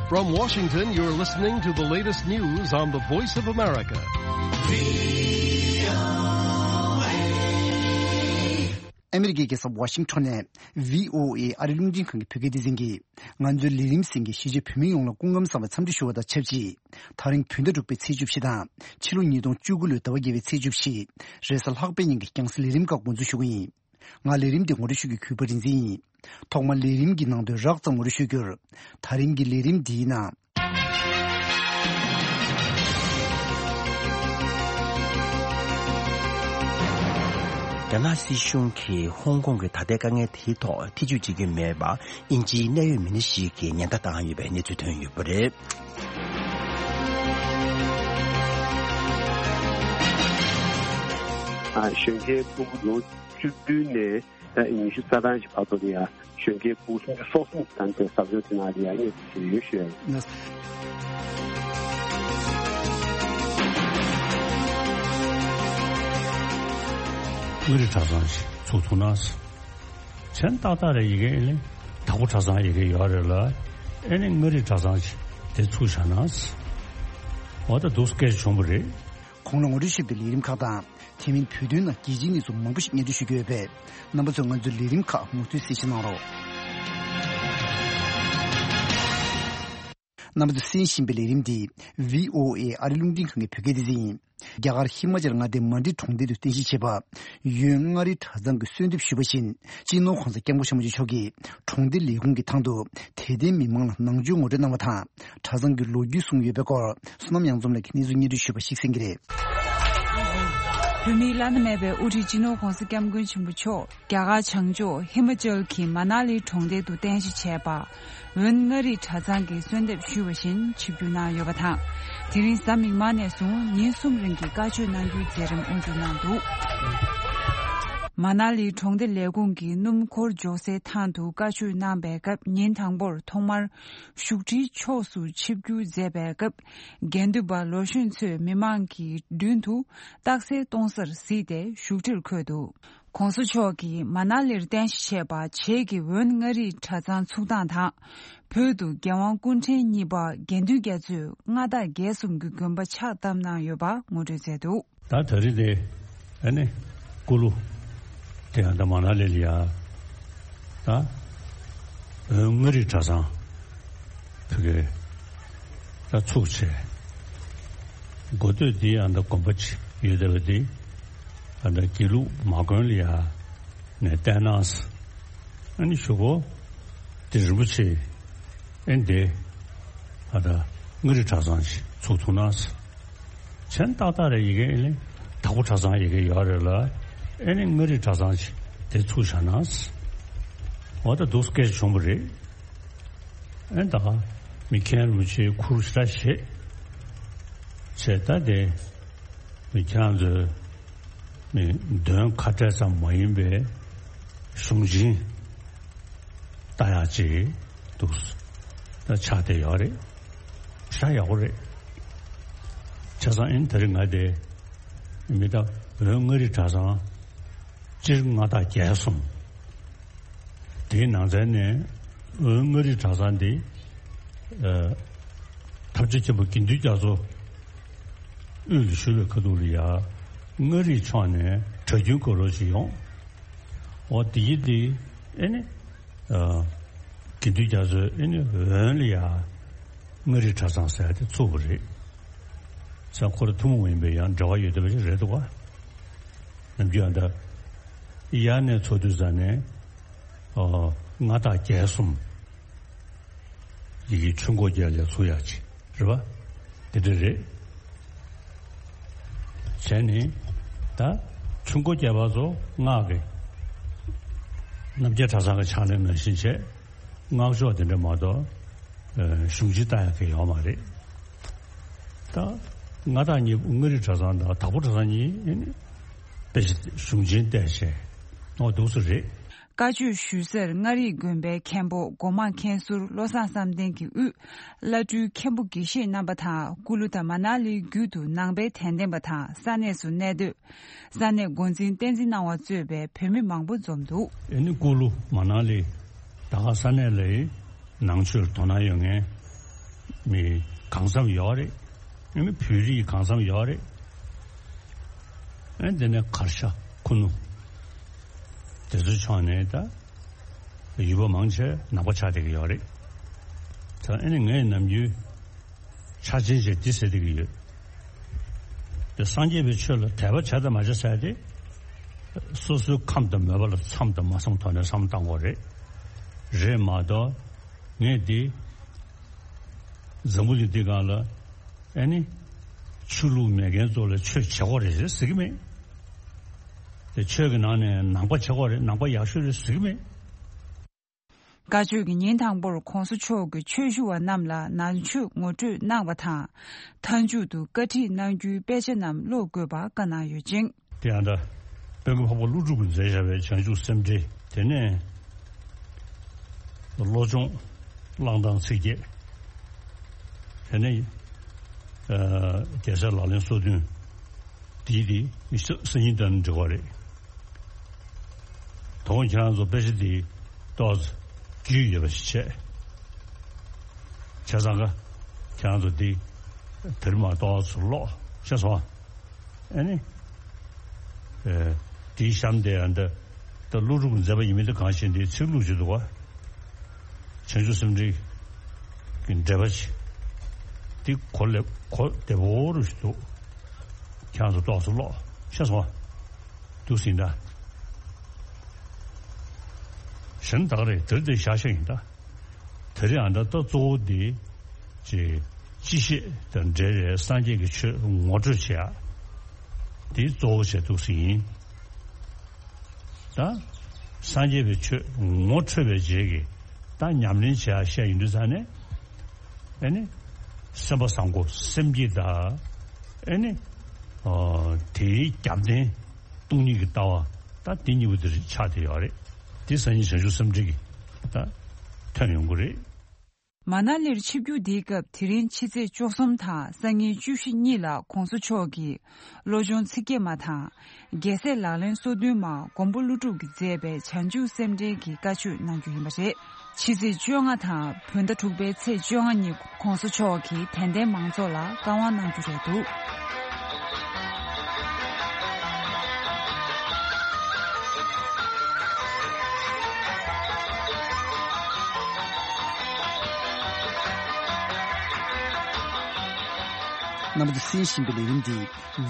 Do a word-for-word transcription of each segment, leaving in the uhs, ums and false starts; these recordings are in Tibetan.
From Washington, you're listening to the latest news on the Voice of America. ཨ་མི་རི་ཀའི་རྒྱལ་ས་ཝ་ཤིང་ཊོན་ནས་བྷི་ཨོ་ཨེ་ཨ་རི་རླུང་འཕྲིན་ཁང་གི་བོད་སྐད་སྡེ་ཚན་གྱིས། ང་ཚོའི་ལས་རིམ་གསན་མཁན་གཞིས་བྱེས་བོད་མི་ཡོངས་ལ་སྐུ་ཁམས་བཟང་བའི་འཚམས་འདྲི་ཞུ་བ་དང་ཆབས་ཅིག་ད་རིང་བོད་ཟླ་དྲུག་པའི་ཚེས་བཅུ་བཞི་དང་ཕྱི་ལོ་ཉིས་སྟོང་བཅུ་དགུ་ལོའི་ཟླ་བ་བརྒྱད་པའི་ཚེས་བཅུ་བཞི། རེས་གཟའ་ལྷག་པའི་ཉིན་གྱི་རྒྱང་སྲིང་ལས་རིམ་ཁག་འགོ་འཛུགས་ཞུ་གི་ཡིན། ང་ལས་རིམ་འདི་ངོ་སྤྲོད་ཞུ་རྒྱུའི་གུས་པ་རིག་འཛིན་ཡིན། ཐོག་མར་ལས་རིམ་གྱི་ནང་དོན་རགས་ཙམ་ངོ་སྤྲོད་ཞུ་རྒྱུར། ད་རིང་གི་ལས་རིམ་འདིའི་ནང་། རྒྱ་ནག་སྲིད་གཞུང་གིས་ཧོང་ཀོང་གི་ད་ལྟའི་དཀའ་ངལ་དེའི་ཐོག་ཐེ་ཇུས་བྱེད་ཀྱི་མེད་པ། དབྱིན་ཇིའི་གནད་ཡོད་མི་སྣ་ཞིག་གིས་ཉེན་བརྡ་བཏང་ཡོད་པའི་གནས་ཚུལ་ཐོན་ཡོད་པ་རེད། ཨ། གཞོན་སྐྱེས་ཕྲུ་གུ་ལོ་བཅུ་བདུན་ནས་ད་ཉི་ཤུ་རྩ་གྲངས་ཤིག་བར་དུ་ལ་ཡ་གཞོན་སྐྱེས་ཕྲུ་གུ་སུམ་ཅུ་སོ་གསུམ་ཙམ་དེ་ཟབ་སྦྱོང་དེ་ནང་ལ་ཡ་གནས་ཚུལ་ཡོད་ཞུ་ཡ་ཡིན། མངའ་རིས་གྲྭ་ཚང་ཞིག་ཚུགས་ཐུབ་ན། མཚན་ཏག་ཏག་རེད། ཡ་གི་ཨེ་ནི་དྭགས་པོ་གྲྭ་ཚང་ཡ་གི་ཡོད་རེད་ལ། ཨེ་ནི་མངའ་རིས་གྲྭ་ཚང་ཞིག་དེ་ཚུགས་བཞག་ན། འོ་ད་འདུག་སེ་སྐད་ཆ་བྱུང་བ་རེད། གོང་ལ་ངོ་སྤྲོད་ཞུས་པའི་ལས་རིམ་ཁག་དང་། དེ་མིན་བོད་དོན་ནང་རྒྱལ་སྤྱིའི་གནས་ཚུལ་མང་པོ་ཞིག་སྙན་སྒྲོན་ཞུ་རྒྱུ་ཡོད་པས། རྣམ་པ་ཚོས་ང་ཚོའི་ལས་རིམ་ཁག་མུ་མཐུད་གསན་བཞེས་གནང་རོགས། རྣམ་པ་ཚོས་གསན་བཞིན་པའི་ལས་རིམ་འདི་བྷི་ཨོ་ཨེ་ཨ་རི་རླུང་འཕྲིན་ཁང་གི་བོད་སྐད་སྡེ་ཚན་ཡིན། རྒྱ་གར་ཧི་མ་ཅལ་མངའ་སྡེའི་མན་ཌི་གྲོང་རྡལ་དུ་རྟེན་གཞི་བྱས་པ། ཡོན་མངའ་རིས་གྲྭ་ཚང་གིས་གསོལ་འདེབས་ཞུས་པ་བཞིན། སྤྱི་ནོར་༧གོང་ས་༧སྐྱབས་མགོན་ཆེན་པོ་མཆོག་གིས་གྲོང་སྡེ་ལས་ཁུངས་ཀྱི་ཐང་དུ་དད་ལྡན་མི་མང་ལ་ནང་ཆོས་ངོ་སྤྲོད་གནང་བ་དང་། གྲྭ་ཚང་གི་ལོ་རྒྱུས་གསུངས་ཡོད་པའི་སྐོར། བསོད་ནམས་གཡང་འཛོམས་ལགས་ཀྱིས་གནས་ཚུལ་སྙན་སྒྲོན་ཞུས་པ་ཞིག་གསན་གྱི་རེད། བོད་མིའི་བླ་ན་མེད་པའི་དབུ་ཁྲིད་སྤྱི་ནོར་༧གོང་ས་༧སྐྱབས་མགོན་ཆེན་པོ་མཆོག་རྒྱ་གར་བྱང་ཕྱོགས་ཧི་མ་ཅལ་གྱི་མ་ན་ལི་གྲོང་རྡལ་དུ་རྟེན་གཞི་བྱས་པ། འོན་མངའ་རིས་གྲྭ་ཚང་གིས་གསོལ་འདེབས་ཞུས་པ་བཞིན་ཆིབས་བསྒྱུར་གནང་ཡོད་པ་དང་། དེ་རིང་གཟའ་མིག་དམར་ནས་བཟུང་ཉིན་གསུམ་རིང་གི་བཀའ་ཆོས་གནང་རྒྱུའི་མཛད་རིམ་དབུ་འཛུགས་གནང་འདུག་མ་ན་ལི་གྲོང་སྡེ་ལས་ཁུངས་ཀྱི་སྣུམ་འཁོར་འཇོག་སའི་ཐང་དུ་བཀའ་ཆོས་གནང་པའི་སྐབས། ཉིན་དང་པོར་ཐོག་མར་བཞུགས་ཁྲིའི་ཕྱོགས་སུ་ཆིབས་བསྒྱུར་མཛད་པའི་སྐབས། དགེ་འདུན་པ་ལོ་གཞོན་ཚོས་མི་མང་གི་མདུན་དུ་རྟགས་གསལ་གཏོང་སར་གཟིགས་ཏེ་བཞུགས་ཁྲིར་འཁོད་འདུག ༸གོང་ས་མཆོག་གིས་མ་ན་ལིར་རྟེན་གཞི་བྱས་པ་བྱེས་ཀྱི་འོན་མངའ་རིས་གྲྭ་ཚང་ཚུགས་སྟངས་དང་། བོད་དུ་རྒྱལ་དབང་སྐུ་ཕྲེང་གཉིས་པ་དགེ་འདུན་རྒྱ་མཚོས་མངའ་བདག་རྒྱལ་གསུམ་གྱི་དགོན་པ་ཕྱག་བཏབ་གནང་ཡོད་པ་ངོ་སྤྲོད་མཛད་འདུག་ད་ད་རེས་དེ་ཨ་ནི་སྐུ་ལུ་དེ་ཡང་ད་མ་ན་ལི་ལ་ཡ། ད་འོན་མངའ་རིས་གྲྭ་ཚང་ཕ་གི་ད་ཚུགས་བྱས། འགོ་སྟོད་འདི་ཡང་ད་དགོན་པ་ཅིག་ཡོད་བསྡད་པ་འདི་ཨ་ད་དགེ་ལུགས་མ་དགོན་ལ་ཡ་ནས་བསྟན་གནང་། ཨ་ནི་གཞུག་གུ་དེ་རིན་པོ་ཆེ་ཨེ་འདི་ཨ་ད་མངའ་རིས་གྲྭ་ཚང་ཞིག་ཚུགས་ཐུབ་ན། མཚན་ཏག་ཏག་རེད། ཡ་གི་ཨེ་ནི་དྭགས་པོ་གྲྭ་ཚང་ཡ་གི་ཡོད་རེད་ལ། ཨེ་ནི་མངའ་རིས་གྲྭ་ཚང་ཞིག་དེ་ཚུགས་བཞག་ན། འོ་ད་འདུག་སེ་སྐད་ཆ་བྱུང་བ་རེད། ཨེ་ད་མི་མཁན་རིན་པོ་ཆེའི་ཁུར་ཞེ་དྲག་བཞེས་བྱས། ད་དེ་མི་ཁྱེད་རང་ཚོའི་མི་འདོན་ཁ་བྲལ་ཙམ་མ་ཡིན་པའི་གཞུང་ཆེན་ལྟ་ཡག་ཅིག་འདུག་ད་ཆགས་བསྡད་ཡོད་རེད། ཞེ་དྲག་ཡག་པོ་རེད། བྱས་ཙང་ཨེ་ནི་ད་རེས་ང་དེ་མི་ད་འོན་མངའ་རིས་གྲྭ་ཚང་སྤྱིར་མངའ་བདག་རྒྱལ་གསུམ། དེའི་ནང་ཚན་ནས་འོན་མངའ་རིས་གྲྭ་ཚང་འདི། ཨ། ཐམས་ཅད་མཁྱེན་པ་དགེ་འདུན་རྒྱ་མཚོ་དབུས་ལ་བཞུགས་པའི་ཁ་ཐུག་ལ་ཡ་མངའ་རིས་ཕྱོགས་ནས་གྲྭ་རྒྱུན་དགོས་རོགས་ཅིག་ཡོང་། འོ་དེ་ཡི་དེ་ཨེ་ནི། ཨ། དགེ་འདུན་རྒྱ་མཚོས་ཨེ་ནི་འོན་ལ་ཡ་མངའ་རིས་གྲྭ་ཚང་ཟེར་ཡ་དེ་ཚུགས་པ་རེད། ས་ཁོ་ར་ཐུན་མོང་མ་ཡིན་པའི་ཡང་འབྲེལ་བ་ཡོད་བསྡད་པ་ཞིག་རེད་འདུག་ག་ནམ་རྒྱུན་ཨ་ད་ཡར་ནས་ཚུགས་དུས་ཙ་ནས་ཨ་མངའ་བདག་རྒྱལ་གསུམ་ཡི་གེ་ཆུ་འགོ་རྒྱལ་ལ་ཚུགས་ཡག་ཅིག་རེད་པ། དེ་འདྲ་རེད། བྱས་ནས་ད་ཆུ་འགོ་རྒྱལ་པ་ཚོ་སྔགས་ཀྱི་རྣམ་རྒྱལ་གྲྭ་ཚང་གི་ཕྱག་ལེན་ནང་བཞིན་བྱས། སྔགས་ཕྱོགས་དེ་འདྲ་མ་གཏོགས་གཞུང་ཆེན་ལྟ་ཡག་གི་ཡོད་མ་རེད། ད་མངའ་བདག་གཉིས་པོ་མངའ་རིས་གྲྭ་ཚང་དང་དྭགས་པོ་གྲྭ་ཚང་གཉིས་ཨེ་ནི་དཔེ་གཞུང་ཆེན་བལྟས་བྱས་འོ་འདུག་སེ་རེད། བཀའ་ཆོས་ཞུ་སར་མངའ་རིས་དགོན་པའི་མཁན་པོ་སྒོ་མང་མཁན་ཟུར་བློ་བཟང་བསམ་གཏན་གྱི་དབུས་བླ་སྤྲུལ་མཁན་པོ་དགེ་བཤེས་རྣམ་པ་དང་། སྐུ་ལུ་དང་མ་ན་ལིའི་རྒྱུད་དུ་ནང་པའི་དད་ལྡན་པ་དང་ས་གནས་སུ་གནས་སྡོད། ས་གནས་འགོ་འཛིན་བསྟན་འཛིན་སྣང་བ་གཙོས་པའི་བོད་མི་མང་པོ་འཛོམས་འདུག་ཨེ་ནི་སྐུ་ལུ་མ་ན་ལི་ད་ག་ས་གནས་ལའི་ནང་ཆོས་དོ་སྣང་ཡོད་མཁན་ མི་གང་འཚམ་ཡོད་རེད། ཨ་ནི་བོད་རིགས་གང་འཚམ་ཡོད་རེད། ཨ་ནི་དེ་ནས་གར་ཤ་ཁུ་ནུ་དེ་ཚོའི་ཕྱོགས་ནས་ད་ཡུལ་པ་མང་ཆེ་ནང་པ་ཆགས་བསྡད་ཀྱི་ཡོད་རེད། ད་ཨ་ནི་ངས་ནམ་རྒྱུན་ཆ་ཆེན་ཆེ་འདི་ཟེར་བསྡད་ཀྱི་ཡོད། དེ་སངས་རྒྱས་པའི་ཆོས་ལ་དད་པ་བྱ་དང་མ་བྱ་ཟེར་ཏེ། སོ་སོའི་ཁམས་དང་མོས་པ་ལ་མཚམས་དང་མ་མཚམས་ཐོག་ནས་བསམ་བློ་བཏང་དགོས་རེད། རེད་མ་གཏོགས་ངས་འདི་འཛམ་བུ་གླིང་འདི་སྒང་ལ་ཨ་ནི་ཆོས་ལུགས་མེད་མཁན་ཚོ་ལ་ཆོས་བྱེད་དགོས་རེད་ཟེར་ཟེར་གྱི་མེད། དེ་ཆོས་ཀྱི་ནང་ནས་ནང་པ་བྱེད་དགོས་རེད། ནང་པ་ཡག་ཤོས་རེད་ཟེར་གྱི་མེད། བཀའ་ཆོས་ཀྱི་ཉིན་དང་པོར་༸གོང་ས་མཆོག་གིས་ཆོས་ཞུ་བ་རྣམས་ལ་ནང་ཆོས་ངོ་སྤྲོད་གནང་བ་དང་། མཐའ་མཇུག་ཏུ་བཀའ་ཁྲིད་གནང་རྒྱུའི་དཔེ་ཆ་རྣམས་ཀློག་དགོས་པ་བཀའ་གནང་ཡོད་ཅིང་། དེ་ཡང་ད་དཔལ་མགོན་འཕགས་པ་ཀླུ་སྒྲུབ་ཀྱིས་མཛད་བཞག་པའི་བྱང་ཆུབ་སེམས་འགྲེལ། དེ་ནས་བློ་སྦྱོང་བླང་དང་ཚིག་བརྒྱད། དེ་ནས་རྒྱལ་སྲས་ལག་ལེན་སོ་བདུན། དེའི་དེ་སང་ཉིན་དང་འབྲེལ་བ་རེད། དོ་དགོང་ཁྱེད་རང་ཚོ་དཔེ་ཆ་དེ་ཏོག་ཙམ་རྒྱུས་ཡོད་པ་ཞིག་བྱས། བྱས་ཙང་ཀ་ཁྱེད་རང་ཚོ་དེ་དེ་རིང་མ་ཏོག་ཙམ་ཀློག་ཤེས་སོང་ཨ། ཨ་ནི། དེའི་གཤམ་དེ་ཡང་འདི་ད་ཀླུ་སྒྲུབ་ཀྱི་མཛད་པ་ཡིན་མིན་དེ་གང་ཤེས་འདིའི་ཚིག་ལྷུག་ཅིག་འདུག་བ། བྱང་ཆུབ་སེམས་འགྲེལ་གྱི་འགྲེལ་པ་ཅིག་འདི་གོ་ལེ་གོ་བདེ་པོ་རུ་ཞིག་འདུག་ཁྱེད་རང་ཚོ་ཏོག་ཙམ་ཀློག་ཤེས་སོང་ཨ། འདུག་ཟིན་ད། གཞན་དག་རེད་དེར་དེ་བཞག་བཞག་ཡིན་ད། དེ་རིང་ཨ་ད་ལྟ་གཙོ་བོ་འདི་ཅི་ཅི་ཤེས་དང་འབྲེལ་བའི་སངས་རྒྱས་ཀྱི་ཆོས་ངོ་སྤྲོད་བྱེད་ཡ་འདི་གཙོ་བོ་བྱས་འདུག་ཟིན་ཡིན། ད་སངས་རྒྱས་པའི་ཆོས་ངོ་འཕྲོད་པའི་རྗེས་ཀྱི་ད་ཉམས་ལེན་བྱེད་ཡ་བཤད་ཡིན་དུས་ཙང་ནས་ཨེ་ནི་སེམས་པ་བཟང་པོ་སེམས་བསྐྱེད་དང་ཨེ་ནི་དེའི་རྒྱབ་རྟེན་སྟོང་ཉིད་ཀྱི་ལྟ་བ་ད་དེ་གཉིས་པོ་དེ་ཆགས་བསྡད་ཡོད་རེད། དེ་སང་ཉིན་བྱང་ཆུབ་སེམས་འགྲེལ་གྱི་ད་ཐོན་ཡོང་གི་རེད། མ་ན་ལིར་ཆིབས་བསྒྱུར་འདིའི་སྐབས་དེ་རིང་ཕྱི་ཚེས་བཅུ་གསུམ་དང་སང་ཉིན་བཅུ་བཞི་གཉིས་ལ་༸གོང་ས་མཆོག་གིས་བློ་སྦྱོང་ཚིག་བརྒྱད་མ་དང་། རྒྱལ་སྲས་ལག་ལེན་སོ་བདུན་མ་མགོན་པོ་ཀླུ་སྒྲུབ་ཀྱིས་མཛད་པའི་བྱང་ཆུབ་སེམས་འགྲེལ་གྱི་བཀའ་ཆོས་གནང་རྒྱུ་ཡིན་པ་རེད། ཕྱི་ཚེས་བཅོ་ལྔ་དང་བོད་ཟླ་དྲུག་པའི་ཚེས་བཅོ་ལྔ་ཉིན་༸གོང་ས་མཆོག་གིས་དད་ལྡན་མང་ཚོགས་ལ་བཀའ་དབང་གནང་རྒྱུ་རེད་འདུག་རྣམ་པ་ཚོས་གསན་བཞིན་པའི་ལས་རིམ་འདི་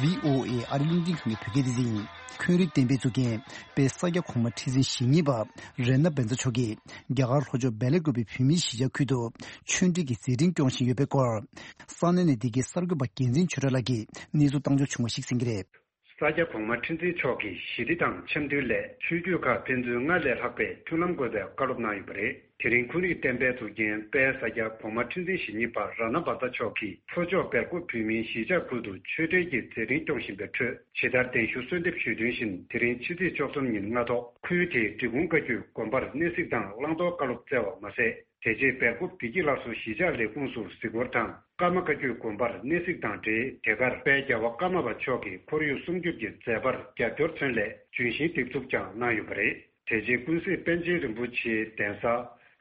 བྷི་ཨོ་ཨེ་ཨ་རི་རླུང་འཕྲིན་ཁང་གི་བོད་སྐད་སྡེ་ཚན་ཡིན། འཁོན་རིག་བསྟན་པའི་གཙུག་རྒྱན་དཔལ་ས་སྐྱ་གོང་མ་ཁྲི་འཛིན་ཞེ་གཉིས་པ་རཏྣ་བཛྲ་མཆོག་གིས་རྒྱ་གར་ལྷོ་ཕྱོགས་སྦེལ་ཀོབ་བོད་མིའི་གཞིས་ཆགས་ཁུལ་དུ་ཆོས་འབྲེལ་གྱི་མཛད་འཕྲིན་སྐྱོང་བཞིན་ཡོད་པའི་སྐོར། ས་གནས་ནས་འདི་གའི་གསར་འགོད་པ་རྒྱལ་མཚན་ཆོས་གྲགས་ལགས་ཀྱིས་གནས་ཚུལ་བཏང་འབྱོར་བྱུང་བ་ཞིག་གསན་གྱི་རེད། ས་སྐྱ་གོང་མ་ཁྲི་འཛིན་མཆོག་གིས་ཞི་བདེ་དང་འཆམ་མཐུན་སླད་ཆོས་བརྒྱུད་ཁག་ཕན་ཚུན་སྔར་ལས་ལྷག་པའི་མཐུན་ལམ་དགོས་པའི་བཀའ་སློབ་གནང་ཡོད་པ་རེད། དེ་རིང་འཁོན་རིག་བསྟན་པའི་གཙུག་རྒྱན་དཔལ་ས་སྐྱ་གོང་མ་ཁྲི་འཛིན་ཞེ་གཉིས་པ་རཏྣ་བཛྲ་མཆོག་གིས་ལྷོ་ཕྱོགས་སྦེལ་ཀོབ་བོད་མིའི་གཞིས་ཆགས་ཁུལ་དུ་ཆོས་འབྲེལ་གྱི་མཛད་འཕྲིན་སྐྱོང་བཞིན་པའི་ཁྲོད་ཇི་ལྟར་གདན་ཞུ་གསོལ་འདེབས་ཞུས་དོན་བཞིན་དེ་རིང་ཕྱི་ཚེས་བཅུ་གསུམ་ཉིན་སྔ་ཐོག་ཁུལ་དེའི་འབྲི་གུང་བཀའ་བརྒྱུད་དགོན་པར་གནས་གཟིགས་དང་བླང་དོར་བཀའ་སློབ་སྩལ་བ་མ་ཟད། དེ་རྗེས་སྦེལ་ཀོབ་བདེ་སྐྱིད་སླར་གསོ་གཞིས་ཆགས་ལས་ཁུངས་སུ་གཟིགས་སྐོར་དང་ཀརྨ་བཀའ་བརྒྱུད་དགོན་པར་གནས་གཟིགས་དང་འབྲེལ་དེ་གར་དཔལ་རྒྱལ་བ་ཀརྨ་པ་མཆོག་གི་ཁོར་ཡུག་སྲུང་སྐྱོབ་ཀྱི་མཛད་པར་རྒྱབ་སྐྱོར་མཚོན་སླད་ལྗོན་ཤིང་འདེབས་འཛུགས་ཀྱང་གནང་ཡོད་པ་རེད། དེ་རྗེས་ཀུན་གཟིགས་པཎ་ཆེན་རིན་པོ་ཆེའི་གདན་ས་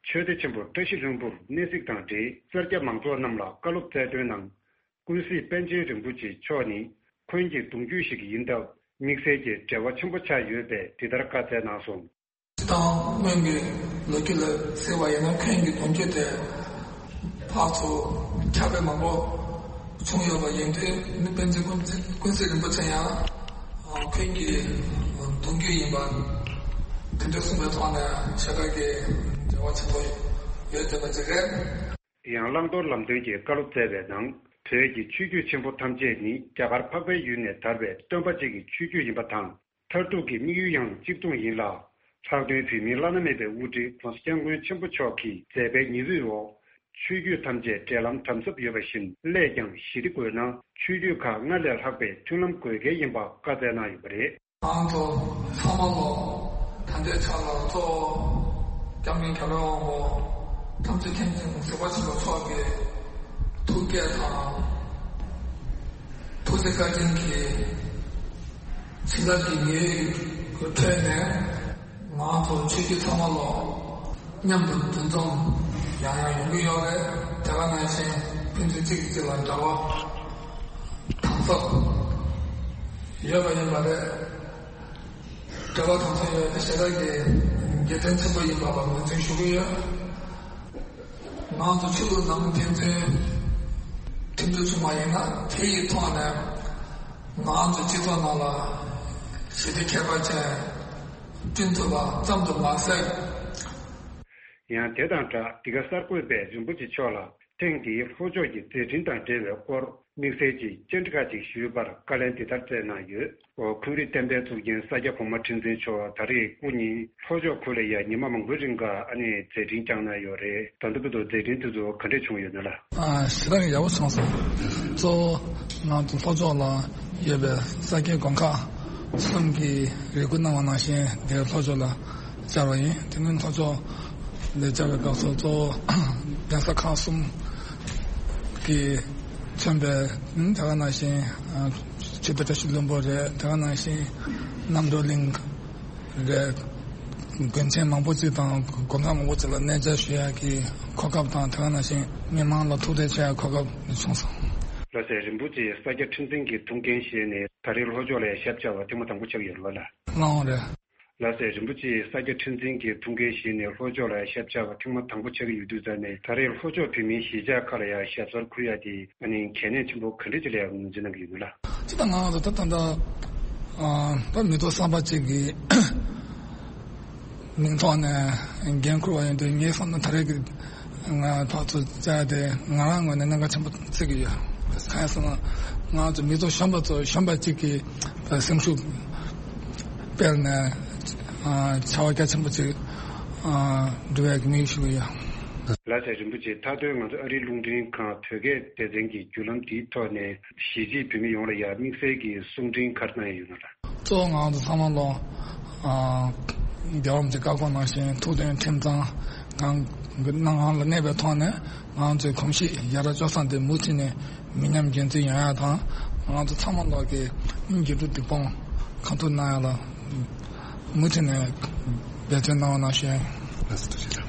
ཆོས་སྡེ་ཆེན་པོ་བཀྲ་ཤིས་ལྷུན་པོར་གནས་གཟིགས་དང་འབྲེལ་སེར་སྐྱ་མང་ཚོགས་རྣམས་ལ་བཀའ་སློབ་སྩལ་དོན་ནང་། ཀུན་གཟིགས་པཎ་ཆེན་རིན་པོ་ཆེ་མཆོག་ནི་འཁོན་གྱི་གདུང་རྒྱུད་ཞིག་ཡིན་སྟབས་དམིགས་བསལ་གྱི་འབྲེལ་བ་ཆེན་པོ་ཆགས་ཡོད་པས་འདི་ལྟར་བཀའ་སྩལ་གནང་སོང་། སྤྱིར་བཏང་སྔོན་གྱི་ལོ་རྒྱུས་ལ་གཟིགས་པ་ཡིན་ན་འཁོན་གྱི་གདུང་རྒྱུད་དེ་ཕར་ཚུར་ཁྱབ་སྤེལ་མང་པོ་བྱུང་ཡོད་པ་ཡིན་དུས་ནི་པཎ་ཆེན་ཀུན་གཟིགས་ཀུན་གཟིགས་རིན་པོ་ཆེ་ཡང་འཁོན་གྱི་གདུང་རྒྱུད་ཡིན་པ་དེ་འདྲ་གསུངས་པའི་ཐོག་ནས་ཆོས་དད་ཀྱི་འབྲེལ་བ་ཆེན་པོ་ཡོད་བསྡད་པ་ཅིག་རེད། དེ་ཡང་བླང་དོར་ལམ་སྟོན་གྱི་བཀའ་སློབ་སྩལ་བའི་ནང་བོད་ཀྱི་ཆོས་བརྒྱུད་ཆེན་པོ་ཐམས་ཅད་ནི་རྒྱ་གར་འཕགས་པའི་ཡུལ་ནས་དར་བའི་སྟོན་པ་གཅིག་གི་ཆོས་བརྒྱུད་ཡིན་པ་དང་། མཐར་ཐུག་གི་དམིགས་ཡུལ་ཡང་གཅིག་མཚུངས་ཡིན་ལ། ལྷག་དོན་བོད་མིའི་བླ་ན་མེད་པའི་དབུ་ཁྲིད་༸གོང་ས་༸སྐྱབས་མགོན་ཆེན་པོ་མཆོག་གིས་མཛད་པའི་ཉི་འོད་འོག་ཆོས་བརྒྱུད་ཐམས་ཅད་འབྲེལ་ལམ་དམ་ཟབ་ཡོད་པ་བཞིན་སླད་ཀྱང་ཞི་བདེ་དགོས་ན་ཆོས་བརྒྱུད་ཁག་སྔར་ལས་ལྷག་པའི་མཐུན་ལམ་དགོས་གལ་ཡིན་པ་བཀའ་སྩལ་གནང་ཡོད་པ་རེད། ང་ཚོ་ཚང་མ་ལོ་ད་ལྟའི་ཆ་ལ་གཙོ་བོ་༸སྐྱབས་མགོན་རྒྱལ་བའི་དབང་པོ་ཐམས་ཅད་མཁྱེན་ཅིང་གཟིགས་པ་ཆེན་པོ་མཆོག་གི་ཐུགས་བསྐྱེད་དང་ཐུགས་རྗེ་བཀའ་དྲིན་གྱིས་ཕྱི་ལོགས་ཀྱི་ཉེས་ཡོད་ཁྲོད་ནས་ང་ཚོ་ཆོས་བརྒྱུད་ཚང་མ་ལོ་མཉམ་དུ་འདུ་འཛོམས་ཡང་ཡང་ཡོང་གི་ཡོད་རེད། དེ་ག་ནང་བཞིན་ ཕན་ཚུན་གཅིག་གིས་གཅིག་ལ་འབྲེལ་བ་དམ་ཟབ་ཡོད་པ་ཡིན་པ་རེད། འབྲེལ་བ་དམ་ཟབ་ཡོད་པ་དེ་ཞེ་དྲག་གི་དགེ་མཚན་ཆེན་པོ་ཡིན་པ་ལ་ངོས་འཛིན་ཞུ་གི་ཡོད། ང་ཚོ་ཆོས་ལུགས་ནང་ཕན་ཚུན་མཐུན་སྒྲིལ་བྱུང་བ་ཡིན་ན། དེ་ཡི་ཐོག་ནས་ང་ཚོ་སྤྱི་ཚོགས་ནང་ལ་ཞི་བདེ་ཁྱད་པར་ཅན་བསྐྲུན་ཐུབ་པ་ཙམ་དུ་མ་ཟད། ཡང་དེ་དང་སྦྲགས། འདི་ག་གསར་འགོད་པས་རིན་པོ་ཆེ་མཆོག་ལ་ཐེངས་འདིའི་ལྷོ་ཕྱོགས་ཀྱི་མཛད་འཕྲིན་དང་འབྲེལ་བའི་སྐོར་དམིགས་བསལ་གྱི་བཅར་འདྲི་ཁག་ཅིག་ཞུས་པར་བཀའ་ལན་འདི་ལྟར་སྩལ་གནང་ཡོད། འཁོན་རིགས་བསྟན་པའི་གཙུག་རྒྱན་ས་སྐྱ་གོང་མ་ཁྲི་འཛིན་མཆོག་ད་རེས་སྐུ་ཉིད་ལྷོ་ཕྱོགས་ཁུལ་ལ་ཡང་ཉི་མ་མང་པོའི་རིང་ག་ཨ་ནི་མཛད་འཕྲིན་བསྐྱངས་གནང་ཡོད་རེད། ད་ལྟ་བར་དུ་མཛད་འཕྲིན་དེ་ཚོ་ག་འདྲས་བྱུང་ཡོད་ན་ལགས། ཨ། ཞེ་དྲག་ཡག་པོ་སོང་སོང་། གཙོ་བོ་ང་ཚོ་ལྷོ་ཕྱོགས་ལ་ཡོད་པའི་ས་སྐྱའི་དགོན་ཁག་གསུམ་གྱིས་རེ་སྐུལ་གནང་བ་ནང་བཞིན་དེ་ལྷོ་ཕྱོགས་ལ་བཅར་བ་ཡིན། དེ་ནི་ལྷོ་ཕྱོགས་ལ་བཅར་བའི་སྐབས་སུ་གཙོ་བོ་གདན་ས་ཁག་གསུམ་གྱིས་མཚོན་པའི། ཨ། དེ་ག་ནང་བཞིན། ཨ། ཆོས་རྗེ་བཀྲ་ཤིས་ལྷུན་པོ་རེད། དེ་ག་ནང་བཞིན་རྣམ་གྲོལ་གླིང་རེད། དགོན་ཆེན་མང་པོ་ཅིག་དང་དགོན་ཁག་མང་པོ་ཅིག་ལ་གནས་མཇལ་ཞུ་ཡག་གི་གོ་སྐབས་དང་། དེ་ག་ནང་བཞིན་མི་མང་ལ་ཐུག་འཕྲད་བྱེད་ཡག་གོ་སྐབས་བྱུང་སོང་། ལགས་སེ། རིན་པོ་ཆེ་ས་སྐྱ་ཁྲི་འཛིན་གྱི་ཐུགས་འགན་བཞེས་ནས་ད་རེས་ལྷོ་ཕྱོགས་ལ་ཡང་ཞབས་བཅར་བ་ཐེངས་མ་དང་པོ་ཆགས་ཡོད་རེད་པ་ལགས། ལགས་འོང་རེད། ལགས་སེ། རིན་པོ་ཆེ་ས་སྐྱ་ཁྲི་འཛིན་གྱི་ཐུགས་འགན་བཞེས་ནས་ལྷོ་ཕྱོགས་ལ་ཡང་ཞབས་བཅར་བ་ཐེངས་མ་དང་པོ་ཆགས་ཀྱི་ཡོད་དུས་ཙང་ནས། ད་རེས་ལྷོ་ཕྱོགས་བོད་མིའི་གཞིས་ཆགས་ཁག་ལ་ཡང་ཞབས་སོར་འཁུར་ཡག་དེ་ཨ་ནི་གལ་གནད་ཆེན་པོ་ག་འདྲ་ཅིག་ལ་ཡང་ངོས་འཛིན་གནང་གི་ཡོད་མེད་ལགས། སྤྱིར་བཏང་ང་རང་ཚོ་ད་ད་ལྟ། ཨ། ད་མི་ཐོག་གསར་པ་ཅིག་གི་མིང་ཐོག་ནས་འགན་འཁུར་བ་ཡིན་དུས། ངའི་བསམ་ན་ད་རེས་ཀྱི་ང་ཕར་ཚུར་བཅར་དེ་ང་རང་ངོས་ནས་གནད་འགག་ཆེན་པོ་བརྩི་གི་ཡོད། གང་ཡིན་ཟེར་ན། ང་ཚོ་མི་ཚོ་གཞོན་པ་ཚོ་གཞོན་པ་གཅིག་གི་སེམས་ཤུགས་སྤེལ་ནས། ཨ། བྱ་བ་རྒྱ་ཆེན་པོ་ཅིག་ཨ། སྒྲུབ་ཡག་གི་དམིགས་ཡུལ་ཞུ་གི་ཡོད། ལགས་སེ། རིན་པོ་ཆེ། མཐའ་དོན་ང་ཚོ་ཨ་རིའི་རླུང་འཕྲིན་ཁང་བོད་སྐད་སྡེ་ཚན་གྱི་བརྒྱུད་ལམ་འདིའི་ཐོག་ནས་གཞིས་བྱེས་བོད་མི་ཡོངས་ལ་ཡང་དམིགས་བསལ་གྱི་གསུང་འཕྲིན་ག་རེ་གནང་ཡ་ཡོད་ན་ལགས། གཙོ་བོ་ང་ཚོ་ཚང་མ་ལོ། ཨ། རྒྱལ་བ་རིན་པོ་ཆེའི་བཀའ་དགོངས་ནང་བཞིན་ཐུགས་མཐུན་ཁྲིམས་གཙང་གང་གནང་ལ་གནས་པའི་ཐོག་ནས། ང་ཚོའི་གོམས་གཤིས་ཡ་རབས་སྤྱོད་བཟང་དེ་མུ་མཐུད་ནས་མི་ཉམས་རྒྱུན་འཛིན་ཡོང་ཡ་དང་། ང་ཚོ་ཚང་མ་ལོག་གི་འགྱུར་འགྲོས་འདི་སྤོང་གང་ཐུབ་གནང་ཡ་ལ་མུ་མཐུད་ནས་འབད་བརྩོན་གནང་བ་ནང་བཞིན།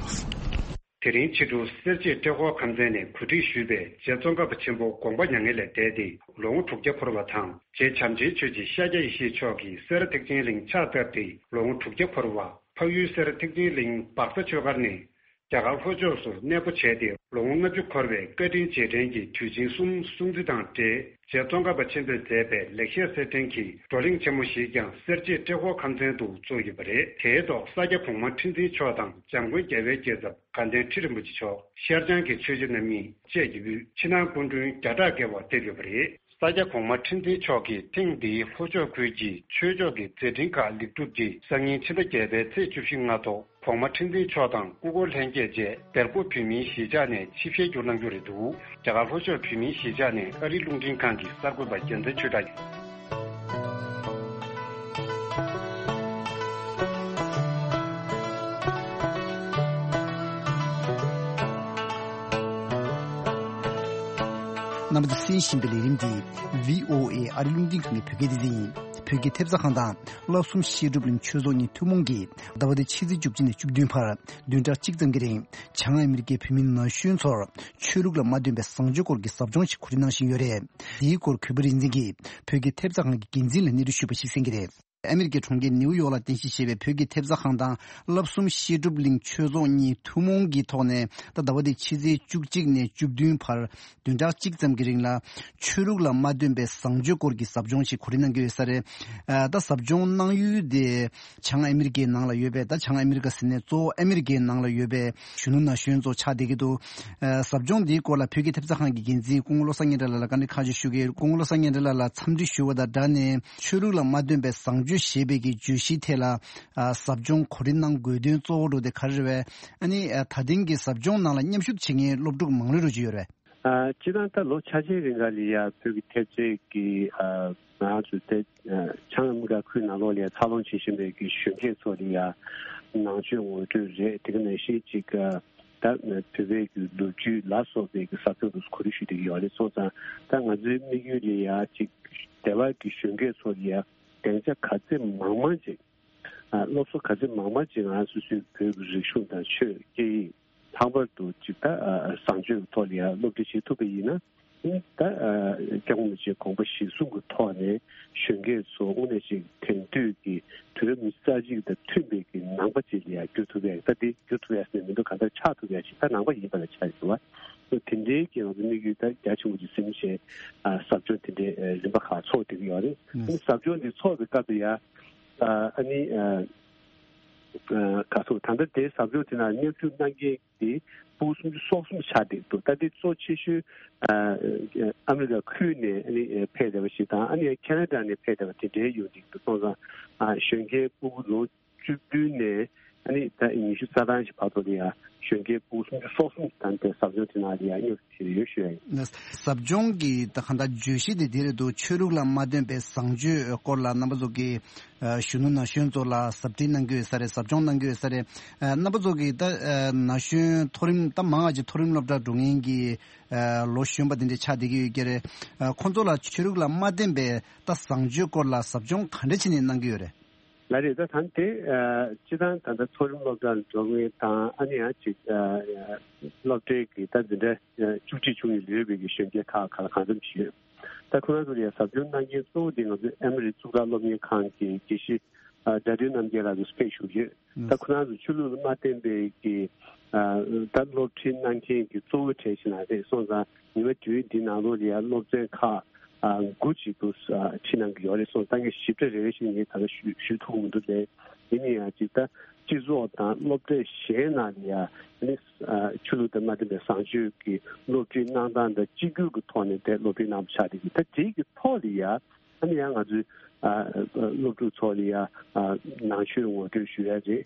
དེ་རིང་ཕྱི་དྲོ་སེར་བྱེས་ཏྲེ་ཧོར་ཁམས་ཚན་ནས་གོ་སྒྲིག་ཞུས་པའི་རྗེ་ཙོང་ཁ་པ་ཆེན་པོ་དགོངས་པ་མྱ་ངན་ལས་འདས་ཏེ་ལོ་ངོ་དྲུག་བརྒྱ་འཁོར་བ་དང་། རྗེ་བྱམས་ཆེན་ཆོས་རྗེ་ཤཱཀྱ་ཡེ་ཤེས་མཆོག་གིས་སེ་ར་ཐེག་ཆེན་གླིང་ཕྱག་བཏབ་སྟེ་ལོ་ངོ་དྲུག་བརྒྱ་འཁོར་བ། འཕགས་ཡུལ་སེ་ར་ཐེག་ཆེན་གླིང་སྦག་ས་ཆོས་སྒར་ནས་རྒྱ་གར་ལྷོ་ཕྱོགས་སུ་གནས་སྤོ་བྱས་ཏེ་ལོ་ངོ་ལྔ་བཅུ་འཁོར་བའི་བཀའ་དྲིན་རྗེས་དྲན་གྱི་དུས་ཆེན་གསུམ་སྲུང་བརྩི་དང་འབྲེལ། རྗེ་ཙོང་ཁ་པ་ཆེན་པོས་མཛད་པའི་ལེགས་བཤད་གསེར་ཕྲེང་གི་བགྲོ་གླེང་ཆེན་མོ་ཞིག་ཀྱང་སེར་བྱེས་ཏྲེ་ཧོར་ཁམས་ཚན་དུ་བཙུགས་ཡོད་པ་རེད། དེའི་ཐོག་ས་སྐྱ་གོང་མ་ཁྲི་འཛིན་མཆོག་དང་འཇམ་མགོན་རྒྱལ་བའི་སྐྱེས་ཚབ་དགའ་ལྡན་ཁྲི་རིན་པོ་ཆེ་མཆོག་ཤར་བྱང་གི་ཆོས་རྗེ་རྣམ་གཉིས་བཅས་ཀྱི་དབུས་ཕྱི་ནང་སྐུ་མགྲོན་བརྒྱ་ཕྲག་བརྒལ་བ་ཕེབས་ཡོད་པ་རེད། ས་སྐྱ་གོང་མ་ཁྲི་འཛིན་མཆོག་གིས་ཐེངས་འདིའི་ལྷོ་ཕྱོགས་ཁུལ་གྱི་ཆོས་ཕྱོགས་ཀྱི་མཛད་འཕྲིན་ཁག་ལེགས་གྲུབ་ཀྱིས་སང་ཉིན་ཕྱི་ཟླ་བརྒྱད་པའི་ཚེས་བཅུ་བཞི་སྔ་དྲོ་གོང་མ་ཁྲི་འཛིན་མཆོག་དང་སྐུ་འཁོར་ལྷན་རྒྱས་བཅས་སྦེལ་ཀོབ་བོད་མིའི་གཞིས་ཆགས་ནས་ཆིབས་ཞལ་བསྒྱུར་གནང་རྒྱུ་རེད་འདུག་རྒྱ་གར་ལྷོ་ཕྱོགས་བོད་མིའི་གཞིས་ཆགས་ནས་ཨ་རིའི་རླུང་འཕྲིན་ཁང་གི་གསར་འགོད་པ་རྒྱལ་མཚན་ཆོས་གྲགས་ཡིན། རྣམ་པ་ཚོས་གསན་བཞིན་པའི་ལས་རིམ་འདི་བྷི་ཨོ་ཨེ་ཨ་རིའི་རླུང་འཕྲིན་ཁང་གི་བོད་སྐད་སྡེ་ཚན་ཡིན། བོད་ཀྱི་ཐེབས་རྩ་ཁང་དང་བསླབ་གསུམ་བཤད་སྒྲུབ་གླིང་ཆོས་ཚོགས་གཉིས་ཐུན་མོང་གིས་ཟླ་བ་འདིའི་ཕྱི་ཚེས་བཅུ་གཅིག་ནས་བཅུ་བདུན་བར་བདུན་ཕྲག་གཅིག་ཙམ་གྱི་རིང་བྱང་ཨ་མི་རི་ཀའི་བོད་མི་ན་གཞོན་ཚོར་ཆོས་ལུགས་ལ་མ་འདུན་པའི་བཟང་སྤྱོད་སྐོར་གྱི་ཟབ་སྦྱོང་ཞིག་གོ་སྒྲིག་གནང་བཞིན་ཡོད་རེད། འདིའི་སྐོར་གུས་པ་རིག་འཛིན་གྱིས་བོད་ཀྱི་ཐེབས་རྩ་ཁང་གི་འགན་འཛིན་ལ་གནས་ཚུལ་ཞུས་པ་ཞིག་གསན་གྱི་རེད། ཨ་མི་རི་ཀའི་གྲོང་ཁྱེར་ནེའུ་ཡོག་ལ་རྟེན་གཞི་བྱས་པའི་བོད་ཀྱི་ཐེབས་རྩ་ཁང་དང་བསླབ་གསུམ་བཤད་སྒྲུབ་གླིང་ཆོས་ཚོགས་གཉིས་ཐུན་མོང་གི་ཐོག་ནས། ད་ཟླ་བ་འདིའི་ཕྱི་ཚེས་བཅུ་གཅིག་ནས་བཅུ་བདུན་བར་བདུན་ཕྲག་གཅིག་ཙམ་གྱི་རིང་ལ་ཆོས་ལུགས་ལ་མ་འདུན་པའི་བཟང་སྤྱོད་སྐོར་གྱི་ཟབ་སྦྱོང་ཞིག་གོ་སྒྲིག་གནང་གི་ཡོད་ས་རེད། ཨ། ད་ཟབ་སྦྱོང་གནང་ཡུལ་དེ་བྱང་ཨ་མི་རི་ཀའི་ནང་ལ་ཡོད་པའི། ད་བྱང་ཨ་མི་རི་ཀ་ཟེར་ནས་གཙོ་བོ་ཨ་མི་རི་ཀའི་ནང་ལ་ཡོད་པའི་གཞོན་ནུ་ན་གཞོན་ཚོ་ཆགས་བསྡད་ཀྱི་འདུག་ཨ། ཟབ་སྦྱོང་འདིའི་སྐོར་ལ་བོད་ཀྱི་ཐེབས་རྩ་ཁང་གི་འགན་འཛིན་སྐུ་ངོ་བློ་བཟང་སྙན་གྲགས་ལགས་ལ་བཀའ་འདྲི་ཁག་ཅིག་ཞུ་གི་ཡོད། སྐུ་ངོ་བློ་བཟང་སྙན་གྲགས་ལགས་ལ་འཚམས་འདྲི་ཞུ་བ་དང་སྦྲགས་ནས། ཆོས་ལུགས་ལ་མ་འདུན་པའི་བཟང་སྤྱོད་ཞེས་པའི་གི་བརྗོད་གཞིའི་ཐད་ལ། ཨ། ཟབ་སྦྱོང་གོ་སྒྲིག་གནང་དགོས་དོན་གཙོ་བོ་འདྲ་བོ་དེ་ག་རེ་རེད་པས། ཨ་ནི། ཨ། ད་ཐེངས་ཀྱི་ཟབ་སྦྱོང་ནང་ལ་མཉམ་ཞུགས་བྱེད་མཁན་སློབ་ཕྲུག་མང་ལོས་འགྲོ་གི་ཡོད་རེད། ཨ། སྤྱིར་བཏང་ད་ལོ་ཆ་ཆེན་རིང་ག་ལ་ཡ་བོད་ཀྱི་ཐེབས་རྩའི་གི། ཨ། ང་ཚོ་དེ། ཨ། བྱང་ཨ་མི་རི་ཀ་ཁུལ་ནང་ལོགས་ལ་ཡ་འཚར་ལོངས་བྱེད་བཞིན་པའི་གི་གཞོན་སྐྱེས་ཚོ་ལ་ཡ་ནང་ཆོས་ངོ་སྤྲོད་རེད། དེ་ག་ནང་བཞིན་ཅིག། ཨ། ད་བོད་པའི་གི་ལོ་རྒྱུས་ལ་སོགས་པའི་གི་ཟབ་སྦྱོང་དུ་གོ་སྒྲིག་ཞུས་བསྡད་ཀྱི་ཡོད་རེད། སོང་ཙང་ད་ང་ཚོའི་དམིགས་ཡུལ་ལ་ཡ་ཅིག་དེ་བ་གི་གཞོན་སྐྱེས་ཚོ་ལ་ཡ་སྡིངས་ཆ་ག་ཚད་མང་མང་ཅིག། ཨ། སློབ་གསོ་ག་ཚད་མང་མང་ཅིག་ང་སོ་སོའི་བོད་ཀྱི་རིག་གཞུང་དང་ཆོས་སྐད་ཡིག། ལྷག་པར་དུ་ཅིག་ད་བཟང་སྤྱོད་ཀྱི་ཐོག་ལ་ཡང་སློབ་ཁྲིད་བྱེད་ཐུབ་པ་ཡིན་ན། ཨ་ནི་ད་སྐྱབས་མགོན་རིན་པོ་ཆེའི་དགོངས་པ་གཞིར་བཟུང་གི་ཐོག་ནས་གཞོན་སྐྱེས་ཚོ་དངོས་གནས་ཅིག་དེང་དུས་ཀྱི་དུས་རབས་ཉི་ཤུ་རྩ་གཅིག་དང་མཐུན་པའི་གི་ནང་པ་ཅིག་ལ་ཡང་འགྱུར་ཐུབ་ཡ། ད་དེ་འགྱུར་ཐུབ་ཡ་ཟེར་ནས་མི་འདུག་གང་ལྟར་ཆགས་ཐུབ་ཡ་ཞིག་ད་ནང་པ་ཡིན་པ་ལ་ཆགས་ཡོད་པ། དེ་འདྲའི་གི་ང་ཚོ་དམིགས་ཡུལ་ད་རྒྱ་ཆེན་པོ་ཅིག་ཟིན་བྱས་ཟབ་སྦྱོང་དེ་འདྲའི་རིམ་པ་ཁག་ཚོགས་བསྡད་ཀྱི་ཡོད་རེད། ཨ་ནི་ཟབ་སྦྱོང་དེ་ཚོགས་པའི་སྐབས་དུ་ཡ་ཨ་ནི་ག་ཚོད་ད་ལྟ་དེ་ཟབ་སྦྱོང་དེ་ནང་མཉམ་ཞུགས་གནང་མཁན་དེ་ཕྲུ་གུ་སུམ་ཅུ་སོ་གསུམ་ཆགས་བསྡད་འདུག་ད་དེ་གཙོ་ཆེ་ཤོས་ཨ་མི་རི་ཀ་ཁུལ་ནས་ཨ་ནི་ཕེབས་བསྡད་པ་ཞིག་དང་། ཨ་ནི་ཁེ་ན་ཌ་ནས་ཕེབས་བསྡད་པ་དེ་འདྲའི་ཡོད་འདུག་སོང་ཙང་གཞོན་སྐྱེས་ཕྲུ་གུ་ལོ་བཅུ་བདུན་ནས་ཨ་ནི་ད་ཉི་ཤུ་རྩ་གྲངས་ཤིག་བར་དུ་ལ་ཡ་གཞོན་སྐྱེས་ཕྲུ་གུ་སུམ་ཅུ་སོ་གསུམ་དང་དེ་ཟབ་སྦྱོང་དེ་ནང་ལ་ཡ་མཉམ་ཞུགས་བྱས་ཡོད་ཞུ་ཡ་ཡིན། ཟབ་སྦྱོང་གི་ད་གང་ལྟར་བརྗོད་གཞི་དེ་དེ་རེད་འདུག་ཆོས་ལུགས་ལ་མ་བརྟེན་པའི་བཟང་སྤྱོད་སྐོར་ལ་རྣམ་པ་ཚོ་གི་གཞོན་ནུ་ན་གཞོན་ཚོ་ལ་ཟབ་ཁྲིད་གནང་གི་ཡོད་ས་རེད། ཟབ་སྦྱོང་གནང་གི་ཡོད་ས་རེད། རྣམ་པ་ཚོ་གི་ད་ན་གཞོན་མཐོ་རིམ་ད་མང་ང་ཅིག་མཐོ་རིམ་སློབ་གྲྭ་འགྲོ་མཁན་གྱི་ལོ་གཞོན་པ་དེ་འདྲ་ཆགས་བསྡད་ཀྱི་ཡོད་ཀྱི་རེད། ཁོང་ཚོ་ལ་ཆོས་ལུགས་ལ་མ་བརྟེན་པའི་ད་བཟང་སྤྱོད་སྐོར་ལ་ཟབ་སྦྱོང་ག་འདྲ་བྱས་ནས་གནང་གི་ཡོད་རེད། ལགས་རེད། ད་ད་དེ་སྤྱི་བཏང་ད་ལྟ་མཐོ་རིམ་སློབ་གྲྭར་འགྲོ་མཁན་དང་ཨ་ནི་ཡང་ཅིག་སློབ་གྲྭའི་གི་ད་འཛིན་གྲྭ་བཅུ་གཅིག་བཅུ་གཉིས་ལོན་པའི་གི་གཞོན་སྐྱེས་ཁག་ག་ལ་གང་འཚམ་ཞིག་ཡོད། ད་ཁོ་རང་ཚོ་ལ་ཡང་ཟབ་སྦྱོང་གནང་མཁན་གཙོ་བོ་དེ་ང་ཚོའི་ཨེ་མོ་རི་གཙུག་ལག་སློབ་གཉེར་ཁང་གི་དགེ་བཤེས་དགྲ་འདུལ་རྣམ་རྒྱལ་ལགས་སུ་ཕེབས་བཞུགས་ཡོད། ད་ཁོ་རང་ཚོ་ཆོས་ལུགས་ལ་མ་བརྟེན་པའི་གི་ད་སློབ་ཁྲིད་གནང་མཁན་གྱི་གཙོ་བོ་གྲས་ཤིག་ན་རེད། སོང་ཙང་ཉི་མ་དུས་འདི་ནང་ལོགས་ལ་ཡང་སློབ་ཚན་ཁག་དགུ་ཅིག་ཏུ་ཁྲིད་གནང་གི་ཡོད་རེད། སོང་ཙང་ངས་ཞིབ་ཕྲ་རེ་རེ་བཞིན་ངས་ད་ལྟ་ཞུ་ཞུ་ཐུབ་མི་འདུག་ལས། ཡིན་ན་ཡང་ཅིག་ད་སྤྱི་ཚོགས་དང་སློབ་གྲྭ་གཞན་ནང་ལ་ཡང་ནི་ཆོས་ལུགས་དང་མ་མཐུན་པའི་བཟང་སྤྱོད་ཀྱི་སློབ་ཁྲིད་གནང་སྟངས་དང་གཅིག་གྱུར་གྱི་ཐོག་ནས་དེ་སློབ་ཁྲིད་གནང་བ་ཆགས་བསྡད་ཀྱི། ད་དེའི་གི་ཐོག་ལ་ཡང་ཨ་ནི་ཡང་ང་ཚོའི་སློབ་ཕྲུག་ཚོ་ལ་ཡང་ནང་ཆོས་ངོ་སྤྲོད་ཞུ་ཡ་རེད།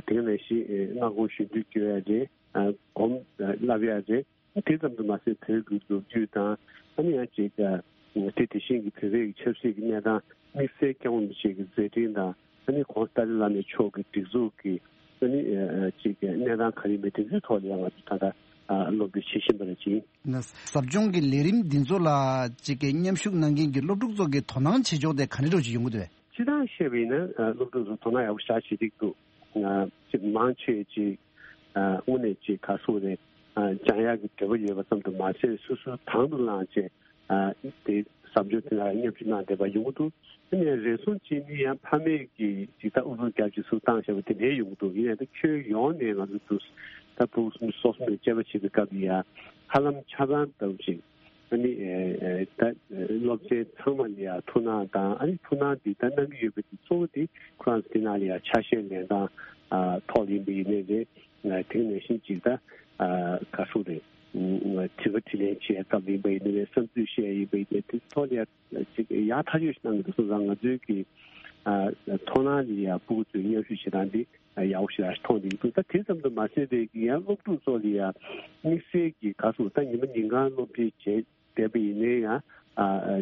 དེ་ག་ནང་བཞིན་སྔ་དགོང་གཞོན་དུས་སྐྱོད་ཡ་རེད། སྒོམ་བསླབ་ཡ་རེད། དེ་ཙམ་དུ་མ་ཟད་བོད་ཀྱི་ལོ་རྒྱུས་དང་ཨ་ནི་ཡང་ཅིག་དེ་དེ་བཞིན་གྱི་བོད་པའི་ཆབ་སྲིད་ཀྱི་གནས་སྟངས་དམིགས་བསལ་སྐྱབས་མགོན་རིན་པོ་ཆེ་གི་མཛད་འཕྲིན་དང་ཨ་ནི་ཁོང་ཏཱ་ལའི་བླ་མའི་མཆོག་གི་སྒྲིག་འཛུགས་ཀྱི་ཨ་ནི་ཅིག་གནས་སྟངས་ག་རེ་ཡིན་པ་དེ་ཚོའི་ཐོག་ལ་ཡང་ང་ཚོ་ད་ལྟ་སློབ་ཁྲིད་བྱེད་བཞིན་པ་རེད་ཅིང་། ཟབ་སྦྱོང་གི་ལས་རིམ་འདི་ཚོ་ལ་ཅིག་གི་མཉམ་ཞུགས་གནང་མཁན་གྱི་སློབ་ཕྲུག་ཚོ་གི་དོ་སྣང་བྱེད་ཕྱོགས་དེ་ག་འདྲ་འདྲ་ཅིག་ཡོང་གི་འདུག་གས། སྤྱིར་བཏང་བཤད་པ་ཡིན་ན་སློབ་ཕྲུག་ཚོ་དོ་སྣང་ཡག་པོ་ཞེ་དྲག་བྱེད་ཀྱི་འདུག་ཅིག་མང་ཆེ་ཅིག་དངོས་གནས་ཅིག་ག་སོགས་རེད། སྦྱང་ཡག་གི་འདོད་པ་ཡོད་པ་ཙམ་དུ་མ་ཟད་སོ་སོའི་དང་དུ་བླངས་བྱས་དེ་ཟབ་སྦྱོང་དེ་ལ་མཉམ་ཞུགས་གནང་བསྡད་པ་ཡོང་གི་འདུག་དེ་ནས་རེ་ཟུང་གཅིག་ནི་ཡང་ཕ་མས་ཀྱིས་ཅིག་ད་ཨུ་ཚུགས་རྒྱབ་ཅིག་ཚུར་བཏང་བྱས་པ་དེ་འདྲའི་ཡོང་གི་འདུག་ཡིན་ཡང་ད་ཁྱོན་ཡོངས་ནས་ང་ཚོ་འདུག་ད་ཕྲུ་གུ་སོ་སོ་ནས་དཔྱད་པ་བྱེད་པའི་སྐབས་ལ་ཡང་ཧ་ལམ་ཆ་ཚང་ལྟ་བུ་ཅིག་ཨ་ནི་ད་སློབ་ཚན་ཚང་མ་ལ་ཡང་ཐུགས་སྣང་དང་ཨ་ནི་ཐུགས་སྣང་འདི་ད་གནང་གི་ཡོད་པ་དེ་གཙོ་བོ་དེ་ཁོ་རང་ཚོ་དེ་ནང་ལ་ཡང་ཆ་ཤས་ལེན་སྟངས་ཐོག་ཡིན་པ་ཡིན་ནའི་རེད། དེ་ནང་བཞིན་ཅིག་ད་ག་སུ་རེད། དྲི་བ་དྲིས་ལན་བྱེད་སྐབས་ཡིན་པ་ཡིན་ནའི་རེད། བསམ་ཚུལ་བཤད་ཡིན་པ་ཡིན་ནའི་དེ་ཐོག་ལ་ཡང་ཅིག་ཡག་ཐག་ཆོད་ཞིག་གནང་གི་འདུག་སོང་ཙང་ང་ཚོའི་གི་མཐོང་སྣང་ལ་ཡང་ཕྲུ་གུ་ཚོའི་མཉམ་ཞུགས་བྱེད་སྟངས་འདི་ཡག་པོ་ཞེ་དྲག་མཐོང་བསྡད་ཀྱི་འདུག་ད་དེ་ཙམ་དུ་མ་ཟད་པའི་ཡང་སློབ་ཕྲུག་ཚོ་ལ་ཡང་དམིགས་བསལ་གྱི་ག་སོ་ད་ཉི་མ་ཉིན་གང་སློབ་ཁྲིད་བྱས་བསྡད་པ་ཡིན་ནའི་ཡང་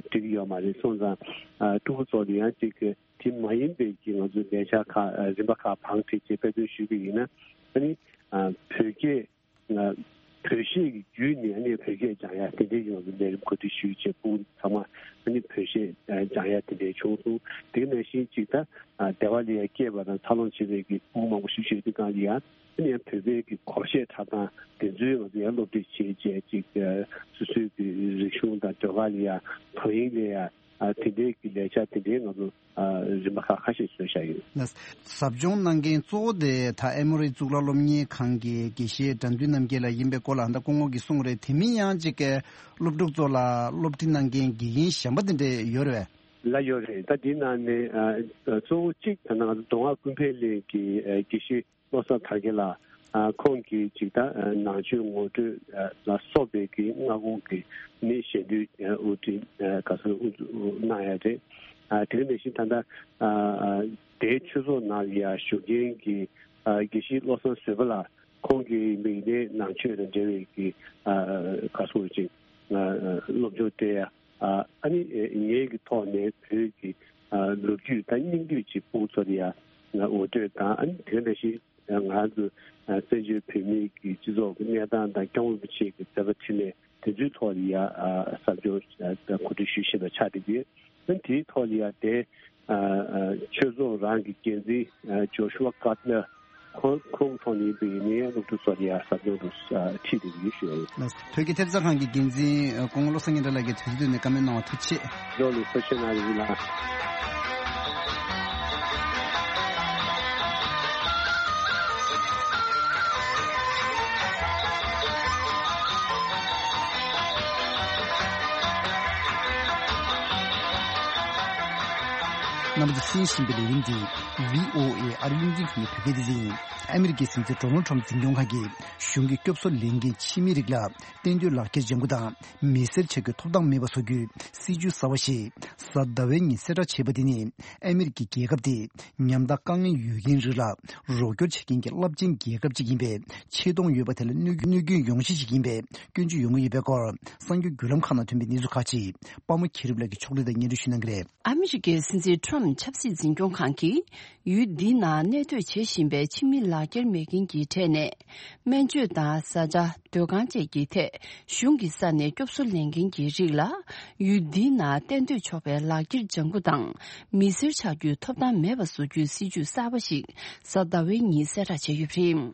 འགྲིག་གི་ཡོད་མ་རེད། སོང་ཙང་ཕྲུ་གུ་ཚོ་ལ་ཡང་ཅིག་དེ་མ་ཡིན་པའི་གི་ང་ཚོའི་ལས་འཆར་ཁག་རིམ་པ་ཁག་བང་བསྒྲིགས་བྱས་དཔེ་སྟོན་ཞུས་པ་ཡིན་ན་ཨ་ནི་བོད་སྐད་བོད་གཞས་ཀྱི་བརྒྱུད་ནས་ཨ་ནི་བོད་སྐད་སྦྱང་ཡ་དེ་འདྲའི་ཡོང་བའི་ལས་རིམ་གོ་སྒྲིག་ཞུས་བྱས་ཕྲུ་གུ་ཚང་མ་ཨ་ནི་བོད་གཞས་སྦྱང་ཡ་དེ་འདྲའི་བྱུང་སོང་། དེ་ག་ནང་བཞིན་ཅིག་ད་སྡེ་བ་ལ་ཡ་སྐྱེས་པ་དང་འཚར་ལོངས་བྱེད་པའི་གི་ཕྲུ་གུ་མང་པོ་ཞིག་ཡོད་དུས་སྒང་ལ་ཡ་ཨ་ནི་ཡང་བོད་པའི་གི་གོམས་གཤིས་འཁྲབ་སྟངས་དེ་ཚོའི་ང་ཚོ་ཡང་སློབ་ཁྲིད་བྱེད་བྱས་ཅིག་སོ་སོའི་གི་རིག་གཞུང་དང་ཟློས་གར་ལ་ཡ་དོ་དབྱིངས་ལ་ཡ་དེ་འདྲའི་གི་ལས་འཆར་དེ་འདྲའི་ང་ཚོ། རིམ་པ་ཁག་ཁ་ཤས་བཟོས་བཞག་ཡོད། ཟབ་སྦྱོང་གནང་མཁན་གཙོ་བོ་དེ་ད་ཨེ་མོ་རི་གཙུག་ལག་སློབ་གཉེར་ཁང་གི་དགེ་བཤེས་དགྲ་འདུལ་རྣམ་རྒྱལ་ལགས་ཡིན་པའི་སྐོར་ལ་ད་སྐུ་ངོ་གིས་གསུངས་རེད། དེ་མིན་ཡང་ཅིག་གི་སློབ་ཕྲུག་ཚོ་ལ་སློབ་ཁྲིད་གནང་མཁན་དགེ་རྒན་གཞན་པ་དེ་འདྲས་ཡོད་རེད་པས། ལགས་ཡོད་རེད། ད་འདི་ནང་ནས་གཙོ་བོ་གཅིག་ད་ང་ཚོ་མདོ་སྔགས་ཀུན་ཕན་གླིང་གི་དགེ་བཤེས། བློ་བཟང་དར་རྒྱས་ལགས། ཁོང་གིས་ཅིག་ད་ནང་ཆོས་ངོ་སྤྲོད་ལ་སོགས་པའི་གི་སྔ་དགོང་གི་ནི་ཞལ་འདོན་དབུ་ཁྲིད་ག་ཚོད་དབུ་འཛུགས་གནང་ཡ་རེད། དེ་ག་ནང་བཞིན་ད་ལྟ་དེའི་ཆོས་ཚོགས་ནང་ལ་ཡ་བཞུགས་མཁན་གྱི་དགེ་བཤེས་བློ་བཟང་བཟོད་པ་ལགས་ཁོང་གིས་མིག་ནས་ནང་ཆོས་དང་འབྲེལ་བའི་གི་ག་ཚོད་ཅིག་སློབ་སྦྱོང་སྤྲད་ཡ། ཨ་ནི་ངེད་ཀྱི་ཐོག་ནས་བོད་ཀྱི་ལོ་རྒྱུས་དང་སྙིང་བསྡུས་ཅིག་ཕྲུ་གུ་ཚོ་ལ་ཡ་ངོ་སྤྲོད་དང་ཨ་ནི་དེ་འདྲ་ཞིག་ང་ཚོ་བཙན་བྱོལ་བོད་མིའི་གི་སྤྱི་ཚོགས་ཀྱི་གནས་སྟངས་དང་སྐྱབས་མགོན་རིན་པོ་ཆེ་གི་མཛད་པ་འཕྲིན་ལས་དེ་ཚོའི་ཐོག་ལ་ཡ་ཟབ་སྦྱོང་གོ་སྒྲིག་ཞུ་བཞིན་པ་ཆགས་བསྡད་ཡོད། ཨ་ནི་དེའི་ཐོག་ལ་ཡ་དེ་ཆོས་ཚོགས་རང་གི་འགན་འཛིན་ཇོ་ཤུ་ཝ་ཀར་ནར་ ཁོང་ཁོང་ཐོག་ནས་བོད་ནས་སློབ་ཕྲུག་གསོ་ཡ་ཟབ་སྦྱོང་དུ་ཁྲིད་དེ་ཡོད་ཞུ་ཡ་ཡིན། ལགས་སོ། བོད་ཀྱི་ཐེབས་རྩ་ཁང་གི་འགན་འཛིན་སྐུ་ངོ་བློ་བཟང་སྙན་གྲགས་ལགས་ཀྱིས་དུས་ཚོད་བཏོན་ནས་བཀའ་མོལ་གནང་བ་ཐུགས་རྗེ་ཆེ། ཇོ་ལི་ཕུ་ཤ་ན་རི་ལ། རྣམ་པ་ཚོས་གསན་བཞིན་པའི་ལས་རིམ་འདི་བྷི་ཨོ་ཨེ་ཨ་རི་རླུང་འཕྲིན་ཁང་གི་བོད་སྐད་སྡེ་ཚན་ཡིན། ཨ་མི་རི་ཀའི་སྲིད་འཛིན་ཌོ་ནལ་ཊམ་འཛིན་སྐྱོང་ཁང་གིས་གཞུང་གི་སྐྱོབ་གསོ་ལེན་མཁན་ཕྱི་མི་རིགས་ལ་གཏན་སྡོད་ལག་འཁྱེར་ལྗང་གུ་དང་མི་སེར་ཆགས་རྒྱུའི་ཐོབ་ཐང་མེད་པ་བཟོ་རྒྱུའི་སྲིད་ཇུས་གསར་བ་ཞིག་གཟའ་ཟླ་བའི་ཉིན་གསལ་བསྒྲགས་བྱས་པ་དེ་ནི་ཨ་མི་རི་ཀའི་རྒྱལ་ཁབ་དེ་ཉམ་ཐག་དཀའ་ངལ་ཡོད་མཁན་རིགས་ལ་རོགས་སྐྱོར་བྱེད་མཁན་གྱི་རླབས་ཆེན་རྒྱལ་ཁབ་ཅིག་ཡིན་པའི་ཆེ་མཐོང་ཡོད་པ་དེ་ལ་གནོད་གནོད་སྐྱོན་ཡོང་གཞི་ཞིག་ཡིན་པའི་སྐྱོན་བརྗོད་ཡོང་གི་ཡོད་པའི་སྐོར་གསར་འགྱུར་བརྒྱུད་ལམ་ཁག་ནང་ཐོན་པའི་གནས་ཚུལ་ཁག་ཅིག་པདྨ་མཁྱེན་རབ་ལགས་ཀྱིས་ཕྱོགས་སྒྲིག་དང་སྙན་སྒྲོན་ཞུ་གནང་གི་རེད། ཨ་མི་རི་ཀའི་སྲིད་འཛིན་ཊམ་ཆབ་སྲིད་འཛིན་སྐྱོང་ཁང་གིས་ཡུལ་འདིའི་ནང་གནས་སྡོད་བྱེད་བཞིན་པའི་ཕྱི་མི་ལག་འཁྱེར་མེད་མཁན་གྱི་གྲས་ནས་སྨན་བཅོས་དང་བཟའ་བཅའ། སྡོད་ཁང་བཅས་ཀྱི་ཐད་གཞུང་གི་ས་ནས་སྐྱོབ་གསོ་ལེན་མཁན་གྱི་རིགས་ལ་ཡུལ་འདིའི་ནང་གཏན་སྡོད་ཆོག་པའི་ལག་འཁྱེར་ལྗང་གུ་དང་མི་སེར་ཆགས་རྒྱུའི་ཐོབ་ཐང་མེད་པ་བཟོ་རྒྱུའི་སྲིད་ཇུས་གསར་པ་ཞིག་གཟའ་ཟླ་བའི་ཉིན་གསལ་བསྒྲགས་བྱས་ཡོད་པ་རེད།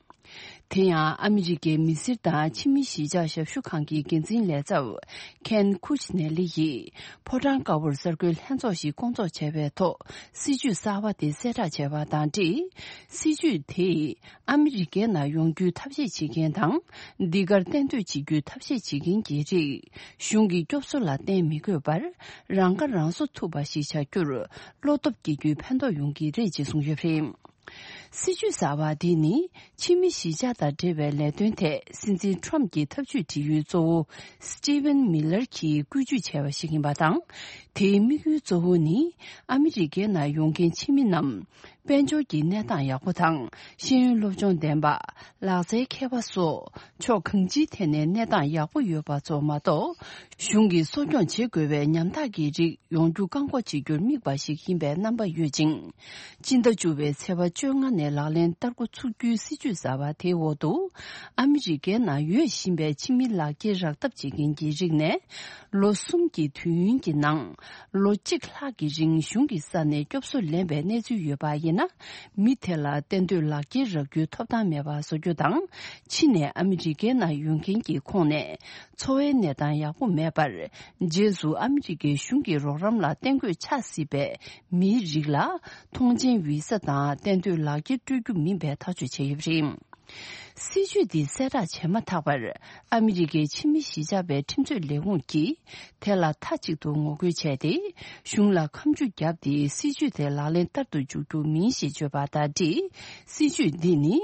དེ་ཡང་ཨ་མི་རི་ཀའི་མི་སེར་དང་ཕྱི་མི་གཞིས་ཆགས་ཞབས་ཞུ་ཁང་གི་འགན་འཛིན་ལས་ཚབ་ཁེན་ཁུ་ཆི་ནེ་ལི་ཡིས་ཕོ་བྲང་དཀར་པོར་གསར་འགོད་ལྷན་ཚོགས་ཤིག་བསྐོང་ཚོགས་བྱས་པའི་ཐོག་སྲིད་ཇུས་གསར་པ་དེ་གསལ་བསྒྲགས་བྱས་པ་དང་འབྲེལ། སྲིད་ཇུས་དེས་ཨ་མི་རི་ཀའི་ནང་ཡོང་རྒྱུའི་ཐབས་ཤེས་བྱེད་མཁན་དང་། འདི་གར་གཏན་སྡོད་བྱེད་རྒྱུའི་ཐབས་ཤེས་བྱེད་མཁན་གྱི་རིགས་གཞུང་གི་སྐྱོབ་གསོ་ལ་བརྟེན་མི་དགོས་པར་རང་ཁ་རང་གསོ་ཐུབ་པ་ཞིག་བྱ་རྒྱུར་བློ་སྟོབས་སྐྱེ་རྒྱུའི་ཕན་ཐོགས་ཡོང་གི་རེད་ཅེས་གསུངས་ཡོད་པ་རེད། སྲིད་ཇུས་གསར་བ་འདི་ནི་ཕྱི་མི་གཞིས་ཆགས་དང་འབྲེལ་བའི་ལས་དོན་ཐད་སྲིད་འཛིན་ཊམ་གྱི་ཐབས་ཇུས་སྒྲིག་ཡུལ་གཙོ་བོ་སི་ཊི་ཝན་མི་ལར་གྱིས་བཀོད་ཇུས་བྱས་པ་ཞིག་ཡིན་པ་དང་། དེའི་དམིགས་ཡུལ་གཙོ་བོ་ནི་ཨ་མི་རི་ཀའི་ནང་ཡོང་མཁན་ཕྱི་མི་རྣམས་དཔལ་འབྱོར་གྱི་གནས་སྟངས་ཡག་པོ་དང་ཤེས་ཡོན་སློབ་སྦྱོང་ལྡན་པ། ལག་རྩལ་མཁས་པ་སོགས་ཕྱོགས་གང་ཅིའི་ཐད་ནས་གནས་སྟངས་ཡག་པོ་ཡོད་པ་ཚོ་མ་གཏོགས། གཞུང་གིས་གསོ་སྐྱོང་བྱེད་དགོས་པའི་ཉམ་ཐག་གི་རིགས་ཡོང་རྒྱུ་བཀག་འགོག་བྱེད་རྒྱུར་དམིགས་པ་ཞིག་ཡིན་པའི་རྣམ་པ་ཡོད་ཅིང་། སྤྱི་ཟླ་བཅུ་པའི་ཚེས་པ་བཅོ་ལྔ་ནས་ལག་ལེན་བསྟར་འགོ་ཚུགས་རྒྱུའི་སྲིད་ཇུས་གསར་པ་དེའི་འོག་ཏུ། ཨ་མི་རི་ཀའི་ནང་ཡོད་བཞིན་པའི་ཕྱི་མི་ལག་འཁྱེར་རག་ཐབས་བྱེད་མཁན་གྱི་རིགས་ནས། ལོ་གསུམ་གྱི་དུས་ཡུན་གྱི་ནང་། ལོ་གཅིག་ལྷག་གི་རིང་གཞུང་གི་ས་ནས་སྐྱོབ་གསོ་ལེན་པའི་གནས་ཚུལ་ཡོད་པ་ཡིན་ན། མི་དེ་ལ་གཏན་སྡོད་ལག་འཁྱེར་རག་རྒྱུའི་ཐོབ་ཐང་མེད་པ་བཟོ་རྒྱུ་དང་། ཕྱི་ནས་ཨ་མི་རི་ཀའི་ནང་ཡོང་མཁན་གྱི་ཁོངས་ནས། འཚོ་བའི་གནས་སྟངས་ཡག་པོ་མེད་པར། རྗེས་སུ་ཨ་མི་རི་ཀའི་གཞུང་གི་རོགས་རམ་ལ་གཏན་སྡོད་ཆགས་སྲིད་པའི་མིའི་རིགས་ལ། ཐོངས་མཆན་བི་ས་དང་གཏན་སྡོད་ལག་འཁྱེར་སྤྲོད་རྒྱུ་མིན་པའི་ཐག་གཅོད་བྱས་ཡོད་པ་རེད། སྲིད་ཇུས་འདི་གསལ་བསྒྲགས་བྱས་མ་ཐག་པར། ཨ་མི་རི་ཀའི་ཕྱི་མི་གཞིས་ཆགས་པའི་ཁྲིམས་རྩོད་ལས་ཁུངས་ཀྱིས། དེ་ལ་མཐའ་གཅིག་ཏུ་ངོ་རྒོལ་བྱས་ཏེ། གཞུང་ལ་ཁ་མཆུ་བརྒྱབ་སྟེ། སྲིད་ཇུས་དེ་ལག་ལེན་བསྟར་དུ་འཇུག་རྒྱུ་མིན་ཞེས་བརྗོད་པ་དང་འབྲེལ། སྲིད་ཇུས་འདི་ནི།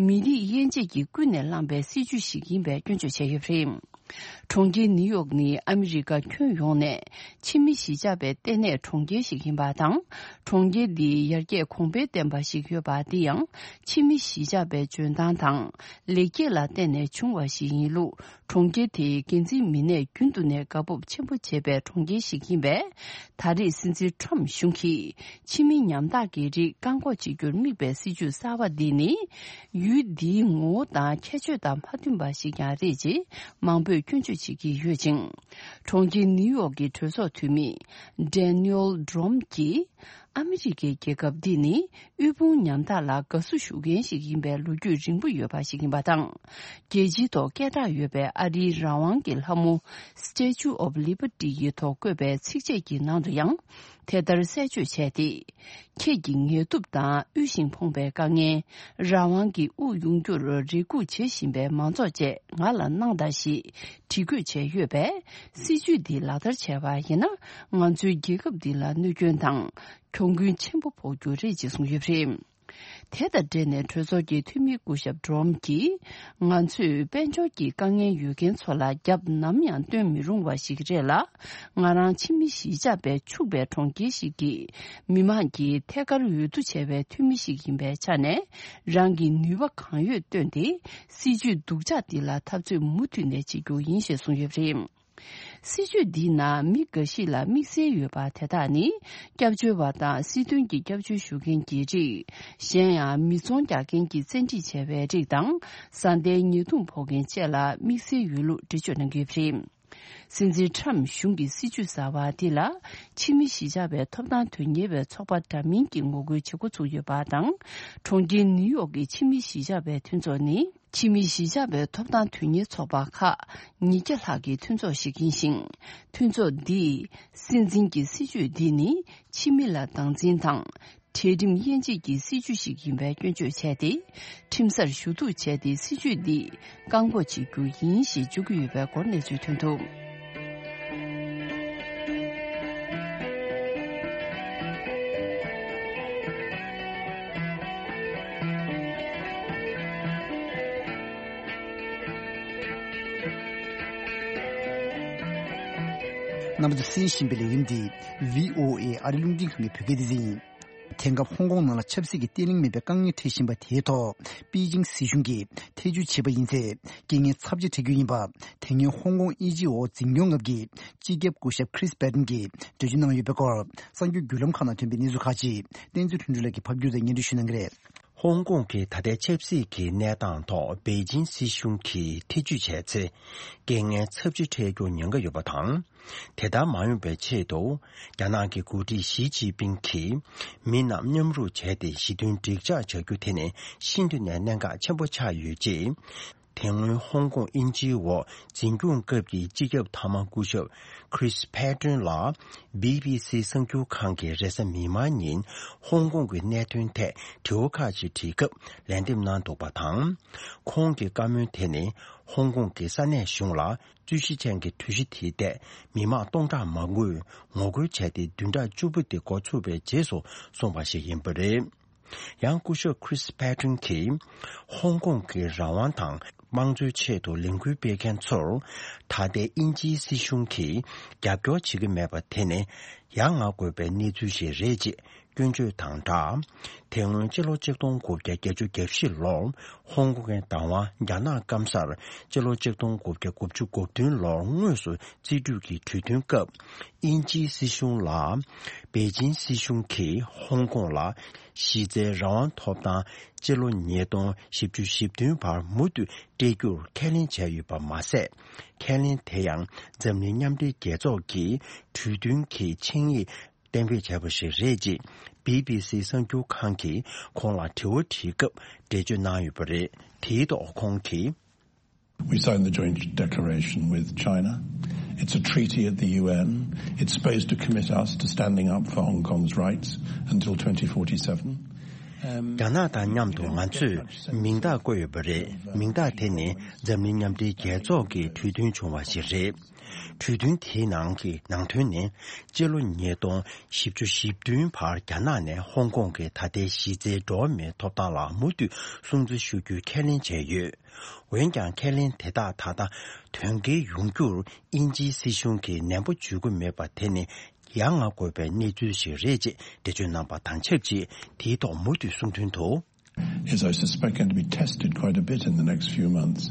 མི་རིགས་དབྱེ་འབྱེད་ཀྱིས་ཀུན་ནས་བསླངས་པའི་སྲིད་ཇུས་ཤིག་ཡིན་པའི་སྐྱོན་བརྗོད་བྱས་ཡོད་པ་རེད། གྲོང་ཁྱེར་ནིའུ་ཡོག་ནི་ཨ་མི་རི་ཀ་ཁྱོན་ཡོངས་ནས་ཕྱི་མི་གཞིས་ཆགས་པའི་ལྟེ་གནས་གྲོང་ཁྱེར་ཞིག་ཡིན་པ་དང་། གྲོང་ཁྱེར་འདི་ཡར་རྒྱས་གོང་འཕེལ་ལྡན་པ་ཞིག་ཡོད་པ། འདི་ཡང་ཕྱི་མི་གཞིས་ཆགས་པའི་འཇོན་ཐང་དང་ལེགས་སྐྱེས་ལ་བརྟེན་ནས་བྱུང་བ་ཞིག་ཡིན་ལུགས། གྲོང་ཁྱེར་དེའི་འགན་འཛིན་མི་སྣས་རྒྱུན་དུ་ནས་དགའ་སྤོབས་ཆེན་པོ་བྱེད་པའི་གྲོང་ཁྱེར་ཞིག་ཡིན་པས། ད་རེས་སྲིད་འཛིན་ཊམ་གཞུང་གིས་ཕྱི་མི་ཉམ་ཐག་གི་རིགས་བཀག་འགོག་བྱེད་རྒྱུར་དམིགས་པའི་སྲིད་ཇུས་གསར་བ་འདི་ནི། ཡུལ་འདིའི་ངོ་བོ་དང་ཁྱད་ཆོས་དང་མ་མཐུན་པ་ཞིག་ཀྱང་རེད་ཅེས་མང་པོས་སྐྱོན་བརྗོད་བྱེད་ཀྱི་ཡོད་ཅིང་། གྲོང་ཁྱེར་ནིའུ་ཡོག་གི་གྲོས་ཚོགས་འཐུས་མི་ཌེ་ནིའུལ་ཌོམ་གྱིས། ཨ་མི་རི་ཀའི་རྒྱལ་ཁབ་འདི་ནི་དབུལ་ཕོངས་ཉམ་ཐག་ལ་དགའ་བསུ་ཞུ་མཁན་ཞིག་ཡིན་པའི་ལོ་རྒྱུས་རིང་པོ་ཡོད་པ་ཞིག་ཡིན་པ་དང་། རྒྱལ་སྤྱིའི་ཐོག་སྐད་གྲགས་ཡོད་པའི་ཨ་རིའི་རང་དབང་གི་ལྷ་མོ་Statue of Liberty ཡི་ཐོག་བཀོད་པའི་ཚིགས་བཅད་ཀྱི་ནང་དུ་ཡང་དེ་ལྟར་གསལ་བརྗོད་བྱས་ཏེ། ཁྱེད་ཀྱི་ངལ་དུབ་དང་དབུལ་ཞིང་ཕོངས་པའི་དཀའ་ངལ། རང་དབང་གི་དབུགས་དབྱུང་རྒྱུར་རེ་སྒུག་བྱེད་བཞིན་པའི་མང་ཚོགས་བཅས་ང་ལ་གནང་དང་ཞེས་བྲིས་འགོད་བྱས་ཡོད་པས། སྲིད་ཇུས་འདི་ལག་བསྟར་བྱས་པ་ཡིན་ན། ང་ཚོའི་རྒྱལ་ཁབ་འདི་ལ་གནོད་སྐྱོན་དང་གྱོང་གུན་ཆེན་པོ་ཕོག་རྒྱུ་རེད་ཅེས་གསུངས་ཡོད་པ་རེད། དེ་དང་འབྲེལ་ནས་གྲོས་ཚོགས་ཀྱི་འཐུས་མི་སྐུ་ཞབས་ཌོམ་གྱིས། ང་ཚོས་དཔལ་འབྱོར་གྱི་དཀའ་ངལ་ཡོད་མཁན་ཚོ་ལ་རྒྱབ་ནམ་ཡང་སྟོན་མི་རུང་བ་ཞིག་རེད་ལ། ང་རང་ཕྱི་མི་གཞིས་ཆགས་པས་ཕྱུག་པའི་གྲོང་ཁྱེར་ཞིག་གི་མི་མང་གི་ཐད་ཀར་འོས་བསྡུ་བྱས་པའི་འཐུས་མི་ཞིག་ཡིན་པའི་ཆ་ནས། རང་གི་ནུས་པ་གང་ཡོད་བཏོན་ཏེ། སྲིད་ཇུས་སྡུག་ཅག་འདི་ལ་འཐབ་རྩོད་མུ་མཐུད་ནས་བྱེད་རྒྱུ་ཡིན་ཞེས་གསུངས་ཡོད་པ་རེད། སྲིད་ཇུས་འདིའི་ནང་མི་འགའ་ཞིག་ལ་དམིགས་བསལ་ཡོད་པ་དེ་དག་ནི། སྐྱབས་བཅོལ་བ་དང་སྲིད་དོན་གྱི་སྐྱབས་བཅོལ་ཞུ་མཁན་གྱི་རིགས། གཞན་ཡང་མི་ཚོང་རྒྱག་མཁན་གྱིས་བཙན་ཁྲིད་བྱས་པའི་རིགས་དང་། བཟའ་ཟླའི་ཉེས་རྡུང་ཕོག་མཁན་བཅས་ལ་དམིགས་བསལ་ཡོད་ལུགས་འགྲེལ་བརྗོད་གནང་གི་ཡོད་པ་རེད། སྲིད་འཛིན་ཁྲམ་གཞུང་གི་སྲིད་ཇུས་གསར་བ་དེ་ལ་ཕྱི་མི་གཞིས་ཆགས་པའི་ཐོབ་ཐང་དོན་གཉེར་བའི་ཚོགས་པ་འདྲ་མིན་གྱིས་ངོ་རྒོལ་བྱེད་འགོ་ཚུགས་ཡོད་པ་དང་། གྲོང་ཁྱེར་ནིའུ་ཡོག་གི་ཕྱི་མི་གཞིས་ཆགས་པའི་མཐུན་ཚོགས་ནི། ཕྱི་མི་གཞིས་ཆགས་པའི་ཐོབ་ཐང་དོན་གཉེར་ཚོགས་པ་ཁག་ཉིས་བརྒྱ་ལྷག་གི་མཐུན་ཚོགས་ཤིག་ཡིན་ཞིང་། མཐུན་ཚོགས་འདིས་སྲིད་འཛིན་གྱི་སྲིད་ཇུས་འདི་ནི་ཕྱི་མི་ལ་སྡང་འཛིན་དང་། གྲལ་རིམ་དབྱེ་འབྱེད་ཀྱི་སྲིད་ཇུས་ཤིག་ཡིན་པའི་སྐྱོན་བརྗོད་བྱས་ཏེ། ཁྲིམས་སར་ཞུ་གཏུག་བྱས་ཏེ་སྲིད་ཇུས་འདི་བཀག་འགོག་བྱེད་རྒྱུ་ཡིན་ཞེས་བརྗོད་ཀྱི་ཡོད་པའི་སྐོར་གནས་ཚུལ་ཐོན་འདུག་རྣམ་པ་ཚོས་གསན་བཞིན་པའི་ལས་རིམ་འདི་བྷི་ཨོ་ཨེ་ཨ་རི་རླུང་འཕྲིན་ཁང་གི་བོད་སྐད་སྡེ་ཚན་ཡིན། དེང་སྐབས་ཧོང་ཀོང་ནང་ལ་ཆབ་སྲིད་ཀྱི་བརྟན་ལྷིང་མེད་པའི་དཀའ་ངལ་འཕྲད་བཞིན་པ་དེའི་ཐོག་པེ་ཅིང་སྲིད་གཞུང་གིས་ཐེ་བྱུས་བྱས་པ་ཡིན་ཚེ། རྐྱེན་ངན་ཚབས་ཆེ་འཕྲད་རྒྱུ་ཡིན་པ། དེ་སྔོན་ཧོང་ཀོང་དབྱིན་ཇིའི་འོག་འཛིན་སྐྱོང་སྐབས་ཀྱི་སྤྱི་ཁྱབ་སྐུ་ཞབས་Chris Patten་གྱིས་འགྲེལ་བརྗོད་གནང་ཡོད་པའི་སྐོར། གསར་འགྱུར་བརྒྱུད་ལམ་ཁག་ནང་ཐོན་པའི་གནས་ཚུལ་ཁག་ཅིག་བསྟན་འཛིན་ལྷུན་གྲུབ་ལགས་ཀྱིས་ཕབ་བསྒྱུར་དང་སྙན་སྒྲོན་ཞུ་གནང་གི་རེད། ཧོང་ཀོང་གི་ད་ལྟའི་ཆབ་སྲིད་ཀྱི་གནས་སྟངས་ཐོག་པེ་ཅིང་སྲིད་གཞུང་གིས་ཐེ་བྱུས་བྱས་ཚེ། རྐྱེན་ངན་ཚབས་ཆེ་འཕྲད་རྒྱུར་ཉེན་ཁ་ཡོད་པ་དང་། དེ་ལྟར་མ་ཡོང་བའི་ཆེད་དུ། རྒྱ་ནག་གི་འགོ་ཁྲིད་ཞི་ཅིན་ཕིང་གིས་མི་རྣམས་མཉམ་རུབ་བྱས་ཏེ་ཞི་མཐུན་འགྲིག་འཇགས་བྱ་རྒྱུ་དེ་ནི་ཤིན་ཏུ་ནས་གནད་འགག་ཆེན་པོ་ཆགས་ཡོད་ཅེས། དེ་སྔོན་ཧོང་ཀོང་དབྱིན་ཇིའི་འོག་འཛིན་སྐྱོང་སྐབས་ཀྱི་སྤྱི་ཁྱབ་མཐའ་མ་སྐུ་ཞབས་Chris Patten་ལ་བྷི་བྷི་སི་གསར་འགྱུར་ཁང་གིས་རེས་གཟའ་མིག་དམར་ཉིན་ཧོང་ཀོང་གི་གནད་དོན་ཐད་དྲི་བ་ཁག་ཅིག་དྲིས་སྐབས་ལན་འདེབས་གནང་འདུག་པ་དང་། ཁོང་གི་བཀའ་མོལ་དེ་ནི་ཧོང་ཀོང་གི་ས་གནས་གཞུང་ལ། རྩོད་གཞི་ཅན་གྱི་གྲོས་གཞི་དེའི་ཐད་མི་མང་སྟོང་ཕྲག་མང་པོས་ངོ་རྒོལ་བྱས་ཏེ་བདུན་ཕྲག་བཅུ་པོ་དེ་འགོ་ཚུགས་པའི་རྗེས་སུ་གསུངས་པ་ཞིག་ཡིན་པ་རེད། ཡང་སྐུ་ཞབས་Chris Patten་གྱིས་ཧོང་ཀོང་གི་རང་དབང་དང་དམངས་གཙོའི་ཆེད་དུ་ལས་འགུལ་སྤེལ་མཁན་ཚོར་ད་ལྟའི་དབྱིན་ཇིའི་སྲིད་གཞུང་གིས་རྒྱབ་སྐྱོར་བྱེད་ཀྱི་མེད་པ་དེ་ནི་ཡ་ང་དགོས་པའི་གནས་ཚུལ་ཞིག་རེད་ཅེས། སྐྱོན་བརྗོད་དང་སྦྲགས། དེ་སྔོན་སྤྱི་ལོ་ཆིག་སྟོང་དགུ་བརྒྱ་བརྒྱད་ཅུ་གྱ་བཞི་ལོར་ཧོང་ཀོང་གི་བདག་དབང་རྒྱ་ནག་སྐམ་སར་སྤྱི་ལོ་ཆིག་སྟོང་དགུ་བརྒྱ་དགུ་བཅུ་གོ་བདུན་ལོར་དངོས་སུ་རྩིས་སྤྲོད་ཀྱི་གྲོས་མཐུན་སྐབས། དབྱིན་ཇིའི་སྲིད་གཞུང་ལ་པེ་ཅིན་སྲིད་གཞུང་གིས་ཧོང་ཀོང་ལ་གཞི་རྩའི་རང་དབང་ཐོབ་ཐང་སྤྱི་ལོ་ཉིས་སྟོང་བཞི་བཅུ་ཞེ་བདུན་བར་མུ་མཐུད་སྤྲད་རྒྱུར་ཁས་ལེན་བྱས་ཡོད་པ་མ་ཟད། ཁས་ལེན་དེ་ཡང་འཛམ་གླིང་མཉམ་འབྲེལ་རྒྱལ་ཚོགས་ཀྱི་གྲོས་མཐུན་གྱི་ཆིངས་ཡིག་གཏན་འབེབས་བྱས་པ་ཞིག་རེད་ཅེས་བྷི་བྷི་སི་གསར་འགྱུར་ཁང་གིས་ཁོང་ལ་དྲི་བ་དྲིས་སྐབས་འགྲེལ་བརྗོད་གནང་ཡོད་པ་རེད། དེའི་ཐོག་ཁོང་གིས། We signed the joint declaration with China. It's a treaty at the U N. It's supposed to commit us to standing up for Hong Kong's rights until twenty forty-seven. རྒྱ་ནག་དང་མཉམ་དུ་ང་ཚོས་མིང་རྟགས་བཀོད་ཡོད་པ་རེད། མིང་རྟགས་དེ་ནི་འཛམ་གླིང་མཉམ་འབྲེལ་རྒྱལ་ཚོགས་ཀྱི་གྲོས་མཐུན་བྱུང་བ་ཞིག་རེད། གྲོས་མཐུན་དེའི་ནང་གི་ནང་དོན་ནི། སྤྱི་ལོ་ཉིས་སྟོང་བཞི་བཅུ་ཞེ་བདུན་བར་རྒྱ་ནག་ནས་ཧོང་ཀོང་གི་ད་ལྟའི་གཞི་རྩའི་འགྲོ་བ་མིའི་ཐོབ་ཐང་ལ་མུ་མཐུད་སྲུང་བརྩི་ཞུ་རྒྱུའི་ཁས་ལེན་བྱས་ཡོད། འོན་ཀྱང་ཁས་ལེན་དེ་དག་ད་ལྟ་དོན་འཁེལ་ཡོང་རྒྱུར་དབྱིན་ཇིའི་སྲིད་གཞུང་གིས་ནན་པོ་འཇུག་གི་མེད་པ་དེ་ནི་ཡ་ང་དགོས་པའི་གནས་ཚུལ་ཞིག་རེད་ཅེས་འགྲེལ་བརྗོད་གནང་པ་དང་ཆབས་ཅིག་དེའི་ཐོག་མུ་མཐུད་གསུང་དོན་དུ། Is, I suspect, going to be tested quite a bit in the next few months.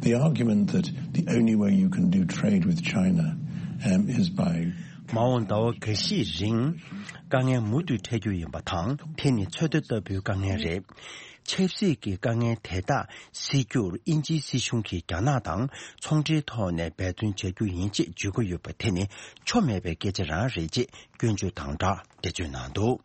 The argument that the only way you can do trade with China, um, is by མ་འོངས་ཟླ་བ་འགའ་ཤས་རིང་དཀའ་ངལ་མུ་མཐུད་འཕྲད་རྒྱུ་ཡིན་པ་དང་། དེ་ནི་ཚོད་ལྟ་ལྟ་བུའི་དཀའ་ངལ་རེད། ཆབ་སྲིད་ཀྱི་དཀའ་ངལ་དེ་དག་སེལ་རྒྱུར་དབྱིན་ཇིའི་སྲིད་གཞུང་གིས་རྒྱ་ནག་དང་ཚོང་འབྲེལ་ཐོག་ནས་འབད་བརྩོན་བྱ་རྒྱུ་ཡིན་ཅེས་བརྗོད་ཀྱི་ཡོད་པ་དེ་ནི་ཆོ་མེད་པའི་སྐད་ཆ་རང་རེད་ཅེས་སྐྱོན་བརྗོད་དང་སྦྲགས་འགྲེལ་བརྗོད་གནང་འདུག་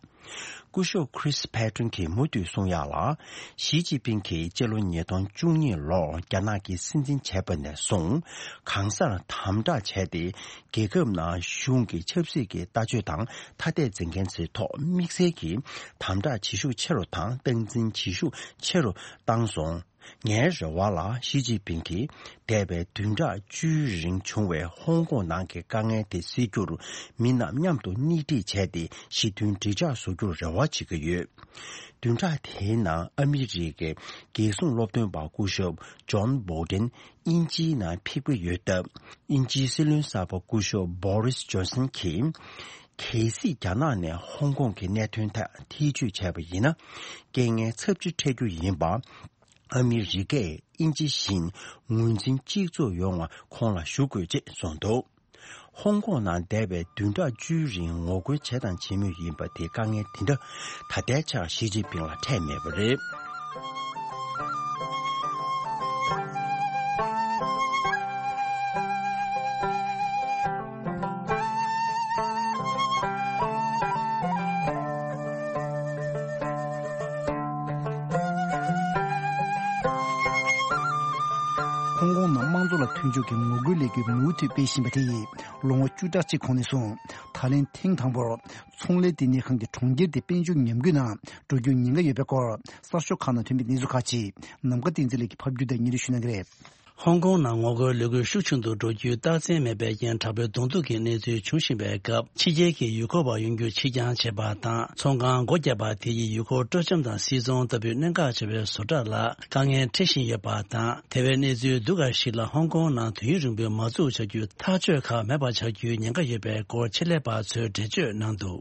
སྐུ་ཞབས་Chris Patten་གྱིས་མུ་མཐུད་གསུང་ཡག་ལ། ཞི་ཅིན་ཕིང་གིས་སྤྱི་ལོ་ཉིས་སྟོང་བཅུ་གཉིས་ལོར་རྒྱ་ནག་གི་སྲིད་འཛིན་བྱས་པ་ནས་བཟུང་གང་སར་དམ་དྲག་བྱས་ཏེ། རྒྱལ་ཁབ་ནང་གཞུང་གི་ཆབ་སྲིད་ཀྱི་ལྟ་སྤྱོད་དང་ཐ་དད་འཛིན་མཁན་ཚོའི་ཐོག་དམིགས་བསལ་གྱིས་དམ་དྲག་བྱེད་ཤུགས་ཆེ་རུ་དང་སྟངས་འཛིན་བྱེད་ཤུགས་ཆེ་རུ་བཏང་སོང་། ངའི་རེ་བ་ལ་ཞི་ཅིན་ཕིང་གིས་འདས་པའི་བདུན་ཕྲག་བཅུའི་རིང་བྱུང་བའི་ཧོང་ཀོང་ནང་གི་དཀའ་ངལ་དེ་སེལ་རྒྱུར་མི་རྣམས་མཉམ་དུ་སྣེ་ཁྲིད་བྱས་ཏེ་ཞི་མཐུན་འགྲིག་འཇགས་བཟོ་རྒྱུར་རེ་བ་བྱེད་ཀྱི་ཡོད། བདུན་ཕྲག་དེའི་ནང་ཨ་མི་རི་ཀའི་རྒྱལ་སྲུང་སློབ་སྟོན་པ་སྐུ་ཞབས་ཇོན་བྷོ་ལྡན་དབྱིན་ཇིའི་ནང་ཕེབས་ཀྱི་ཡོད་སྟབས། དབྱིན་ཇིའི་སྲིད་བློན་གསར་པ་སྐུ་ཞབས་བྷོ་རིས་ཇོན་སན་གྱིས། གལ་སྲིད་རྒྱ་ནག་ནས་ཧོང་ཀོང་གི་གནད་དོན་ཐད་ཐེ་བྱུས་བྱས་པ་ཡིན་ན། རྐྱེན་ངན་ཚབས་ཆེ་འཕྲད་རྒྱུ་ཡིན་པ། ཨ་མི་རི་ཀས་དབྱིན་ཇི་བཞིན་ངོས་འཛིན་གཅིག་མཚུངས་ཡོང་བ་ཁོང་ལ་ཞུ་དགོས་ཅེས་གསུངས་འདུག་ཧོང་ཀོང་ནང་འདས་པའི་བདུན་ཕྲག་བཅུའི་རིང་ངོ་རྒོལ་བྱས་དང་བྱེད་མུས་ཡིན་པ་དེའི་དཀའ་ངལ་དེ་འདྲ་ད་ལྟའི་ཆར་ཞི་ཅིན་ཕིང་ལ་འཕྲད་མེད་པ་རེད། ཧོང་ཀོང་ནང་དམངས་གཙོ་ལ་མཐུན་ཕྱོགས་ཀྱི་ངོ་རྒོལ་ལས་འགུལ་མུ་མཐུད་སྤེལ་བཞིན་པ་དེ་ཡིས་ལོ་ངོ་བཅུ་ཕྲག་གཅིག་གོང་ནས་བཟུང་ད་ལན་ཐེངས་དང་པོར་ཚོང་ལས་ལྟེ་གནས་ཁང་གི་གྲོང་ཁྱེར་དེ་དཔལ་འབྱོར་ཉམས་རྒུད་ནང་འགྲོ་རྒྱུའི་ཉེན་ཁ་ཡོད་པའི་སྐོར་གསར་ཤོག་ཁག་ནང་ཐོན་པའི་གནས་ཚུལ་ཁག་ཅིག་ནམ་མཁའ་བསྟན་འཛིན་ལགས་ཀྱིས་ཕབ་སྒྱུར་དང་སྙན་སྒྲོན་ཞུ་གནང་གི་རེད། ཧོང་ཀོང་ནང་ངོ་རྒོལ་ལས་འགུལ་ཤུགས་ཆུང་དུ་འགྲོ་རྒྱུའི་རྟགས་མཚན་མེད་པའི་རྐྱེན་དྲག་པོའི་གདོང་ཐུག་གི་གནས་ཚུལ་འབྱུང་བཞིན་པའི་སྐབས། ཕྱི་རྒྱལ་གྱི་ཡུལ་སྐོར་བ་ཡོང་རྒྱུ་ཕྱིར་འགྱངས་བྱས་པ་དང་། ཚོང་ཁང་སྒོ་བརྒྱབ་པ་དེ་ཡིས་ཡུལ་སྐོར་སྤྲོ་འཆམ་དང་སིལ་ཚོང་ལྟ་བུའི་གནད་འགག་ཆེ་བའི་བཟོ་གྲྭ་ལ་དཀའ་ངལ་འཕྲད་བཞིན་ཡོད་པ་དང་། དེ་བས་གནས་ཚུལ་སྡུག་པ་ཞིག་ལ་ཧོང་ཀོང་ནང་དུས་ཡུན་རིང་པོའི་མ་འཛུགས་བྱ་རྒྱུའི་ཐག་གཅོད་ཁག་མེད་པ་ཆགས་རྒྱུའི་ཉེན་ཁ་ཡོད་པའི་སྐོར་ཆེད་ལས་པ་ཚོས་འགྲེལ་བརྗོད་གནང་འདུག་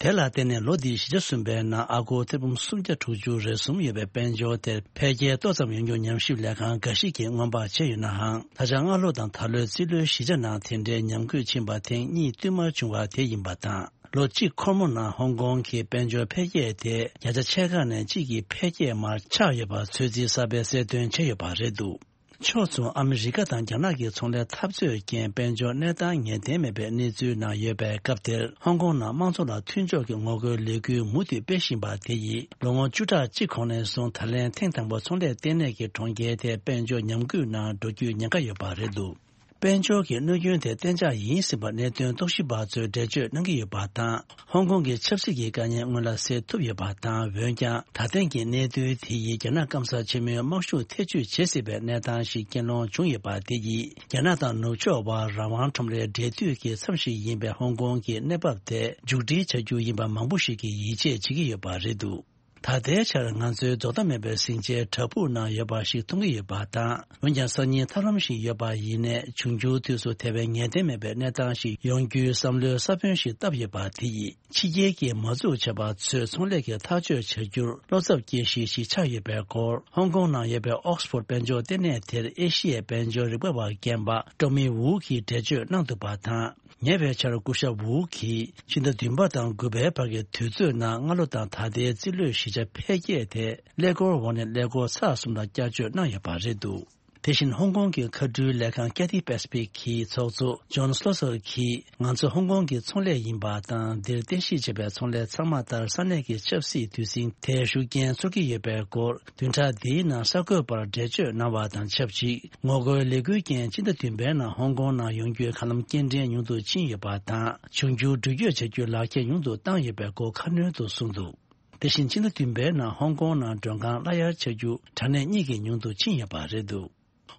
དེ་ལ་བརྟེན་ནས་ལོ་འདིའི་བཞི་ཆ་གསུམ་པའི་ནང་ཨ་སྒོར་ཐེར་འབུམ་སུམ་བརྒྱ་དྲུག་ཅུ་རེ་གསུམ་ཡོད་པའི་དཔལ་འབྱོར་དེར་འཕེལ་རྒྱས་ཏོག་ཙམ་ཡོང་རྒྱུར་ཉམས་ཞིབ་ལས་ཁང་འགའ་ཞིག་གིས་སྔོན་དཔག་བྱས་ཡོད་ནའང་། ད་ཆ་སྔ་ལོ་དང་ད་ལོའི་རྩིས་ལོའི་བཞི་ཆ་ནང་དེ་འདྲའི་ཉམས་རྒུད་ཕྱིན་པ་ཐེངས་གཉིས་བསྟུད་མར་བྱུང་བ་དེ་ཡིན་པ་དང་། ལོ་གཅིག་འཁོར་མོ་ནང་ཧོང་ཀོང་གི་དཔལ་འབྱོར་འཕེལ་རྒྱས་དེ་བརྒྱ་ཆ་ཕྱེད་ཀ་ནས་གཅིག་གི་འཕེལ་རྒྱས་མར་ཆག་ཡོད་པ་ཚོད་རྩིས་གསར་པས་གསལ་སྟོན་བྱས་ཡོད་པ་རེད་འདུག་ཕྱོགས་མཚུངས་ཨ་མི་རི་ཀ་དང་རྒྱ་ནག་གི་ཚོང་ལས་འཐབ་རྩོད་རྐྱེན་དཔལ་འབྱོར་གནས་སྟངས་ངེས་གཏན་མེད་པའི་གནས་ཚུལ་ནང་ཡོད་པའི་སྐབས་དེར། ཧོང་ཀོང་ནང་དམངས་གཙོ་ལ་མཐུན་ཕྱོགས་ཀྱི་ངོ་རྒོལ་ལས་འགུལ་མུ་མཐུད་སྤེལ་བཞིན་པ་དེ་ཡིས་ལོ་ངོ་བཅུ་ཕྲག་གཅིག་གོང་ནས་བཟུང་ད་ལན་ཐེངས་དང་པོ་ཚོང་ལས་ལྟེ་གནས་ཀྱི་གྲོང་ཁྱེར་དེ་དཔལ་འབྱོར་ཉམས་རྒུད་ནང་འགྲོ་རྒྱུའི་ཉེན་ཁ་ཡོད་པ་རེད་འདུག་དཔལ་འབྱོར་གྱི་གནོད་སྐྱོན་དེ་གཏན་འཇགས་ཡིན་ཟིན་པར་གནད་དོན་རྟོག་ཞིབ་པ་ཚོས་འགྲེལ་བརྗོད་གནང་གི་ཡོད་པ་དང་། ཧོང་ཀོང་གི་ཆབ་སྲིད་ཀྱི་དཀའ་ངལ་སྔོན་ལ་སེལ་ཐུབ་ཡོད་པ་དང་། འོན་ཀྱང་ད་ཐེངས་ཀྱི་གནད་དོན་དེ་ཡིས་རྒྱ་ནག་སྐམ་ས་ཆེན་མོའི་དམག་ཤུགས་ཐེ་བྱུས་བྱེད་སྲིད་པའི་གནས་སྟངས་ཤིག་རྐྱེན་སློང་བྱུང་ཡོད་པ་དེ་ཡིས་རྒྱ་ནག་དང་ནུབ་ཕྱོགས་བར་རང་དབང་ཁྲོམ་རའི་འབྲེལ་མཐུད་ཀྱི་མཚམས་ཤིག་ཡིན་པའི་ཧོང་ཀོང་གི་གནས་བབ་དེ་མཇུག་སྒྲིལ་བྱ་རྒྱུ་ཡིན་པ་མང་པོ་ཞིག་གིས་ཡིད་ཆེས་བྱེད་ཀྱི་ཡོད་པ་རེད་འདུག་ད་ལྟའི་ཆར་ང་ཚོའི་རྫོགས་མཐའ་མེད་པའི་ཟིང་ཆའི་བྲག་ཕུག་ནང་ཡོད་པ་ཞིག་མཐོང་གི་ཡོད་པ་དང་། འོན་ཀྱང་སང་ཉིན་ཐབས་ལམ་ཞིག་ཡོད་པ་ཡིན་ནའི། འབྱུང་འགྱུར་དུས་སུ་དེ་བས་ངེས་གཏན་མེད་པའི་གནས་སྟངས་ཤིག་ཡོང་རྒྱུའི་བསམ་བློའི་ས་བོན་ཞིག་བཏབ་ཡོད་པ་དེ་ཡིས། ཕྱི་རྒྱལ་གྱི་མ་འཛུགས་བྱས་པ་ཚོས་ཚོང་ལས་ཀྱི་ཐག་གཅོད་བྱ་རྒྱུར་བློ་འཚབ་སྐྱེ་གཞི་ཞིག་ཆགས་ཡོད་པའི་སྐོར། ཧོང་ཀོང་ནང་ཡོད་པའི་ཨོག་སི་ཕོར་དཔལ་འབྱོར་ལྟེ་གནས་དེར་ཨེ་ཤི་ཡའི་དཔལ་འབྱོར་རིག་པ་བ་རྒན་པ་ཀྲོ་མི་ཝུའུ་གིས་འགྲེལ་བརྗོད་གནང་འདུག་པ་དང་། ཉེ་བའི་ཆར་སྐུ་ཞབས་ཝུའུ་གིས་ཕྱི་ཟླ་བདུན་པ་དང་དགུ་པའི་བར་གྱི་དུས་ཚོད་ནང་སྔ་ལོ་དང་ད་ལྟའི་རྩིས་ལོའི་བཞི་ཆ་འཕེལ་རྒྱས་དེ་ཀླད་ཀོར་འོག་ནས་ཀླད་ཀོར་ཚེག་གསུམ་ལ་བསྐྱར་བཅོས་གནང་ཡོད་པ་རེད་འདུག་དེ་བཞིན་ཧོང་ཀོང་གི་མཁའ་འགྲུལ་ལས་ཁང་Cathay Pacific གི་ཚོགས་གཙོ་ཇོན་སི་ལོ་སར་གྱིས། ང་ཚོ་ཧོང་ཀོང་གི་ཚོང་ལས་ཡིན་པ་དང་། འདིར་རྟེན་གཞི་བྱས་པའི་ཚོང་ལས་ཚང་མ་ལྟར་ས་གནས་ཀྱི་ཆབ་སྲིད་དུས་ཟིང་དེར་ཤུགས་རྐྱེན་ཚོར་གྱི་ཡོད་པའི་སྐོར། བདུན་ཕྲག་འདིའི་ནང་གསར་འགོད་པར་འགྲེལ་བརྗོད་གནང་བ་དང་ཆབས་ཅིག་ངོ་རྒོལ་ལས་འགུལ་རྐྱེན་སྤྱི་ཟླ་བདུན་པའི་ནང་ཧོང་ཀོང་ནང་ཡོང་རྒྱུའི་མཁའ་ལམ་སྐྱེལ་འདྲེན་ཉུང་དུ་ཕྱིན་ཡོད་པ་དང་། འབྱུང་འགྱུར་འགྲུལ་སྐྱོད་བྱ་རྒྱུའི་ལག་ཁྱེར་ཉུང་དུ་བཏང་ཡོད་པའི་སྐོར་ཁ་སྣོན་དུ་གསུངས་འདུག་དེ་བཞིན་ཕྱི་ཟླ་བདུན་པའི་ནང་ཧོང་ཀོང་ནང་མགྲོན་ཁང་གླ་གཡར་བྱ་རྒྱུ་དྲ་གནས་གཉིས་ཀྱིས་ཉུང་དུ་ཕྱིན་ཡོད་པ་རེད་འདུག་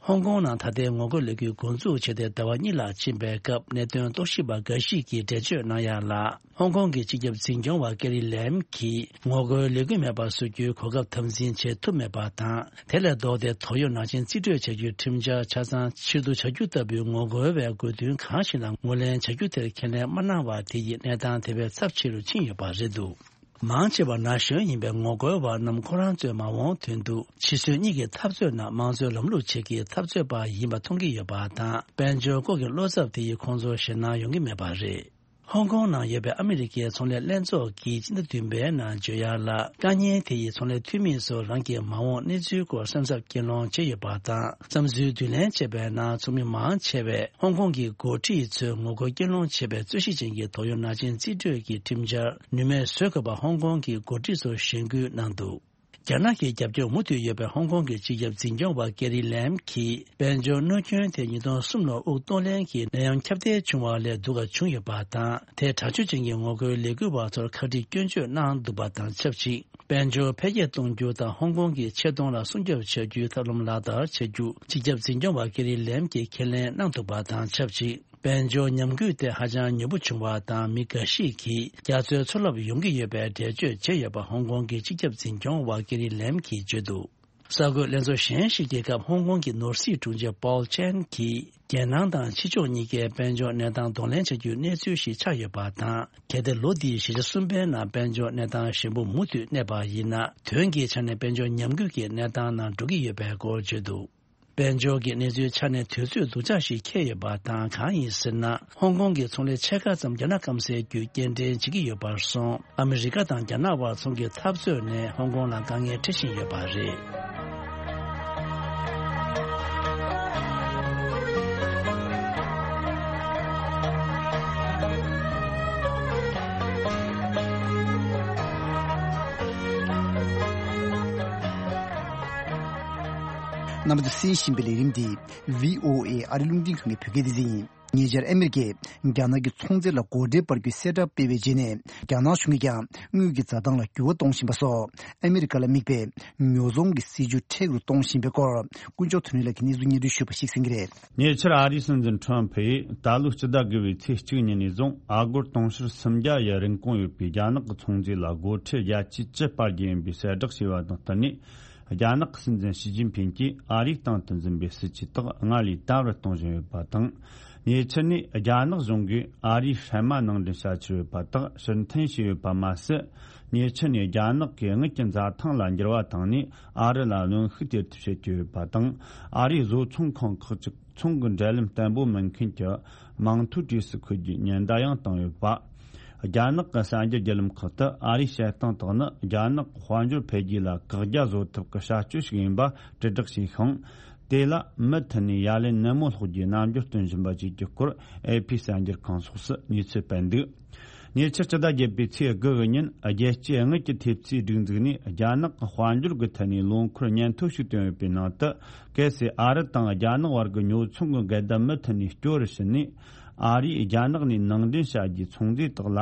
ཧོང་ཀོང་ནང་ད་ལྟའི་ངོ་རྒོལ་ལས་འགུལ་འགོ་འཛུགས་བྱས་ཏེ་ཟླ་བ་གཉིས་ལྷག་ཕྱིན་པའི་སྐབས། གནད་དོན་རྟོག་ཞིབ་པ་འགའ་ཞིག་གིས་འགྲེལ་བརྗོད་གནང་ཡག་ལ། ཧོང་ཀོང་གི་སྤྱི་ཁྱབ་འཛིན་སྐྱོང་བ་ཀེ་རི་ལེམ་གྱིས་ངོ་རྒོལ་ལས་འགུལ་མེད་པར་བཟོ་རྒྱུའི་གོ་སྐབས་དམ་འཛིན་བྱེད་ཐུབ་མེད་པ་དང་། དེ་ལས་ལྡོག་སྟེ་དོགས་ཡོད་ནག་ཅན་རྩིས་སྤྲོད་བྱ་རྒྱུའི་ཁྲིམས་འཆར་ཆ་ཚང་ཕྱིར་བསྡུ་བྱ་རྒྱུ་ལྟ་བུའི་ངོ་རྒོལ་བའི་དགོས་འདུན་གང་ཞིག་ལ་ངོས་ལེན་བྱ་རྒྱུ་དེར་ཁས་ལེན་མ་གནང་བ་དེ་ཡིས་གནས་སྟངས་དེ་བས་ཚབས་ཆེ་རུ་ཕྱིན་ཡོད་པ་རེད་འདུག་མང་ཆེ་བ་ན་གཞོན་ཡིན་པའི་ངོ་རྒོལ་བ་རྣམས་ཁོ་རང་ཚོའི་མ་འོངས་དོན་དུ་ཕྱི་སྲོལ་གཉིས་ཀྱི་འཐབ་རྩོད་ནང་དམངས་གཙོའི་ལམ་ལུགས་ཆེད་ཀྱི་འཐབ་རྩོད་པ་ཡིན་པ་མཐོང་གི་ཡོད་པ་དང་། དཔལ་འབྱོར་སྐོར་གྱི་བློ་འཚབ་དེ་ཡིས་ཁོང་ཚོར་ཞེད་སྣང་ཡོང་གི་མེད་པ་རེད། ཧོང་ཀོང་ནང་ཡོད་པའི་ཨ་མི་རི་ཀའི་ཚོང་ལས་ལྷན་ཚོགས་ཀྱིས་སྤྱི་ཟླ་བདུན་པའི་ནང་བརྗོད་ཡག་ལ། དཀའ་ཉེན་དེ་ཡིས་ཚོང་ལས་འཐུས་མི་ཚོར་རང་གི་མ་འོངས་གནས་ཚུལ་སྐོར་སེམས་འཚབ་སྐྱེད་སློང་བྱས་ཡོད་པ་དང་། བསམ་ཚུལ་བསྡུ་ལེན་བྱས་པའི་ནང་ཚོགས་མི་མང་ཆེ་བས་ཧོང་ཀོང་གི་འགོ་ཁྲིད་ཚོས་ངོ་རྒོལ་སྐྱོན་སློང་བྱེད་པའི་རྩོད་གཞི་ཅན་གྱི་དོགས་ཡོད་ནག་ཅན་རྩིས་སྤྲོད་ཀྱི་ཁྲིམས་འཆར་ནུས་མེད་བཟོ་དགོས་པ་ཧོང་ཀོང་གི་འགོ་ཁྲིད་ཚོར་ཞེན་སྐུལ་གནང་འདུག་རྒྱ་ནག་གི་རྒྱབ་སྐྱོར་མུ་མཐུད་ཡོད་པའི་ཧོང་ཀོང་གི་སྤྱི་ཁྱབ་འཛིན་སྐྱོང་བ་ཀེ་རི་ལེམ་གྱིས། དཔལ་འབྱོར་གནོད་སྐྱོན་དེ་ཉིས་སྟོང་གསུམ་ལོར་དབུགས་གཏོང་ལེན་གྱི་ནད་ཡམས་ཁྱབ་གདལ་བྱུང་བ་ལས་སྡུག་ག་བྱུང་ཡོད་པ་དང་། དེས་དྲག་སྤྱོད་ཅན་གྱི་ངོ་རྒོལ་ལས་འགུལ་བ་ཚོར་ཁ་དཀྲིས་སྐྱོན་བརྗོད་གནང་འདུག་པ་དང་ཆབས་ཅིག་དཔལ་འབྱོར་འཕེལ་རྒྱས་གཏོང་རྒྱུ་དང་ཧོང་ཀོང་གི་ཆེ་མཐོང་ལ་སྲུང་སྐྱོབ་བྱ་རྒྱུའི་ཐབས་ལམ་ལག་བསྟར་བྱ་རྒྱུ་སྤྱི་ཁྱབ་འཛིན་སྐྱོང་བ་ཀེ་རི་ལེམ་གྱིས་ཁས་ལེན་གནང་འདུག་པ་དང་ཆབས་ཅིག་དཔལ་འབྱོར་ཉམས་རྒུད་དེ་ཧ་ཅང་མྱུར་པོ་བྱུང་བ་དང་། མི་འགའ་ཞིག་གིས་རྒྱ་མཚོའི་མཚོ་རླབས་ཡོང་གི་ཡོད་པའི་འགྲེལ་བརྗོད་བྱས་ཡོད་པ་ཧོང་ཀོང་གི་སྤྱི་ཁྱབ་འཛིན་སྐྱོང་བ་ཀེ་རི་ལེམ་གྱིས་བརྗོད་འདུག་གསར་འགོད་ལྷན་ཚོགས་གཞན་ཞིག་གི་སྐབས་ཧོང་ཀོང་གི་ནོར་སྲིད་དྲུང་ཆེ་པོལ་ཆན་གྱིས། རྒྱལ་ནང་དང་ཕྱི་ཕྱོགས་གཉིས་ཀའི་དཔལ་འབྱོར་གནས་སྟངས་གདོང་ལེན་བྱ་རྒྱུའི་གནས་ཚུལ་ཞིག་ཆགས་ཡོད་པ་དང་། གལ་ཏེ་ལོ་འདིའི་བཞི་ཆ་གསུམ་པའི་ནང་དཔལ་འབྱོར་གནས་སྟངས་ཞན་པོ་མུ་མཐུད་གནས་པ་ཡིན་ན། དོན་གྱི་ཆ་ནས་དཔལ་འབྱོར་ཉམས་རྒུད་ཀྱི་གནས་སྟངས་ནང་འགྲོ་གི་ཡོད་པའི་སྐོར་བརྗོད་འདུག་དཔལ་འབྱོར་གྱི་གནས་ཚུལ་ཆ་ནས་དུས་ཚོད་སྡུག་ཅག་ཞིག་འཁེལ་ཡོད་པ་དང་། གང་ཡིན་ཟེར་ན། ཧོང་ཀོང་གི་ཚོང་ལས་ཕྱེད་ཀ་ཙམ་རྒྱ་ནག་སྐམ་སའི་བརྒྱུད་སྐྱེལ་འདྲེན་བྱེད་ཀྱི་ཡོད་པར་སོང་། ཨ་མི་རི་ཀ་དང་རྒྱ་ནག་དབར་ཚོང་གི་འཐབ་རྩོད་ནས་ཧོང་ཀོང་ལ་དཀའ་ངལ་འཕྲད་བཞིན་ཡོད་པ་རེད། རྣམ་པ་ཚོས་གསན་བཞིན་པའི་ལས་རིམ་འདི་བྷི་ཨོ་ཨེ་ཨ་རི་རླུང་འཕྲིན་ཁང་གི་བོད་སྐད་སྡེ་ཚན་ཡིན། ཉེ་ཆར་ཨ་མེ་རི་ཀས་རྒྱ་ནག་གི་ཚོང་རྫས་ལ་སྒོ་ཁྲལ་སྤར་རྒྱུའི་གསལ་བསྒྲགས་སྤེལ་བའི་རྗེས་ནས། རྒྱ་ནག་གཞུང་གིས་ཀྱང་དངུལ་གྱི་འཛའ་ཐང་ལ་འགྱུར་བ་གཏོང་བཞིན་པ་སོགས། ཨ་མེ་རི་ཀ་ལ་དམིགས་པའི་ཉོ་ཚོང་གི་སྲིད་ཇུས་མཁྲེགས་རུ་གཏོང་བཞིན་པའི་སྐོར། དཀོན་མཆོག་དོན་གྲུབ་ལགས་ཀྱིས་གནས་ཚུལ་སྙན་སྒྲོན་ཞུས་པ་ཞིག་གསན་གྱི་རེད། ཉེ་ཆར་ཨ་རིའི་སྲིད་འཛིན་ཁྲོམ་ཕུ་ཡིས་ད་ལོའི་སྤྱི་ཟླ་དགུ་པའི་ཚེས་གཅིག་ཉིན་ནས་བཟུང་ཨ་སྒོར་དུང་ཕྱུར་སུམ་བརྒྱ་ཡི་རིན་གོང་ཡོད་པའི་རྒྱ་ནག་གི་ཚོང་རྫས་ལ་སྒོ་ཁྲལ་བརྒྱ་ཆའི་བཅུ་སྤར་རྒྱུ་ཡིན་པའི་གསལ་བསྒྲགས་བྱས་པ་དང་བསྟུན་ནས། རྒྱ་ནག་གི་སྲིད་འཛིན་ཞི་ཅིན་ཕིང་གིས་ཨ་རིའི་སྟེང་དུ་འཛིན་པའི་སྲིད་ཇུས་དག་སྔར་ལས་དམ་རུ་གཏོང་བཞིན་ཡོད་པ་དང་། ཉེ་ཆར་ནས་རྒྱ་ནག་གཞུང་གིས་ཨ་རིའི་ཧྲན་མ་ནང་འདྲེན་བྱ་ཆེད་ཡོད་པ་དག་ཕྱིར་འཐེན་བྱས་ཡོད་པ་མ་ཟད། ཉེ་ཆར་ནས་རྒྱ་ནག་གིས་དངུལ་གྱི་འཛའ་ཐང་ལ་འགྱུར་བ་བཏང་ནས་ཨ་རི་ལ་གནོན་ཤུགས་སྟེར་ཐབས་བྱེད་ཀྱི་ཡོད་པ་དང་། ཨ་རིའི་བཟོ་ཚོང་ཁང་ཁག་ཅིག་ཚོང་གི་འབྲེལ་ལམ་བརྟན་པོ་མིན་མཁན་གྱི་མིང་ཐོའི་གྲས་སུ་འཁོད་རྒྱུའི་ཉེན་བརྡ་ཡང་བཏང་ཡོད་པ། རྒྱ་ནག་གི་གསར་འགྱུར་བརྒྱུད་ལམ་ཁག་ཏུ་ཨ་རིའི་བཤད་སྟངས་དག་ནི་རྒྱ་ནག་གི་དཔལ་འབྱོར་འཕེལ་རྒྱས་ལ་བཀག་རྒྱ་བཟོ་ཐབས་ཀྱི་བྱ་སྤྱོད་ཞིག་ཡིན་པ་དྲིལ་བསྒྲགས་བྱས་ཤིང་། དེ་ལ་མུ་མཐུད་ནས་ཡ་ལན་ནན་མོ་སློག་རྒྱུའི་རྣམ་འགྱུར་སྟོན་བཞིན་པ་བཅས་ཀྱི་སྐོར་ཨེ་ཕི་གསར་འགྱུར་ཁང་སོགས་སུ་གནས་ཚུལ་སྤེལ་འདུག་ཉེ་ཆར་སྤྱི་ཟླ་བརྒྱད་པའི་ཚེས་དགུ་གི་ཉིན་རྒྱལ་སྤྱིའི་དངུལ་གྱི་ཐེབས་རྩའི་སྒྲིག་འཛུགས་ནས་རྒྱ་ནག་གི་དཔལ་འབྱོར་གྱི་ཐད་ནས་ལོ་འཁོར་སྙན་ཐོ་ཞིག་བཏོན་ཡོད་པའི་ནང་དུ། གལ་སྲིད་ཨ་རི་དང་རྒྱ་ནག་བར་གྱི་ཉོ་ཚོང་གི་འགལ་ཟླ་མུ་མཐུད་ནས་སྐྱོ་རུ་ཕྱིན་ནས། ཨ་རིས་རྒྱ་ནག་ནས་ནང་འདྲེན་བྱ་རྒྱུའི་ཚོང་རྫས་དག་ལ་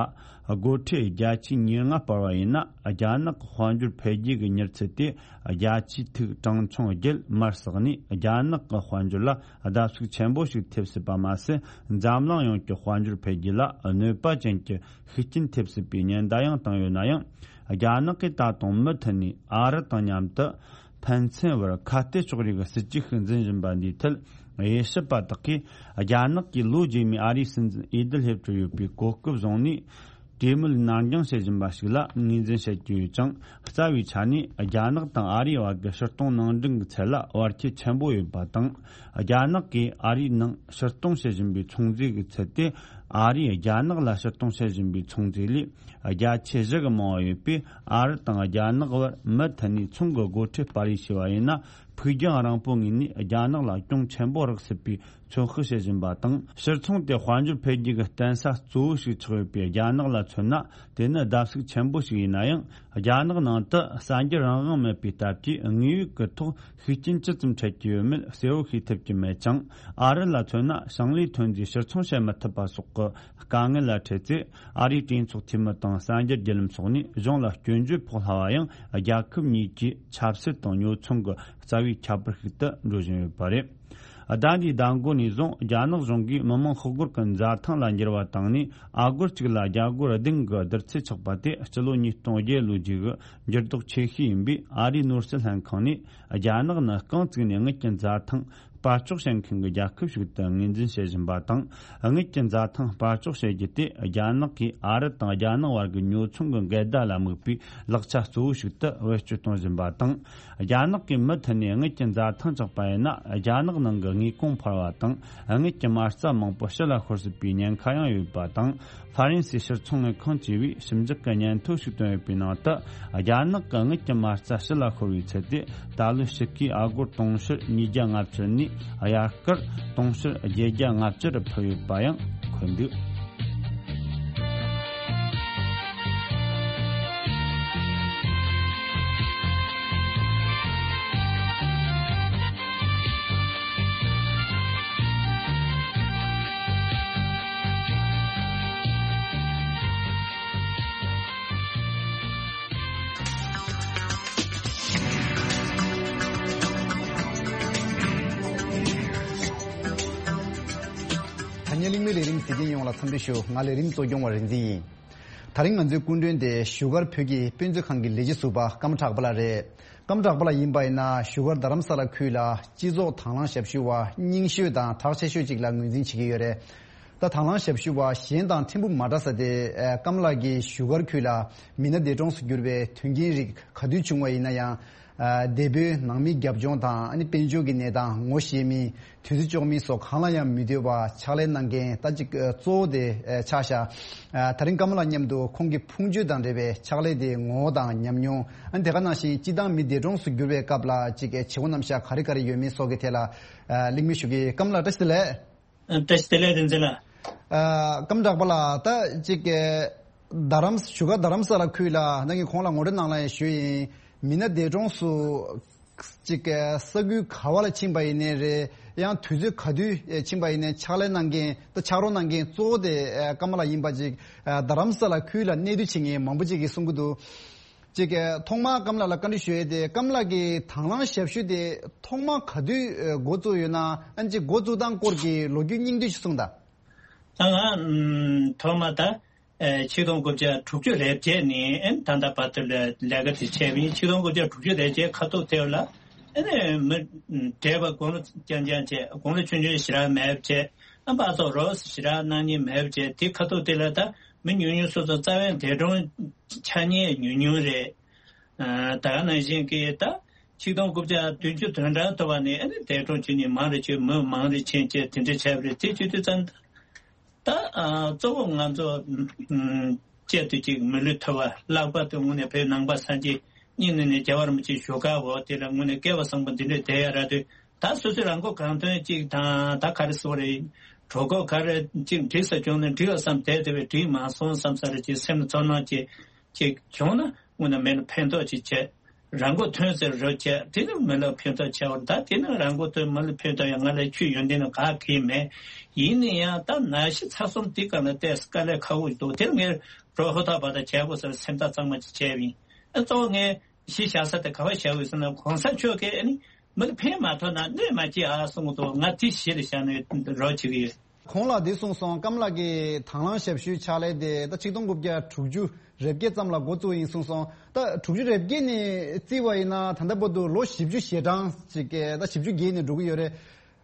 སྒོ་ཁྲལ་བརྒྱ་ཆའི་ཉེར་ལྔ་སྤར་བ་ཡིན་ན། རྒྱ་ནག་གི་དཔལ་འབྱོར་འཕེལ་རྒྱས་ཀྱི་མྱུར་ཚད་དེ་བརྒྱ་ཆའི་ཐིག་གྲངས་ཆུང་བརྒྱད་མར་ཟགས་ནས། རྒྱ་ནག་གི་དཔལ་འབྱོར་ལ་བརྡབ་གསིག་ཆེན་པོ་ཞིག་ཐེབས་སྲིད་པ་མ་ཟད། འཛམ་གླིང་ཡོངས་ཀྱི་དཔལ་འབྱོར་འཕེལ་རྒྱས་ལ་གནོད་པ་ཅན་གྱི་ཤུགས་རྐྱེན་ཐེབས་སྲིད་པའི་ཉེན་བརྡ་ཡང་བཏང་ཡོད་ན་ཡང་། རྒྱ་ནག་གིས་ད་དུང་མུ་མཐུད་ནས་ཨ་རི་དང་མཉམ་དུ་ཕན་ཚུན་བར་ཁ་གཏད་གཅོག་རེས་ཀྱི་སྲིད་ཇུས་ཤིག་འཛིན་བཞིན་པ་འདིའི་ཐད། དབྱེ་ཞིབ་པ་དག་གིས་རྒྱ་ནག་གིས་ལོ་རྗེས་མའི་ཨ་རིའི་སྲིད་འཛིན་འོས་བསྡུ་སླེབས་འགྲོ་ཡོད་པའི་གོ་སྐབས་བཟུང་ནས། གྲོས་མོལ་ནར་འགྱངས་བྱེད་བཞིན་པ་ཞིག་ལ་ངོས་འཛིན་བྱེད་ཀྱི་ཡོད་ཅིང་། རྩ་བའི་ཆ་ནས་རྒྱ་ནག་དང་ཨ་རིའི་བར་གྱི་ཕྱིར་གཏོང་ནང་འདྲེན་གྱི་ཚད་ལ་བར་ཁྱད་ཆེན་པོ་ཡོད་པ་དང་། རྒྱ་ནག་གིས་ཨ་རིའི་ནང་ཕྱིར་གཏོང་བྱེད་བཞིན་པའི་ཚོང་རྫས་ཀྱི་ཚད་དེ། ཨ་རིས་རྒྱ་ནག་ལ་ཕྱིར་གཏོང་བྱེད་བཞིན་པའི་ཚོང་རྫས་ལས་བརྒྱ་ཆ་བཞི་གི་མང་བ་ཡོད་པས། ཨ་རི་དང་རྒྱ་ནག་བར་མུ་མཐུད་ནས་ཚོང་གི་སྒོ་ཁྲལ་སྤར་རེས་བྱས་པ་ཡིན་ན། ཕུགས་རྒྱང་རིང་པོའི་ངོས་ནས་རྒྱ་ནག་ལ་གྱོང་ཆེན་པོ་རག་སྲིད་པའི་ཚོད་དཔག་བྱེད་བཞིན་པ་དང་། ཕྱིར་ཚོང་དེ་དཔལ་འབྱོར་འཕེལ་རྒྱས་ཀྱི་བརྟེན་ས་གཙོ་བོ་ཞིག་ཆགས་ཡོད་པའི་རྒྱ་ནག་ལ་མཚོན་ན། དེ་ནི་བརྡབ་གསིག་ཆེན་པོ་ཞིག་ཡིན་ན་ཡང་། རྒྱ་ནག་ནང་དུ་གསར་འགྱུར་རང་དབང་མེད་པའི་སྟབས་ཀྱིས། དངོས་ཡོད་ཀྱི་ཐོག་ཤུགས་རྐྱེན་ཇི་ཙམ་འཕྲད་ཀྱི་ཡོད་མེད་གསལ་བོ་ཤེས་ཐུབ་ཀྱི་མེད་ཅིང་། ཨ་རི་ལ་མཚོན་ན། ཞིང་ལས་ཐོན་རྫས་ཕྱིར་ཚོང་བྱེད་མི་ཐུབ་པ་སོགས་ཀྱི་དཀའ་ངལ་ལ་འཕྲད་ཚེ། ཨ་རིའི་གྲོས་ཚོགས་འཐུས་མི་དང་གསར་འགྱུར་བརྒྱུད་ལམ་སོགས་ནས་གཞུང་ལ་སྐྱོན་བརྗོད་ཕོག་སླ་བ་ཡང་། རྒྱལ་ཁབ་གཉིས་ཀྱི་ཆབ་སྲིད་དང་ཉོ་ཚོང་གི་རྩ་བའི་ཁྱད་པར་ཞིག་ཏུ་འགྲོ་བཞིན་ཡོད་པ་རེད། ཟླ་འདིའི་ཟླ་མགོ་ནས་བཟུང་རྒྱ་ནག་གཞུང་གིས་མི་མང་ཤོག་སྒོར་གྱི་འཛའ་ཐང་ལ་འགྱུར་བ་བཏང་ནས། ཨ་སྒོར་གཅིག་ལ་རྒྱ་སྒོར་བདུན་གྱི་བསྡུར་ཚད་ཆགས་པ་དེ་སྤྱི་ལོ་ཉིས་སྟོང་བརྒྱད་ལོའི་རྗེས་ཀྱི་འགྱུར་ལྡོག་ཆེ་ཤོས་ཡིན་པས། ཨ་རིའི་ནོར་སྲིད་ལྷན་ཁང་ནས། རྒྱ་ནག་ནི་རྐང་བཙུགས་ནས་དངུལ་གྱི་འཛའ་ཐང་སྤར་གཅོག་བྱེད་མཁན་གྱི་རྒྱལ་ཁབ་ཞིག་ཏུ་ངོས་འཛིན་བྱེད་བཞིན་པ་དང་། དངུལ་གྱི་འཛའ་ཐང་སྤར་གཅོག་བྱེད་རྒྱུ་དེ། རྒྱ་ནག་གིས་ཨ་རི་དང་རྒྱ་ནག་བར་གྱི་ཉོ་ཚོང་གི་འགལ་ཟླ་ལ་དམིགས་པའི་ལག་ཆ་གཙོ་བོ་ཞིག་ཏུ་བེད་སྤྱོད་གཏོང་བཞིན་པ་དང་། རྒྱ་ནག་གིས་མུ་མཐུད་ནས་དངུལ་གྱི་འཛའ་ཐང་བཅག་པ་ཡིན་ན། རྒྱ་ནག་ནང་གི་དངོས་གོང་འཕར་བ་དང་། དངུལ་གྱི་མ་རྩ་མང་པོ་ཕྱི་ལ་ཤོར་སྲིད་པའི་ཉེན་ཁ་ཡང་ཡོད་པ་དང་། ཧྥ་རན་སིའི་ཕྱིར་ཚོང་དངུལ་ཁང་བཅས་པས་ཞིབ་འཇུག་གི་སྙན་ཐོ་ཞིག་བཏོན་ཡོད་པའི་ནང་དུ། རྒྱ་ནག་གི་དངུལ་གྱི་མ་རྩ་ཕྱི་ལ་ཤོར་བའི་ཚད་དེ། ད་ལོའི་ཕྱི་ཁའི་ཨ་སྒོར་དུང་ཕྱུར་ཉིས་བརྒྱ་ལྔ་བཅུ་ནས་དབྱར་ཁར་དུང་ཕྱུར་བརྒྱད་བརྒྱ་ལྔ་བཅུ་རུ་འཕར་ཡོད་པ་ཡང་འཁོད་འདུག་ད་ཉིད་གླེང་མོལ་ལས་རིམ་གཟིགས་མཁན་ཡོངས་ལ་འཚམས་འདྲི་ཞུ། ང་ལས་རིམ་གཙོ་སྐྱོང་བ་རིག་འཛིན་ཡིན། ད་རིང་ང་ཚོའི་སྐུ་མགྲོན་དེ་བཞུགས་སྒར་བོད་ཀྱི་དཔེ་མཛོད་ཁང་གི་ལས་བྱེད་ཟུར་པ་ཀརྨ་གྲགས་པ་ལགས་རེད། ཀརྨ་གྲགས་པ་ལགས་ཡིན་པ་ཡིན་ན། བཞུགས་སྒར་རྡ་རམ་ས་ལ་ཁུལ་ལ་སྤྱི་ཚོགས་དང་བླངས་ཞབས་ཞུ་བ་རྙིང་ཤོས་དང་གྲགས་ཆེ་ཤོས་ཅིག་ལ་ངོས་འཛིན་བྱེད་ཀྱི་ཡོད་རེད། ད་དང་བླངས་ཞབས་ཞུ་བ་གཞན་དང་ཕྲན་བུ་མ་འདྲ་ས་དེ། ཨ། ཀརྨ་ལགས་ཀྱིས་བཞུགས་སྒར་ཁུལ་ལ་མི་སྣ་འདས་གྲོངས་སུ་གྱུར་པའི་དོན་རྐྱེན་རིགས་ག་དུས་བྱུང་བ་ཡིན་ན་ཡང་། ཨ། འདས་པོའི་ནང་མིའི་རྒྱབ་ལྗོངས་དང་། ཨ་ནི་དཔལ་འབྱོར་གྱི་གནས་སྟངས་ངོ་ཤེས་མིན། དུས་ཚོད་འཇོག་མིན་སོགས་གང་ལ་ཡང་མི་ལྟོས་པར་ཕྱག་ལས་གནང་མཁན་ད་ཅིག་གཙོ་བོ་དེ་ཆགས་ཤག་ཨ། ད་རིང་ཀརྨ་ལགས་མཉམ་དུ་ཁོང་གི་ཕུང་མཆོད་དང་འབྲེལ་བའི་ཕྱག་ལས་དེའི་ངོ་བོ་དང་ཉམས་མྱོང་། ཨ་ནི་དེ་ག་ནང་བཞིན་སྤྱི་བཏང་མི་འདས་གྲོངས་སུ་གྱུར་བའི་སྐབས་ལ་ཅིག་བྱེད་སྒོ་རྣམ་གཞག་ག་རེ་ག་རེ་ཡོད་མེད་སོགས་ཀྱི་ཐད་ལ། ཨ། གླེང་མོལ་ཞུ་གི། ཀརྨ་ལགས་བཀྲ་ཤིས་བདེ་ལེགས། ཨ། བཀྲ་ཤིས་བདེ་ལེགས། བདེ་འཛིན་ལགས། ཨ། ཀརྨ་གྲགས་པ་ལགས། ད་ཅིག་རྡ་རམ། བཞུགས་སྒར་རྡ་རམ་ས་ལ་ཁུལ་ལ་ད་གིན་ཁོང་ལ་ངོ་སྤྲོད་གནང་ལ་ཡང་ཞུས་ཡིན། མི་སྣ་འདས་གྲོངས་སུ་ ཅིག་ས་ཁུལ་ག་བ་ལ་ཕྱིན་པ་ཡིན་ནའི་རེད། ཡང་དུས་ཚོད་ག་དུས་ཕྱིན་པ་ཡིན་ནའི་ཕྱག་ལས་གནང་མཁན་དང་ཕྱག་རོགས་གནང་མཁན་གཙོ་བོ་དེ་ཀམ་ལ་ཡིན་པ་ཅིག་རྡ་རམ་ས་ལ་ཁུལ་ལ་གནས་སྡོད་བྱེད་མཁན་མང་པོ་ཅིག་གིས་གསུང་གི་འདུག་ཅིག་ཐོག་མར་ཀམ་ལ་ལ་བཀའ་འདྲི་ཞུ་ཡས་དེ། ཀམ་ལ་གི་དང་བླངས་ཞབས་ཞུ་དེ་ཐོག་མར་ག་དུས་འགོ་བཙུགས་ཡོད་ན། ཨ་ནི་ཅིག་འགོ་བཙུགས་སྟངས་སྐོར་གྱི་ལོ་རྒྱུས་སྙིང་བསྡུས་ཤིག་གསུངས་དང་། ད་ང་ཨམ་ཐོག་མ་ད་ཨེ་ཆིག་སྟོང་དགུ་བརྒྱ་དྲུག་ཅུ་རེ་བརྒྱད་ནས་ཨེ་ད་ལྟ་བར་དུ་ལས་ལས་ཀ་དེ་བྱས་པ་ཡིན། ཆིག་སྟོང་དགུ་བརྒྱ་དྲུག་ཅུ་རེ་བརྒྱད་ཁ་ཐུག་དེ་ལ་ཨེ་ནས་མི་བགྲེས་པ་དགུང་ལོ་རྐྱང་རྐྱང་བྱས། དགུང་ལོ་ཆུང་ཆུང་ཞེ་དྲག་མེད་པ་བྱས། ཨ་ཕར་ཚུར་རོགས་ཞེ་དྲག་གནང་མཁན་མེད་པ་བྱས། དེ་ཁ་ཐུག་དེ་ལ་ད་མི་ཉུང་ཉུང་སོ་སོ་རྩ་བའི་འདས་གྲོངས་ཆ་ཉེན་ཉུང་ཉུང་རེད། ཨ་ད་ག་ནང་བཞིན་གྱི་ད་ཆིག་སྟོང་དགུ་བརྒྱ་བདུན་ཅུ་དོན་གྲངས་ཐུབ་པ་ནས་ཨ་ནི་འདས་གྲོངས་བྱེད་མཁན་མང་རུ་ཕྱིན། མི་མང་རུ་ཕྱིན་བྱས་དེ་འདྲ་བྱས་པ་རེད། དེ་བྱེད་དུས་ཙམ་ད་ཨ་གཙོ་བོ་ང་ཚོ་ཨམ་གཅིག་ཏུ་གཅིག་མི་ལུས་ཐུབ་པ། ལྷག་པར་དུ་དངོས་གནས་བོད་ནང་པ་སངས་རྒྱས་གཉིས་ནས་ནས་རྒྱལ་བ་རིན་པོ་ཆེའི་བཞུགས་སྒར་འོག་དེ་ལ་དངོས་གནས་སྐལ་བ་བཟང་པོ་འདི་འདྲས་བསྡད་ཡ་རག་དུས། ད་སོ་སོའི་རང་མགོ་གང་ཐོན་གཅིག་དང་། ད་ག་རེ་ཟེར་དགོས་རེད། གྲོད་ཁོག་ག་རེ་གཅིག་འགྲིག་ས་བྱུང་ན་འགྲིག་ཡ་བསམ་བསྡད་དེ་བས་འགྲིག་མ་སོང་བསམ་ས་རེ་ཅིག་སེམས་ལ་ཚོར་སྣང་ཅིག་ཅིག་བྱུང་ན་དངོས་གནས་མི་ལ་ཕན་ཐོགས་ཅིག་བྱས། རང་མགོ་ཐོན་ཟེར་རོགས་བྱས། དེ་ནི་མི་ལ་ཕན་ཐོགས་ཆེ་བར། ད་དེ་ནི་རང་མགོ་ཐོན་མི་ལ་ཕན་ཐོགས་ཡང་ང་ལ་ཆུ་ཡོན་ཏན་ནི་ག་གེ་མེད། ཡིན་ན་ཡང་ད་ན་གཞི་ཚ་གསུམ་དེ་ག་ལ་བལྟས་དཀའ་ལས་ཁག་པོ་ཞིག་འདུག་དེར་ངས་རོགས་ཧུར་ཐག་བར་ཐག་བྱས་དགོས་ཟེར་སེམས་ཐག་གཙང་མ་ཅིག་བྱས་པ་ཡིན། ཨ་གཙོ་བོ་ངས་གཞི་བཞག་ས་དེ་ག་པར་བཞག་དགོས་ཟེར་ན། གོང་ས་མཆོག་གིས་ཨ་ནི་མི་ལ་ཕན་མ་ཐོགས་ན་གནོད་མ་སྐྱེལ་ཨ་གསུང་གི་འདུག་ང་དེ་གཞི་ལ་བཞག་ནས་རོགས་བྱེད་ཀྱི་ཡོད། གོང་ལ་འདི་གསུངས་སོང་། ཀམ་ལགས་ཀྱི་དང་བླངས་ཞབས་ཞུའི་ཕྱག་ལས་དེ་ད་ཆིག་སྟོང་དགུ་བརྒྱ་དྲུག་ཅུ་རེ་བརྒྱད་ཙམ་ལ་འགོ་བཙུགས་ཡིན་གསུངས་སོང་། ད་དྲུག་ཅུ་རེ་བརྒྱད་ནས་བརྩིས་པ་ཡིན་ན་ད་ལྟ་བར་དུ་ལོ་བཞི་བཅུ་ཞེ་གྲངས་ཅིག་ད་བཞི་བཅུ་བརྒལ་ནས་འགྲོ་གི་ཡོད་རེད།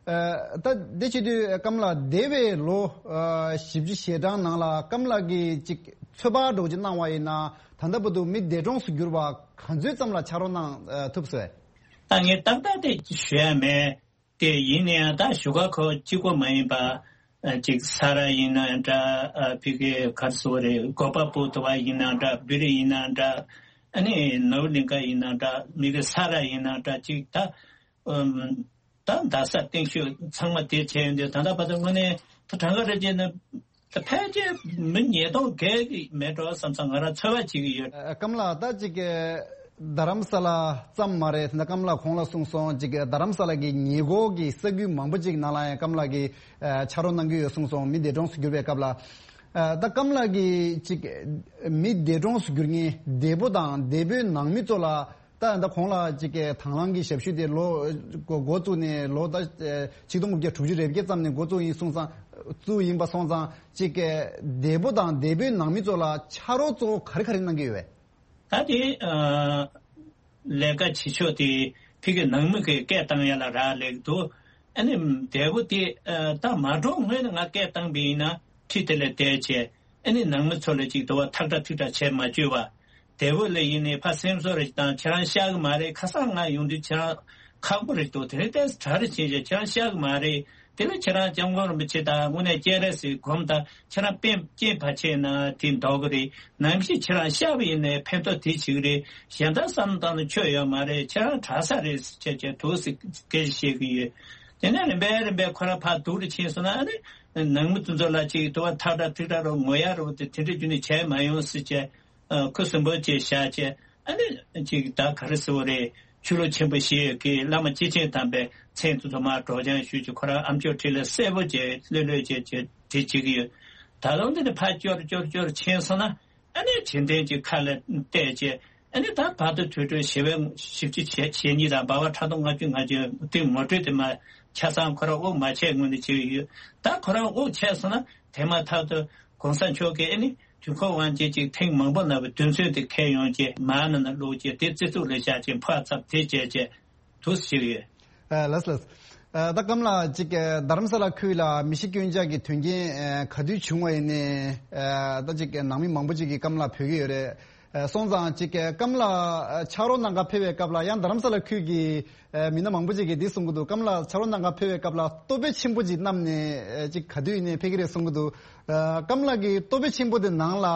ཨ་ད་དེ་བྱེད་དུས་ཀམ་ལགས་འདས་པའི་ལོ་ཨ་བཞི་བཅུ་ཞེ་གྲངས་ནང་ལ་ཀམ་ལགས་ཀྱིས་ཅིག་ཚོད་དཔག་འདྲ་བོ་ཅིག་གནང་བ་ཡིན་ན། ད་ལྟ་བར་དུ་མི་འདས་གྲོངས་སུ་གྱུར་པ་ག་ཚོད་ཙམ་ལ་ཕྱག་རོགས་གནང་ཨ་ཐུབ་སོང་། ད་ངས་ཏག་ཏག་དེ་ཞུ་ཡ་མེད། དེ་ཡིན་ན་ཡང་ད་བཞུགས་སྒར་ཁག་གཅིག་པོ་མ་ཡིན་པ། ཨ་ཅིག་ས་ར་ཡིན་ན་འདྲ། ཨ་ཕ་གི་ག་རེ་ཟེར་དགོས་རེད། གོ་པལ་པུར་དུ་བ་ཡིན་ན་འདྲ། སྦི་རི་ཡིན་ན་འདྲ། ཨ་ནི་ནོར་གླིང་ག་ཡིན་ན་འདྲ། མི་གི་ས་ར་ཡིན་ན་འདྲ། ཅིག་ད་ཨམ་ད་རྡ་ས་སྟེང་ཤོད་ཚང་མ་དེ་བྱས་ཡོང་དུས་ད་ལྟ་བར་དུ་དངོས་གནས་ད་གྲངས་ཀ་རེ་བྱས་ན། ད་ཕལ་ཆེར་མི་ཉིས་སྟོང་བརྒལ་གྱི་མེད་འགྲོ་བསམ་བསམ་ང་རང་ཚོད་དཔག་བྱེད་ཀྱི་ཡོད། ཨ་ཀམ་ལགས་ད་ཅིག་རྡ་རམ་ས་ལ་ཙམ་མ་རེད། ད་ཀམ་ལགས་གོང་ལ་གསུངས་སོང་། ཅིག་རྡ་རམ་ས་ལ་གི་ཉེ་འཁོར་གྱི་ས་ཁུལ་མང་པོ་ཅིག་ནང་ལ་ཡང་ཀམ་ལགས་ཀྱིས་ཨ་ཕྱག་རོགས་གནང་གི་ཡོད་གསུངས་སོང་། མི་འདས་གྲོངས་སུ་གྱུར་པའི་སྐབས་ལ། ཨ་ད་ཀམ་ལགས་ཀྱིས་ཅིག་མི་འདས་གྲོངས་སུ་གྱུར་མཁན་འདས་པོ་དང་འདས་པོའི་ནང་མི་ཚོ་ལ། ད་ད་གོང་ལ་ཅིག་གི་དང་བླངས་ཀྱི་ཞབས་ཞུ་དེ་ལོ་འགོ་འགོ་བཙུགས་ནས་ལོ་ད་ཆིག་སྟོང་དགུ་བརྒྱ་དྲུག་ཅུ་རེ་བརྒྱད་ཙམ་ནས་འགོ་བཙུགས་ཡིན་སོང་ཙང་། བཙུགས་ཡིན་པ་སོང་ཙང་ཅིག་གི་འདས་པོ་དང་འདས་པོའི་ནང་མི་ཚོ་ལ་ཕྱག་རོགས་གཙོ་བོ་ག་རེ་ག་རེ་གནང་གི་ཡོད་པས། ད་དེ་ཨ་ལས་ཀ་བྱེད་ཕྱོགས་དེ་ཕ་གི་ནང་མི་གི་སྐད་བཏང་ཡ་ལ་རག་ལས་ཀྱི་འདུག་ཨ་ནི་འདས་པོ་དེ་ཨ་ད་མ་གྲོངས་སྔོན་ནས་ང་སྐད་བཏང་པ་ཡིན་ན་ཁྲི་དེ་ལ་བསྡད་བྱས། ཨ་ནི་ནང་མི་ཚོ་ལ་ཅིག་དུ་བ་ཐག་ཁྲ་ཐུག་ཁྲ་བྱས་མ་བཅུག་པ། དེ་བོ་ལ་ཡིན་ནས་ཕ་སེམས་གསོ་རེ་བཏང་། ཁྱེད་རང་ཤག་གི་མ་རེད། ཁ་སང་ང་ཡོང་དུས་ཁྱེད་རང་ཁག་པོ་རེད་འདུག་དེ་རིང་ཏོག་ཙམ་དྲག་རེ་ཕྱིན་བྱས་ཁྱེད་རང་ཤག་གི་མ་རེད། དེ་ལ་ཁྱེད་རང་སྐྱབས་མགོན་རིན་པོ་ཆེ་དང་དངོས་གནས་སྤྱན་རས་གཟིགས་སྒོམ་དང་། ཁྱེད་རང་སྤྱན་སྤྱན་ཕ་ཆེ་ན་དེ་འདོགས་གི་རེད། ནམ་ཞིག་ཁྱེད་རང་ཤག་པ་ཡིན་ནའི་ཕན་ཐོགས་དེ་བྱེད་ཀྱི་རེད། གཞན་དག་བསམ་བློ་བཏང་ན་ཆོ་ཡོད་མ་རེད། ཁྱེད་རང་དྲག་ས་རེད་ཟེར་བྱས་བྱས་འདུག་ཟེར་སྐད་ཆ་བཤད་ཀྱི་ཡོད། དེ་ནས་རིམ་པས་རིམ་པས་ཁོ་རང་ཕར་སྡུག་རུ་ཕྱིན་སོང་ན། ཨ་ནི་ནང་མི་དེ་ཚོ་ལ་ཅིག་དུ་བ་ཐག་ཁྲ་ཐུག་ཁྲ་རུ་ངོ་ཡ་རུ་དེ་དེ་འདྲ་རྒྱུ་ནས་བྱས་མ་ཡོང་ཟེར་བྱས། ཨ་ཁུ་སིམ་པོ་བྱས་བཞག་བྱས། ཨ་ནི་ཅིག་ད་ག་རེ་ཟེར་བ་རེད། ཆོས་ལུགས་ཆེན་པོ་ཞིག་གི་བླ་མ་སྐྱེས་ཆེན་དམ་པའི་མཚན་དེ་ཚོ་མར་སྒྲོག་སྦྱང་ཞུས་བྱས། ཁོ་རང་ཨ་མཆོག་འཁྲིས་ལ་གསལ་པོ་བྱས་ལྷོད་ལྷོད་བྱས་བྱས་དེ་བྱེད་ཀྱི་ཡོད། ད་དུང་འདི་ནས་ཕར་སྐྱོར་སྐྱོར་སྐྱོར་ཕྱིན་སོང་ན། ཨ་ནི་བྱེད་འདུན་གྱི་ཁ་ལ་གཏད་བྱས། ཨ་ནི་ད་བར་དུ་དུས་དྲུག་ཞི་བའི་བཞི་བཅུ་ཞེ་ཞེ་གཉིས་དང་འབའ་བ་ཕྲག་དོག་ལྔ་བཅུ་ང་བཅུ་དེ་ངོ་སྤྲོད་དེ་མ་ཆ་ཚང་ཁོ་རང་དབུགས་མ་ཆད་སྔོན་ནས་བྱས་ཡོད། ད་ཁོ་རང་དབུགས་ཆད་སོང་ན་དེ་མ་ཐག་ཏུ་གོང་ས་མཆོག་གིས་ཨ་ནི་དུས་འཁོར་དབང་ཆེན་ཅིག་ཐེངས་མང་པོ་ན་བའི་དུས་ཚོད་དེ་འཁེལ་ཡོང་བྱས་མར་ནང་ན་བླུགས་བྱས་དེ་རྩི་ཐུག་ལ་བཞག་བྱས་ཕར་ཚབ་དེ་བྱས་བྱས་དུ་ཞིག་ཡོད། ཨ་ལགས་ལགས། ཨ་ད་སྐམ་ལགས་ཅིག་ཨ་རྡ་རམ་ས་ལ་ཁུལ་ལ་མི་ཤི་རྐྱེན་ཆག་གི་དོན་རྐྱེན་ཨ་ག་དུས་བྱུང་བ་ཡིན་ནའི། ཨ་ད་ཅིག་ནང་མི་མང་པོ་ཅིག་གིས་སྐམ་ལགས་འབོད་ཀྱི་ཡོད་རེད། ཨ་སོང་ཙང་ཅིག་སྐམ་ལགས་ཕྱག་རོགས་གནང་ག་ཕེབས་པའི་སྐབས་ལ་ཡང་རྡ་རམ་ས་ལ་ཁུལ་གྱི་ཨ་མི་སྣ་མང་པོ་ཅིག་གིས་འདི་གསུང་གི་འདུག་སྐམ་ལགས་ཕྱག་རོགས་གནང་ག་ཕེབས་པའི་སྐབས་ལ་ལྟོ་ཕད་ཆེན་པོ་ཅིག་བསྣམས་ནས་ཨ་ཅིག་ག་དུས་ཡིན་ནའི་ཕེབས་ཀྱི་རེད་གསུང་གི་འདུག་ཨ་སྐམ་ལགས་ཀྱི་ལྟོ་ཕད་ཆེན་པོ་དེ་ནང་ལ་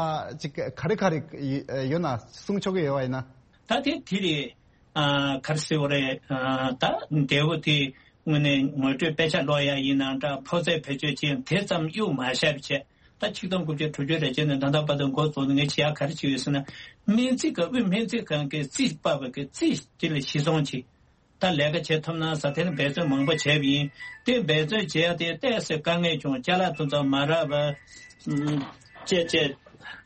ཅིག་ག་རེ་ག་རེ་ཡོད་ན་གསུང་ཆོག་གི་ཡོད་པ་ཡིན་ན། ད་དེ་དེ་རེད། ཨ་ག་རེ་ཟེར་བ་རེད། ཨ་ད་འདས་པོ་དེ་དངོས་གནས་ངོ་སྤྲོད་དཔེ་ཆ་ཀློག་ཡ་ཡིན་ནའང་འདྲ། ཕོ་རྩལ་བེད་སྤྱོད་ཅན་དེ་ཙམ་གཡུག་མ་བཞག་པ་བྱས། ད་ཆིག་སྟོང་དགུ་བརྒྱ་དྲུག་ཅུ་རེ་བརྒྱད་ནས་ད་ལྟ་བར་དུ་འགོ་བཙུགས་ནས་ངས་བྱེད་ཡ་ག་རེ་བྱེད་ཡོད་ཟེར་ན། སྨན་རྩིས་ཁང་དབུས་སྨན་རྩིས་ཁང་གི་རྩིས་པ་བ་གི་རྩིས་དེ་ལ་གཞི་བཟུང་བྱས། ད་ལས་ཀ་བྱེད་ཐུབ་ན་ཟེར་དེ་ནི་འབད་བརྩོན་མང་པོ་བྱས་པ་ཡིན། དེ་འབད་བརྩོན་བྱས་ཏེ་ཏོག་ཙམ་དཀའ་ངལ་བྱུང་། ཅ་ལག་དེ་ཚོ་མ་རག་པ་ཨུམ་བཅས་བཅས་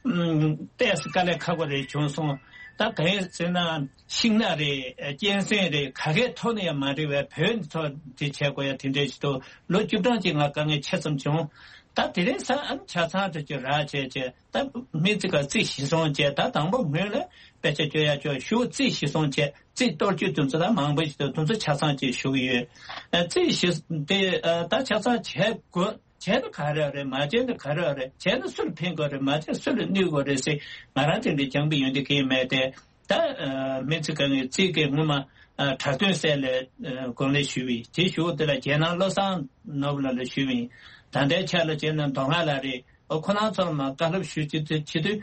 ཨུམ་ཏོག་ཙམ་དཀའ་ལས་ཁག་པོ་རེ་བྱུང་སོང་། ད་གང་ཡིན་ཟེར་ན་ཤིང་ནགས་རེད། གཅན་གཟན་རེད། ག་གའི་ཐོག་ནས་ཡང་མ་འགྲིག་པའི་བོད་ནས་ཐོག་དེ་བྱས་དགོས་ཡ་དེ་འདྲས་ཞིག་འདུག་ལོ་བཅུ་གྲངས་ཅིག་ང་དཀའ་ངལ་ཆེ་ཙམ་བྱུང་། ད་དེ་རིང་སང་ཨ་ནི་ཆ་ཚང་དུ་ཅིག་རག་བྱས་བྱས། ད་མི་ཙི་ག་རྩིས་གཞི་བཟུང་བྱས། ད་དང་པོ་སྔོན་ལ་དཔེ་ཆ་སྐྱོར་ཡ་ཅོག་ཞུ་རྩིས་གཞི་བཟུང་བྱས། རྩིས་གཏོར་རྒྱུ་དེ་ཚོ་ད་མང་པོ་ཞིག་འདུག་དེ་ཚོ་ཆ་ཚང་ཅིག་ཞུ་གི་ཡོད། ཨ་རྩིས་གཞི་དེ་ཨ་ད་ཆ་ཚང་བྱས་དགོས། བྱས་ན་ག་རེ་རེད། མ་བྱས་ན་ག་རེ་རེད། བྱས་ན་སུ་ལ་ཕན་དགོས་རེད། མ་བྱས་ན་སུ་ལ་གནོད་དགོས་རེད་ཟེར་ང་རང་དེ་འདྲའི་སྦྱངས་པའི་ཡོན་ཏན་གང་ཡང་མེད་དེ། ད་ཨ་སྨན་རྩིས་ཁང་གི་རྩིས་ཀྱི་སྔོན་མ་ཨ་གྲྭ་སྟོན་སྲས་ལ་ཨ་དགོངས་ལེན་ཞུས་པ་ཡིན། དེ་ཞུ་བ་དེ་ལ་རྒྱལ་ནང་བློ་བཟང་ནོར་བུ་ལགས་ལ་ཞུས་པ་ཡིན། ད་ལྟའི་ཆ་ལ་བྱས་ན་མདོ་སྔགས་ལགས་རེད། ཨོ་ཁོ་རང་ཚོར་མ་བཀའ་སློབ་ཞུ་བྱེད་དུས་བྱེད་དུས་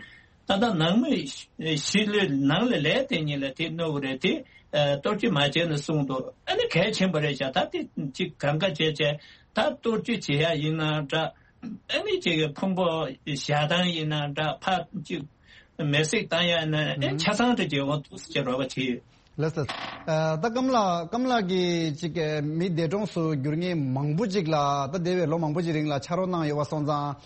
ད་ལྟ་ནང་མི་ཞི་ལུས་ནང་ལ་ལས་དེ་ཉིད་ལ་དེ་གནོད་གི་རེད། དེ་ཨ་གཏོར་རྒྱུ་མ་བྱས་ན་གསུངས་འདུག་ཨ་ནི་གལ་ཆེན་པོ་རེད་ཤག་ད་དེ་ཅིག་གང་ག་བྱས་བྱས་ད་གཏོར་རྒྱུ་བྱེད་ཡ་ཡིན་ན་འདྲ། ཨ་ནི་ཅིག་གི་ཕུང་པོ་བཞག་སྟངས་ཡིན་ན་འདྲ། ཕར་ཅིག་མེ་བསྲེགས་བཏང་ཡ་ན་ཨེ་ཆ་ཚང་དུ་བྱེད་འོང་འདུག་ཟེར་རོགས་པ་བྱེད་ཡོད། ལགས་སོ། ཨ་ད་ཀམ་ལགས་ཀམ་ལགས་ཀྱིས་ཅིག་གི་མི་འདས་གྲོངས་སུ་གྱུར་མཁན་མང་པོ་ཅིག་ལ་ད་འདས་པའི་ལོ་མང་པོ་ཅིག་རིང་ལ་ཕྱག་རོགས་གནང་ཡོད་པ་སོང་ཙང་།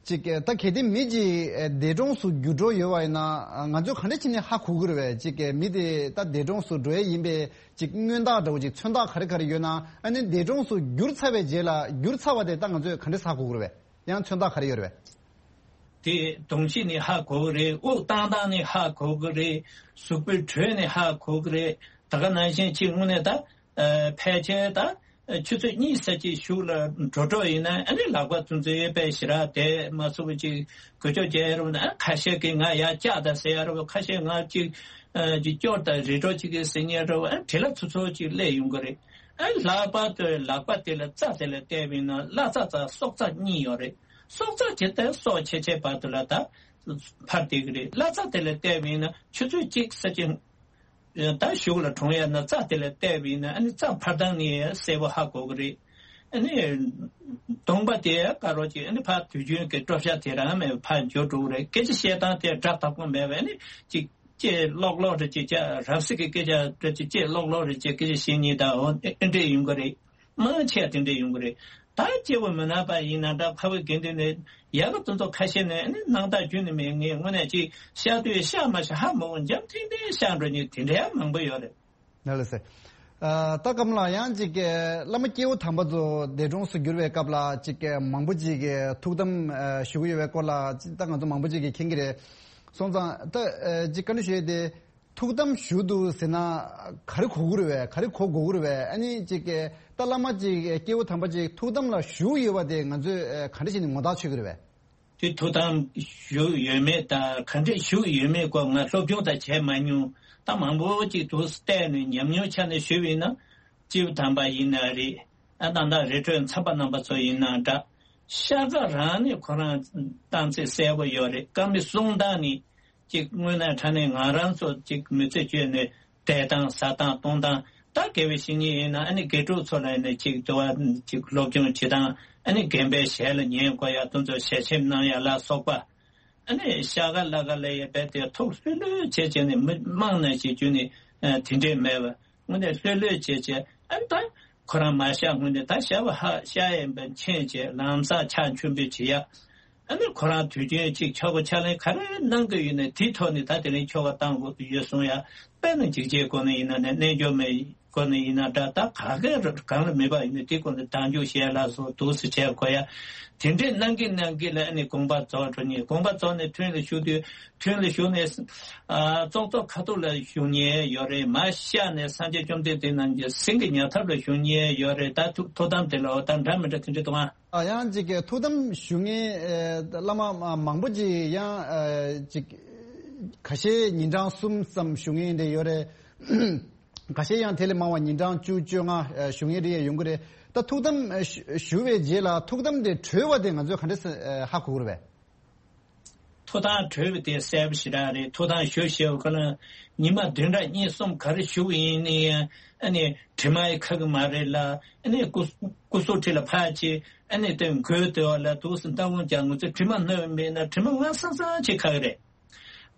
ཅིག་ད་གལ་ཏེ་མི་ཅིག་འདས་གྲོངས་སུ་གྱུར་འགྲོ་ཡོད་པ་ཡིན་ན་ང་ཚོས་ག་འདྲ་བྱས་ནས་ཧ་གོ་གི་རེད་པས། ཅིག་མི་དེ་ད་འདས་གྲོངས་སུ་འགྲོ་ཡས་ཡིན་པའི་ཅིག་མངོན་རྟགས་འདྲ་བོ་ཅིག་མཚོན་རྟགས་ག་རེ་ག་རེ་ཡོད་ན། ཨ་ནི་འདས་གྲོངས་སུ་གྱུར་ཚར་བའི་རྗེས་ལ་གྱུར་ཚར་བ་དེ་ད་ང་ཚོས་ག་འདྲ་ཧ་གོ་གི་རེད་པས། ཡང་མཚོན་རྟགས་ག་རེ་ཡོད་རེད་པས། དེ་གདོང་གཤིས་ནས་ཧ་གོ་གི་རེད། དབུགས་བཏང་སྟངས་ནས་ཧ་གོ་གི་རེད། གཟུགས་པོའི་དྲོད་ནས་ཧ་གོ་གི་རེད། ད་ག་ནང་བཞིན་ཅིག་དངོས་གནས་ད་ཨ་ཕལ་ཆེར་ད་ཆུ་ཚོད་གཉིས་ཙམ་ཅིག་གཞུག་ལ་འགྲོ་འགྲོ་ཡིན་ན་ཨ་ནི་ལག་པ་ཚུན་ཚོད་དཔེ་ཞེ་དྲག་དེ་མ་སོ་བ་ཅིག་འགུལ་སྐྱོད་བྱས་རུང་ན། ཨ་ཁ་ཤས་ཀྱིས་ང་ཡར་བཀྱག་ད་ཟེར་ཡ་རུང་། ཁ་ཤས་ང་ཅིག་ཨ་ཅིག་སྐྱོར་ད་རེ་འགྲོ་ཅིག་གི་ཟེར་ཉན་རུང་། ཨ་བྲེལ་བ་ཚུ་ཚོ་ཅིག་སླེབས་ཡོང་གི་རེད། ཨ་ལག་པ་དེ་ལག་པ་དེ་ལ་རྩ་དེ་ལ་བལྟས་པ་ཡིན་ན་བརླ་རྩ་རྩ་སྲོག་རྩ་གཉིས་ཡོད་རེད། སྲོག་རྩ་དེ་ལྟར་སྲོག་ཆད་ཆད་བར་དུ་ལ་ད་འཕར་བསྡད་ཀྱི་རེད། བརླ་རྩ་དེ་ལ་བལྟས་པ་ཡིན་ན་ཆུ་ཚོད་གཅིག་ཙམ་ཅིག་ད་གཞུག་ལ་གྲོངས་ཡ་ན་རྩ་དེ་ལ་བལྟས་པ་ཡིན་ན་ཨ་ནི་རྩ་འཕར་སྟངས་ནི་གསལ་པོ་ཧ་གོ་གི་རེད། ཨ་ནི་གདོང་པ་དེ་དཀར་པོ་ཅིག་ཨ་ནི་ཕར་དུས་རྒྱུན་གྱི་དཀྲོག་ཤ་དེ་རང་མེད་པར་ཕར་འགྱུར་འགྲོ་གི་རེད། སྐད་ཆ་བཤད་སྟངས་དེ་སྒྲ་དག་པོ་མེད་པ། ཨ་ནི་ཅིག་ལྕེ་ལོག་ལོག་རེ་ཅིག་ཅག་རབ་གསལ་གྱི་སྐད་ཆ་རེ་ཅིག་ལྕེ་ལོག་ལོག་རེ་ཅིག་སྐད་ཆ་བཤད་ཉེན་དང་འོ་དེ་འདྲས་ཡོང་གི་རེད། མང་ཆེ་བ་དེ་འདྲས་ཡོང་གི་རེད། ད་སྐྱེ་བོ་མི་ནག་པ་ཡིན་ན་འདྲ། ཕ་བུ་དགེ་འདུན་ནས་ཡག་གི་དོན་དུ་ཁ་ཤས་ནས་ནི་སྣང་དག་རྒྱུན་ནས་མེད། ངས་དངོས་གནས་ཅིག་བཤད་དུས་བཤད་མ་བཤད་ཧ་མ་གོ་འཇམ་ཐིང་ཐིང་བཤད་འགྲོ་ཉེན་དེ་འདྲ་ཡང་མང་པོ་ཡོད་རེད། ལགས་སོ། ཨ་ད་ཀམ་ལགས་ཡང་ཅིག་བླ་མ་སྐྱེས་བུ་དམ་པ་ཚོ་འདས་གྲོངས་སུ་གྱུར་བའི་སྐབས་ལ་ཅིག་མང་པོ་ཅིག་ཐུགས་དམ་ཞུ་གི་ཡོད་པའི་སྐོར་ལ་ཅིག་ད་ང་ཚོ་མང་པོ་ཅིག་གིས་མཁྱེན་གྱི་རེད། སོང་ཙང་ད་ཅིག་བཀའ་འདྲི་ཞུ་ཡས་དེ། ཐུགས་དམ་ཞུ་འདུག་ཟེར་ན་ག་རེ་གོ་གི་རེད་པས། ག་རེ་གོ་དགོས་ཀྱི་རེད་པས། ཨ་ནི་ཅིག་གི་ད་བླ་མ་ཅིག་སྐྱེས་བུ་དམ་པ་ཅིག་ཐུགས་དམ་ལ་བཞུགས་ཡོད་པ་དེ་ང་ཚོས་ག་འདྲ་བྱས་ནས་ངོ་རྟགས་ཆོད་ཀྱི་རེད་པས། དེ་ཐུགས་དམ་བཞུགས་ཡོད་མེད་དང་ག་འདྲས་བཞུགས་ཡོད་མེད་སྐོར་ང་སློབ་སྦྱོང་དང་བྱས་མ་མྱོང་། ད་མང་པོ་ཅིག་འདུག་བལྟས་ནས་ཉམས་མྱོང་ཆ་ནས་ཞུས་པ་ཡིན་ན། སྐྱེས་བུ་དམ་པ་ཡིན་ན་རེད། ཨ་ད་ལྟ་རི་ཁྲོད་མཚམས་པ་རྣམ་པ་ཚོ་ཡིན་ན་འདྲ། ཤ་ཁ་རང་ནས་ཁོ་རང་བཏང་ཚད་གསལ་པོ་ཡོད་རེད། བཀའ་མོལ་གསུང་སྟངས་ནི། གཅིག་དངོས་གནས་དྲང་གནས་ང་རང་ཚོ་གཅིག་མི་ཚེ་བཅོས་ནས་བསྡད་སྟངས་ཟ་སྟངས་གཏོང་སྟངས། ད་དགེ་བའི་བཤེས་གཉེན་ཡིན་ན་ཨ་ནི་དགེ་ཕྲུག་ཚོ་ལ་ནི་གཅིག་དུ་བ་གཅིག་སློབ་སྦྱོང་བྱེད་སྟངས། ཨ་ནི་རྒན་པའི་ཞལ་ལ་ཉན་དགོས་ཡ་དེ་ཚོ་ཞལ་ཆེམས་གནང་ཡ་ལ་སོགས་པ། ཨ་ནི་ཤ་ཁ་ལ་ཁ་ལ་ཡ་བས་དེ་ཐུགས་ལྷོད་ལྷོད་བྱས་བྱས་ནས་མི་དམངས་ནང་བྱེད་རྒྱུ་ནི་དེ་འདྲས་མེད་པ། དངོས་གནས་ལྷོད་ལྷོད་བྱས་བྱས་ཨ་ནི་ད་ཁོ་རང་མ་བཤད་སྔོན་ནས་ད་བཤད་པ་ཧ་བཤད་ཡིན་པ་མཁྱེན་བྱས་ལམ་སང་ཕྱག་མཆོད་འབུལ་བྱེད་ཡ། ཨ་ནི་ཁོ་རང་དུས་རྒྱུན་གཅིག་ཆོ་ག་ཕྱག་ལེན་ག་རེ་གནང་གི་ཡོད་ནའི་དེའི་ཐོག་ནས་ད་དེ་རིང་ཆོ་ག་བཏང་དགོས་ཀྱི་ཡོད་གསུང་ཡ། དཔེར་ན་འཇིགས་བྱེད་སྒོ་ནས་ཡིན་ན་ནི་རྣལ་འབྱོར་མའི་སྒོ་ནས་ཡིན་ན་འདྲ། ད་ག་གེ་གང་ལ་མེད་པ་ཡིན་ན་དེ་སྒོ་ནས་བདག་འཇུག་བྱས་ལ་སོགས་འདུག་སེ་བྱས་དགོས་ཡ། དེ་འདྲས་གནང་གི་གནང་གི་ལ་ཨ་ནི་དགོངས་པ་རྫོགས་འགྲོ་ནས་དགོངས་པ་རྫོགས་ནས་ཐུན་ལ་ཞུགས་དུས་ཐུན་ལ་ཞུགས་ནས་ཨ་ཙོག་ཙོག་ཁ་ཐུག་ལ་ཞུགས་ཉེན་ཡོད་རེད། མར་བཤགས་ནས་སངས་རྒྱས་བཅོམ་ལྡན་འདས་རྣམས་ཀྱི་སེང་གེ་ཉལ་ཐབས་ལ་ཞུགས་ཉེན་ཡོད་རེད། ད་ཐུགས་ཐུགས་དམ་དེ་ལ་འོ་ད་འདྲ་མི་འདྲ་དེ་འདྲས་འདུག་ཨ། ཨ་ཡང་ཅིག་གི་ཐུགས་དམ་ཞུ་མཁན་ཨེ་བླ་མ་མ་མང་པོ་ཅིག་ཡང་ཨེ་ཅིག་ཁ་ཤས་ཉིན་གྲངས་གསུམ་ཙམ་ཞུ་མཁན་དེ་ཡོད་རེད། ཁ་ཤས་ཡང་དེ་ལས་མང་བ་ཉིན་གྲངས་བཅུ་བཅོ་ལྔ་ཨེ་ཞུ་མཁན་རེ་ཡང་ཡོང་གི་རེད། ད་ཐུགས་དམ་ཨེ་ཞུ་ཞུ་བའི་རྗེས་ལ་ཐུགས་དམ་དེ་གྲོལ་བ་དེ་ང་ཚོས་ག་འདྲས་ཨེ་ཧ་གོ་གི་རེད་པས། ཐུགས་དམ་གྲོལ་བ་དེ་གསལ་པོ་ཞེ་དྲག་རེད། ཐུགས་དམ་ཞུ་ཞེས་པ་ཁོ་ན་ཉི་མ་བདུན་ཕྲག་གཉིས་གསུམ་ག་རེ་ཞུ་བ་ཡིན་ནའི་ཨ་ནི་དྲི་མ་ཡི་ཁ་གི་མ་རེད་ལ། ཨ་ནི་སྐུ་སྐུ་གཟུགས་ཁྲི་ལ་ཕར་ཅིག་ཨ་ནི་དེ་མགོའི་དེ་བ་ལ་འདུག་སེ་ལྟ་བུ་ཀྱང་ང་ཚོ་དྲི་མ་སྣོམ་མེད་ན་དྲི་མ་ང་སང་སང་ཅིག་ཁ་གི་རེད།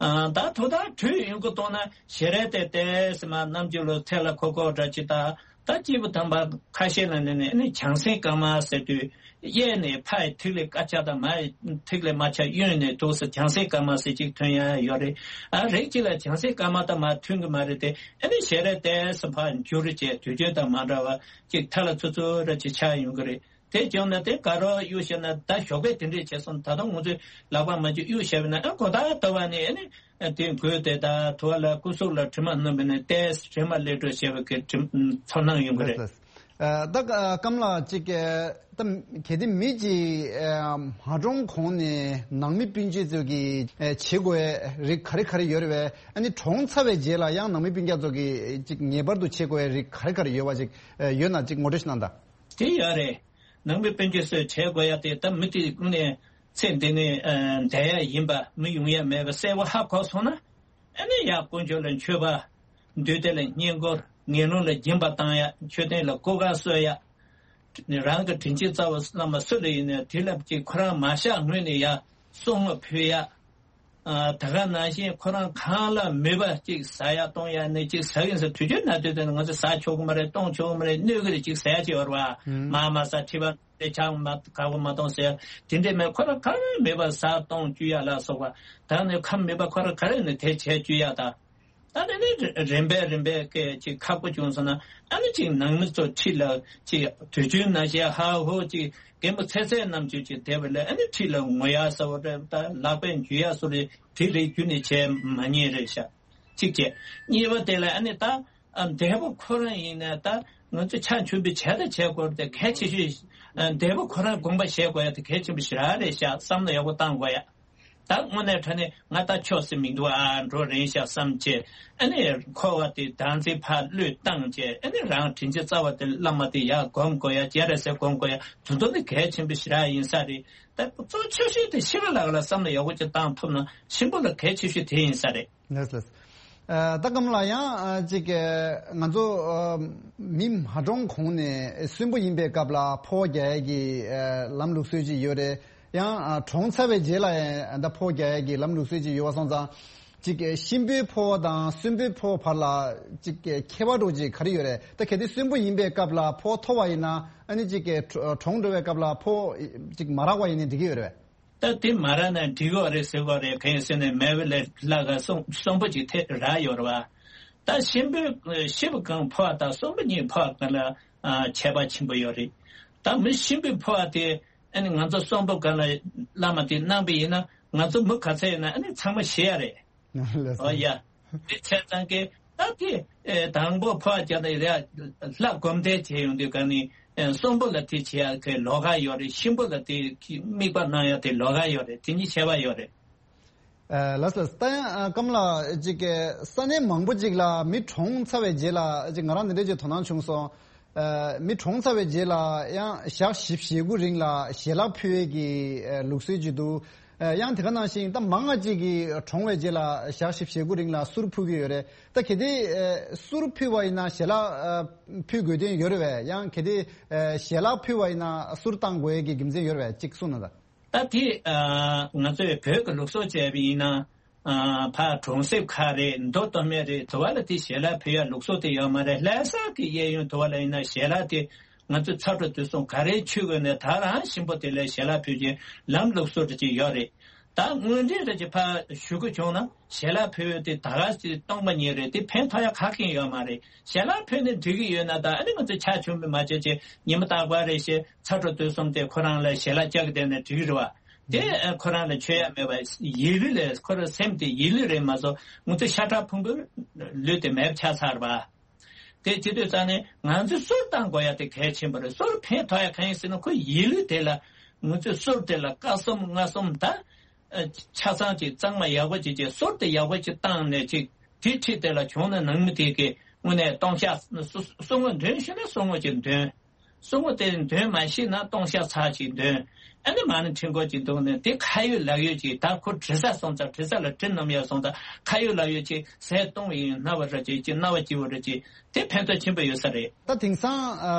ཨ་ད་ཐོག་མཐའ་དུས་ཡུན་གོ་གཏོང་ན་ཞལ་རས་དེ་ཏེས་མ་ནམ་རྒྱུན་ལོ་ཚད་ལ་ཁོ་ཁོ་འདྲ་ཅི་ད། ད་སྐྱེས་བུ་དམ་པ་ཁ་ཤས་ལ་ནི་ནི་ནི་བྱང་སེམས་དཀར་དམར་ཟེར་དུས། གཡས་ནས་ཕ་ཡི་ཐིག་ལེ་དཀར་ཆ་དང་མ་ཡི་ཐིག་ལེ་དམར་ཆ་གཡོན་ནས་འདུག་སེ་བྱང་སེམས་དཀར་དམར་ཟེར་གཅིག་ཐོན་ཡ་ཡོད་རེད། ཨ་རིགས་གཅིག་ལ་བྱང་སེམས་དཀར་དམར་དང་མ་མཐུན་གི་མ་རེད་དེ། ཨ་ནི་ཞལ་རས་ཏེས་ཕར་འགྱུར་བྱས་དུས་རྒྱུན་དང་མ་འདྲ་བ་གཅིག་ཐ་ལ་ཚུ་ཚུ་ར་ཅིག་ཆགས་ཡོང་གི་རེད། དེ་བྱུང་ན་དེ་ག་རོ་གཡུག་བཤད་ན་ད་ཞོགས་པས་དེ་འདྲས་བྱས་སོང་། ད་དུང་ང་ཚོས་ལག་པ་མ་འཇུ་གཡུག་བཤད་པ་ན་ཨ་གོ་ད་ལྟ་བ་ནི་ཨ་ནི་དེ་འགོས་དེ་ད་ཐུ་བ་ལ་སྐུ་གཟུགས་ལ་དྲི་མ་སྣོམ་པ་ནི་ཏེས་དྲི་མ་ལས་གྲོལ་བྱེད་པ་གི་དྲི་ཚོར་སྣང་ཡོང་གི་རེད། ལགས་ལགས། ཨ་ད་ཨ་སྐམ་ལགས་ཅིག་ཨ་ད་གལ་ཏེ་མི་གཅིག་ཨ་མ་གྲོངས་གོང་ནས་ནང་མི་སྤུན་མཆེད་ཚོ་གིས་ཨ་བྱེད་དགོས་རིགས་ག་རེ་ག་རེ་ཡོད་རེད་བས། ཨ་ནི་གྲོངས་ཚར་བའི་རྗེས་ལ་ཡང་ནང་མི་སྤུན་ཀྱག་ཚོ་གིས་ཅིག་ངེས་པར་དུ་བྱེད་དགོས་རིགས་ག་རེ་ག་རེ་ཡོད་བ་ཅིག་ཨ་ཡོད་ན་ཅིག་ངོ་སྤྲོད་ཞིག་གནང་དང་། དེ་ཡོད་རེད། ནང་མི་སྤུན་མཆེད་ཚོས་བྱེད་དགོས་ཡ་དེ་ད་མི་དེ་དངོས་གནས་ཚེ་འདི་ནས་ཨ་འདས་ཡ་ཡིན་པ་མི་ཡོང་ཡ་མེད་པ་གསལ་པོ་ཧ་གོ་སོང་ན། ཨ་ནི་ཡ་དཀོན་མཆོག་ལ་མཆོད་པ། འདུས་སྡེ་ལ་བསྙེན་བཀུར། ངན་སློང་ལ་སྦྱིན་པ་བཏང་ཡ། མཆོད་རྟེན་ལ་སྐུ་ཁ་གསོལ་ཡ། རང་གི་དྲིན་ཅན་རྩ་བ་བླ་མ་སུ་ལ་ཡིན་ནའི་དེ་ལ་ཅིག་ཁོ་རང་མ་བཞག་སྔོན་ནས་ཡ་གསུང་ངོ་ཕུལ་ཡ། ཨ་ད་ག་ནང་བཞིན་ཁོ་རང་གང་ལ་མོས་པ་ཅིག་ཟ་ཡ་གཏོང་ཡ་ནི་ཅིག་ཟ་གིན་ཟ་དུས་རྒྱུན་ན་དུས་དེ་ང་ཚོ་ཟ་ཆོག་གི་མ་རེད་གཏོང་ཆོག་གི་མ་རེད་གནོད་གི་རེད་ཅིག་ཟ་ཡ་ཅིག་ཡོད་རེད་བ། ཨུམ། མ་མ་ཟ་ཁྲི་པ་དེ་ཆང་མ་དགའ་པོ་མ་གཏོང་ཟེར་ཡ་དེ་འདྲས་མེད། ཁོ་རང་གང་མོས་པ་ཟ་གཏོང་བཅུག་ཡ་ལ་སོགས་པ་ད་ནི་ཁམས་མོས་པ་ཁོ་རང་ག་རེ་ནི་དེ་བྱས་བཅུག་ཡ་ད། ད་ནི་ནི་རིམ་པས་རིམ་པས་སྐད་ཅིག་ཁག་པོ་བྱུང་སོང་ན་ཨ་ནི་ཅིག་ནང་མི་ཚོ་ཁྲིད་ལ་ཅིག་དུས་རྒྱུན་ན་བཤད་ཧ་ཧོ་ཅིག་རྒན་པོ་ཚེ་ཚད་རྣམས་ཀྱིས་ཅིག་བསྡད་པ་ལས་ཨ་ནི་ཁྲིད་ལ་ངུ་ཡ་ཟེར་བ་རེད། ད་ལག་པས་འཇུ་ཡ་སོགས་རེད། དེ་རིགས་རྒྱུན་ནས་བྱས་མ་ཉེས་རེད་ཤག་གཅིག་བྱས། གཉིས་པ་དེ་ལ་ཨ་ནི་ད་ཨ་འདས་པོ་ཁོ་རང་ཡིན་ན་ད་ང་ཚོ་ཕྱག་མཆོད་འབུལ་བྱས་དང་བྱས་དགོས་རེད་དེ་གལ་ཆེ་ཤོས་ཨ་འདས་པོ་ཁོ་རང་དགོངས་པ་བཞེས་དགོས་ཡ་དེ་གལ་ཆེན་པོ་ཞེ་དྲག་རེད་ཤག་བསམ་བློ་ཡག་པོ་བཏང་དགོས་ཡ། ད་དངོས་གནས་དྲང་གནས་ང་ད་ཆོས་སེ་མི་འདུག་ཨ་འགྲོ་རན་ཤག་བསམ་བྱས་ཨ་ནི་འཁོར་བ་དེ་བདག་འཛིན་ཕར་བློས་བཏང་བྱས་ཨ་ནི་རང་དྲིན་ཅན་རྩ་བ་དེ་བླ་མ་དེ་ཡར་སྒོམ་དགོས་ཡ་སྤྱན་རས་གཟིགས་སྒོམ་དགོས་ཡ་དེ་ཚོ་ནི་གལ་ཆེན་པོ་ཞེ་དྲག་ཡིན་ས་རེད། ད་གཙོ་ཆེ་ཤོས་དེ་ཤི་བ་ལགས་ལ་བསམ་བློ་ཡག་པོ་ཅིག་བཏང་ཐུབ་ན་གཤིན་པོ་ལ་གལ་ཆེ་ཤོས་དེ་ཡིན་ས་རེད། ལགས་ལགས། ཨ་ད་སྐམ་ལགས་ཡང་ཨ་ཅིག་ཨ་ང་ཚོ་ཨ་མི་མ་གྲོངས་གོང་ནས་གསོན་པོ་ཡིན་པའི་སྐབས་ལ་ཕོ་རྒྱག་ཡས་ཀྱི་ཨ་ལམ་ལུགས་སྲོལ་ཅིག་ཡོད་རེད། ཡང་ཨ་གྲོངས་ཚར་བའི་རྗེས་ལ་ཡང་ད་ཕོ་རྒྱག་ཡས་ཀྱི་ལམ་ལུགས་སྲོལ་ཅིག་ཡོད་པ་སོང་ཙང་། ཅིག་གཤིན་པོའི་ཕོ་དང་གསོན་པོའི་ཕོ་བར་ལ་ཅིག་ཁྱད་པར་འདྲ་ཅིག་ག་རེ་ཡོད་རེད། ད་གལ་ཏེ་གསོན་པོ་ཡིན་པའི་སྐབས་ལ་ཕོ་ཐོབ་པ་ཡིན་ན་ཨ་ནི་ཅིག་གྲོངས་འགྲོ་བའི་སྐབས་ལ་ཕོ་ཅིག་མ་རག་པ་ཡིན་ནའི་འགྲིག་གི་ཡོད་རེད་པས། ད་དེ་མ་རག་ན་འགྲིག་གི་རེད་ཟེར་གི་རེད། གང་ཡིན་ཟེར་ན་མེད་པ་ལས་ལྷག་ག་གསོན་གསོན་པོ་ཅིག་ཐེབས་རག་ཡོད་རེད་པ། ད་གཤིན་པོའི་ཤི་བ་གང་ཕོ་བ་དང་གསོན་པོ་གཉིས་ཕོ་བ་གང་ལ་ཨ་ཁྱད་པར་ཆེན་པོ་ཡོད་རེད། ད་མི་གཤིན་པོའི་ཕོ་བ་དེ་ཨ་ནི་ང་ཚོ་གསོན་པོ་གང་ལ་བླ་མ་དེ་གནང་པ་ཡིན་ན་ང་ཚོ་མི་ག་ཚད་ཡིན་ན་ཨ་ནི་ཚང་མ་ཤི་ཡ་རེད། ལགས་སོ། ཨོ་ཡ། དེ་བྱས་ཙང་གི་ད་དེ་ཨེ་དང་པོ་ཕོ་བ་རྒྱག་ན་ཡ་ལྷ་སྒོམ་བཟླས་བྱས་ཡོང་དུས་ག་ནི་ཨེ་གསོན་པོ་ལ་དེ་བྱེད་ཡ་གི་ལོགས་ཀ་ཡོད་རེད། གཤིན་པོ་ལ་དེ་གི་དམིགས་པ་གནང་ཡ་དེ་ལོགས་ཀ་ཡོད་རེད། དེ་གཉིས་ཁྱད་པར་ཡོད་རེད། ཨ་ལགས་ལགས། ད་ཡང་ཨ་སྐམ་ལགས་ཅིག་གི་ས་གནས་མང་པོ་ཅིག་ལ་མི་གྲོངས་ཚར་བའི་རྗེས་ལ་ཅིག་ང་རང་འདི་འདྲ་ཅིག་དོ་སྣང་བྱུང་སོང་། ཨ་མི་གྲོངས་ཚར་བའི་རྗེས་ལ་ཡང་ཞག་བཞི་བཅུ་ཞེ་དགུ་རིང་ལ་ཞལ་ལག་ཕུལ་བའི་གི་ཨ་ལུགས་སྲོལ་ཅིག་འདུག་ཨ་ཡང་དེ་ག་ནང་བཞིན་ད་མང་ང་ཅིག་གིས་གྲོངས་པའི་རྗེས་ལ་ཞག་བཞི་བཅུ་ཞེ་དགུ་རིང་ལ་གསུར་ཕུལ་གི་ཡོད་རེད། ད་གལ་ཏེ་ཨ་གསུར་ཕུལ་བ་ཡིན་ན་ཞལ་ལག་ཨ་ཕུལ་དགོས་དོན་ཡོད་རེད་པས། ཡང་གལ་ཏེ་ཨ་ཞལ་ལག་ཕུལ་བ་ཡིན་ན་གསུར་བཏང་དགོས་ཡས་ཀྱི་རྒྱུ་མཚན་ཡོད་རེད་པས། ཅིག་གསུངས་གནང་དང་། ད་དེ་ཨ་ང་ཚོས་བོད་ཀྱི་ལུགས་སྲོལ་བྱས་པ་ཡིན་ན། ཨ་ཕར་གྲོང་གསེབ་ཁག་རེད། མདོ་སྟོད་སྨད་རེད། དེ་བ་ལ་དེ་ཞལ་ལག་ཕུལ་ཡ་ལུགས་སྲོལ་དེ་ཡོད་མ་རེད། ལྷ་ས་གི་གཡས་གཡོན་དེ་བ་ལ་ཡིན་ན་ཞལ་ལག་དེ་ང་ཚོ་ཚ་དྲོད་དུས་གསུམ་ག་རེའི་ཆུ་བོ་ནས་ད་རང་གཤིན་པོ་དེ་ལ་ཞལ་ལག་ཕུལ་གྱི་ལམ་ལུགས་སྲོལ་དེ་ཅིག་ཡོད་རེད། ད་དངོས་འབྲེལ་རེ་ཅིག་ཕར་ཞུ་དགོས་བྱུང་ན་ཞལ་ལག་ཕུལ་དེ་ད་ག་ཅིག་སྟོང་པ་ཉིད་རེད། དེ་ཕན་ཐོགས་ཡ་ག་གེ་ཡོད་མ་རེད། ཞལ་ལག་ཕུལ་ནས་འགྲིག་གི་ཡོད་ན་ད་ཨ་ནི་ང་ཚོ་ཕྱག་མཆོད་འབུལ་མ་བྱས་ཅིག་ཉི་མ་རྟག་པར་རེ་བཞིན་ཚ་དྲོད་དུས་གསུམ་དེ་ཁོ་རང་ལ་ཞལ་ལག་བཅག་གི་བསྡད་ན་འགྲིག་གི་རེད་བ། དེ་ཁོ་རང་ལ་མཆོད་ཡ་མེད་པ་ཡིད་ལུས་ལས་ཁོ་རང་སེམས་དེ་ཡིད་ལུས་རེད་མ་གཏོགས་ང་ཚོ་ཤ་ཁྲག་ཕུང་པོའི་ལུས་དེ་མེད་པ་ཆགས་ཚར་བ། དེ་བྱེད་དུས་ཙང་ནས་ང་ཚོས་གསུར་བཏང་དགོས་ཡ་དེ་གལ་ཆེན་པོ་རེད། གསུར་ཕན་ཐོགས་ཡ་གང་ཡིན་ཟེར་ན་ཁོ་ཡིད་ལུས་དེ་ལ་ང་ཚོས་གསུར་དེ་ལ་སྐར་གསུམ་ལྔ་གསུམ་ད་ཆ་ཚང་ཅིག་གཙང་མ་ཡག་པོ་ཅིག་བྱས་གསུར་དེ་ཡག་པོ་ཅིག་བཏང་ནས་ཅིག་དེ་ཁྲིད་དེ་ལ་བྱུང་ན་ནང་མི་དེ་གི་དངོས་གནས་སྟོང་ཤག་གསུར་ངོ་འདོན་ཤེས་ན་གསུར་ངོ་ཅིག་འདོན། གསུང་ངོ་དེ་འདོན་མ་ཤེས་ན་སྟོང་ཤ་ཚ་ཅིག་འདོན། ཨ་ནི་མ་ནི་ཁྲིད་འགོ་ཅིག་འདུག་ནས་དེ་ཁ་ཡོད་ལག་ཡོད་ཅིག་ད་ཁོ་དྲི་ས་སོང་ཙང་དྲི་ས་ལ་དྲི་ནམ་ཡ་སོང་ཙང་ཁ་ཡོད་ལག་ཡོད་ཅིག་ཟས་གཏོང་བ་ཡིན་སྣ་བ་ར་ཅིག་ཅིག་སྣ་བ་སྐྱིད་བ་ར་ཅིག་དེ་ཕན་ཐོགས་ཆེན་པོ་ཡོད་ས་རེད། ད་དེང་སང་ཨ་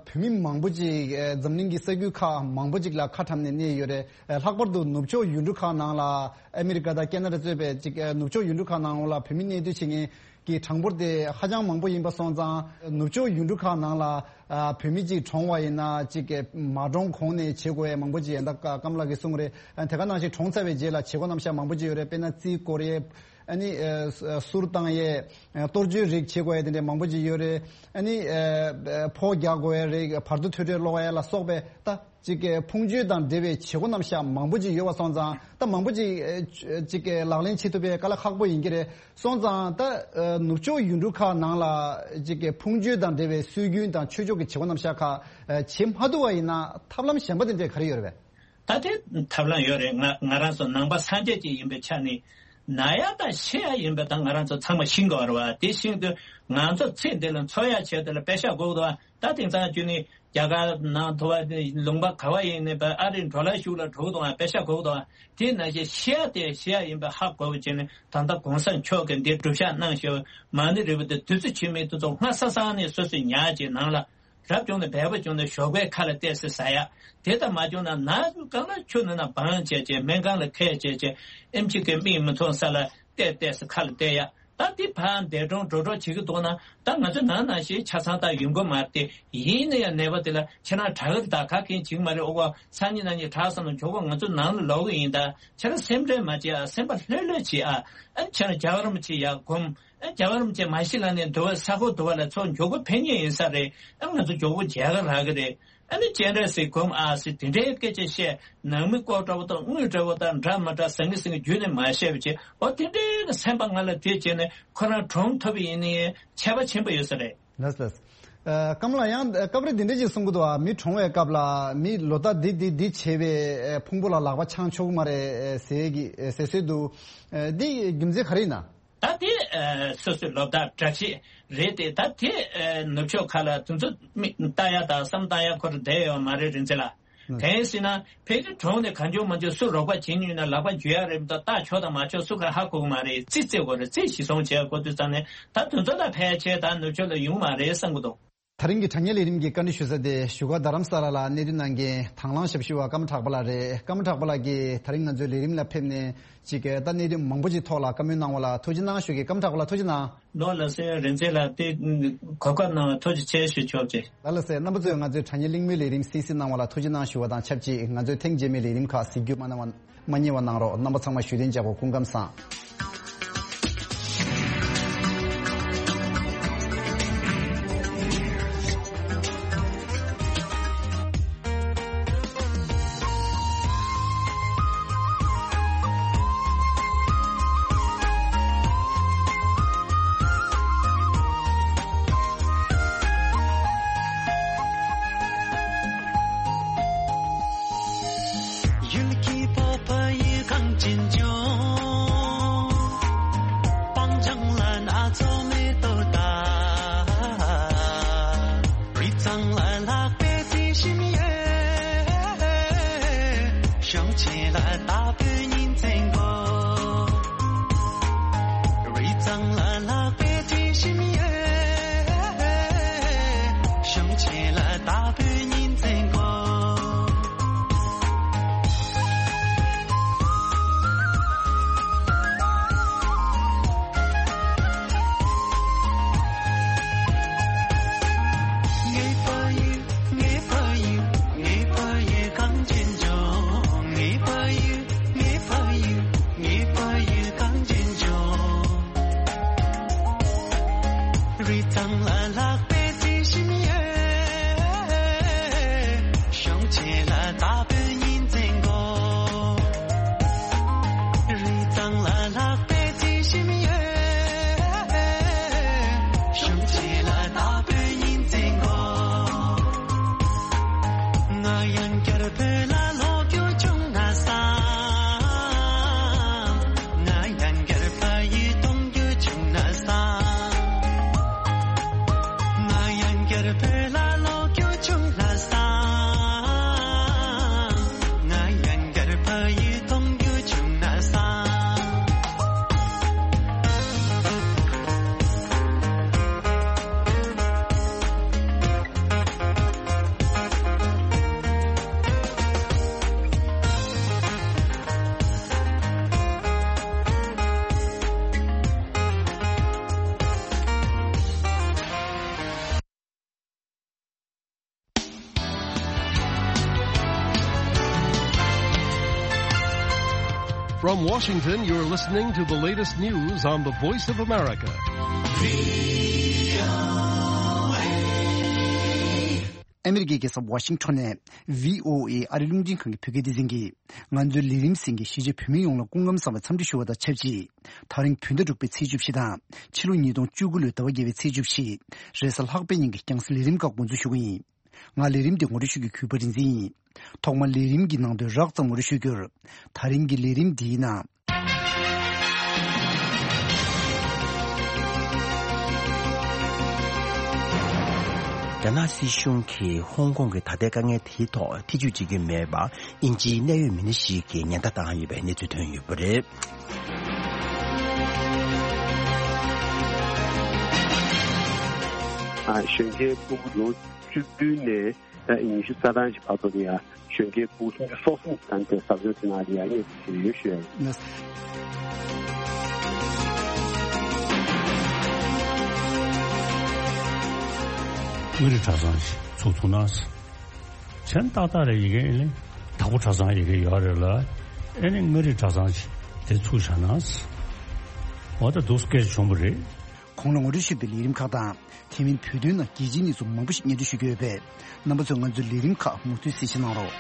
བོད་མི་མང་པོ་ཅིག་ཨ་འཛམ་གླིང་གི་ས་ཁུལ་ཁག་མང་པོ་ཅིག་ལ་ཁ་བཀྲམ་ནས་གནས་ཡོད་རེད། ཨ་ལྷག་པར་དུ་ནུབ་ཕྱོགས་ཡུལ་གྲུ་ཁག་ནང་ལ་ཨ་མི་རི་ཀ་དང་ཁེ་ན་ཌ་གཙོས་པའི་ཅིག་ཨ་ནུབ་ཕྱོགས་ཡུལ་གྲུ་ཁག་ནང་ལ་བོད་མི་གནས་སྡོད་བྱེད་མཁན་གྱི་གྲངས་འབོར་དེ་ཧ་ཅང་མང་པོ་ཡིན་པ་སོང་ཙང་། ནུབ་ཕྱོགས་ཡུལ་གྲུ་ཁག་ནང་ལ་ཨ་བོད་མི་གཅིག་གྲོངས་པ་ཡིན་ན་གཅིག་གི་མ་གྲོངས་གོང་ནས་བྱེད་དགོས་ཡ་མང་པོ་ཅིག་ཡིན། ད་ཀ་ཀམ་ལགས་ཀྱིས་གསུངས་རེད། ཨ་དེ་ག་ནང་བཞིན་གྲོངས་ཚར་བའི་རྗེས་ལ་བྱེད་སྒོ་རྣམ་གཞག་མང་པོ་ཅིག་ཡོད་རེད། དཔེར་ན་རྩིས་བསྐོར་ཡས། ཨ་ནི་ཨ་གསུར་བཏང་ཡས། ཨ་གཏོར་བཅོས་རིགས་བྱེད་དགོས་ཡས་དེ་འདྲ་མང་པོ་ཅིག་ཡོད་རེད། ཨ་ནི་ཨ་ཕོ་རྒྱག་དགོས་ཡས་རིགས། བར་དོ་ཐོས་གྲོལ་ཀློག་ཡས་ལ་སོགས་པའི་ད། ཅིག་གི་ཕུང་མཆོད་དང་འབྲེལ་བའི་བྱེད་སྒོ་རྣམ་གཞག་མང་པོ་ཅིག་ཡོད་པ་སོང་ཙང་ད་མང་པོ་ཅིག་ཨེ་ཅིག་གི་ལག་ལེན་བྱེད་ཐུབ་པའི་དཀའ་ལས་ཁག་པོ་ཡིན་གྱི་རེད། སོང་ཙང་ད་ཨེ་ནུབ་ཕྱོགས་ཡུལ་གྲུ་ཁག་ནང་ལ་ཅིག་གི་ཕུང་མཆོད་དང་འབྲེལ་བའི་སྲོལ་རྒྱུན་དང་ཆོས་ཕྱོགས་ཀྱི་བྱེད་སྒོ་རྣམ་གཞག་ཁག་ཨེ་བྱེད་མ་ཐུབ་པ་ཡིན་ན་ཐབས་ལམ་གཞན་པ་དེ་འདྲས་ག་རེ་ཡོད་རེད་པས། ད་དེ་ཐབས་ལམ་ཡོད་རེད། ང་ང་རང་ཚོ་ནང་པ་སངས་རྒྱས་ཅིག་ཡིན་པའི་ཆ་ནས་ན་ཡ་དང་ཤི་ཡ་ཡིན་པ་དང་ང་རང་ཚོ་ཚང་མ་ཤི་འགྲོ་བ་རེད་བ། དེ་ཤི་དུས་ང་ཚོ་ཚེ་འདི་ལ་འཚོ་ཡ་ཆེད་དུ་ལ་པེ་ཤ་དགོས་འདུག་བ། ད་དེང་སང་ཁྱོད་ནི་རྒྱ་གར་ནང་དུ་བ་ལུང་པ་ག་བ་ཡིན་ནི་བ་ཨ་རི་འགྲོ་ལ་ཤུགས་ལ་འགྲོ་གི་འདུག་ཨ། པེ་ཤ་གོ་གི་འདུག་ཨ། དེ་ནང་བཞིན་ཤི་ཡ་དེ་ཤི་ཡ་ཡིན་པ་ཧ་གོ་བ་བྱས་ནས་ད་ལྟ་གོང་ས་མཆོག་གིས་འདི་སྒྲུབ་ཤག་གནང་ཞེས་མ་ཎི་རིལ་བུ་དེ་བདུད་རྩི་ཆུ་མིག་དེ་ཚོ་སྔ་ས་སང་ནས་སོ་སོས་ཉར་བྱས་ནང་ལ་རབ་བྱུང་ནས་བལ་པོ་བྱུང་ནས་ཞོགས་པའི་ཁ་ལ་བལྟས་སེ་ཟ་ཡ། དེ་ལྟར་མ་བྱུང་ན་ན་གང་ལ་ཆུ་ནང་ན་སྦང་བྱས་བྱས་སྨན་ཁང་ལ་ཁད་བྱས་བྱས་ཨེམ་ཆི་གི་མིག་མི་མཐོང་ས་ལ་བལྟས་བལྟས་སེ་ཁ་ལ་བལྟས་ཡ། ད་འདི་ཕར་འདས་གྲོངས་འགྲོ་གྲོངས་བྱེད་ཀྱི་འདུག་ན་ད་ང་ཚོ་ནང་ནང་བཞིན་ཆ་ཚང་ད་ཡོང་གི་མ་རེད་དེ། ཡིན་ན་ཡང་ནད་པ་དེ་ལ་ཁྱེད་རང་དྲག་གི་རེད། ད་ག་གིན་བྱེད་ཀྱི་མ་རེད། ཨོ་བ་སང་ཉིན་གནངས་ཉིན་དྲག་བསམ་ན་མགྱོགས་པོ་ང་ཚོ་ནང་ལ་ལོག་གི་ཡིན། ད་ཁྱེད་རང་སེམས་ཁྲལ་མ་བྱེད་ཨ། སེམས་པ་ལྷོད་ལྷོད་བྱེད་ཨ། ཨ་ཁྱེད་རང་རྒྱལ་བ་རིན་པོ་ཆེ་ཡར་སྒོམ། ཨ་རྒྱལ་བ་རིན་པོ་ཆེ་མ་ཤི་ལ་ནས་འདུལ་བ་ས་ཁོ་འདུལ་བ་ལ་ཚོ་མགྱོགས་པོ་ཕེབས་ངེས་ཡིན་ས་རེད། ཨ་ང་ཚོ་མགྱོགས་པོ་མཇལ་ག་རག་གི་རེད། ཨ་ནི་སྤྱན་རས་གཟིགས་སྒོམ་ཨ་ཟེར་དེ་འདྲའི་སྐད་ཆ་བཤད། ནང་མི་ལྐོག་འདྲ་བོ་དང་དངུལ་འདྲ་བོ་དང་འདྲ་མ་འདྲ་ཟང་ངེ་ཟིང་ངེ་བརྒྱུད་ནས་མ་བཤད་པ་བྱས། འོ་དེ་འདྲའི་གི་སེམས་པ་ང་ལ་དེ་བྱས་ནས་ཁོ་རང་གྲོངས་ཐུབ་པ་ཡིན་ནའི་ཁྱད་པར་ཆེན་པོ་ཡོད་ས་རེད། ལགས་ལགས། ཨ་སྐམ་ལགས་ཡང་སྐབས་རེ་འདི་འདྲ་ཅིག་གསུང་གི་འདུག་ཨ། མི་གྲོངས་པའི་སྐབས་ལ་མི་ལོ་ཟླ་འདི་འདི་འདི་བྱས་པའི་ཕུང་པོ་ལ་ལག་པ་འཆང་ཆོག་གི་མ་རེད་ཟེར་གི་ཟེར་སྲོལ་འདུག། འདི་རྒྱུ་མཚན་ག་རེ་ཡིན་ན། ད་དེ་ཨ་སོ་སོའི་ལོ་ཟླ་བཀྲ་ཤིས་རེད་དེ། ད་དེ་ཨ་ནུབ་ཕྱོགས་ཁག་ལ་དེ་ཚོ་མི་ལྟ་ཡ་དང་བསམ་བཏང་ཡ་ཁོ་རང་བསྡད་ཡོད་མ་རེད་རིན་ཆེན་ལགས། ཨ་དེ་ཡིན་ཟེར་ན་ཕལ་ཆེར་གྲོངས་ནས་གང་བྱུང་མང་བྱུང་སུ་རོགས་པ་བྱེད་མྱོང་ན་ལག་པ་འཇུ་ཡ་རེད་མི་འདུག། ལྟ་ཆོག་དང་མ་ཆོག་སུ་ག་ཧ་གོ་གི་མ་རེད། རྩིས་རྩེ་དགོས་རེད། རྩིས་གཞི་བཟུང་བྱས་དགོས་དུས་ཙང་ནས་ད་དེ་ཚོ་ལ་ཕལ་ཆེར་ད་ནུབ་ཕྱོགས་ལ་ཡོང་མ་རེད་བསམ་གི་འདུག། ད་རིང་གི་དྲ་བརྙན་ལས་རིམ་གྱི་བཀའ་འདྲི་ཞུ་ས་དེ་བཞུགས་སྒར་རྡ་རམ་ས་ལ་ལ་གནས་སྡོད་གནང་མཁན་དང་བླངས་ཞབས་ཞུ་བ་ཀརྨ་གྲགས་པ་ལགས་རེད། ཀརྨ་གྲགས་པ་ལགས་ཀྱིས་དེ་རིང་ང་ཚོའི་ལས་རིམ་ལ་ཕེབས་ནས་ཅིག་ད་གནད་དོན་མང་པོ་ཅིག་ཐོག་ལ་བཀའ་མོལ་གནང་བ་ལ་ཐུགས་རྗེ་གནང་ཞུ་གི། ཀརྨ་གྲགས་པ་ལགས་ཐུགས་རྗེ་གནང་། ལགས་སོ་རིན་ཆེན་ལགས་དེ་གོ་སྐབས་གནང་བ་ཐུགས་རྗེ་ཆེ་ཞུ་ཆོག་ཅེས། ལགས་ལགས་སོ། རྣམ་པ་ཚོས་ང་ཚོའི་དྲ་བརྙན་གླེང་མོལ་ལས་རིམ་གསན་གཟིགས་གནང་བ་ལ་ཐུགས་རྗེ་གནང་ཞུ་བ་དང་ཆབས་ཅིག་ང་ཚོའི་ཐེངས་རྗེས་མའི་ལས་རིམ་ཁག་གཟིགས་རྒྱུ་མ་གནང་བ་མ་བསྙེལ་བ་གནང་རོགས། རྣམ་པ་ཚང་མ་བཞུགས་གདན་འཇགས་དགོས། སྐུ་ཁམས་བཟང་། ཡུལ་གྱི་བོད་པ་ཡི་གངས་ཅན་ལྗོངས། སྤང་ལྗང་ལ་སྣ་ཚོགས་མེ་ཏོག་དང་། རི་གཙང་ལ་ལྷག་པའི་རྩི་ཤིང་ཡོད། གཞོང་ཆེན་ལ་དྭགས་པོའི་ཉིན་མཚན་དགོས། རི་གཙང་ལ་ལྷག་པའི་རྩི་ཤིང་ཡོད། གཞོང་ཆེན་ལ་དྭགས་པོའི་ཉིན་མཚན་དགོས། ངའི་ཕ་ཡུལ། ངའི་ཕ་ཡུལ། ངའི་ཕ་ཡུལ་གངས་ཅན་ལྗོངས། ངའི་ཕ་ཡུལ། ངའི་ཕ་ཡུལ། ངའི་ཕ་ཡུལ་གངས་ཅན་ལྗོངས། རི་གཙང་ལ་ལྷག་པའི་རྩི་ཤིང་ཡོད། གཞོང་ཆེན་ལ་དྭགས་པོའི་ཉིན་མཚན་དགོས། རི་གཙང་ལ་ལྷག་པའི་རྩི་ཤིང་ཡོད། གཞོང་ཆེན་ལ་དྭགས་པོའི་ཉིན་མཚན་དགོས། ང་ཡང་བསྐྱར་བོད་ལ་ལོག་རྒྱུ་བྱུང་ན་བསམ། ང་ཡང་བསྐྱར་ཕ་ཡུལ་གཏོང་རྒྱུ་བྱུང་ན་བསམ། ང་ཡང་བསྐྱར་བོད་ལ་ལོག་རྒྱུ་བྱུང་ན་ From Washington, you're listening to the latest news on the Voice of America. ཨ་མི་རི་ཀའི་རྒྱལ་ས་ཝ་ཤིང་ཊོན་ནས་བྷི་ཨོ་ཨེ་ཨ་རི་རླུང་འཕྲིན་ཁང་གི་བོད་སྐད་སྡེ་ཚན་གྱིས། ང་ཚོའི་ལས་རིམ་གསན་མཁན་གཞིས་བྱེས་བོད་མི་ཡོངས་ལ་སྐུ་ཁམས་བཟང་བའི་འཚམས་འདྲི་ཞུ་བ་དང་ཆབས་ཅིག་ད་རིང་བོད་ཟླ་དྲུག་པའི་ཚེས་བཅུ་བཞི་དང་ཕྱི་ལོ་ཉིས་སྟོང་བཅུ་དགུ་ལོའི་ཟླ་བ་བརྒྱད་པའི་ཚེས་བཅུ་བཞི། རེས་གཟའ་ལྷག་པའི་ཉིན་གྱི་རྒྱང་སྲིང་ལས་རིམ་ཁག་འགོ་འཛུགས་ཞུ་གི་ཡིན། ང་ལས་རིམ་འདི་ངོ་སྤྲོད་ཞུ་རྒྱུའི་གུས་པ་རིག་འཛིན་ཡིན། ཐོག་མར་ལས་རིམ་གྱི་ནང་དོན་རགས་ཙམ་ངོ་སྤྲོད་ཞུ་རྒྱུར། ད་རིང་གི་ལས་རིམ་འདིའི་ནང་། རྒྱ་ནག་སྲིད་གཞུང་གིས་ཧོང་ཀོང་གི་ད་ལྟའི་དཀའ་ངལ་དེའི་ཐོག་ཐེ་ཇུས་བྱེད་ཀྱི་མེད་པ། དབྱིན་ཇིའི་གནད་ཡོད་མི་སྣ་ཞིག་གིས་ཉེན་བརྡ་བཏང་ཡོད་པའི་གནས་ཚུལ་ཐོན་ཡོད་པ་རེད། ཨ། གཞོན་སྐྱེས་ཕྲུ་གུ་ལོ་བཅུ་བདུན་ནས་ད་ཉི་ཤུ་རྩ་གྲངས་ཤིག་བར་དུ་ལ་ཡ་གཞོན་སྐྱེས་ཕྲུ་གུ་སུམ་ཅུ་སོ་གསུམ་ཙམ་དེ་ཟབ་སྦྱོང་དེ་ནང་ལ་ཡ་གནས་ཚུལ་ཞིག་ཡོད་ཞུ་ཡ་ཡིན། དངུལ་རིགས་གྲྭ་ཚང་ཞིག་ཚུགས་ཐུབ་ན། མཚན་ཏག་ཏག་རེད། ཡི་གེ་ཨེ་ནི་དྭགས་པོ་གྲྭ་ཚང་ཡི་གེ་ཡོད་རེད་ལ། ཨེ་ནི་མངའ་རིས་གྲྭ་ཚང་ཞིག་དེ་ཚུགས་བཞག་ན། འོ་ད་འདུག་སྐད་ཆ་བྱུང་བ་རེད། གོང་ལ་ངོ་སྤྲོད་ཞུས་པའི་ལས་རིམ་ཁག་དང་། དེ་མིན་བོད་དོན་ནང་རྒྱལ་སྤྱིའི་གནས་ཚུལ་མང་པོ་ཞིག་སྙན་སྒྲོན་ཞུ་རྒྱུ་ཡོད་པས། རྣམ་པ་ཚོས་ང་ཚོའི་ལས་རིམ་ཁག་མུ་མཐུད་གསན་བཞེས་གནང་རོགས།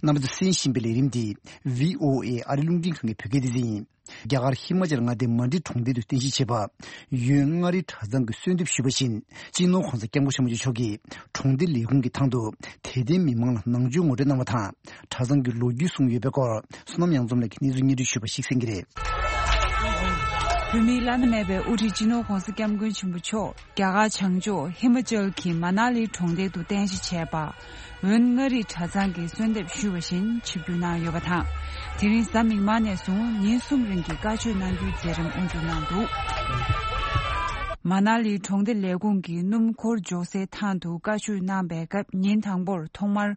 རྣམ་པ་ཚོས་གསན་བཞིན་པའི་ལས་རིམ་འདི་བྷི་ཨོ་ཨེ་ཨ་རི་རླུང་འཕྲིན་ཁང་གི་བོད་སྐད་སྡེ་ཚན་ཡིན། རྒྱ་གར་ཧི་མ་ཅལ་མངའ་སྡེའི་མན་ཌི་གྲོང་རྡལ་དུ་རྟེན་གཞི་བྱས་པ། ཡོན་མངའ་རིས་གྲྭ་ཚང་གིས་གསོལ་འདེབས་ཞུས་པ་བཞིན། སྤྱི་ནོར་༧གོང་ས་༧སྐྱབས་མགོན་ཆེན་པོ་མཆོག་གིས་གྲོང་སྡེ་ལས་ཁུངས་ཀྱི་ཐང་དུ་དད་ལྡན་མི་མང་ལ་ནང་ཆོས་ངོ་སྤྲོད་གནང་བ་དང་། གྲྭ་ཚང་གི་ལོ་རྒྱུས་གསུངས་ཡོད་པའི་སྐོར། བསོད་ནམས་གཡང་འཛོམས་ལགས་ཀྱིས་གནས་ཚུལ་སྙན་སྒྲོན་ཞུས་པ་ཞིག་གསན་གྱི་རེད། བོད་མིའི་བླ་ན་མེད་པའི་དབུ་ཁྲིད་སྤྱི་ནོར་༧གོང་ས་༧སྐྱབས་མགོན་ཆེན་པོ་མཆོག་རྒྱ་གར་བྱང་ཕྱོགས་ཧི་མ་ཅལ་གྱི་མ་ན་ལི་གྲོང་རྡལ་དུ་རྟེན་གཞི་བྱས་པ། འོན་མངའ་རིས་གྲྭ་ཚང་གིས་གསོལ་འདེབས་ཞུས་པ་བཞིན་ཆིབས་བསྒྱུར་གནང་ཡོད་པ་དང་། དེ་རིང་གཟའ་མིག་དམར་ནས་བཟུང་ཉིན་གསུམ་རིང་གི་བཀའ་ཆོས་གནང་རྒྱུའི་མཛད་རིམ་དབུ་འཛུགས་གནང་འདུག་མ་ན་ལི་གྲོང་སྡེ་ལས་ཁུངས་ཀྱི་སྣུམ་འཁོར་འཇོག་སའི་ཐང་དུ་བཀའ་ཆོས་གནང་པའི་སྐབས། ཉིན་དང་པོར་ཐོག་མར་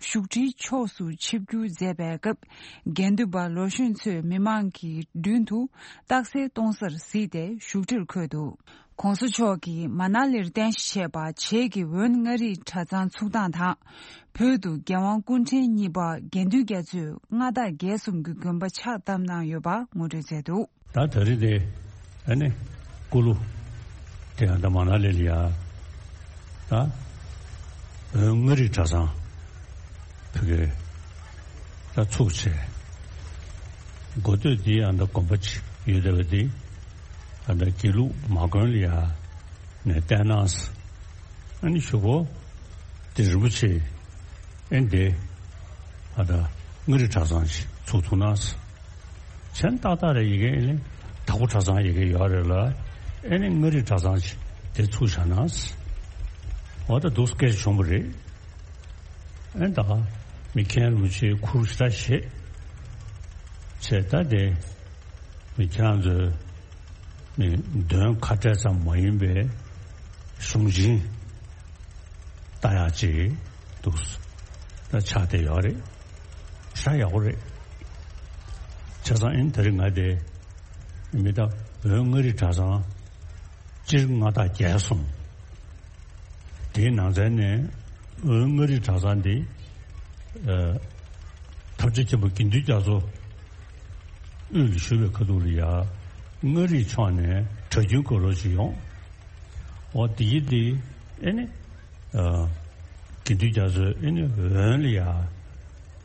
བཞུགས་ཁྲིའི་ཕྱོགས་སུ་ཆིབས་བསྒྱུར་མཛད་པའི་སྐབས། དགེ་འདུན་པ་ལོ་གཞོན་ཚོས་མི་མང་གི་མདུན་དུ་རྟགས་གསལ་གཏོང་སར་གཟིགས་ཏེ་བཞུགས་ཁྲིར་འཁོད་འདུག ༸གོང་ས་མཆོག་གིས་མ་ན་ལིར་རྟེན་གཞི་བྱས་པ་བྱེས་ཀྱི་འོན་མངའ་རིས་གྲྭ་ཚང་ཚུགས་སྟངས་དང་། བོད་དུ་རྒྱལ་དབང་སྐུ་ཕྲེང་གཉིས་པ་དགེ་འདུན་རྒྱ་མཚོས་མངའ་བདག་རྒྱལ་གསུམ་གྱི་དགོན་པ་ཕྱག་བཏབ་གནང་ཡོད་པ་ངོ་སྤྲོད་མཛད་འདུག་ད་ད་རེས་དེ་ཨ་ནི་སྐུ་ལུ་དེ་ཡང་ད་མ་ན་ལི་ལ་ཡ་ད་འོན་མངའ་རིས་གྲྭ་ཚང་ཕ་གིར་ད་ཚུགས་བྱས། འགོ་སྟོད་འདི་ཡང་ད་དགོན་པ་ཅིག་ཡོད་བསྡད་པ་འདི་ཨ་ད་དགེ་ལུགས་མ་དགོན་ལ་ཡ་ནས་བསྟན་གནང་། ཨ་ནི་གཞུག་གུ་དེ་རིན་པོ་ཆེ་ཨེ་འདི་ཨ་ད་མངའ་རིས་གྲྭ་ཚང་ཞིག་ཚུགས་ཐུབ་ན། མཚན་ཏག་ཏག་རེད། ཡི་གེ་ཨེ་ནི་དྭགས་པོ་གྲྭ་ཚང་ཡི་གེ་ཡོད་རེད་ལ། ཨེ་ནི་མངའ་རིས་གྲྭ་ཚང་ཞིག་དེ་ཚུགས་བཞག་ན། འོ་ད་འདུག་སྐད་ཆ་བྱུང་བ་རེད། ཨེ་ད་མི་མཁན་རིན་པོ་ཆེའི་ཁུར་ཞེ་དྲག་བཞེས་བྱས། ད་དེ་མི་ཁྱེད་རང་ཚོའི་མི་འདོན་ཁ་བྲལ་ཙམ་མ་ཡིན་པའི་གཞུང་ཆེན་ལྟ་ཡག་ཅིག་འདུག་ད་ཆགས་བསྡད་ཡོད་རེད། ཞེ་དྲག་ཡག་པོ་རེད། བྱས་ཙང་ཨེ་ནི་ད་རེས་ང་དེ་མི་ད་འོན་མངའ་རིས་གྲྭ་ཚང་སྤྱིར་མངའ་བདག་རྒྱལ་གསུམ། དེའི་ནང་ཚན་ནས་འོན་མངའ་རིས་གྲྭ་ཚང་འདི། ཨ། ཐམས་ཅད་མཁྱེན་པ་དགེ་འདུན་རྒྱ་མཚོ་དབུས་ལ་བཞུགས་པའི་ཁ་ཐུག་ལ་ཡ་མངའ་རིས་ཕྱོགས་ནས་གྲྭ་རྒྱུན་དགོས་རོགས་ཅིག་ཡོང་། འོ་དེ་ཡི་དེ་ཨེ་ནི། ཨ། དགེ་འདུན་རྒྱ་མཚོས་ཨེ་ནི་འོན་ལ་ཡ་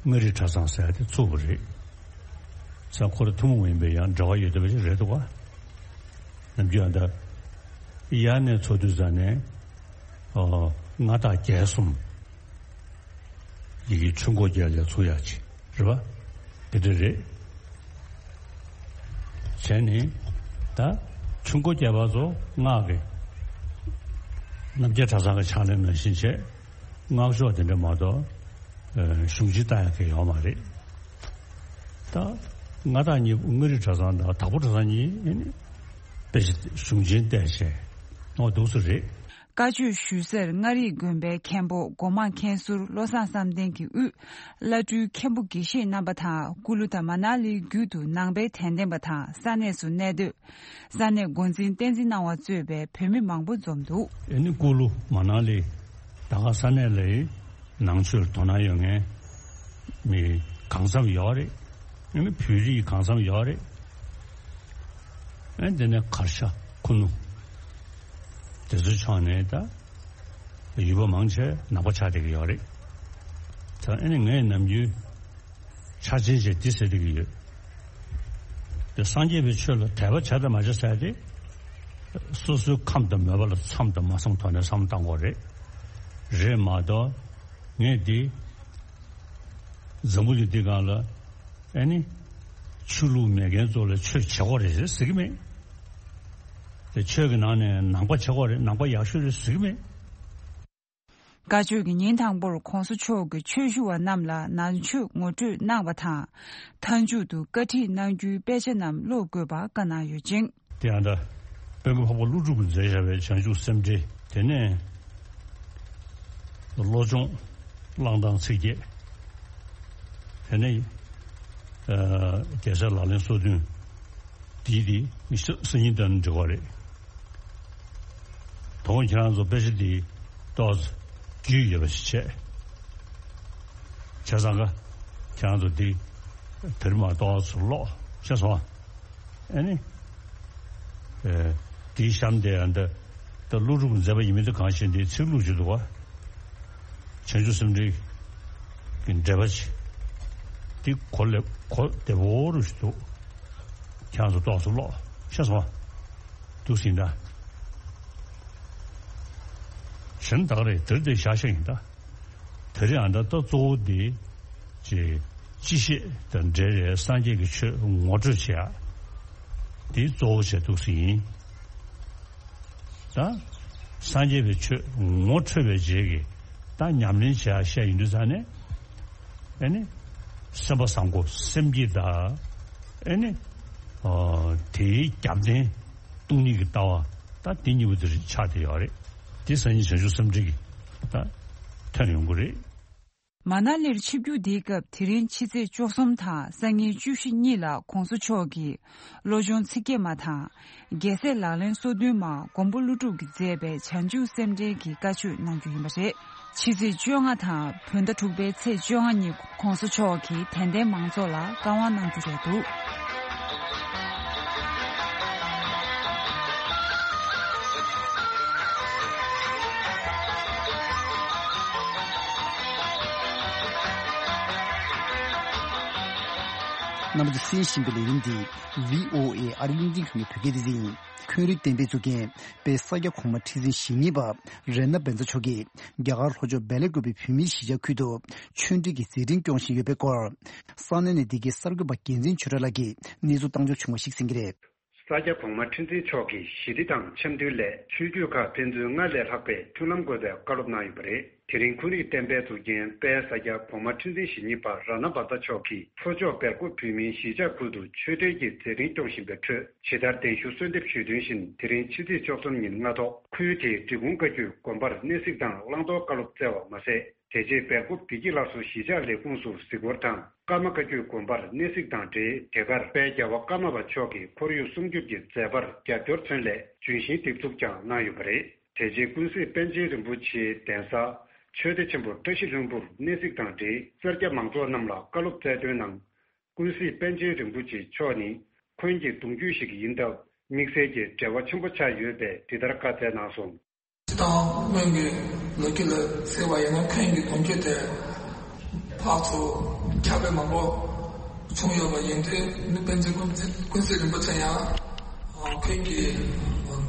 མངའ་རིས་གྲྭ་ཚང་ཟེར་ཡ་དེ་ཚུགས་པ་རེད། ས་ཁོ་ར་ཐུན་མོང་མ་ཡིན་པའི་ཡང་འབྲེལ་བ་ཡོད་བསྡད་པ་ཞིག་རེད་འདུག་ག་ནམ་རྒྱུན་ཨ་ད་ཡར་ནས་ཚུགས་དུས་ཙ་ནས་ཨོ་མངའ་བདག་རྒྱལ་གསུམ་ཡི་གེ་ཆུ་འགོ་རྒྱལ་ལ་ཚུགས་ཡག་ཅིག་རེད་པ། དེ་འདྲ་རེད། བྱས་ནས་ད་ཆུ་འགོ་རྒྱལ་པ་ཚོ་སྔགས་ཀྱི་རྣམ་རྒྱལ་གྲྭ་ཚང་གི་ཕྱག་ལེན་ནང་བཞིན་བྱས། སྔགས་ཤོག་དེ་འདྲ་མ་གཏོགས་གཞུང་ཆེན་ལྟ་ཡག་གི་ཡོད་མ་རེད། ད་མངའ་བདག་གཉིས་པོ་མངའ་རིས་གྲྭ་ཚང་དང་དྭགས་པོ་གྲྭ་ཚང་གཉིས་ནི་དཔེ་ཆ་གཞུང་ཆེན་བལྟས་བྱས་ཨོ་འདུག་སེ་རེད། བཀའ་ཆོས་ཞུ་སར་མངའ་རིས་དགོན་པའི་མཁན་པོ་སྒོ་མང་མཁན་ཟུར་བློ་བཟང་བསམ་གཏན་གྱིས་དབུས་བླ་སྤྲུལ་མཁན་པོ་དགེ་བཤེས་རྣམ་པ་དང་། སྐུ་ལུ་དང་མ་ན་ལིའི་རྒྱུད་དུ་ནང་པའི་དད་ལྡན་པ་དང་ས་གནས་སུ་གནས་སྡོད། ས་གནས་འགོ་འཛིན་བསྟན་འཛིན་སྣང་བ་གཙོས་པའི་བོད་མི་མང་པོ་འཛོམས་འདུག་ཨེ་ནི་སྐུ་ལུ་མ་ན་ལི་ད་ག་ས་གནས་ལའི་ནང་ཆོས་དོ་སྣང་ཡོད་མཁན་ མི་གང་འཚམ་ཡོད་རེད། ཨ་ནི་བོད་རིགས་གང་འཚམ་ཡོད་རེད། ཨ་ནི་དེ་ནས་གར་ཤ་ཁུ་ནུ་དེ་ཚོའི་ཕྱོགས་ནས་ད་ཡུལ་པ་མང་ཆེ་ནག་པ་ཆགས་བསྡད་ཀྱི་ཡོད་རེད། ད་ཨ་ནི་ངས་ནམ་རྒྱུན་འཆར་ཅན་བྱས་འདི་ཟེར་བསྡད་ཀྱི་ཡོད། དེ་སངས་རྒྱས་པའི་ཆོས་ལ་དད་པ་བྱ་དང་མ་བྱ་ཟེར་ཏེ། སོ་སོའི་ཁམས་དང་མོས་པ་ལ་མཚམས་དང་མ་མཚམས་ཐོག་ནས་བསམ་བློ་བཏང་དགོས་རེད། རེད་མ་གཏོགས་ངས་འདི་འཛམ་བུ་གླིང་འདི་སྒང་ལ་ཨ་ནི་ཆོས་ལུགས་མེད་མཁན་ཚོ་ལ་ཆོས་བྱེད་དགོས་རེད་ཟེར་གྱི་མེད། དེ་ཆོས་ཀྱི་ནང་ནས་ནང་པ་བྱེད་དགོས་རེད། ནང་པ་ཡག་ཤོས་རེད་ཟེར་གྱི་མེད། བཀའ་ཆོས་ཀྱི་ཉིན་དང་པོར་༸གོང་ས་མཆོག་གིས་ཆོས་ཞུ་བ་རྣམས་ལ་ནང་ཆོས་ངོ་སྤྲོད་གནང་བ་དང་། མཐའ་མཇུག་ཏུ་བཀའ་ཁྲིད་གནང་རྒྱུའི་དཔེ་ཆ་རྣམས་ཀློག་དགོས་པ་བཀའ་གནང་ཡོད་ཅིང་། དེ་ཡང་ད་དཔལ་མགོན་འཕགས་པ་ཀླུ་སྒྲུབ་ཀྱིས་མཛད་བཞག་པའི་བྱང་ཆུབ་སེམས་འགྲེལ། དེ་ནས་བློ་སྦྱོང་བླང་དང་ཚིག་བརྒྱད། དེ་ནས་རྒྱལ་སྲས་ལག་ལེན་སོ་བདུན། དེའི་དེ་སང་ཉིན་དང་འབྲེལ་བ་རེད། དོ་དགོང་ཁྱེད་རང་ཚོ་དཔེ་ཆ་འདི་ཏོག་ཙམ་རྒྱུས་ཡོད་པ་ཞིག་བྱས། བྱས་ཙང་ཀ་ཁྱེད་རང་ཚོ་འདི་དེ་རིང་མ་ཏོག་ཙམ་ཀློག་ཤེས་སོང་ཨ། ཨ་ནི། དེའི་གཤམ་དེ་ཡང་འདི་ད་ཀླུ་སྒྲུབ་མཛད་པ་ཡིན་མིན་དེ་གང་ཤེས། འདིའི་ཚིག་ལྷུག་ཅིག་འདུག་བ། བྱང་ཆུབ་སེམས་འགྲེལ་གྱི་འགྲེལ་པ་ཅིག་འདི་གོ་ལེ་གོ་བདེ་པོ་རུ་ཞིག་འདུག་ཁྱེད་རང་ཚོ་ཏོག་ཙམ་ཀློག་ཤེས་སོང་། འདུག་ཟིན་ད། གཞན་དག་རེད་དེར་དེ་བཞག་བཞག་ཡིན་ད། དེ་རིང་ཨ་ད་ད་གཙོ་བོ་འདི་ཅེས་སྤྱི་བཤད་དང་འབྲེལ་བའི་སངས་རྒྱས་ཀྱི་ཆོས་ངོ་སྤྲོད་བྱེད་ཡ་འདི་གཙོ་བོ་བྱས་འདུག་ཟིན་ཡིན། ད་སངས་རྒྱས་པའི་ཆོས་ངོ་འཕྲོད་པའི་རྗེས་ཀྱི་ད་ཉམས་ལེན་བྱེད་ཡ་བཤད་ཡིན་དུས་ཙང་ནས་ཨེ་ནི་སེམས་པ་བཟང་པོ་སེམས་བསྐྱེད་དང་ཨེ་ནི་དེའི་རྒྱབ་རྟེན་སྟོང་ཉིད་ཀྱི་ལྟ་བ་ད་དེ་གཉིས་པོ་དེ་ཆགས་བསྡད་ཡོད་རེད། དེ་སང་ཉིན་བྱང་ཆུབ་སེམས་འགྲེལ་གྱི་ད་ཐོན་ཡོང་གི་རེད། མ་ན་ལིར་ཆིབས་བསྒྱུར་འདིའི་སྐབས་དེ་རིང་ཕྱི་ཚེས་བཅུ་གསུམ་དང་སང་ཉིན་བཅུ་བཞི་གཉིས་ལ་༸གོང་ས་མཆོག་གིས་བློ་སྦྱོང་ཚིག་བརྒྱད་མ་དང་རྒྱལ་སྲས་ལག་ལེན་སོ་བདུན་མ་མགོན་པོ་ཀླུ་སྒྲུབ་ཀྱིས་མཛད་པའི་བྱང་ཆུབ་སེམས་འགྲེལ་གྱི་བཀའ་ཆོས་གནང་རྒྱུ་ཡིན་པ་རེད། ཕྱི་ཚེས་བཅོ་ལྔ་དང་བོད་ཟླ་དྲུག་པའི་ཚེས་བཅོ་ལྔ་ཉིན་༸གོང་ས་མཆོག་གིས་དད་ལྡན་མང་ཚོགས་ལ་བཀའ་དབང་གནང་རྒྱུ་རེད་འདུག་རྣམ་པ་ཚོས་གསན་བཞིན་པའི་ལས་རིམ་འདི་བྷི་ཨོ་ཨེ་ཨ་རི་གླིང་ཕྲན་ཁང་གི་བོད་སྐད་སྡེ་ཚན་ཡིན། འཁོན་རིགས་གཏན་འབེབས་བཙུགས་མཁན་དཔལ་ས་སྐྱ་གོང་མ་ཁྲི་འཛིན་ཞེ་གཉིས་པ་རཏྣ་བཛྲ་མཆོག་གིས་རྒྱ་གར་ལྷོ་ཕྱོགས་སྦེལ་ཀོབ་བོད་མིའི་གཞིས་ཆགས་ཁུལ་དུ་ཆོས་འབྲེལ་གྱི་མཛད་འཕྲིན་སྐྱོང་བཞིན་ཡོད་པའི་སྐོར། ས་གནས་ནས་འདི་གའི་གསར་འགོད་པ་རྒྱལ་མཚན་ཆོས་གྲགས་ལགས་ཀྱིས་གནས་ཚུལ་བཏང་འབྱོར་བྱུང་བ་ཞིག་གསན་གྱི་རེད། ས་སྐྱ་གོང་མ་ཁྲི་འཛིན་མཆོག་གིས་ཞི་བདེ་དང་འཆམ་མཐུན་སླད་ཆོས་བརྒྱུད་ཁག་ཕན་ཚུན་སྔར་ལས་ལྷག་པའི་མཐུན་ལམ་དགོས་པའི་བཀའ་སློབ་གནང་ཡོད་པ་རེད། དེ་རིང་འཁོན་རིགས་གཏན་འབེབས་བཙུགས་མཁན་དཔལ་ས་སྐྱ་གོང་མ་ཁྲི་འཛིན་ཞེ་གཉིས་པ་རཏྣ་བཛྲ་མཆོག་གིས་ལྷོ་ཕྱོགས་སྦེལ་ཀོབ་བོད་མིའི་གཞིས་ཆགས་ཁུལ་དུ་ཆོས་འབྲེལ་གྱི་མཛད་འཕྲིན་སྐྱོང་བཞིན་པའི་ཁྲོད་ཇི་ལྟར་གདན་ཞུ་གསོལ་འདེབས་ཞུས་དོན་བཞིན་དེ་རིང་ཕྱི་ཚེས་བཅུ་གསུམ་ཉིན་སྔ་ཐོག་ཁུལ་དེའི་འབྲི་གུང་བཀའ་བརྒྱུད་དགོན་པར་གནས་གཟིགས་དང་བླང་དོར་བཀའ་སློབ་སྩལ་བ་མ་ཟད། དེ་རྗེས་སྦེལ་ཀོབ་བདེ་སྐྱིད་སླར་གསོ་གཞིས་ཆགས་ལས་ཁུངས་སུ་གཟིགས་སྐོར་དང་ཀརྨ་བཀའ་བརྒྱུད་དགོན་པར་གནས་གཟིགས་དང་འབྲེལ་དེ་གར་དཔལ་རྒྱལ་བ་ཀརྨ་པ་མཆོག་གི་ཁོར་ཡུག་སྲུང་སྐྱོབ་ཀྱི་མཛད་པར་རྒྱབ་སྐྱོར་མཚོན་སླད་ལྗོན་ཤིང་འདེབས་འཛུགས་ཀྱང་གནང་ཡོད་པ་རེད། དེ་རྗེས་ཀུན་གཟིགས་པཎ་ཆེན་རིན་པོ་ཆེའི་གདན་ས་ཆོས་སྡེ་ཆེན་པོ་བཀྲ་ཤིས་ལྷུན་པོར་གནས་གཟིགས་དང་འབྲེལ་སེར་སྐྱ་མང་ཚོགས་རྣམས་ལ་བཀའ་སློབ་སྩལ་དོན་ནང་། ཀུན་གཟིགས་པཎ་ཆེན་རིན་པོ་ཆེ་མཆོག་ནི་འཁོན་གྱི་གདུང་རྒྱུད་ཞིག་ཡིན་སྟབས་དམིགས་བསལ་གྱི་འབྲེལ་བ་ཆེན་པོ་ཆགས་ཡོད་པས་འདི་ལྟར་བཀའ་སྩལ་གནང་སོང་། སྤྱིར་བཏང་སྔོན་གྱི་ལོ་རྒྱུས་ལ་གཟིགས་པ་ཡིན་ན་འཁོན་གྱི་གདུང་རྒྱུད་དེ་ཕར་ཚུར་ཁྱབ་སྤེལ་མང་པོ་བྱུང་ཡོད་པ་ཡིན་དུས་ནི་པཎ་ཆེན་ཀུན་གཟིགས་ཀུན་གཟིགས་རིན་པོ་ཆེ་ཡང་འཁོན་གྱི་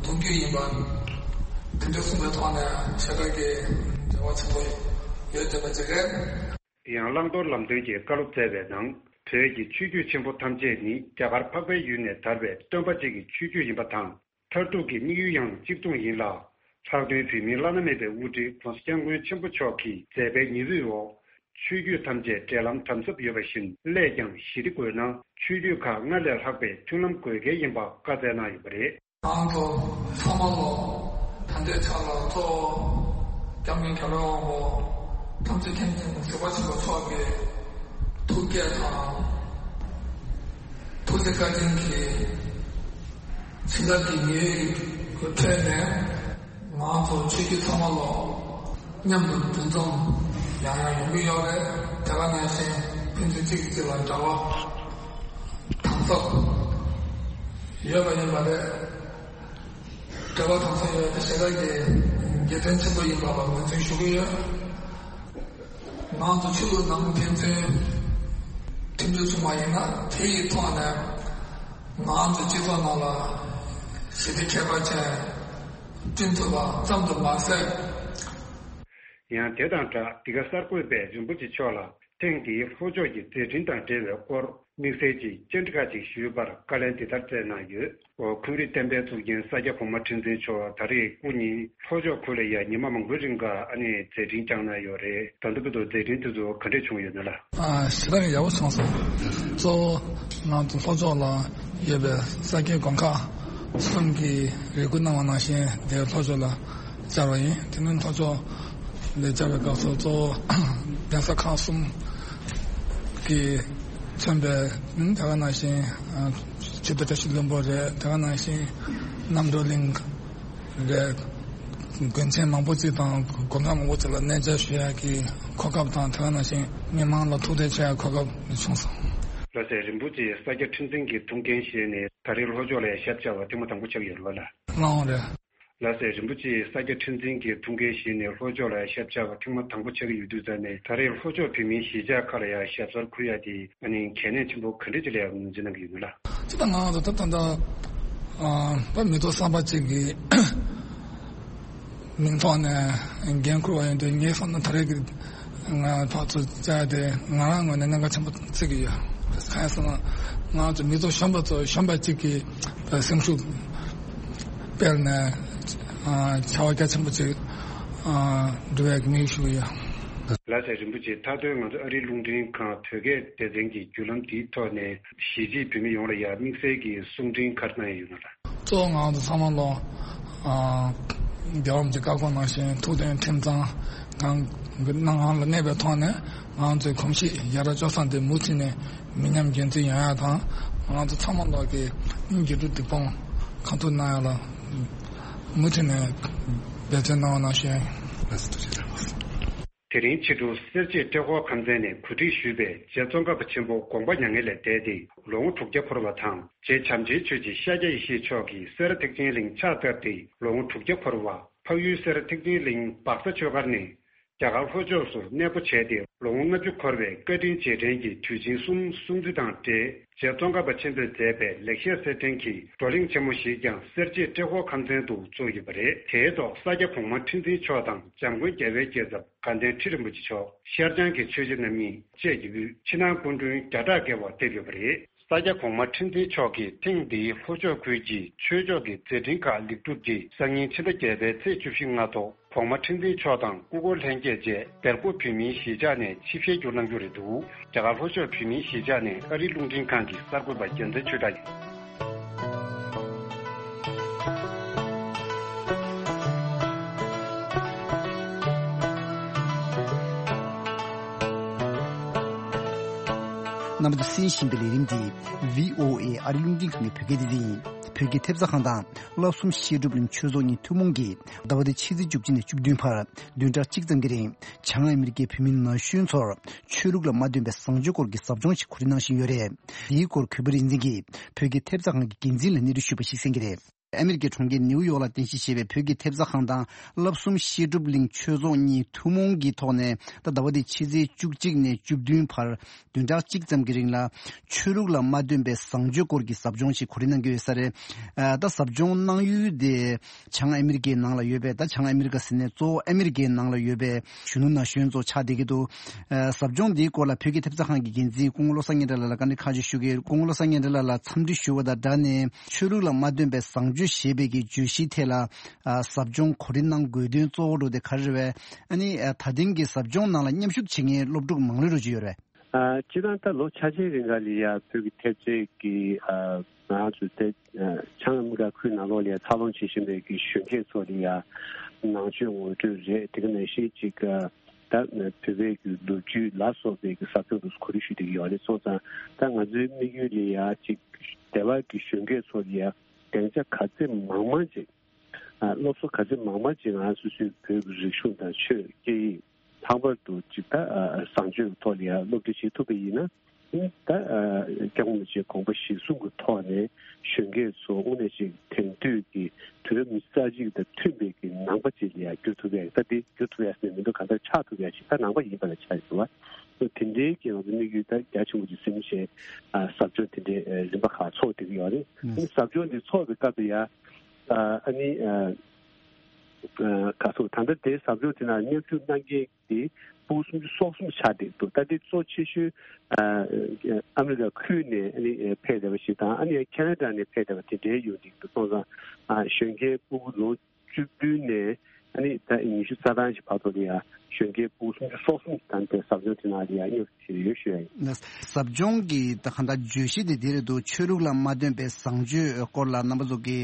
གདུང་རྒྱུད་ཡིན་པ་དེ་འདྲ་གསུངས་པའི་ཐོག་ནས་ཆེ་ཁག་གི་འབྲེལ་བ་ཆེན་པོ་ཡོད་བསྡད་པ་ཅིག་རེད། དེ་ཡང་བླང་དོར་ལམ་སྟོན་གྱི་བཀའ་སློབ་སྩལ་བའི་ནང་བོད་ཀྱི་ཆོས་བརྒྱུད་ཆེན་པོ་ཐམས་ཅད་ནི་རྒྱ་གར་འཕགས་པའི་ཡུལ་ནས་དར་བའི་སྟོན་པ་གཅིག་གི་ཆོས་བརྒྱུད་ཡིན་པ་དང་། མཐར་ཐུག་གི་དམིགས་ཡུལ་ཡང་གཅིག་མཚུངས་ཡིན་ལ། ལྷག་དོན་བོད་མིའི་བླ་ན་མེད་པའི་དབུ་ཁྲིད་༸གོང་ས་༸སྐྱབས་མགོན་ཆེན་པོ་མཆོག་གིས་མཛད་པའི་ཉི་འོད་འོག་ཆོས་བརྒྱུད་ཐམས་ཅད་འབྲེལ་ལམ་དམ་ཟབ་ཡོད་པ་བཞིན་སླད་ཀྱང་ཞི་བདེ་དགོས་ན་ཆོས་བརྒྱུད་ཁག་སྔར་ལས་ལྷག་པའི་མཐུན་ལམ་དགོས་གལ་ཡིན་པ་བཀའ་སྩལ་གནང་ཡོད་པ་རེད། ང་ཚོ་ཚང་མ་ལོ་ད་ལྟའི་ཆ་ལ་གཙོ་བོ་སྐྱབས་མགོན་རྒྱལ་བའི་དབང་པོ་ཐམས་ཅད་མཁྱེན་ཅིང་གཟིགས་པ་ཆེན་པོ་མཆོག་གི་ཐུགས་བསྐྱེད་དང་། ཐུགས་རྗེ་བཀའ་དྲིན་གྱིས་ཕྱི་ལོགས་ཀྱི་ཉེས་ཡོད་ཀྱི་ཁྲོད་ནས་ང་ཚོ་ཆོས་བརྒྱུད་ཚང་མ་ལོ་མཉམ་དུ་འདུ་འཛོམས་ཡང་ཡང་ཡོང་གི་ཡོད་རེད། དེ་ག་ནང་བཞིན་ ཕན་ཚུན་གཅིག་གིས་གཅིག་ལ་འབྲེལ་བ་དམ་ཟབ་ཡོད་པ་ཡིན་པ་རེད། འབྲེལ་བ་དམ་ཟབ་ཡོད་པ་དེ་ཞེ་དྲག་གི་དགེ་མཚན་ཆེན་པོ་ཡིན་པ་ལ་ངོས་འཛིན་ཞུ་གི་ཡོད། ང་ཚོ་ཆོས་ལུགས་ནང་ཕན་ཚུན་མཐུན་སྒྲིལ་བྱུང་བ་ཡིན་ན། དེ་ཡི་ཐོག་ནས་ང་ཚོ་སྤྱི་ཚོགས་ནང་ལ་ཞི་བདེ་ཁྱད་པར་ཅན་བསྐྲུན་ཐུབ་པ་ཙམ་དུ་མ་ཟད། ཡང་དེ་དང་སྦྲགས། འདི་ག་གསར་འགོད་པས་རིན་པོ་ཆེ་མཆོག་ལ་ཐེངས་འདིའི་ལྷོ་ཕྱོགས་ཀྱི་མཛད་འཕྲིན་དང་འབྲེལ་བའི་སྐོར་དམིགས་བསལ་གྱི་བཅར་འདྲི་ཁག་ཅིག་ཞུས་པར་བཀའ་ལན་འདི་ལྟར་སྩལ་གནང་ཡོད། འཁོན་རིགས་བསྟན་པའི་གཙུག་རྒྱན་ས་སྐྱ་གོང་མ་ཁྲི་འཛིན་མཆོག་ད་རེས་སྐུ་ཉིད་ལྷོ་ཕྱོགས་ཁུལ་ལ་ཡང་ཉི་མ་མང་པོའི་རིང་ག་ཨ་ནི་མཛད་འཕྲིན་བསྐྱངས་གནང་ཡོད་རེད། ད་ལྟ་བར་དུ་མཛད་འཕྲིན་དེ་ཚོ་ག་འདྲས་བྱུང་ཡོད་ན་ལགས། ཨ། ཞེ་དྲག་ཡག་པོ་བྱུང་སོང་། གཙོ་བོ་ང་ཚོ་ལྷོ་ཕྱོགས་ལ་ཡོད་པའི་ས་སྐྱའི་དགོན་ཁག་གསུམ་གྱིས་རེ་སྐུལ་གནང་བ་ནང་བཞིན་དེ་ལྷོ་ཕྱོགས་ལ་བཅར་བ་ཡིན། དེ་ནས་ལྷོ་ཕྱོགས་ལ་བཅར་བའི་སྐབས་སུ་གཙོ་བོ་གདན་ས་ཁག་གསུམ་གྱིས་མཚོན་པའི། ཨ། དེ་ག་ནང་བཞིན། ཨ། ཆོས་རྗེ་བཀྲ་ཤིས་ལྷུན་པོ་རེད། དེ་ག་ནང་བཞིན་རྣམ་གྲོལ་གླིང་རེད། དགོན་ཆེན་མང་པོ་ཅིག་དང་དགོན་ཁག་མང་པོ་ཅིག་ལ་གནས་མཇལ་ཞུ་ཡག་གི་གོ་སྐབས་དང་། དེ་ག་ནང་བཞིན་མི་མང་ལ་ཐུག་འཕྲད་བྱེད་ཡག་གོ་སྐབས་བྱུང་སོང་། ལགས་སེ། རིན་པོ་ཆེ་ས་སྐྱ་ཁྲི་འཛིན་གྱི་ཐུགས་འགན་བཞེས་ནས་ད་རེས་ལྷོ་ཕྱོགས་ལ་ཡང་ཞབས་བཅར་བ་ཐེངས་མ་དང་པོ་ཆགས་ཡོད་རེད་པ་ལགས། ལགས་འོང་རེད། ལགས་སེ། རིན་པོ་ཆེ་ས་སྐྱ་ཁྲི་འཛིན་གྱི་ཐུགས་འགན་བཞེས་ནས་ལྷོ་ཕྱོགས་ལ་ཡང་ཞབས་བཅར་བ་ཐེངས་མ་དང་པོ་ཆགས་ཀྱི་ཡོད་དུས་ཙང་ནས། ད་རེས་ལྷོ་ཕྱོགས་བོད་མིའི་གཞིས་ཆགས་ཁག་ལ་ཡང་ཞབས་སོར་འཁོད་ཡག་དེ་ཨ་ནི་གལ་གནད་ཆེན་པོ་ག་འདྲ་ཅིག་ལ་ཡང་ངོས་འཛིན་གནང་གི་ཡོད་ན་ལགས། སྤྱིར་བཏང་ང་ཚོ་ད་ད་ལྟ། ཨ། ད་མི་ཐོག་གསར་པ་ཅིག་གི་མིང་ཐོག་ནས་འགན་འཁུར་བ་ཡིན་དུས། ངའི་བསམ་ན་ད་རེས་ཀྱི་ང་ཕར་ཚུར་བཅར་དེ་ང་རང་ངོས་ནས་གནད་འགག་ཆེན་པོ་བརྩི་གི་ཡོད། གང་ཡིན་ཟེར་ན། ང་ཚོ་མི་ཐོག་གཞོན་པ་ཚོ་གཞོན་པ་གཅིག་གིས་སེམས་ཤུགས་སྤེལ་ནས། ཨ། བྱ་བ་རྒྱ་ཆེན་པོ་ཅིག་ཨ། འགྲུབ་ཡག་གི་དམིགས་ཡུལ་ཞུ་གི་ཡོད། ལགས་སེ། རིན་པོ་ཆེ། མཐའ་དོན་ང་ཚོ་ཨ་རིའི་རླུང་འཕྲིན་ཁང་བོད་སྐད་སྡེ་ཚན་གྱི་བརྒྱུད་ལམ་འདིའི་ཐོག་ནས་གཞིས་བྱེས་བོད་མི་ཡོངས་ལ་ཡང་དམིགས་བསལ་གྱི་གསུང་འཕྲིན་ག་རེ་གནང་ཡས་ཡོད་ན་ལགས། གཙོ་བོ་ང་ཚོ་ཚང་མ་ལོ། ཨ། རྒྱལ་བ་རིན་པོ་ཆེའི་བཀའ་དགོངས་ནང་བཞིན་ཐུགས་དོན་ཁྲིམས་གཙང་ངང་གི་སྣང་ངང་ལ་གནས་པའི་ཐོག་ནས། ང་ཚོའི་གོམས་གཤིས་ཡ་རབས་སྤྱོད་བཟང་དེ་མུ་མཐུད་ནས་མི་ཉམས་རྒྱུན་འཛིན་ཡོང་ཡག་དང་། ང་ཚོ་ཚང་མ་ལོ་གི་དགེ་ཕྲུག་སྒྲིག་སྤོང་གང་ཐུབ་གནང་ཡག་ལ་མུ་མཐུད་ནས་འབད་བརྩོན་གནང་བ་ནང་བཞིན། ལགས་སོ། ཐུགས་རྗེ་ཆེ། དེ་རིང་ཕྱི་དྲོ་སེར་བྱེས་ཏྲེ་ཧོར་ཁམས་ཚན་ནས་གོ་སྒྲིག་ཞུས་པའི་རྗེ་ཙོང་ཁ་པ་ཆེན་པོ་དགོངས་པ་མྱ་ངན་ལས་འདས་ཏེ་ལོ་ངོ་དྲུག་བརྒྱ་འཁོར་བ་དང་། རྗེ་བྱམས་ཆེན་ཆོས་ཀྱི་ཤཱཀྱ་ཡེ་ཤེས་མཆོག་གིས་སེ་ར་ཐེག་ཆེན་གླིང་ཕྱག་བཏབ་སྟེ་ལོ་ངོ་དྲུག་བརྒྱ་འཁོར་བ། འཕགས་ཡུལ་སེ་ར་ཐེག་ཆེན་གླིང་སྦག་ས་ཆོས་སྒར་ནས་རྒྱ་གར་ལྷོ་ཕྱོགས་སུ་གནས་སྤོ་བྱས་ཏེ་ལོ་ངོ་ལྔ་བཅུ་འཁོར་བའི་བཀའ་དྲིན་རྗེས་དྲན་གྱི་དུས་ཆེན་གསུམ་སྲུང་བརྩི་དང་འབྲེལ། རྗེ་ཙོང་ཁ་པ་ཆེན་པོས་མཛད་པའི་ལེགས་བཤད་གསེར་ཕྲེང་གི་བགྲོ་གླེང་ཆེན་མོ་ཞིག་ཀྱང་སེར་བྱེས་ཏྲེ་ཧོར་ཁམས་ཚན་དུ་བཙུགས་ཡོད་པ་རེད། དེའི་ཐོག་ས་སྐྱ་གོང་མ་ཁྲི་འཛིན་མཆོག་དང་། འཇམ་མགོན་རྒྱལ་བའི་སྐྱེས་ཚབ་དགའ་ལྡན་ཁྲི་རིན་པོ་ཆེ་མཆོག་ཤར་བྱང་གི་ཆོས་རྗེ་རྣམ་གཉིས་བཅས་ཀྱི་དབུས་ཕྱི་ནང་སྐུ་མགྲོན་བརྒྱ་ཕྲག་བརྒལ་བ་ཕེབས་ཡོད་པ་རེད། ས་སྐྱ་གོང་མ་ཁྲི་འཛིན་མཆོག་གིས་ཐེངས་འདིའི་ལྷོ་ཕྱོགས་ཁུལ་གྱི་ཆོས་ཕྱོགས་ཀྱི་མཛད་འཕྲིན་ཁག་ལེགས་གྲུབ་ཀྱིས། སང་ཉིན་ཕྱི་ཟླ་བརྒྱད་པའི་ཚེས་བཅུ་བཞི་སྔ་དྲོ་གོང་མ་ཁྲི་འཛིན་མཆོག་དང་སྐུ་འཁོར་ལྷན་རྒྱས་བཅས་སྦེལ་ཀོབ་བོད་མིའི་གཞིས་ཆགས་ནས་ཆིབས་ཞལ་བསྒྱུར་གནང་རྒྱུ་རེད་འདུག་རྒྱ་གར་ལྷོ་ཕྱོགས་བོད་མིའི་གཞིས་ཆགས་ནས་ཨ་རིའི་རླུང་འཕྲིན་ཁང་གི་གསར་འགོད་པ་རྒྱལ་མཚན་ཆོས་གྲགས་ཡིན། རྣམ་པ་ཚོས་གསན་བཞིན་པའི་ལས་རིམ་འདི་བྷི་ཨོ་ཨེ་ཨ་རིའི་རླུང་འཕྲིན་ཁང་གི་བོད་སྐད་སྡེ་ཚན་ཡིན། བོད་ཀྱི་ཐེབས་རྩ་ཁང་དང་བསླབ་གསུམ་བཤད་སྒྲུབ་གླིང་ཆོས་ཚོགས་གཉིས་ཐུན་མོང་གིས་ཟླ་བ་འདིའི་ཕྱི་ཚེས་བཅུ་གཅིག་ནས་བཅུ་བདུན་བར་བདུན་ཕྲག་གཅིག་ཙམ་གྱི་རིང་བྱང་ཨ་མི་རི་ཀའི་བོད་མི་ན་གཞོན་ཚོར་ཆོས་ལུགས་ལ་མ་འདུན་པའི་བཟང་སྤྱོད་སྐོར་གྱི་ཟབ་སྦྱོང་ཞིག་གོ་སྒྲིག་གནང་བཞིན་ཡོད་རེད། འདིའི་སྐོར་གུས་པ་རིག་འཛིན་གྱིས་བོད་ཀྱི་ཐེབས་རྩ་ཁང་གི་འགན་འཛིན་ལ་གནས་ཚུལ་ཞུས་པ་ཞིག་གསན་གྱི་རེད། ཨ་མི་རི་ཀའི་གྲོང་ཁྱེར་ནིའུ་ཡོག་ལ་རྟེན་གཞི་བྱས་པའི་བོད་ཀྱི་ཐེབས་རྩ་ཁང་དང་བསླབ་གསུམ་བཤད་སྒྲུབ་གླིང་ཆོས་ཚོགས་གཉིས་ཐུན་མོང་གི་ཐོག་ནས། ད་ཟླ་བ་འདིའི་ཕྱི་ཚེས་བཅུ་གཅིག་ནས་བཅུ་བདུན་བར་བདུན་ཕྲག་གཅིག་ཙམ་གྱི་རིང་ལ་ཆོས་ལུགས་ལ་མ་འདུན་པའི་བཟང་སྤྱོད་སྐོར་གྱི་ཟབ་སྦྱོང་ཞིག་གོ་སྒྲིག་གནང་གི་ཡོད་ས་རེད། ཨ། ད་ཟབ་སྦྱོང་གནང་ཡུལ་དེ་བྱང་ཨ་མི་རི་ཀའི་ནང་ལ་ཡོད་པའི། ད་བྱང་ཨ་མི་རི་ཀ་ཟེར་ནས་གཙོ་བོ་ཨ་མི་རི་ཀའི་ནང་ལ་ཡོད་པའི་གཞོན་ནུ་ན་གཞོན་ཚོ་ཆགས་བསྡད་ཀྱི་འདུག་ཨ། ཟབ་སྦྱོང་འདིའི་སྐོར་ལ་བོད་ཀྱི་ཐེབས་རྩ་ཁང་གི་འགན་འཛིན་སྐུ་ངོ་བློ་བཟང་སྙན་གྲགས་ལགས་ལ་བཀའ་འདྲི་ཁག་ཅིག་ཞུ་གི་ཡོད། སྐུ་ངོ་བློ་བཟང་སྙན་གྲགས་ལགས་ལ་འཚམས་འདྲི་ཞུ་བ་དང་སྦྲགས་ནས། ཆོས་ལུགས་ལ་མ་འདུན་པའི་བཟང་སྤྱོད་ཞེས་པའི་གི་བརྗོད་གཞིའི་ཐད་ལ། ཨ། ཟབ་སྦྱོང་གོ་སྒྲིག་གནང་དགོས་དོན་གཙོ་བོ་འདྲ་བོ་དེ་ག་རེ་རེད་པས། ཨ་ནི། ཨ། ད་ཐེངས་ཀྱི་ཟབ་སྦྱོང་ནང་ལ་མཉམ་ཞུགས་བྱེད་མཁན་སློབ་ཕྲུག་མང་ལོས་འདྲ་བོ་ཅིག་ཡོད་རེད། ཨ། སྤྱིར་བཏང་ད་ལོ་ཆ་ཆེན་རིང་ག་ལ་ཡ་བོད་ཀྱི་ཐེབས་རྩའི་གི། ཨ། ང་ཚོ་དེ། ཨ། བྱང་ཨ་མི་རི་ཀ་ཁུལ་ནང་ལོགས་ལ་ཡ་འཚར་ལོངས་བྱེད་བཞིན་པའི་གི་གཞོན་སྐྱེས་ཚོ་ལ་ཡ་ནང་ཆོས་ངོ་སྤྲོད་རེད། དེ་ག་ནང་བཞིན་ཅིག། ཨ། ད་བོད་པའི་གི་ལོ་རྒྱུས་ལ་སོགས་པའི་གི་ཟབ་སྦྱོང་དུ་གོ་སྒྲིག་ཞུས་བསྡད་ཀྱི་ཡོད་རེད། སོང་ཙང་ད་ང་ཚོའི་དམིགས་ཡུལ་ལ་ཡ་ཅིག་སྡེ་བ་གི་གཞོན་སྐྱེས་ཚོ་ལ་ཡ་སྡིངས་ཆ་ག་ཚད་མང་མང་ཅིག། ཨ། སློབ་གསོ་ག་ཚད་མང་མང་ཅིག་ང་སོ་སོའི་བོད་ཀྱི་རིག་གཞུང་དང་ཆོས་སྐད་ཡིག་ལྷག་པར་དུ་ཅིག་ད་བཟང་སྤྱོད་ཐོག་ལ་ཡང་སློབ་ཁྲིད་བྱེད་ཐུབ་པ་ཡིན་ན། ད་སྐྱབས་མགོན་རིན་པོ་ཆེའི་དགོངས་པ་གཞིར་བཟུང་གི་ཐོག་ནས་གཞོན་སྐྱེས་ཚོ་དངོས་གནས་ཅིག་དེང་དུས་ཀྱི་དུས་རབས་ཉི་ཤུ་རྩ་གཅིག་དང་མཐུན་པའི་གི་ནང་པ་ཅིག་ལ་ཡང་འགྱུར་ཐུབ་ཡ། ད་འདི་འགྱུར་ཐུབ་ཡ་ཟེར་ནས་མི་འདུག་གང་ལྟར་ཆགས་ཐུབ་ཡ་ཅིག་ད་ནང་པ་ཡིན་པ་ལ་ཆགས་ཡོད་པ། དེ་འདྲའི་གི་ང་ཚོ་དམིགས་ཡུལ་ད་རྒྱ་ཆེན་པོ་ཅིག་ཟིན་བྱས་ཟབ་སྦྱོང་དེ་འདྲའི་རིམ་པ་ཁག་ཚོགས་བསྡད་ཀྱི་ཡོད་རེད། ཨ་ནི་ཟབ་སྦྱོང་འདི་ཚོགས་པའི་སྐབས་དུ་ཡ་ཨ་ནི་ག་སོ་ད་ལྟ་དེ་ཟབ་སྦྱོང་དེ་ནང་མཉམ་ཞུགས་གནང་མཁན་དེ་ཕྲུ་གུ་སུམ་ཅུ་སོ་གསུམ་ཆགས་བསྡད་འདུག་ད་དེ་གཙོ་ཆེ་ཤོས་ཨ་མི་རི་ཀ་ཁུལ་ནས་ཨ་ནི་ཕེབས་བསྡད་པ་ཞིག་དང་། ཨ་ནི་ཁེ་ན་ཌ་ནས་ཕེབས་བསྡད་པ་དེ་འདྲའི་ཡོད་འདུག་སོང་ཙང་གཞོན་སྐྱེས་ཕྲུ་གུ་ལོ་བཅུ་བདུན་ནས་ཨ་ནི་ད་ཉི་ཤུ་རྩ་གྲངས་ཤིག་བར་དུ་ལ་ཡ་གཞོན་སྐྱེས་ཕྲུ་གུ་སུམ་ཅུ་སོ་གསུམ་དང་དེ་ཟབ་སྦྱོང་དེ་ནང་ལ་ཡ་མཉམ་ཞུགས་བྱས་ཡོད་ཞུ་ཡ་ཡིན། ཟབ་སྦྱོང་གི་ད་གང་ལྟར་བརྗོད་གཞི་དེ་དེ་རེད་འདུག་ཆོས་ལུགས་ལ་མ་བརྟེན་པའི་བཟང་སྤྱོད་སྐོར་ལ་རྣམ་པ་ཚོ་གི་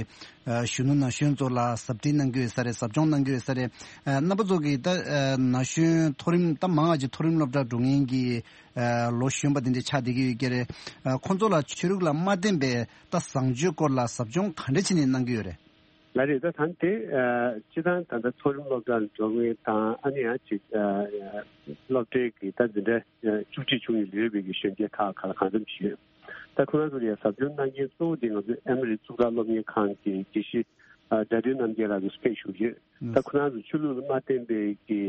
གཞོན་ནུ་ན་གཞོན་ཚོ་ལ་ཟབ་ཁྲིད་གནང་གི་ཡོད་ས་རེད། ཟབ་སྦྱོང་གནང་གི་ཡོད་ས་རེད། རྣམ་པ་ཚོ་གི་ད་ན་གཞོན་མཐོ་རིམ་ད་མང་ང་ཅིག་མཐོ་རིམ་སློབ་གྲྭ་འགྲོ་མཁན་གྱི་ལོ་གཞོན་པ་དེ་འདྲ་ཆགས་བསྡད་ཀྱི་ཡོད་ཀྱི་རེད། ཁོང་ཚོ་ལ་ཆོས་ལུགས་ལ་མ་བརྟེན་པའི་ད་བཟང་སྤྱོད་སྐོར་ལ་ཟབ་སྦྱོང་ག་འདྲ་བྱས་ནས་གནང་གི་ཡོད་རེད། ལགས་རེད། ད་ད་དེ་སྤྱི་བཏང་ད་ལྟ་མཐོ་རིམ་སློབ་གྲྭར་འགྲོ་མཁན་དང་ཨ་ནི་ཡང་ཅིག་སློབ་གྲྭའི་གི་ད་འཛིན་གྲྭ་བཅུ་གཅིག་བཅུ་གཉིས་ལོན་པའི་གི་གཞོན་སྐྱེས་ཁག་ག་ལ་གང་འཚམ་ཞིག་ཡོད། ད་ཁོ་རང་ཚོ་ལ་ཡང་ཟབ་སྦྱོང་གནང་མཁན་གཙོ་བོ་དེ་ང་ཚོའི་ཨ་མི་རི་གཙུག་ལག་སློབ་གཉེར་ཁང་གི་དགེ་བཤེས་དགྲ་འདུལ་རྣམ་རྒྱལ་ལགས་ཀྱིས་ཕེབས་བཞུགས་ཡོད། ད་ཁོ་རང་ཚོ་ཆོས་ལུགས་ལ་མ་བརྟེན་པའི་གི་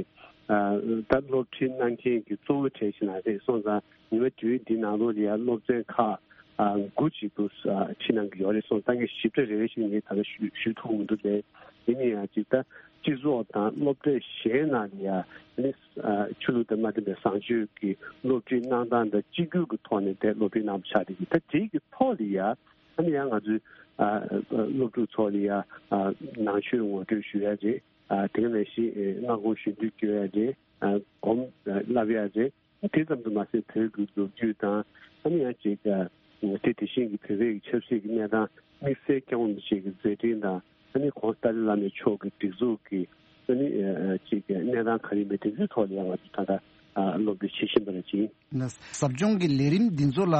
ད་སློབ་ཁྲིད་གནང་མཁན་གྱི་གཙོ་བོ་གྲས་ཤིག་ན་རེད། སོང་ཙང་ཉི་མ་དུས་འདི་ནང་ལོགས་ལ་ཡང་སློབ་ཚན་ཁག་དགུ་ཅིག་ཏུ་ཁྲིད་གནང་གི་ཡོད་རེད། སོང་ཙང་ངས་ཞིབ་ཕྲ་རེ་རེ་བཞིན་ངས་ད་ལྟ་ཞུ་ཞུ་ཐུབ་མི་འདུག་པས། ཡིན་ན་ཡང་ཅིག་ད་སྤྱི་ཚོགས་དང་སློབ་གྲྭ་གཞན་ནང་ལ་ཡང་ནི་ཆོས་ལུགས་དང་མ་མཐུན་པའི་བཟང་སྤྱོད་ཀྱི་སློབ་ཁྲིད་གནང་སྟངས་དང་གཅིག་གྱུར་གྱི་ཐོག་ནས་དེ་སློབ་ཁྲིད་གནང་བ་ཆགས་བསྡད་ཀྱི། ད་དེའི་གི་ཐོག་ལ་ཡང་ཨ་ནི་ཡང་ང་ཚོའི་སློབ་ཕྲུག་ཚོ་ལ་ཡང་ནང་ཆོས་ངོ་སྤྲོད་ཞུ་ཡ་རེད། དེ་ག་ནང་བཞིན་སྔ་དགོང་གཞོན་དུས་སྐྱོད་ཡ་རེད། སྒོམ་བསླབ་ཡ་རེད། དེ་ཙམ་དུ་མ་ཟད་བོད་ཀྱི་ལོ་རྒྱུས་དང་ཨ་ནི་ཡང་ཅིག་དེ་དེ་བཞིན་གྱི་བོད་པའི་ཆབ་སྲིད་ཀྱི་གནས་སྟངས་དམིགས་བསལ་སྐྱབས་མགོན་རིན་པོ་ཆེ་གི་མཛད་འཕྲིན་དང་ཨ་ནི་ཁོང་ཏཱ་ལའི་བླ་མ་མཆོག་གི་སྒྲིག་འཛུགས་ཀྱི་ཨ་ནི་ཅིག་གནས་སྟངས་ག་རེ་མེད་དེ་ཚོའི་ཐོག་ལ་ཡང་ང་ཚོ་ད་ལྟ་སློབ་ཁྲིད་བྱེད་བཞིན་པ་རེད་ཅིང་། ཟབ་སྦྱོང་གི་ལས་རིམ་འདི་ཚོ་ལ་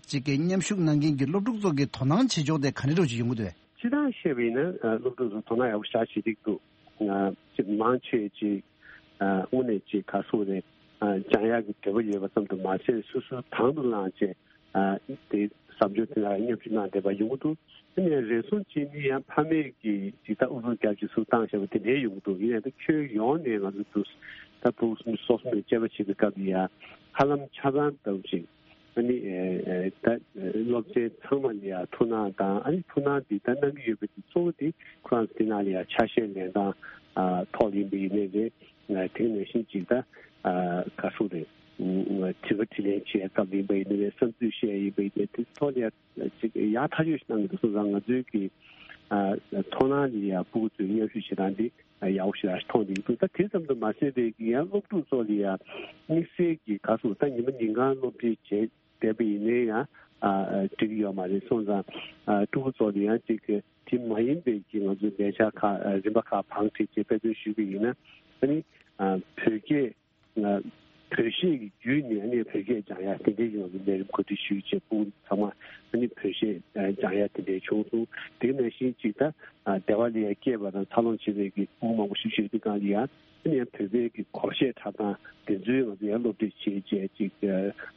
ཅིག་གི་མཉམ་ཞུགས་གནང་མཁན་གྱི་སློབ་ཕྲུག་ཚོ་གི་དོ་སྣང་བྱེད་ཕྱོགས་དེ་ག་འདྲ་འདྲ་ཅིག་ཡོང་གི་འདུག་གས། སྤྱིར་བཏང་བཤད་པ་ཡིན་ན་སློབ་ཕྲུག་ཚོ་དོ་སྣང་ཡག་པོ་ཞེ་དྲག་བྱེད་ཀྱི་འདུག་ཅིག་མང་ཆེ་ཅིག་དངོས་གནས་ཅིག་ག་ཚོད་རེད། སྦྱང་ཡག་གི་འདོད་པ་ཡོད་པ་ཙམ་དུ་མ་ཟད་སོ་སོའི་དང་དུ་བླངས་བྱས་དེ་ཟབ་སྦྱོང་དེ་ལ་མཉམ་ཞུགས་གནང་བསྡད་པ་ཡོང་གི་འདུག་དེ་ནས་རེ་ཟུང་གཅིག་ནི་ཡང་ཕ་མས་ཀྱིས་ཅིག་ད་ཨུ་ཚུགས་རྒྱབ་ཅིག་ཚུགས་བཏང་བྱས་པ་དེ་འདྲའི་ཡོང་གི་འདུག་ཡིན་ནའི་ད་ཁྱོན་ཡོངས་ནས་ང་ཚོ་འདུག་ད་ཕྲུ་གུ་སོ་སོ་ནས་དཔྱད་པ་བྱེད་པའི་སྐབས་ལ་ཡང་ཧ་ལམ་ཆ་ཚང་ལྟ་བུ་ཅིག་ཨ་ནི་ད་སློབ་ཚན་ཚང་མ་ལ་ཡང་ཐུགས་སྣང་དང་ཨ་ནི་ཐུགས་སྣང་འདི་ད་གནང་གི་ཡོད་པ་འདི་གཙོ་བོ་དེ་ཁོ་རང་ཚོ་དེ་ནང་ལ་ཡང་ཆ་ཤས་ལེན་སྟངས་ཐོག་ཡིན་པ་ཡིན་ནའི་རེད། དེ་ནང་བཞིན་ཅིག་ད་ག་སུ་རེད། དྲི་བ་དྲིས་ལན་བྱེད་སྐབས་ཡིན་པ་ཡིན་ནའི་རེད། བསམ་ཚུལ་བཤད་ཡིན་པ་ཡིན་ནའི་དེ་ཐོག་ལ་ཡང་ཅིག་ཡག་ཐག་ཆོད་ཞིག་གནང་གི་འདུག་སོང་ཙང་ང་ཚོའི་གི་ཐོག་ནང་ལ་ཡང་ཕྲུ་གུ་ཚོའི་མཉམ་ཞུགས་བྱེད་སྟངས་འདི་ཡག་པོ་ཞིག་མཐོང་བསྡད་ཀྱི་འདུག་ད་དེ་ཙམ་དུ་མ་ཟད་པའི་ཡང་སློབ་ཕྲུག་ཚོ་ལ་ཡང་དམིགས་བསལ་གྱི་ག་སུ་ད་ཉི་མ་ཉིན་གང་སློབ་ཁྲིད་བྱས་བསྡད་པ་ཡིན་ནའི་ཡང་འགྲིག་གི་ཡོད་མ་རེད། སོང་ཙང་ཕྲུ་གུ་ཚོ་ལ་ཡང་ཅིག་དེ་མ་ཡིན་པའི་གི་ང་ཚོའི་ལས་འཆར་ཁག་རིམ་པ་ཁག་བང་བསྒྲིགས་བྱས་དཔེ་སྟོན་ཞུས་པ་ཡིན་ན་ཨ་ནི་བོད་སྐད་བོད་གཞས་ཀྱི་བརྒྱུད་ནས་ཨ་ནི་བོད་སྐད་སྦྱང་ཡ་དེ་འདྲའི་ཡོང་བའི་ལས་རིམ་གོ་སྒྲིག་ཞུས་བྱས་ཕྲུ་གུ་ཚང་མ་ཨ་ནི་བོད་གཞས་སྦྱང་ཡ་དེ་འདྲའི་བྱུང་སོང་། དེ་ནང་བཞིན་ཅིག་ད་སྡེ་བ་ལ་ཡ་སྐྱེས་པ་དང་འཚར་ལོངས་བྱེད་པའི་གི་ཕྲུ་གུ་མང་པོ་ཞིག་ཡོད་དུས་སྒང་ལ་ཡ་ཨ་ནི་ཡང་བོད་པའི་གི་སྒོར་གཞས་འཁྲབ་སྟངས་དེ་ཚོའི་ང་ཚོ་ཡང་སློབ་ཁྲིད་བྱེད་བྱས་ཅིག་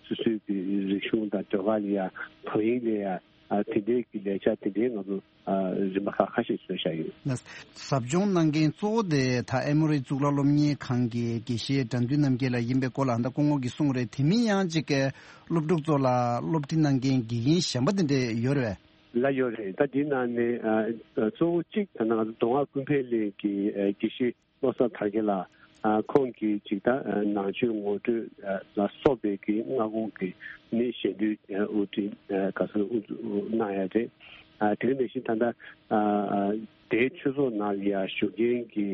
སོ་སོའི་གི་རིག་གཞུང་དང་ཟློས་གར་ལ་ཡ་དོ་དབྱིངས་ལ་ཡ་དེ་འདྲའི་གི་ལས་འཆར་དེ་འདྲའི་ང་ཚོ། རིམ་པ་ཁག་ཁ་ཤས་བཟོས་བཞག་ཡོད། ཟབ་སྦྱོང་གནང་མཁན་གཙོ་བོ་དེ་ད་ཨེ་མོ་རི་གཙུག་ལག་སློབ་གཉེར་ཁང་གི་དགེ་བཤེས་དགྲ་འདུལ་རྣམ་རྒྱལ་ལགས་ཡིན་པའི་སྐོར་ལ་ད་སྐུ་ངོ་གིས་གསུངས་རེད། དེ་མིན་ཡང་ཅིག་གི་སློབ་ཕྲུག་ཚོ་ལ་སློབ་ཁྲིད་གནང་མཁན་དགེ་རྒན་གཞན་པ་དེ་འདྲས་ཡོད་རེད་པས། ལགས་ཡོད་རེད། ད་འདི་ནང་ནས་གཙོ་བོ་གཅིག་ད་ནང་མདོ་སྔགས་ཀུན་ཕན་གླིང་གི་དགེ་བཤེས། བློ་བཟང་དར་རྒྱས་ལགས། ཁོང་གིས་ཅིག་ད་ནང་ཆོས་ངོ་སྤྲོད་ལ་སོགས་པའི་གི་སྔ་དགོང་གི་ནི་ཞལ་འདོན་དབུ་འབྱེད་ག་ཚོད་དབུ་འཛུགས་གནང་ཡ་རེད། དེ་ནང་བཞིན་ད་ལྟ་དེའི་ཆོས་ཚོགས་ནང་ལ་ཡ་བཞུགས་མཁན་གྱི་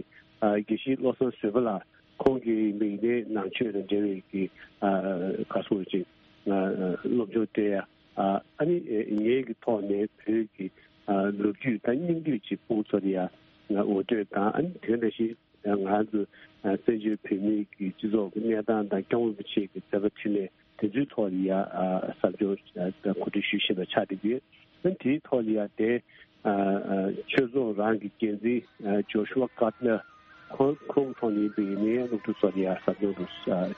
དགེ་བཤེས་བློ་བཟང་བཟོད་པ་ལགས་ཁོང་གིས་མིག་ནས་ནང་ཆོས་དང་འབྲེལ་བའི་གི་ག་ཚོད་ཅིག་སློབ་སྦྱོང་སྤྲད་ཡ། ཨ་ནི་ངེད་ཀྱི་ཐོག་ནས་བོད་ཀྱི་ལོ་རྒྱུས་དང་སྙིང་བསྡུས་ཅིག་ཕྲུ་གུ་ཚོ་ལ་ཡ་ངོ་སྤྲོད་དང་ཨ་ནི་དེ་ནང་བཞིན། ང་ཚོ་བཙན་བྱོལ་བོད་མིའི་གི་སྤྱི་ཚོགས་ཀྱི་གནས་སྟངས་དང་སྐྱབས་མགོན་རིན་པོ་ཆེ་གི་མཛད་པ་འཕྲིན་ལས་དེ་ཚོའི་ཐོག་ལ་ཡ་ཟབ་སྦྱོང་གོ་སྒྲིག་ཞུ་བཞིན་པ་ཆགས་བསྡད་ཡོད། ཨ་ནི་དེའི་ཐོག་ལ་ཡ་དེ་ཆོས་ཚོགས་རང་གི་འགན་འཛིན་ཇོ་ཤུ་ཝ་ཀར་ནར་ ཁོང་ཁོང་ཐོག་ནས་བོད་ཡིག་ནས་སློབ་ཕྲུག་ཚོ་ལ་ཡ་ཟབ་སྦྱོང་དུ་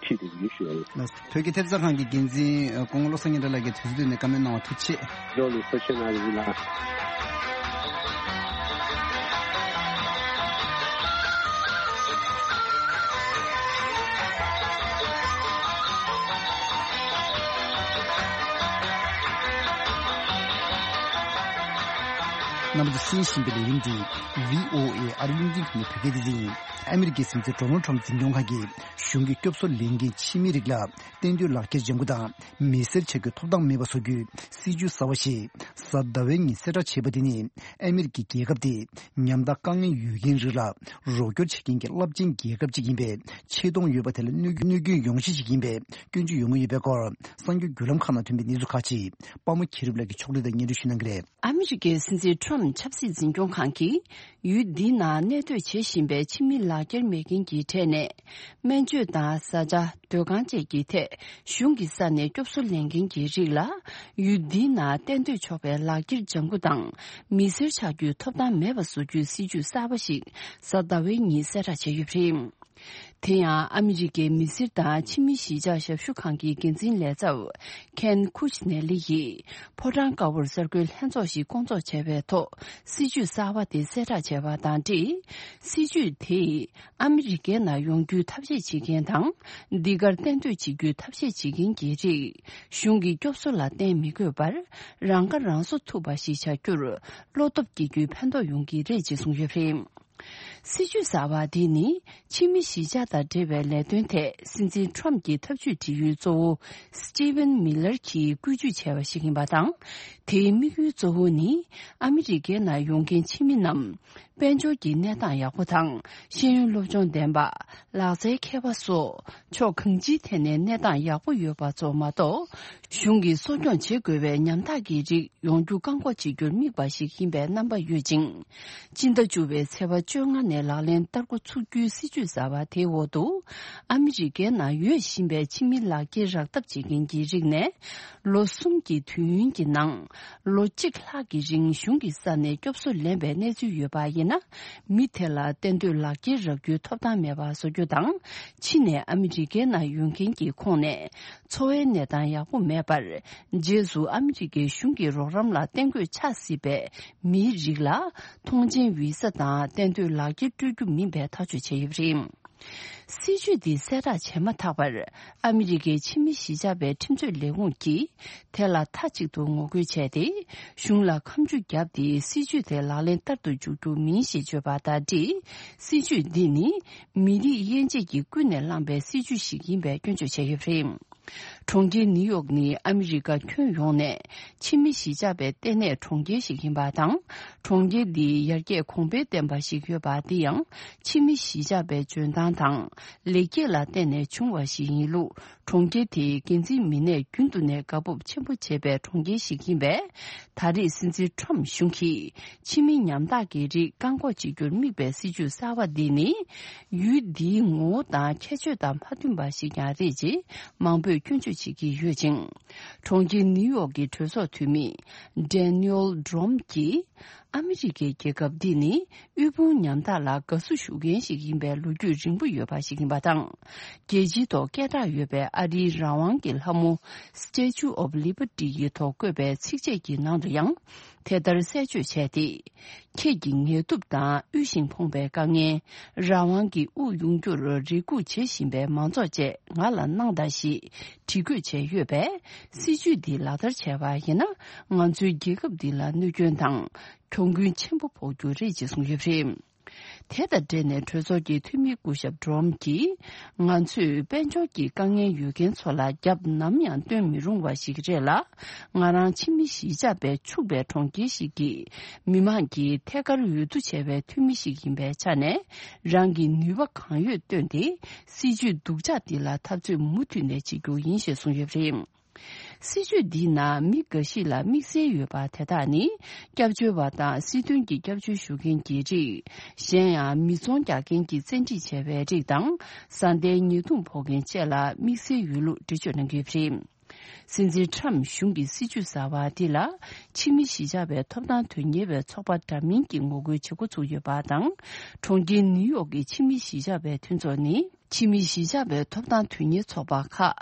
ཁྲིད་དེ་ཡོད་ཞུ་ཡ་ཡིན། ལགས་སོ། བོད་ཀྱི་ཐེབས་རྩ་ཁང་གི་འགན་འཛིན་སྐུ་ངོ་བློ་བཟང་སྙན་གྲགས་ལགས་ཀྱིས་དུས་ཚོད་བཏོན་ནས་བཀའ་མོལ་གནང་བ་ཐུགས་རྗེ་ཆེ། ལགས་སོ། ཐུགས་རྗེ་གནང་རེ་ལགས། རྣམ་པ་ཚོས་གསན་བཞིན་པའི་ལས་རིམ་འདི་བྷི་ཨོ་ཨེ་ཨ་རི་རླུང་འཕྲིན་ཁང་གི་བོད་སྐད་སྡེ་ཚན་ཡིན། ཨ་མི་རི་ཀའི་སྲིད་འཛིན་ཌོ་ནལ་ཊམ་འཛིན་སྐྱོང་ཁང་གིས་གཞུང་གི་སྐྱོབ་གསོ་ལེན་མཁན་ཕྱི་མི་རིགས་ལ་གཏན་སྡོད་ལག་འཁྱེར་ལྗང་ཁུ་དང་མི་སེར་ཆགས་རྒྱུའི་ཐོབ་ཐང་མེད་པ་བཟོ་རྒྱུའི་སྲིད་ཇུས་གསར་བ་ཞིག་གཟའ་ཟླ་བའི་ཉིན་གསལ་བསྒྲགས་བྱས་པ་དེ་ནི་ཨ་མི་རི་ཀའི་རྒྱལ་ཁབ་དེ་ཉམ་ཐག་དཀའ་ངལ་ཡོད་མཁན་རིགས་ལ་རོགས་སྐྱོར་བྱེད་མཁན་གྱི་རླབས་ཆེན་རྒྱལ་ཁབ་ཅིག་ཡིན་པའི་ཆེ་མཐོང་ཡོད་པ་དེ་ལ་གནོད་གནོད་སྐྱོན་ཡོང་གཞི་ཞིག་ཡིན་པའི་སྐྱོན་བརྗོད་ཡོང་གི་ཡོད་པའི་སྐོར་གསར་འགྱུར་བརྒྱུད་ལམ་ཁག་ནང་ཐོན་པའི་གནས་ཚུལ་ཁག་ཅིག་པདྨ་མཁྱེན་རབ་ལགས་ཀྱིས་ཕྱོགས་སྒྲིག་དང་སྙན་སྒྲོན་ཞུ་གནང་གི་རེད། ཨ་མི་རི་ཀའི་སྲིད་འཛིན་ཊམ་ཆབ་སྲིད་འཛིན་སྐྱོང་ཁང་གིས་ཡུལ་འདིའི་ནང་གནས་སྡོད་བྱེད་བཞིན་པའི་ཕྱི་མི་ལག་འཁྱེར་མེད་མཁན་གྱི་གྲས་ནས་སྨན་བཅོས་དང་བཟའ་བཅའ། སྡོད་ཁང་བཅས་ཀྱི་ཐད་གཞུང་གི་ས་ནས་སྐྱོབ་གསོ་ལེན་མཁན་གྱི་རིགས་ལ་ཡུལ་འདིའི་ནང་གཏན་སྡོད་ཆོག་པའི་ལག་འཁྱེར་ལྗང་ཁུ་དང་མི་སེར་ཆགས་རྒྱུའི་ཐོབ་ཐང་མེད་པ་བཟོ་རྒྱུའི་སྲིད་ཇུས་གསར་པ་ཞིག་གཟའ་ཟླ་བའི་ཉིན་གསལ་བསྒྲགས་བྱས་ཡོད་པ་རེད། དེ་ཡང་ཨ་མི་རི་ཀའི་མི་སེར་དང་ཕྱི་མི་གཞིས་ཆགས་ཞབས་ཞུ་ཁང་གི་འགན་འཛིན་ལས་ཚབ་ཁེན་ཁུ་ཆི་ནེ་ལི་ཡིས་ཕོ་བྲང་དཀར་པོར་གསར་འགོད་ལྷན་ཚོགས་ཤིག་བསྐོང་ཚོགས་བྱས་པའི་ཐོག་སྲིད་ཇུས་གསར་པ་དེ་གསལ་བསྒྲགས་བྱས་པ་དང་འབྲེལ། སྲིད་ཇུས་དེས་ཨ་མི་རི་ཀའི་ནང་ཡོང་རྒྱུའི་ཐབས་ཤེས་བྱེད་མཁན་དང་། འདི་གར་གཏན་སྡོད་བྱེད་རྒྱུའི་ཐབས་ཤེས་བྱེད་མཁན་གྱི་རིགས་གཞུང་གི་སྐྱོབ་གསོ་ལ་བརྟེན་མི་དགོས་པར་རང་ཁ་རང་གསོ་ཐུབ་པ་ཞིག་བྱ་རྒྱུར་བློ་སྟོབས་སྐྱེ་རྒྱུའི་ཕན་ཐོགས་ཡོང་གི་རེད་ཅེས་གསུངས་ཡོད་པ་རེད། སྲིད་ཇུས་གསར་བ་འདི་ནི་ཕྱི་མི་གཞིས་ཆགས་དང་འབྲེལ་བའི་ལས་དོན་ཐད་སྲིད་འཛིན་ཊམ་གྱི་ཐབས་ཇུས་སྒྲིག་ཡུལ་གཙོ་བོ་སི་ཊི་ཝན་མི་ལར་གྱིས་བཀོད་ཇུས་བྱས་པ་ཞིག་ཡིན་པ་དང་། དེའི་དམིགས་ཡུལ་གཙོ་བོ་ནི་ཨ་མི་རི་ཀའི་ནང་ཡོང་མཁན་ཕྱི་མི་རྣམས་དཔལ་འབྱོར་གྱི་གནས་སྟངས་ཡག་པོ་དང་ཤེས་ཡོན་སློབ་སྦྱོང་ལྡན་པ། ལག་རྩལ་མཁས་པ་སོགས་ཕྱོགས་གང་ཅིའི་ཐད་ནས་གནས་སྟངས་ཡག་པོ་ཡོད་པ་ཚོ་མ་གཏོགས། གཞུང་གིས་གསོ་སྐྱོང་བྱེད་དགོས་པའི་ཉམ་ཐག་གི་རིགས་ཡོང་རྒྱུ་བཀག་འགོག་བྱེད་རྒྱུར་དམིགས་པ་ཞིག་ཡིན་པའི་རྣམ་པ་ཡོད་ཅིང་། སྤྱི་ཟླ་བཅུ་པའི་ཚེས་པ་བཅོ་ལྔ་ནས་ལག་ལེན་བསྟར་འགོ་ཚུགས་རྒྱུའི་སྲིད་ཇུས་གསར་བ་དེའི་འོག་ཏུ། ཨ་མི་རི་ཀའི་ནང་ཡོད་བཞིན་པའི་ཕྱི་མི་ལག་འཁྱེར་རག་ཐབས་བྱེད་མཁན་གྱི་རིགས་ནས། ལོ་གསུམ་གྱི་དུས་ཡུན་གྱི་ནང་། ལོ་གཅིག་ལྷག་གི་རིང་གཞུང་གི་ས་ནས་སྐྱོབ་གསོ་ལེན་པའི་གནས་ཚུལ་ཡོད་པ་ཡིན་ན། མི་དེ་ལ་གཏན་སྡོད་ལག་འཁྱེར་རག་རྒྱུའི་ཐོབ་ཐང་མེད་པ་བཟོ་རྒྱུ་དང་། ཕྱི་ནས་ཨ་མི་རི་ཀའི་ནང་ཡོང་མཁན་གྱི་ཁོངས་ནས། འཚོ་བའི་གནས་སྟངས་ཡག་པོ་མེད་པར། རྗེས་སུ་ཨ་མི་རི་ཀའི་གཞུང་གི་རོགས་རམ་ལ་གཏན་འཁོད་ཆགས་སྲིད་པའི་མིའི་རིགས་ལ། ཐོངས་མཆན་བི་ས་དང་གཏན་སྡོད་ལག་འཁྱེར་སྤྲོད་རྒྱུ་མིན་པའི་ཐག་གཅོད་བྱས་ཡོད་པ་རེད། སྲིད་ཇུས་འདི་གསལ་བསྒྲགས་བྱས་མ་ཐག་པར། ཨ་མི་རི་ཀའི་ཕྱི་མི་གཞིས་ཆགས་པའི་ཁྲིམས་རྩོད་ལས་ཁུངས་ཀྱིས། དེ་ལ་མཐའ་གཅིག་ཏུ་ངོ་རྒོལ་བྱས་ཏེ། གཞུང་ལ་ཁ་མཆུ་བརྒྱབ་སྟེ། སྲིད་ཇུས་དེ་ལག་ལེན་བསྟར་དུ་འཇུག་རྒྱུ་མིན་ཞེས་བརྗོད་པ་དང་འབྲེལ། སྲིད་ཇུས་འདི་ནི། མི་རིགས་དབྱེ་འབྱེད་ཀྱིས་ཀུན་ནས་བསླངས་པའི་སྲིད་ཇུས་ཤིག་ཡིན་པའི་སྐྱོན་བརྗོད་བྱས་ཡོད་པ་རེད། གྲོང་ཁྱེར་ནིའུ་ཡོག་ནི་ཨ་མི་རི་ཀ་ཁྱོན་ཡོངས་ནས་ཕྱི་མི་གཞིས་ཆགས་པའི་ལྟེ་གནས་གྲོང་ཁྱེར་ཞིག་ཡིན་པ་དང་། གྲོང་ཁྱེར་འདི་ཡར་རྒྱས་གོང་འཕེལ་ལྡན་པ་ཞིག་ཡོད་པ། འདི་ཡང་ཕྱི་མི་གཞིས་ཆགས་པའི་འཇོན་ཐང་དང་ལེགས་སྐྱེས་ལ་བརྟེན་ནས་བྱུང་བ་ཞིག་ཡིན་ལུགས། གྲོང་ཁྱེར་དེའི་འགན་འཛིན་མི་སྣས་རྒྱུན་དུ་ནས་དགའ་སྤོབས་ཆེན་པོ་བྱེད་པའི་གྲོང་ཁྱེར་ཞིག་ཡིན་པས། ད་རེས་སྲིད་འཛིན་ཊམ་གཞུང་གིས་ཕྱི་མི་ཉམ་ཐག་གི་རིགས་བཀག་འགོག་བྱེད་རྒྱུར་དམིགས་པའི་སྲིད་ཇུས་གསར་བ་འདི་ནི། ཡུལ་འདིའི་ངོ་བོ་དང་ཁྱད་ཆོས་དང་མ་མཐུན་པ་ཞིག་ཀྱང་རེད་ཅེས་མང་པོས་སྐྱོན་བརྗོད་བྱེད་ཀྱི་ཡོད་ཅིང་། གྲོང་ཁྱེར་ནིའུ་ཡོག་གི་གྲོས་ཚོགས་འཐུས་མི་ཌེ་ནིའུལ་ཌོམ་གྱིས། ཨ་མི་རི་ཀའི་རྒྱལ་ཁབ་འདི་ནི་དབུལ་ཕོངས་ཉམ་ཐག་ལ་དགའ་བསུ་ཞུ་མཁན་ཞིག་ཡིན་པའི་ལོ་རྒྱུས་རིང་པོ་ཡོད་པ་ཞིག་ཡིན་པ་དང་། རྒྱལ་སྤྱིའི་ཐོག་སྐད་གྲགས་ཡོད་པའི་ཨ་རིའི་རང་དབང་གི་ལྷ་མོ་Statue of Liberty ཡི་ཐོག་བཀོད་པའི་ཚིགས་བཅད་ཀྱི་ནང་དུ་ཡང་དེ་ལྟར་གསལ་བརྗོད་བྱས་ཏེ། ཁྱེད་ཀྱི་ངལ་དུབ་དང་དབུལ་ཞིང་ཕོངས་པའི་དཀའ་ངལ། རང་དབང་གི་དབུགས་དབྱུང་རྒྱུར་རེ་སྒུག་བྱེད་བཞིན་པའི་མང་ཚོགས་བཅས་ང་ལ་གནང་དང་ཞེས་བྲིས་འགོད་བྱས་ཡོད་པས། སྲིད་ཇུས་འདི་ལག་བསྟར་བྱས་པ་ཡིན་ན། ང་ཚོའི་རྒྱལ་ཁབ་འདི་ལ་གནོད་སྐྱོན་དང་གྱོང་གུན་ཆེན་པོ་ཕོག་རྒྱུ་རེད་ཅེས་གསུངས་ཡོད་པ་རེད། དེ་དང་འབྲེལ་ནས་གྲོས་ཚོགས་ཀྱི་འཐུས་མི་སྐུ་ཞབས་ཌོམ་གྱིས། ང་ཚོས་དཔལ་འབྱོར་གྱི་དཀའ་ངལ་ཡོད་མཁན་ཚོ་ལ་རྒྱབ་ནམ་ཡང་སྟོན་མི་རུང་བ་ཞིག་རེད་ལ། ང་རང་ཕྱི་མི་གཞིས་ཆགས་པས་ཕྱུག་པའི་གྲོང་ཁྱེར་ཞིག་གི་མི་མང་གི་ཐད་ཀར་འོས་བསྡུ་བྱས་པའི་འཐུས་མི་ཞིག་ཡིན་པའི་ཆ་ནས། རང་གི་ནུས་པ་གང་ཡོད་བཏོན་ཏེ། སྲིད་ཇུས་སྡུག་ཅག་འདི་ལ་འཐབ་རྩོད་མུ་མཐུད་ནས་བྱེད་རྒྱུ་ཡིན་ཞེས་གསུངས་ཡོད་པ་རེད། སྲིད་ཇུས་འདིའི་ནང་མི་འགའ་ཞིག་ལ་དམིགས་བསལ་ཡོད་པ་དེ་དག་ནི། སྐྱབས་བཅོལ་བ་དང་སྲིད་དོན་གྱི་སྐྱབས་བཅོལ་ཞུ་མཁན་གྱི་རིགས། གཞན་ཡང་མི་ཚོང་རྒྱག་མཁན་གྱིས་བཙན་ཁྲིད་བྱས་པའི་རིགས་དང་། བཟའ་ཟླའི་ཉེས་རྡུང་ཕོག་མཁན་བཅས་ལ་དམིགས་བསལ་ཡོད་ལུགས་འགྲེལ་བརྗོད་གནང་གི་ཡོད་པ་རེད། སྲིད་འཛིན་ཁྲམ་གཞུང་གི་སྲིད་ཇུས་གསར་བ་དེ་ལ་ཕྱི་མི་གཞིས་ཆགས་པའི་ཐོབ་ཐང་དོན་གཉེར་བའི་ཚོགས་པ་འདྲ་མིན་གྱིས་ངོ་རྒོལ་བྱེད་འགོ་ཚུགས་ཡོད་པ་དང་། གྲོང་ཁྱེར་ནིའུ་ཡོག་གི་ཕྱི་མི་གཞིས་ཆགས་པའི་མཐུན་ཚོགས་ནི། ཕྱི་མི་གཞིས་ཆགས་པའི་ཐོབ་ཐང་དོན་གཉེར་ཚོགས་པ་ཁག་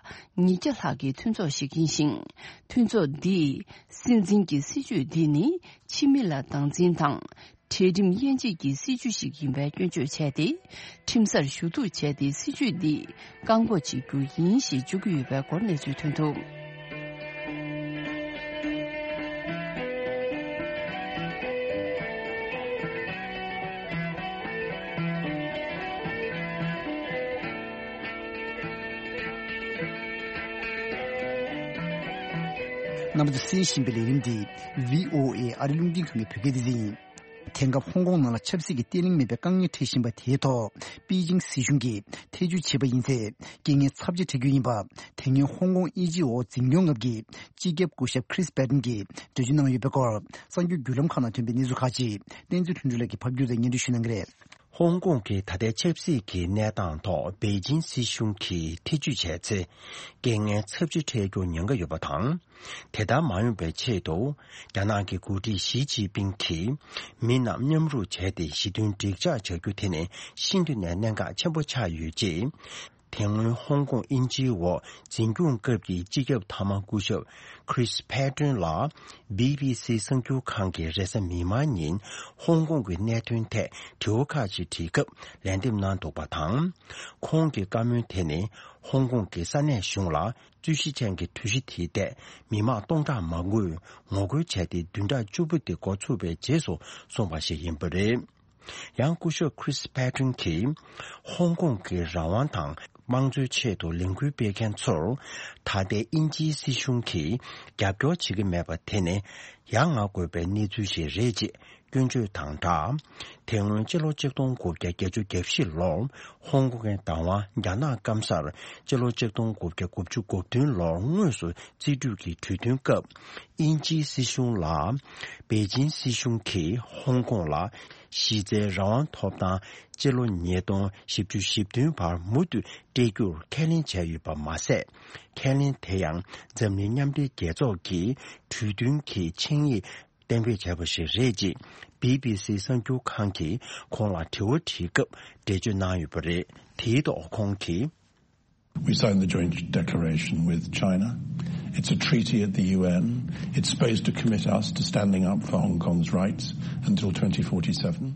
ཉིས་བརྒྱ་ལྷག་གི་མཐུན་ཚོགས་ཤིག་ཡིན་ཞིང་། མཐུན་ཚོགས་འདིས་སྲིད་འཛིན་གྱི་སྲིད་ཇུས་འདི་ནི་ཕྱི་མི་ལ་སྡང་འཛིན་དང་། གྲལ་རིམ་དབྱེ་འབྱེད་ཀྱི་སྲིད་ཇུས་ཤིག་ཡིན་པའི་སྐྱོན་བརྗོད་བྱས་ཏེ། ཁྲིམས་སར་ཞུ་གཏུག་བྱས་ཏེ་སྲིད་ཇུས་འདི་བཀག་འགོག་བྱེད་རྒྱུ་ཡིན་ཞེས་བརྗོད་ཀྱི་ཡོད་པའི་སྐོར་གནས་ཚུལ་ཐོན་འདུག་རྣམ་པ་ཚོས་གསན་བཞིན་པའི་ལས་རིམ་འདི་བྷི་ཨོ་ཨེ་ཨ་རི་རླུང་འཕྲིན་ཁང་གི་བོད་སྐད་སྡེ་ཚན་ཡིན། དེང་སྐབས་ཧོང་ཀོང་ནང་ལ་ཆབ་སྲིད་ཀྱི་བརྟན་ལྷིང་མེད་པའི་དཀའ་ངལ་འཕྲད་བཞིན་པ་དེའི་ཐོག་པེ་ཅིང་སྲིད་གཞུང་གིས་ཐེ་བྱུས་བྱས་པ་ཡིན་ཚེ། རྐྱེན་ངན་ཚབས་ཆེ་འཕྲད་རྒྱུ་ཡིན་པ། དེ་སྔོན་ཧོང་ཀོང་དབྱིན་ཇིའི་འོག་འཛིན་སྐྱོང་ལམ་གྱི་སྤྱི་ཁྱབ་སྐུ་ཞབས་Chris Patten་གྱིས་འགྲེལ་བརྗོད་གནང་ཡོད་པའི་སྐོར། གསར་འགྱུར་བརྒྱུད་ལམ་ཁག་ནང་ཐོན་པའི་གནས་ཚུལ་ཁག་ཅིག་བསྟན་འཛིན་ལྷུན་གྲུབ་ལགས་ཀྱིས་ཕབ་བསྒྱུར་དང་སྙན་སྒྲོན་ཞུ་གནང་གི་རེད། ཧོང་ཀོང་གི་ད་ལྟའི་ཆབ་སྲིད་ཀྱི་གནས་སྟངས་ཐོག་པེ་ཅིང་སྲིད་གཞུང་གིས་ཐེ་བྱུས་བྱས་ཚེ། རྐྱེན་ངན་ཚབས་ཆེ་འཕྲད་རྒྱུར་ཉེན་ཁ་ཡོད་པ་དང་། དེ་ལྟར་མ་ཡོང་བའི་ཆེད་དུ། རྒྱ་ནག་གི་འགོ་ཁྲིད་ཞི་ཅིན་ཕིང་གིས་མི་རྣམས་མཉམ་རུབ་བྱས་ཏེ་ཞི་མཐུན་འགྲིག་འཇགས་བྱ་རྒྱུ་དེ་ནི་ཤིན་ཏུ་ནས་གནད་འགག་ཆེན་པོ་ཆགས་ཡོད་ཅེས། དེ་སྔོན་ཧོང་ཀོང་དབྱིན་ཇིའི་འོག་འཛིན་སྐྱོང་སྐབས་ཀྱི་སྤྱི་ཁྱབ་མཐའ་མ་སྐུ་ཞབས་Chris Patten་ལ་བྷི་བྷི་སི་གསར་འགྱུར་ཁང་གིས་རེས་གཟའ་མིག་དམར་ཉིན་ཧོང་ཀོང་གི་གནད་དོན་ཐད་དྲི་བ་ཁག་ཅིག་དྲིས་སྐབས་ལན་འདེབས་གནང་འདུག་པ་དང་། ཁོང་གི་བཀའ་མོལ་དེ་ནི་ཧོང་ཀོང་གི་ས་གནས་གཞུང་ལ། རྩོད་གཞི་ཅན་གྱི་གྲོས་གཞི་དེའི་ཐད་མི་མང་སྟོང་ཕྲག་མང་པོས་ངོ་རྒོལ་བྱས་ཏེ་བདུན་ཕྲག་བཅུ་པོ་དེ་འགོ་ཚུགས་པའི་རྗེས་སུ་གསུངས་པ་ཞིག་ཡིན་པ་རེད། ཡང་སྐུ་ཞབས་Chris Patten་གྱིས་ཧོང་ཀོང་གི་རང་དབང་དང་དམངས་གཙོའི་ཆེད་དུ་ལས་འགུལ་སྤེལ་མཁན་ཚོར་ད་ལྟའི་དབྱིན་ཇིའི་སྲིད་གཞུང་གིས་རྒྱབ་སྐྱོར་བྱེད་ཀྱི་མེད་པ་དེ་ནི་ཡ་ང་དགོས་པའི་གནས་ཚུལ་ཞིག་རེད་ཅེས། སྐྱོན་བརྗོད་དང་སྦྲགས། དེ་སྔོན་སྤྱི་ལོ་ཆིག་སྟོང་དགུ་བརྒྱ་བརྒྱད་ཅུ་གྱ་བཞི་ལོར་ཧོང་ཀོང་གི་བདག་དབང་རྒྱ་ནག་སྐམ་སར་སྤྱི་ལོ་ཆིག་སྟོང་དགུ་བརྒྱ་དགུ་བཅུ་གོ་བདུན་ལོར་དངོས་སུ་རྩིས་སྤྲོད་ཀྱི་གྲོས་མཐུན་སྐབས། དབྱིན་ཇིའི་སྲིད་གཞུང་ལ་པེ་ཅིན་སྲིད་གཞུང་གིས་ཧོང་ཀོང་ལ་གཞི་རྩའི་རང་དབང་ཐོབ་ཐང་སྤྱི་ལོ་ཉིས་སྟོང་བཞི་བཅུ་ཞེ་བདུན་བར་མུ་མཐུད་སྤྲད་རྒྱུར་ཁས་ལེན་བྱས་ཡོད་པ་མ་ཟད། ཁས་ལེན་དེ་ཡང་འཛམ་གླིང་མཉམ་འབྲེལ་རྒྱལ་ཚོགས་ཀྱི་གྲོས་མཐུན་གྱི་ཆིངས་ཡིག་གཏན་འབེབས་བྱས་པ་ཞིག་རེད་ཅེས་བྷི་བྷི་སི་གསར་འགྱུར་ཁང་གིས་ཁོང་ལ་དྲི་བ་དྲིས་སྐབས་འགྲེལ་བརྗོད་གནང་ཡོད་པ་རེད། དེའི་ཐོག་ཁོང་གིས། We signed the joint declaration with China. It's a treaty at the U N. It's supposed to commit us to standing up for Hong Kong's rights until twenty forty-seven.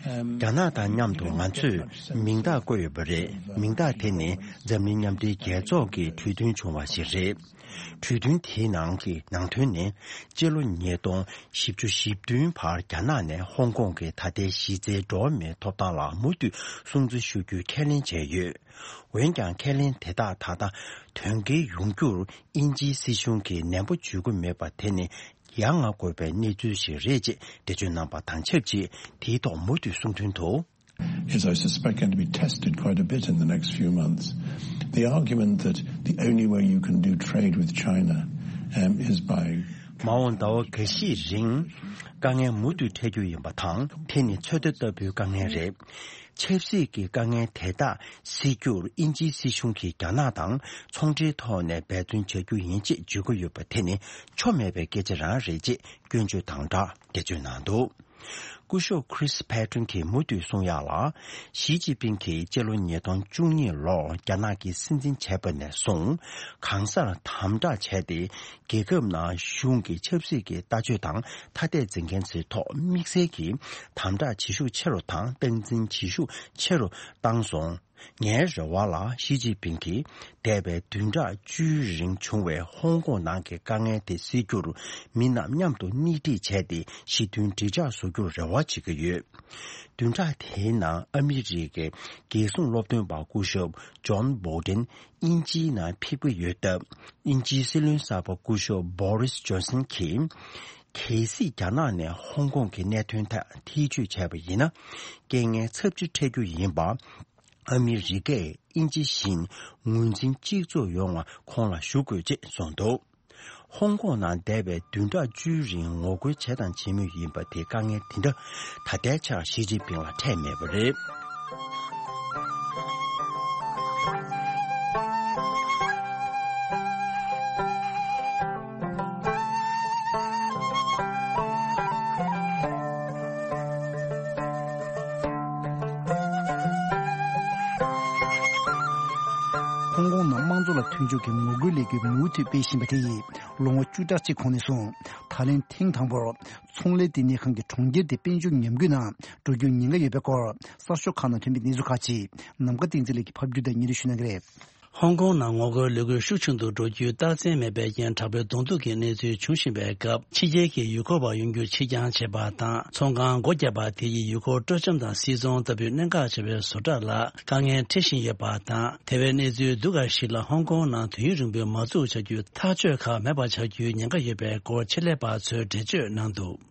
རྒྱ་ནག་དང་མཉམ་དུ་ང་ཚོས་མིང་རྟགས་བཀོད་ཡོད་པ་རེད། མིང་རྟགས་དེ་ནི་འཛམ་གླིང་མཉམ་འབྲེལ་རྒྱལ་ཚོགས་ཀྱི་གྲོས་མཐུན་བྱུང་བ་ཞིག་རེད། གྲོས་མཐུན་དེའི་ནང་གི་ནང་དོན་ནི། སྤྱི་ལོ་ཉིས་སྟོང་བཞི་བཅུ་ཞེ་བདུན་བར་རྒྱ་ནག་ནས་ཧོང་ཀོང་གི་ད་ལྟའི་གཞི་རྩའི་འགྲོ་བ་མིའི་ཐོབ་ཐང་ལ་མུ་མཐུད་སྲུང་བརྩི་ཞུ་རྒྱུའི་ཁས་ལེན་བྱས་ཡོད། འོན་ཀྱང་ཁས་ལེན་དེ་དག་ད་ལྟ་དོན་འཁེལ་ཡོང་རྒྱུར་དབྱིན་ཇིའི་སྲིད་གཞུང་གིས་ནན་པོ་བྱེད་ཀྱི་མེད་པ་དེ་ནི་ཡ་ང་དགོས་པའི་གནས་ཚུལ་ཞིག་རེད་ཅེས་འགྲེལ་བརྗོད་གནང་པ་དང་ཆབས་ཅིག་དེའི་ཐོག་མུ་མཐུད་གསུང་དོན་དུ། Is, I suspect, going to be tested quite a bit in the next few months. The argument that the only way you can do trade with China, um, is by མ་འོངས་ཟླ་བ་འགའ་ཤས་རིང་དཀའ་ངལ་མུ་མཐུད་འཕྲད་རྒྱུ་ཡིན་པ་དང་། དེ་ནི་ཚོད་ལྟ་ལྟ་བུའི་དཀའ་ངལ་རེད། ཆབ་སྲིད་ཀྱི་དཀའ་ངལ་དེ་དག་སེལ་རྒྱུར་དབྱིན་ཇིའི་སྲིད་གཞུང་གིས་རྒྱ་ནག་དང་ཚོང་འབྲེལ་ཐོག་ནས་འབད་བརྩོན་བྱ་རྒྱུ་ཡིན་ཅེས་བརྗོད་ཀྱི་ཡོད་པ་དེ་ནི་ཆོ་མེད་པའི་སྐད་ཆ་རང་རེད་ཅེས་སྐྱོན་བརྗོད་དང་སྦྲགས་འགྲེལ་བརྗོད་གནང་འདུག་སྐུ་ཞབས་Chris Patten་གྱིས་མུ་མཐུད་གསུང་ཡག་ལ། ཞི་ཅིན་ཕིང་གིས་སྤྱི་ལོ་ཉིས་སྟོང་བཅུ་གཉིས་ལོར་རྒྱ་ནག་གི་སྲིད་འཛིན་བྱས་པ་ནས་བཟུང་གང་སར་དམ་དྲག་བྱས་ཏེ། རྒྱལ་ཁབ་ནང་གཞུང་གི་ཆབ་སྲིད་ཀྱི་ལྟ་སྤྱོད་དང་ཐ་དད་འཛིན་མཁན་ཚོའི་ཐོག་དམིགས་བསལ་གྱིས་དམ་དྲག་བྱེད་ཤུགས་ཆེ་རུ་དང་སྟངས་འཛིན་བྱེད་ཤུགས་ཆེ་རུ་བཏང་སོང་། ངའི་རེ་བ་ལ་ཞི་ཅིན་ཕིང་གིས་འདས་པའི་བདུན་ཕྲག་བཅུའི་རིང་བྱུང་བའི་ཧོང་ཀོང་ནང་གི་དཀའ་ངལ་དེ་སེལ་རྒྱུར་མི་རྣམས་མཉམ་དུ་སྣེ་ཁྲིད་བྱས་ཏེ་ཞི་མཐུན་འགྲིག་འཇགས་བཟོ་རྒྱུར་རེ་བ་བྱེད་ཀྱི་ཡོད། བདུན་ཕྲག་དེའི་ནང་ཨ་མི་རི་ཀའི་རྒྱལ་སྲུང་སློབ་སྟོན་པ་སྐུ་ཞབས་ཇོན་བྷོལ་ཏན་དབྱིན་ཇིའི་ནང་ཕེབས་ཀྱི་ཡོད་སྟབས། དབྱིན་ཇིའི་སྲིད་བློན་གསར་པ་སྐུ་ཞབས་བྷོ་རིས་ཇོན་སན་གྱིས། གལ་སྲིད་རྒྱ་ནག་ནས་ཧོང་ཀོང་གི་གནད་དོན་ཐད་ཐེ་བྱུས་བྱས་པ་ཡིན་ན། རྐྱེན་ངན་ཚབས་ཆེ་འཕྲད་རྒྱུ་ཡིན་པ། ཨ་མི་རི་ཀས་དབྱིན་ཇི་བཞིན་ངོས་འཛིན་གཅིག་མཚུངས་ཡོང་བ་ཁོང་ལ་ཞུ་དགོས་ཅེས་གསུངས་འདུག་ཧོང་ཀོང་ནང་འདས་པའི་བདུན་ཕྲག་བཅུའི་རིང་ངོ་རྒོལ་བྱས་དང་བྱེད་མུས་ཡིན་པ་དེ་དཀའ་ངལ་དེ་འདྲ་ད་ལྟའི་ཆར་ཞི་ཅིན་ཕིང་ལ་འཕྲད་མེད་པ་རེད། ཧོང་ཀོང་ནང་དམངས་གཙོ་ལ་མཐུན་ཕྱོགས་ཀྱི་ངོ་རྒོལ་ལས་འགུལ་མུ་མཐུད་སྤེལ་བཞིན་པ་དེ་ཡིས་ལོ་ངོ་བཅུ་ཕྲག་གཅིག་གོང་ནས་བཟུང་ད་ལན་ཐེངས་དང་པོར་ཚོང་ལས་ལྟེ་གནས་ཁང་གི་གྲོང་ཁྱེར་དེ་དཔལ་འབྱོར་ཉམས་རྒུད་ནང་འགྲོ་རྒྱུའི་ཉེན་ཁ་ཡོད་པའི་སྐོར་གསར་ཤོག་ཁག་ནང་ཐོན་པའི་གནས་ཚུལ་ཁག་ཅིག་ནམ་མཁའ་བསྟན་འཛིན་ལགས་ཀྱིས་ཕབ་སྒྱུར་དང་སྙན་སྒྲོན་ཞུ་གནང་གི་རེད། ཧོང་ཀོང་ནང་ངོ་རྒོལ་ལས་འགུལ་ཤུགས་ཆུང་དུ་འགྲོ་རྒྱུའི་རྟགས་མཚན་མེད་པའི་རྐྱེན་དྲག་པོའི་གདོང་ཐུག་གི་གནས་ཚུལ་འབྱུང་བཞིན་པའི་སྐབས། ཕྱི་རྒྱལ་གྱི་ཡུལ་སྐོར་བ་ཡོང་རྒྱུ་ཕྱིར་འགྱངས་བྱས་པ་དང་། ཚོང་ཁང་སྒོ་བརྒྱབ་པ་དེ་ཡིས་ཡུལ་སྐོར་སྤྲོ་འཆམ་དང་སིལ་ཚོང་ལྟ་བུའི་གནད་འགག་ཆེ་བའི་བཟོ་གྲྭ་ལ་དཀའ་ངལ་འཕྲད་བཞིན་ཡོད་པ་དང་། དེ་བས་གནས་ཚུལ་སྡུག་དཀའ་ཞིག་ལ་ཧོང་ཀོང་ནང་དུས་ཡུན་རིང་པོའི་མ་འཛུགས་བྱ་རྒྱུའི་ཐག་གཅོད་ཁག་མེད་པ་ཆགས་རྒྱུའི་ཉེན་ཁ་ཡོད་པའི་སྐོར་ཆེད་ལས་པ་ཚོས་འགྲེལ་བརྗོད་གནང་འདུག་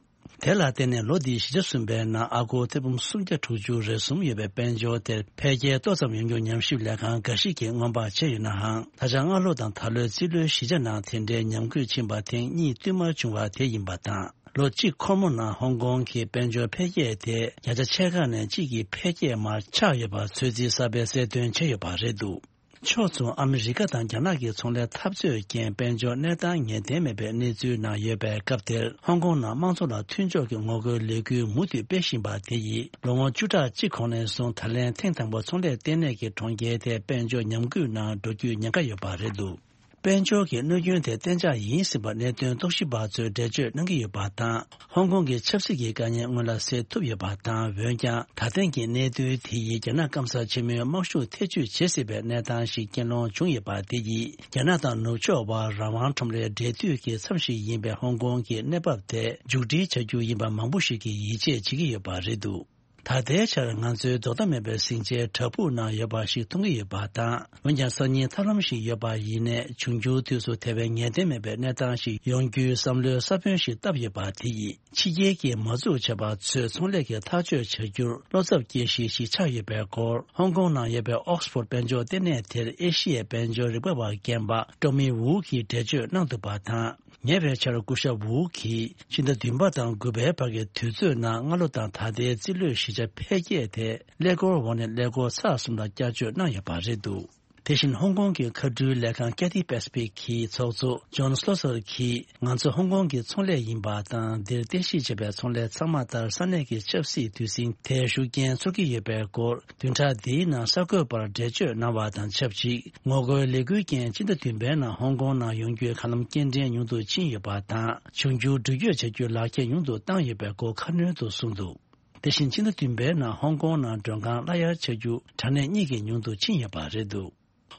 དེ་ལ་བརྟེན་ནས་ལོ་འདིའི་བཞི་ཆ་གསུམ་པའི་ནང་ཨ་སྒོར་ཐེར་འབུམ་སུམ་བརྒྱ་དྲུག་ཅུ་རེ་གསུམ་ཡོད་པའི་དཔལ་འབྱོར་དེར་འཕེལ་རྒྱས་ཏོག་ཙམ་ཡོང་རྒྱུར་ཉམས་ཞིབ་ལས་ཁང་འགའ་ཞིག་གིས་སྔོན་དཔག་བྱས་ཡོད་ནའང་། ད་ཆ་སྔ་ལོ་དང་ད་ལོའི་རྩིས་ལོའི་བཞི་ཆ་ནང་དེ་འདྲའི་ཉམས་རྒུད་ཕྱིན་པ་ཐེངས་གཉིས་བསྟུད་མར་བྱུང་བ་དེ་ཡིན་པ་དང་། ལོ་གཅིག་འཁོར་མོ་ནང་ཧོང་ཀོང་གི་དཔལ་འབྱོར་འཕེལ་རྒྱས་དེ་བརྒྱ་ཆ་ཕྱེད་ཀ་ནས་གཅིག་གི་འཕེལ་རྒྱས་མར་ཆག་ཡོད་པ་ཚོད་རྩིས་གསར་པས་གསལ་སྟོན་བྱས་ཡོད་པ་རེད་འདུག་ཕྱོགས་མཚུངས་ཨ་མི་རི་ཀ་དང་རྒྱ་ནག་གི་ཚོང་ལས་འཐབ་རྩོད་རྐྱེན་དཔལ་འབྱོར་གནས་སྟངས་ངེས་གཏན་མེད་པའི་གནས་ཚུལ་ནང་ཡོད་པའི་སྐབས་དེར། ཧོང་ཀོང་ནང་དམངས་གཙོ་ལ་མཐུན་ཕྱོགས་ཀྱི་ངོ་རྒོལ་ལས་འགུལ་མུ་མཐུད་སྤེལ་བཞིན་པ་དེ་ཡིས་ལོ་ངོ་བཅུ་ཕྲག་གཅིག་གོང་ནས་བཟུང་ད་ལན་ཐེངས་དང་པོ་ཚོང་ལས་ལྟེ་གནས་ཀྱི་གྲོང་ཁྱེར་དེ་དཔལ་འབྱོར་ཉམས་རྒུད་ནང་འགྲོ་རྒྱུའི་ཉེན་ཁ་ཡོད་པ་རེད་འདུག་དཔལ་འབྱོར་གྱི་གནོད་སྐྱོན་དེ་གཏན་འཇགས་ཡིན་ཟིན་པར་གནད་དོན་རྟོག་ཞིབ་པ་ཚོས་འགྲེལ་བརྗོད་གནང་གི་ཡོད་པ་དང་། ཧོང་ཀོང་གི་ཆབ་སྲིད་ཀྱི་དཀའ་ངལ་སྔོན་ལ་སེལ་ཐུབ་ཡོད་པ་དང་། འོན་ཀྱང་ད་ཐེངས་ཀྱི་གནད་དོན་དེ་ཡིས་རྒྱ་ནག་སྐམ་ས་ཆེན་མོའི་དམག་ཤུགས་ཐེ་བྱུས་བྱེད་སྲིད་པའི་གནས་སྟངས་ཤིག་རྐྱེན་སློང་བྱུང་ཡོད་པ་དེ་ཡིས་རྒྱ་ནག་དང་ནུབ་ཕྱོགས་བར་རང་དབང་ཁྲོམ་རའི་འབྲེལ་མཐུད་ཀྱི་མཚམས་ཤིག་ཡིན་པའི་ཧོང་ཀོང་གི་གནས་བབ་དེ་མཇུག་སྒྲིལ་བྱ་རྒྱུ་ཡིན་པ་མང་པོ་ཞིག་གིས་ཡིད་ཆེས་བྱེད་ཀྱི་ཡོད་པ་རེད་འདུག་ད་ལྟའི་ཆར་ང་ཚོའི་ལྡོག་ཟླ་མེད་པའི་ཟིང་ཆའི་བྲག་ཕུག་ནང་ཡོད་པ་ཞིག་མཐོང་གི་ཡོད་པ་དང་། འོན་ཀྱང་སང་ཉིན་ཐབས་ལམ་ཞིག་ཡོད་པ་ཡིན་ནའི། འབྱུང་འགྱུར་དུས་སུ་དེ་བས་ངེས་གཏན་མེད་པའི་གནས་སྟངས་ཤིག་ཡོང་རྒྱུའི་བསམ་བློའི་ས་བོན་ཞིག་བཏབ་ཡོད་པ་དེ་ཡིས། ཕྱི་རྒྱལ་གྱི་མ་འཛུགས་བྱས་པ་ཚོས་ཚོང་ལས་ཀྱི་ཐག་གཅོད་བྱ་རྒྱུར་བློ་འཚབ་སྐྱེ་གཞི་ཞིག་ཆགས་ཡོད་པའི་སྐོར། ཧོང་ཀོང་ནང་ཡོད་པའི་ཨོག་སི་ཕོར་དཔལ་འབྱོར་ལྟེ་གནས་དེར་ཨེ་ཤི་ཡའི་དཔལ་འབྱོར་རིག་པ་བ་རྒན་པ་ཀྲོ་མི་ཝུའུ་གིས་འགྲེལ་བརྗོད་གནང་འདུག་པ་དང་། ཉེ་བའི་ཆར་སྐུ་ཞབས་ཝུའུ་གིས་ཕྱི་ཟླ་བདུན་པ་དང་དགུ་པའི་བར་གྱི་དུས་ཚོད་ནང་སྔ་ལོ་དང་ད་ལྟའི་རྩིས་ལོའི་བཞི་ཆ་འཕེལ་རྒྱས་དེ་ཀླད་ཀོར་འོག་ནས་ཀླད་ཀོར་ཚེག་གསུམ་ལ་བསྐྱར་བཅོས་གནང་ཡོད་པ་རེད་འདུག་དེ་བཞིན་ཧོང་ཀོང་གི་མཁའ་འགྲུལ་ལས་ཁང་Cathay Pacific གི་ཚོགས་གཙོ་ཇོན་སི་ལོ་སར་གྱིས། ང་ཚོ་ཧོང་ཀོང་གི་ཚོང་ལས་ཡིན་པ་དང་། འདིར་རྟེན་གཞི་བྱས་པའི་ཚོང་ལས་ཚང་མ་ལྟར་ས་གནས་ཀྱི་ཆབ་སྲིད་དུས་ཟིང་དེར་ཤུགས་རྐྱེན་ཚོར་གྱི་ཡོད་པའི་སྐོར། བདུན་ཕྲག་འདིའི་ནང་གསར་འགོད་པར་འགྲེལ་བརྗོད་གནང་བ་དང་ཆབས་ཅིག་ངོ་རྒོལ་ལས་འགུལ་རྐྱེན་སྤྱི་ཟླ་བདུན་པའི་ནང་ཧོང་ཀོང་ནང་ཡོང་རྒྱུའི་གང་ལམ་སྐྱེལ་འདྲེན་ཉུང་དུ་ཕྱིན་ཡོད་པ་དང་། འབྱུང་འགྱུར་འགྲུལ་སྐྱོད་བྱ་རྒྱུའི་ལག་ཁྱེར་ཉུང་དུ་བཏང་ཡོད་པའི་སྐོར་ཁ་སྣོན་དུ་གསུངས་འདུག་དེ་བཞིན་ཕྱི་ཟླ་བདུན་པའི་ནང་ཧོང་ཀོང་ནང་མགྲོན་ཁང་གླ་གཡར་བྱ་རྒྱུ་དྲ་གནས་གཉིས་ཀྱིས་ཉུང་དུ་ཕྱིན་ཡོད་པ་རེད་འདུག་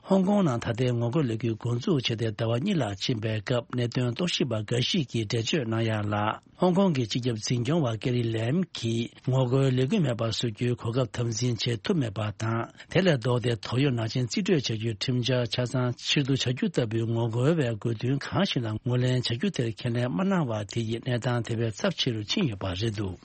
ཧོང་ཀོང་ནང་ད་ལྟའི་ངོ་རྒོལ་ལས་འགུལ་འགོ་འཛུགས་བྱས་ཏེ་ཟླ་བ་གཉིས་ལྷག་ཕྱིན་པའི་སྐབས། གནད་དོན་རྟོག་ཞིབ་པ་འགའ་ཞིག་གིས་འགྲེལ་བརྗོད་གནང་ཡག་ལ། ཧོང་ཀོང་གི་སྤྱི་ཁྱབ་འཛིན་སྐྱོང་བ་ཀེ་རི་ལེམ་གྱིས་ངོ་རྒོལ་ལས་འགུལ་མེད་པར་བཟོ་རྒྱུའི་གོ་སྐབས་དམ་འཛིན་བྱེད་ཐུབ་མེད་པ་དང་། དེ་ལས་ལྡོག་སྟེ་དོགས་ཡོད་ནག་ཅན་རྩིས་སྤྲོད་བྱ་རྒྱུའི་ཁྲིམས་འཆར་ཆ་ཚང་ཕྱིར་བསྡུ་བྱ་རྒྱུ་ལྟ་བུའི་ངོ་རྒོལ་བའི་དགོས་འདུན་གང་ཞིག་ལ་ངོས་ལེན་བྱ་རྒྱུ་དེར་ཁས་ལེན་མ་གནང་བ་དེ་ཡིས་གནས་སྟངས་དེ་བས་ཚབས་ཆེ་རུ་ཕྱིན་ཡོད་པ་རེད་འདུག་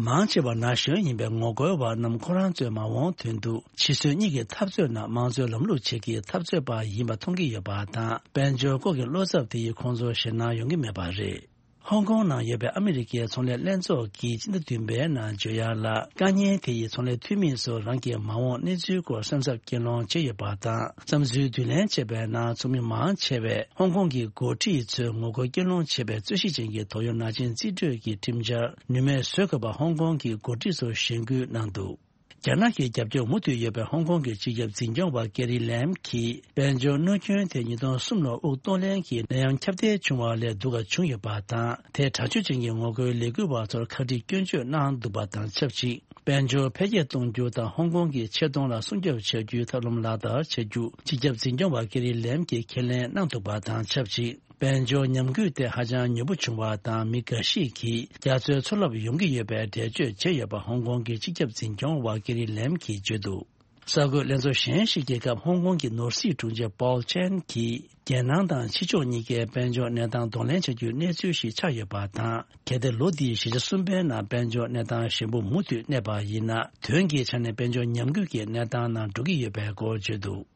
མང་ཆེ་བ་ན་གཞོན་ཡིན་པའི་ངོ་རྒོལ་བ་རྣམས་ཁོ་རང་ཚོའི་མ་འོངས་དོན་དུ་ཕྱི་སྲོལ་གཉིས་ཀྱི་འཐབ་རྩོད་ནང་དམངས་གཙོའི་ལམ་ལུགས་ཆེད་ཀྱི་འཐབ་རྩོད་པ་ཡིན་པ་མཐོང་གི་ཡོད་པ་དང་། དཔལ་འབྱོར་སྐོར་གྱི་བློ་འཚབ་དེ་ཡིས་ཁོང་ཚོར་ཞེད་སྣང་ཡོང་གི་མེད་པ་རེད། ཧོང་ཀོང་ནང་ཡོད་པའི་ཨ་མི་རི་ཀའི་ཚོང་ལས་ལྷན་ཚོགས་ཀྱིས་སྤྱི་ཟླ་བདུན་པའི་ནང་བརྗོད་ཡག་ལ། དཀའ་ཉེན་དེ་ཡིས་ཚོང་ལས་འཐུས་མི་ཚོར་རང་གི་མ་འོངས་གནས་ཚུལ་སྐོར་སེམས་འཚབ་སྐྱེད་སློང་བྱས་ཡོད་པ་དང་། བསམ་ཚུལ་བསྡུ་ལེན་བྱས་པའི་ནང་ཚོགས་མི་མང་ཆེ་བས་ཧོང་ཀོང་གི་འགོ་ཁྲིད་ཚོས་ངོ་རྒོལ་སྐྱོན་སློང་བྱེད་པའི་རྩོད་གཞི་ཅན་གྱི་དོགས་ཡོད་ནག་ཅན་རྩིས་སྤྲོད་ཀྱི་ཁྲིམས་འཆར་ནུས་མེད་བཟོ་དགོས་པ་ཧོང་ཀོང་གི་འགོ་ཁྲིད་ཚོར་ཞེན་སྐུལ་གནང་འདུག་རྒྱ་ནག་གི་རྒྱབ་སྐྱོར་མུ་མཐུད་ཡོད་པའི་ཧོང་ཀོང་གི་སྤྱི་ཁྱབ་འཛིན་སྐྱོང་བ་ཀེ་རི་ལེམ་གྱིས། དཔལ་འབྱོར་གནོད་སྐྱོན་དེ་ཉིས་སྟོང་གསུམ་ལོར་དབུགས་གཏོང་ལེན་གྱི་ནད་ཡམས་ཁྱབ་གདལ་བྱུང་བ་ལས་སྡུག་ག་བྱུང་ཡོད་པ་དང་། དེས་དྲག་སྤྱོད་ཅན་གྱི་ངོ་རྒོལ་ལས་འགུལ་བ་ཚོར་ཁ་དཀྲིས་སྐྱོན་བརྗོད་གནང་འདུག་པ་དང་ཆབས་ཅིག་དཔལ་འབྱོར་འཕེལ་རྒྱས་གཏོང་རྒྱུ་དང་ཧོང་ཀོང་གི་ཆེ་མཐོང་ལ་སྲུང་སྐྱོབ་བྱ་རྒྱུའི་ཐབས་ལམ་ལག་བསྟར་བྱ་རྒྱུ་སྤྱི་ཁྱབ་འཛིན་སྐྱོང་བ་ཀེ་རི་ལེམ་གྱིས་ཁས་ལེན་གནང་འདུག་པ་དང་ཆབས་ཅིག་དཔལ་འབྱོར་ཉམས་རྒུད་དེ་ཧ་ཅང་མྱུར་པོ་བྱུང་བ་དང་། མི་འགའ་ཞིག་གིས་རྒྱ་མཚོའི་མཚོ་རླབས་ཡོང་གི་ཡོད་པའི་འགྲེལ་བརྗོད་བྱས་ཡོད་པ་ཧོང་ཀོང་གི་སྤྱི་ཁྱབ་འཛིན་སྐྱོང་བ་ཀེ་རི་ལེམ་གྱིས་བརྗོད་འདུག་གསར་འགོད་ལྷན་ཚོགས་གཞན་ཞིག་གི་སྐབས། ཧོང་ཀོང་གི་ནོར་སྲིད་དྲུང་ཆེ་པོལ་ཆན་གྱིས། རྒྱལ་ནང་དང་ཕྱི་ཕྱོགས་གཉིས་ཀའི་དཔལ་འབྱོར་གནས་སྟངས་གདོང་ལེན་བྱ་རྒྱུའི་གནས་ཚུལ་ཞིག་ཆགས་ཡོད་པ་དང་། གལ་ཏེ་ལོ་འདིའི་བཞི་ཆ་གསུམ་པའི་ནང་དཔལ་འབྱོར་གནས་སྟངས་ཞན་པོ་མུ་མཐུད་གནས་པ་ཡིན་ན། དོན་གྱི་ཆ་ནས་དཔལ་འབྱོར་ཉམས་རྒུད་ཀྱི་གནས་སྟངས་ནང་འགྲོ་གི་ཡོད་པའི་སྐོར་བརྗོད་འདུག་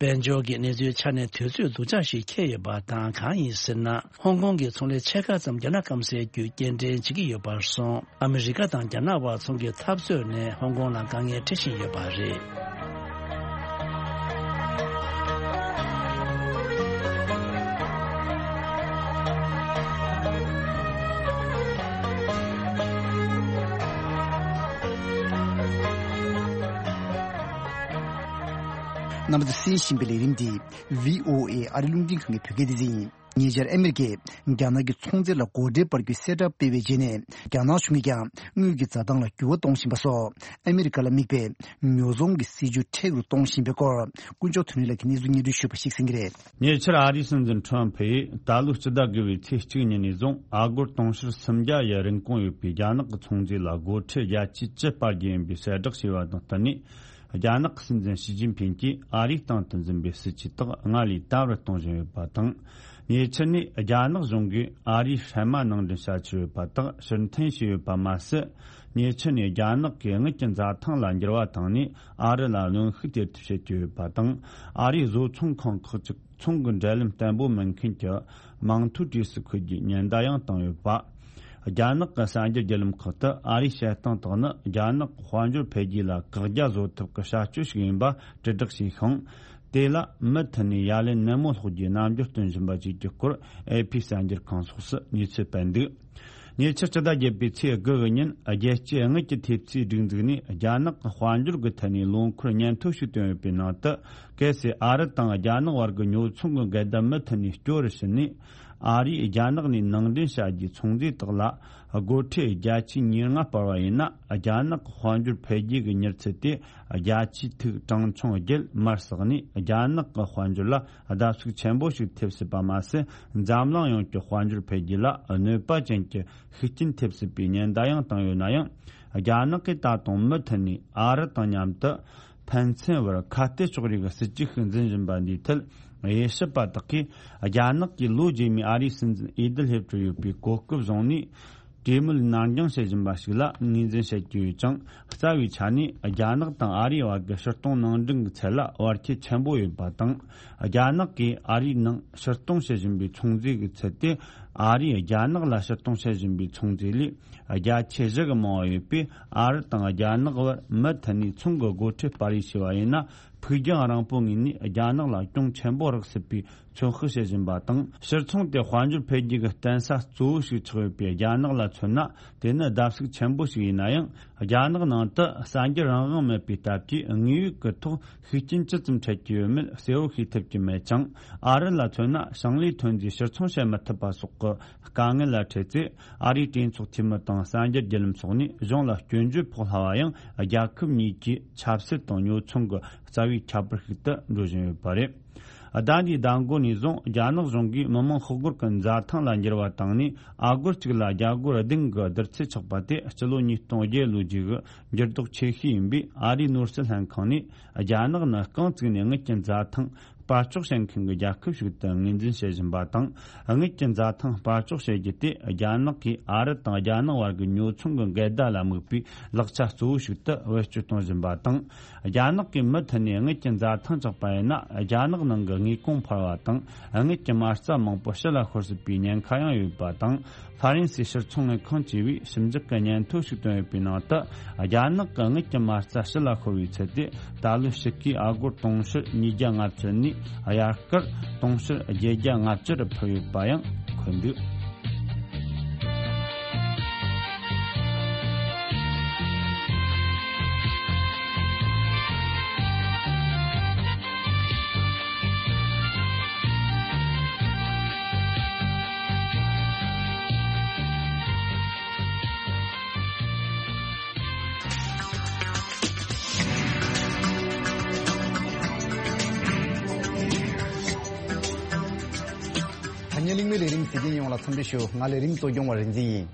དཔལ་འབྱོར་གྱི་གནས་ཚུལ་ཆ་ནས་དུས་ཚོད་སྡུག་ཅག་ཞིག་འཁེལ་ཡོད་པ་དང་། གང་ཡིན་ཟེར་ན། ཧོང་ཀོང་གི་ཚོང་ལས་ཕྱེད་ཀ་ཙམ་རྒྱ་ནག་སྐམ་སའི་བརྒྱུད་སྐྱེལ་འདྲེན་བྱེད་ཀྱི་ཡོད་པར་སོང་། ཨ་མི་རི་ཀ་དང་རྒྱ་ནག་དབར་ཚོང་གི་འཐབ་རྩོད་ནས་ཧོང་ཀོང་ལ་དཀའ་ངལ་འཕྲད་བཞིན་ཡོད་པ་རེད། རྣམ་པ་ཚོས་གསན་བཞིན་པའི་ལས་རིམ་འདི་བྷི་ཨོ་ཨེ་ཨ་རི་རླུང་འཕྲིན་ཁང་གི་བོད་སྐད་སྡེ་ཚན་ཡིན། ཉེ་ཆར་ཨ་མེ་རི་ཀས་རྒྱ་ནག་གི་ཚོང་རྫས་ལ་སྒོ་ཁྲལ་སྤར་རྒྱུའི་གསལ་བསྒྲགས་སྤེལ་བའི་རྗེས་ནས། རྒྱ་ནག་གཞུང་གིས་ཀྱང་དངུལ་གྱི་འཛའ་ཐང་ལ་འགྱུར་བ་གཏོང་བཞིན་པ་སོགས། ཨ་མེ་རི་ཀ་ལ་དམིགས་པའི་ཉོ་ཚོང་གི་སྲིད་ཇུས་མཁྲེགས་རུ་གཏོང་བཞིན་པའི་སྐོར། དཀོན་མཆོག་དོན་གྲུབ་ལགས་ཀྱིས་གནས་ཚུལ་སྙན་སྒྲོན་ཞུས་པ་ཞིག་གསན་གྱི་རེད། ཉེ་ཆར་ཨ་རིའི་སྲིད་འཛིན་ཁྲོམ་ཕུ་ཡིས་ད་ལོའི་སྤྱི་ཟླ་དགུ་པའི་ཚེས་གཅིག་ཉིན་ནས་བཟུང་ཨ་སྒོར་དུང་ཕྱུར་སུམ་བརྒྱ་ཡི་རིན་གོང་ཡོད་པའི་རྒྱ་ནག་གི་ཚོང་རྫས་ལ་སྒོ་ཁྲལ་བརྒྱ་ཆའི་བཅུ་སྤར་རྒྱུ་ཡིན་པའི་གསལ་བསྒྲགས་བྱས་པ་དང་བསྟུན་ནས། རྒྱ་ནག་གི་སྲིད་འཛིན་ཞི་ཅིན་ཕིང་གིས་ཨ་རིའི་སྟེང་དུ་འཛིན་པའི་སྲིད་ཇུས་དག་སྔར་ལས་དམ་རུ་གཏོང་བཞིན་ཡོད་པ་དང་། ཉེ་ཆར་ནས་རྒྱ་ནག་གཞུང་གིས་ཨ་རིའི་ཧྲན་མ་ནང་འདྲེན་བྱ་ཆེད་ཡོད་པ་དག་ཕྱིར་འཐེན་བྱས་ཡོད་པ་མ་ཟད། ཉེ་ཆར་ནས་རྒྱ་ནག་གིས་དངུལ་གྱི་འཛའ་ཐང་ལ་འགྱུར་བ་བཏང་ནས། ཨ་རི་ལ་གནོན་ཤུགས་སྟེར་ཐབས་བྱེད་ཀྱི་ཡོད་པ་དང་། ཨ་རིའི་བཟོ་ཚོང་ཁང་ཁག་ཅིག་ཚོང་གི་འབྲེལ་ལམ་བརྟན་པོ་མེད་མཁན་གྱི་མིང་ཐོའི་གྲས་སུ་འཁོད་རྒྱུའི་ཉེན་བརྡ་ཡང་བཏང་ཡོད་པ། རྒྱ་ནག་གི་གསར་འགྱུར་བརྒྱུད་ལམ་ཁག་ཏུ་ཨ་རིའི་བྱེད་སྟངས་དག་ནི་རྒྱ་ནག་གི་དཔལ་འབྱོར་འཕེལ་རྒྱས་ལ་བཀག་རྒྱ་བཟོ་ཐབས་ཀྱི་བྱ་སྤྱོད་ཞིག་ཡིན་པ་དྲིལ་བསྒྲགས་བྱས་ཤིང་། དེ་ལ་མུ་མཐུད་ནས་ཡ་ལན་ནན་མོ་སློག་རྒྱུའི་རྣམ་འགྱུར་སྟོན་བཞིན་པ་བཅས་ཀྱི་སྐོར། ཨེ་ཕི་གསར་འགྱུར་ཁང་སོགས་སུ་གནས་ཚུལ་སྤེལ་འདུག་ཉེ་ཆར་སྤྱི་ཟླ་བརྒྱད་པའི་ཚེས་དགུ་གི་ཉིན། རྒྱལ་སྤྱིའི་དངུལ་གྱི་ཐེབས་རྩའི་སྒྲིག་འཛུགས་ནས་རྒྱ་ནག་གི་དཔལ་འབྱོར་གྱི་ཐད་ནས་ལོ་འཁོར་སྙན་ཐོ་ཞིག་བཏོན་ཡོད་པའི་ནང་དུ། གལ་སྲིད་ཨ་རི་དང་རྒྱ་ནག་བར་གྱི་ཉོ་ཚོང་གི་འགལ་ཟླ་མུ་མཐུད་ནས་སྐྱོ་རུ་ཕྱིན་ནས། ཨ་རིས་རྒྱ་ནག་ནས་ནང་འདྲེན་བྱ་རྒྱུའི་ཚོང་རྫས་དག་ལ་སྒོ་ཁྲལ་བརྒྱ་ཆའི་ཉེར་ལྔ་སྤར་བ་ཡིན་ན། རྒྱ་ནག་གི་དཔལ་འབྱོར་འཕེལ་རྒྱས་ཀྱི་མྱུར་ཚད་དེ་བརྒྱ་ཆའི་ཐིག་གྲངས་ཆུང་བརྒྱད་མར་ཟགས་ནས། རྒྱ་ནག་གི་དཔལ་འབྱོར་ལ་བརྡབ་གསིག་ཆེན་པོ་ཞིག་ཐེབས་སྲིད་པ་མ་ཟད། འཛམ་གླིང་ཡོངས་ཀྱི་དཔལ་འབྱོར་འཕེལ་རྒྱས་ལ་གནོད་པ་ཅན་གྱི་ཤུགས་རྐྱེན་ཐེབས་སྲིད་པའི་ཉེན་བརྡ་ཡང་བཏང་ཡོད་ན་ཡང་། རྒྱ་ནག་གིས་ད་དུང་མུ་མཐུད་ནས་ཨ་རི་དང་མཉམ་དུ་ཕན་ཚུན་བར་ཁ་གཏད་གཅོག་རེས་ཀྱི་སྲིད་ཇུས་ཤིག་འཛིན་བཞིན་པ་འདིའི་ཐད། དབྱེ་ཞིབ་པ་དག་གིས། རྒྱ་ནག་གིས་ལོ་རྗེས་མའི་ཨ་རིའི་སྲིད་འཛིན་འོས་བསྡུ་སླེབས་གྲབས་ཡོད་པའི་གོ་སྐབས་བཟུང་ནས། གྲོས་མོལ་ནར་འགྱངས་བྱེད་བཞིན་པ་ཞིག་ལ་ངོས་འཛིན་བྱེད་ཀྱི་ཡོད་ཅིང་། རྩ་བའི་ཆ་ནས་རྒྱ་ནག་དང་ཨ་རིའི་བར་གྱི་ཕྱིར་གཏོང་ནང་འདྲེན་གྱི་ཚད་ལ་བར་ཁྱད་ཆེན་པོ་ཡོད་པ་དང་། རྒྱ་ནག་གིས་ཨ་རིའི་ནང་ཕྱིར་གཏོང་བྱེད་བཞིན་པའི་ཚོང་རྫས་ཀྱི་ཚད་དེ། ཨ་རིས་རྒྱ་ནག་ལ་ཕྱིར་གཏོང་བྱེད་བཞིན་པའི་ཚོང་རྫས་ལས་བརྒྱ་ཆ་བཞི་གི་མང་བ་ཡོད་པས། ཨ་རི་དང་རྒྱ་ནག་བར་མུ་མཐུད་ནས་ཚོང་གི་སྒོ་ཁྲལ་སྤར་རེས་བྱས་པ་ཡིན་ན། ཕུགས་རྒྱང་རིང་པོའི་ངོས་ནས་རྒྱ་ནག་ལ་གྱོང་ཆེན་པོ་རག་སྲིད་པའི་ཚོད་དཔག་བྱེད་བཞིན་པ་དང་། ཕྱིར་ཚོང་དེ་དཔལ་འབྱོར་འཕེལ་རྒྱས་ཀྱི་བརྟེན་ས་གཙོ་བོ་ཞིག་ཆགས་ཡོད་པའི་རྒྱ་ནག་ལ་མཚོན་ན། དེ་ནི་བརྡབ་གསིག་ཆེན་པོ་ཞིག་ཡིན་ན་ཡང་། རྒྱ་ནག་ནང་དུ་གསར་འགྱུར་རང་དབང་མེད་པའི་སྟབས་ཀྱིས། དངོས་ཡོད་ཀྱི་ཐོག་ཤུགས་རྐྱེན་ཇི་ཙམ་འཕྲད་ཀྱི་ཡོད་མེད་གསལ་བོ་ཤེས་ཐུབ་ཀྱི་མེད་ཅིང་། ཨ་རི་ལ་མཚོན་ན། ཞིང་ལས་ཐོན་རྫས་ཕྱིར་ཚོང་བྱེད་མི་ཐུབ་པ་སོགས་ཀྱི་དཀའ་ངལ་ལ་འཕྲད་ཚེ། ཨ་རིའི་གྲོས་ཚོགས་འཐུས་མི་དང་གསར་འགྱུར་བརྒྱུད་ལམ་སོགས་ནས་གཞུང་ལ་སྐྱོན་བརྗོད་ཕོག་སླ་བ་ཡང་། རྒྱལ་ཁབ་གཉིས་ཀྱི་ཆབ་སྲིད་དང་ཉོ་ཚོང་གི་རྩ་བའི་ཁྱད་པར་ཞིག་ཏུ་འགྲོ་བཞིན་ཡོད་པ་རེད། ཟླ་འདིའི་ཟླ་མགོ་ནས་བཟུང་རྒྱ་ནག་གཞུང་གིས་མི་མང་ཤོག་སྒོར་གྱི་འཛའ་ཐང་ལ་འགྱུར་བ་བཏང་ནས། ཨ་སྒོར་གཅིག་ལ་རྒྱ་སྒོར་བདུན་གྱི་བསྡུར་ཚད་ཆགས་པ་དེ་སྤྱི་ལོ་ཉིས་སྟོང་བརྒྱད་ལོའི་རྗེས་ཀྱི་འགྱུར་ལྡོག་ཆེ་ཤོས་ཡིན་པས། ཨ་རིའི་ནོར་སྲིད་ལྷན་ཁང་ནས་རྒྱ་ནག་ནི་རྐང་བཙུགས་ནས་དངུལ་གྱི་འཛའ་ཐང་སྤར་གཅོག་བྱེད་མཁན་གྱི་རྒྱལ་ཁབ་ཞིག་ཏུ་ངོས་འཛིན་བྱེད་བཞིན་པ་དང་། དངུལ་གྱི་འཛའ་ཐང་སྤར་གཅོག་བྱེད་རྒྱུ་དེ་རྒྱ་ནག་གིས་ཨ་རི་དང་རྒྱ་ནག་བར་གྱི་ཉོ་ཚོང་གི་འགལ་ཟླ་ལ་དམིགས་པའི་ལག་ཆ་གཙོ་བོ་ཞིག་ཏུ་བེད་སྤྱོད་གཏོང་བཞིན་པ་དང་། རྒྱ་ནག་གིས་མུ་མཐུད་ནས་དངུལ་གྱི་འཛའ་ཐང་བཅག་པ་ཡིན་ན། རྒྱ་ནག་ནང་གི་དངོས་གོང་འཕར་བ་དང་། དངུལ་གྱི་མ་རྩ་མང་པོ་ཕྱི་ལ་ཤོར་སྲིད་པའི་ཉེན་ཁ་ཡང་ཡོད་པ་དང་། ཧྥ་རན་སིའི་ཕྱིར་ཚོང་ལས་ཁང་བཅས་པས་ཞིབ་འཇུག་གི་སྙན་ཐོ་ཞིག་བཏོན་ཡོད་པའི་ནང་དུ། རྒྱ་ནག་གི་དངུལ་གྱི་མ་རྩ་ཕྱི་ལ་ཤོར་བའི་ཚད་དེ་ད་ལོའི་ཕྱི་ཁའི་ཨ་སྒོར་དུང་ཕྱུར་ཉིས་བརྒྱ་ལྔ་བཅུ་ནས་དབྱར་ཁར་དུང་ཕྱུར་བརྒྱད་བརྒྱ་ལྔ་བཅུ་རུ་འཕར་ཡོད་པ་ཡང་འཁོད་འདུག་ཐ་སྙད་གླེང་མོལ་ལས་རིམ་གཟིགས་མཁན་ཡོངས་ལ་འཚམས་འདྲི་ཞུ། ང་ལས་རིམ་གཙོ་སྐྱོང་བ་རིག་འཛིན་ཡིན།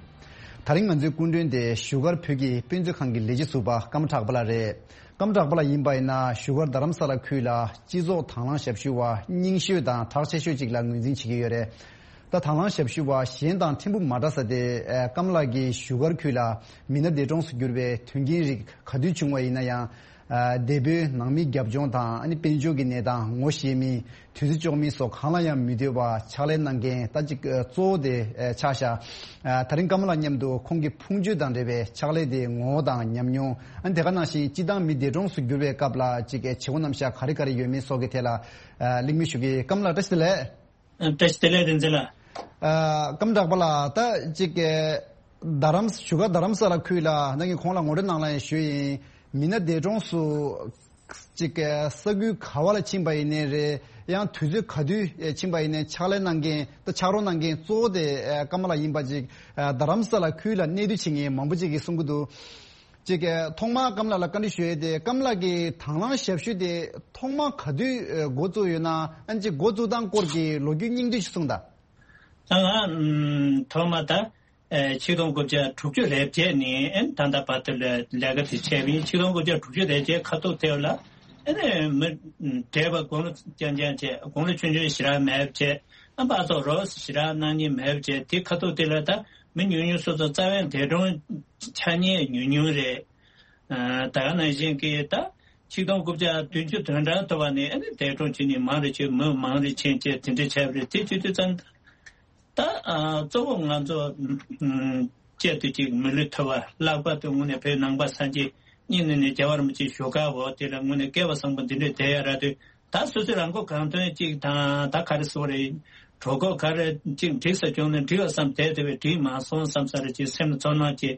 ད་རིང་ང་ཚོའི་སྐུ་མགྲོན་དེ་བཞུགས་སྒར་བོད་ཀྱི་དཔེ་མཛོད་ཁང་གི་ལས་བྱེད་ཟུར་པ་ཀརྨ་གྲགས་པ་ལགས་རེད། ཀརྨ་གྲགས་པ་ལགས་ཡིན་པ་ཡིན་ན། བཞུགས་སྒར་རྡ་རམ་ས་ལ་ཁུལ་ལ་སྤྱི་ཚོགས་དང་བླངས་ཞབས་ཞུ་བ་རྙིང་ཤོས་དང་གྲགས་ཆེ་ཤོས་ཅིག་ལ་ངོས་འཛིན་བྱེད་ཀྱི་ཡོད་རེད། ད་དང་བླངས་ཞབས་ཞུ་བ་གཞན་དང་ཕྲན་བུ་མ་འདྲ་ས་དེ། ཨ། ཀརྨ་ལགས་ཀྱིས་བཞུགས་སྒར་ཁུལ་ལ་མི་སྣ་འདས་གྲོངས་སུ་གྱུར་བའི་དོན་རྐྱེན་རིགས་ག་དུས་བྱུང་བ་ཡིན་ན་ཡང་། ཨ། འདས་པོའི་ནང་མིའི་རྒྱབ་ལྗོངས་དང་། ཨ་ནི་དཔལ་འབྱོར་གྱི་གནས་སྟངས། ངོ་ཤེས་མིན། དུས་ཚོད་འཇོག་མིན་སོགས་གང་ལ་ཡང་མི་ལྟོས་པར་ཕྱག་ལས་གནང་མཁན་ད་ཅིག་གཙོ་བོ་དེ་ཆགས་ཤག་ཨ། ད་རིང་ཀརྨ་ལགས་མཉམ་དུ་ཁོང་གི་ཕུང་མཆོད་དང་འབྲེལ་བའི་ཕྱག་ལས་དེའི་ངོ་བོ་དང་ཉམས་མྱོང་། ཨ་ནི་དེ་ག་ནང་བཞིན་སྤྱི་བཏང་མི་འདས་གྲོངས་སུ་གྱུར་བའི་སྐབས་ལ་ཅིག་བྱེད་སྒོ་རྣམ་གཞག་ག་རེ་ག་རེ་ཡོད་མེད་སོགས་ཀྱི་ཐད་ལ། ཨ། གླེང་མོལ་ཞུ་གི། ཀརྨ་ལགས་བཀྲ་ཤིས་བདེ་ལེགས། ཨ། བཀྲ་ཤིས་བདེ་ལེགས། བསྟན་འཛིན་ལགས། ཨ། ཀརྨ་གྲགས་པ་ལགས། ད་ཅིག་རྡ་རམ། བཞུགས་སྒར་རྡ་རམ་ས་ལ་ཁུལ་ལ་ད་ངས་གོང་ལ་ངོ་སྤྲོད་ནང་ལ་ཡང་ཞུས་ཡིན། མི་སྣ་འདས་གྲོངས་སུ་ ཅིག་ས་ཁུལ་ག་བ་ལ་ཕྱིན་པ་ཡིན་ནའི་རེད། ཡང་དུས་ཚོད་ག་དུས་ཕྱིན་པ་ཡིན་ནའི་ཕྱག་ལས་གནང་མཁན་ད་ཕྱག་རོགས་གནང་མཁན་གཙོ་བོ་དེ་ཀམ་ལ་ཡིན་པ་ཅིག་རྡ་རམ་ས་ལ་ཁུལ་ལ་གནས་སྡོད་བྱེད་མཁན་མང་པོ་ཅིག་གིས་གསུང་གི་འདུག་ཅིག་ཐོག་མར་ཀམ་ལ་ལ་བཀའ་འདྲི་ཞུ་ཡས་དེ་ཀམ་ལ་གི་དང་བླངས་ཞབས་ཞུ་དེ་ཐོག་མར་ག་དུས་འགོ་བཙུགས་ཡོད་ན། ཨ་ནི་ཅིག་འགོ་བཙུགས་སྟངས་སྐོར་གྱི་ལོ་རྒྱུས་སྙིང་བསྡུས་ཤིག་གསུངས་དང་། ད་ང་ཨམ་ཐོག་མ་ད་ཨེ་ཆིག་སྟོང་དགུ་བརྒྱ་དྲུག་ཅུ་རེ་བརྒྱད་ནས་ཨེ་ད་ལྟ་བར་དུ་ལས་ལས་ཀ་དེ་བྱས་པ་ཡིན། ཆིག་སྟོང་དགུ་བརྒྱ་དྲུག་ཅུ་རེ་བརྒྱད་ཁ་ཐུག་དེ་ལ་ཨེ་ནས་མི་བགྲེས་པ་དགུང་ལོ་རྐྱང་རྐྱང་བྱས། དགུང་ལོ་ཆུང་ཆུང་ཞེ་དྲག་མེད་པ་བྱས། ཨ་ཕར་ཚུར་རོགས་ཞེ་དྲག་གནང་མཁན་མེད་པ་བྱས། དེ་ཁ་ཐུག་དེ་ལ་ད་མི་ཉུང་ཉུང་སོ་སོ་རྩ་བའི་འདས་གྲོངས་ཆ་ཉེན་ཉུང་ཉུང་རེད། ཨ་ད་ག་ནང་བཞིན་གྱི་ད་ཆིག་སྟོང་དགུ་བརྒྱ་བདུན་ཅུ་དོན་གྲངས་ཐོབ་པ་ནས་ཨ་ནི་འདས་གྲོངས་བྱེད་མཁན་མང་རུ་ཕྱིན། མི་མང་རུ་ཕྱིན་བྱས་དེ་འདྲ་བྱས་པ་རེད། དེ་བྱེད་དུས་ཙམ་ད་ཨ་གཙོ་བོ་ང་ཚོ་ཨམ་གཅིག་ཏུ་གཅིག་མི་ལུས་ཐོབ་པ། ལྷག་པར་དུ་དངོས་གནས་བོད་ནང་པ་སངས་རྒྱས་གཉིས་ནས་ནས་རྒྱལ་བ་རིན་པོ་ཆེ་བཞུགས་སྒར་འོག་དེ་ལ་དངོས་གནས་སྐལ་བ་བཟང་པོ་འདི་འདྲས་བསྡད་ཡ་རག་དུས། ད་སོ་སོའི་རང་མགོ་གང་ཐོན་གཅིག་དང་། ད་ག་རེ་ཟེར་དགོས་རེད། གྲོད་ཁོག་ག་རེ་གཅིག་འགྲིག་ས་བྱུང་ན་འགྲིག་པ་བསམ་བསྡད་དེ་བས་འགྲིག་མ་སོང་བསམ་ས་རེ་གཅིག་སེམས་ལ་ཚོར་སྣང་གཅིག་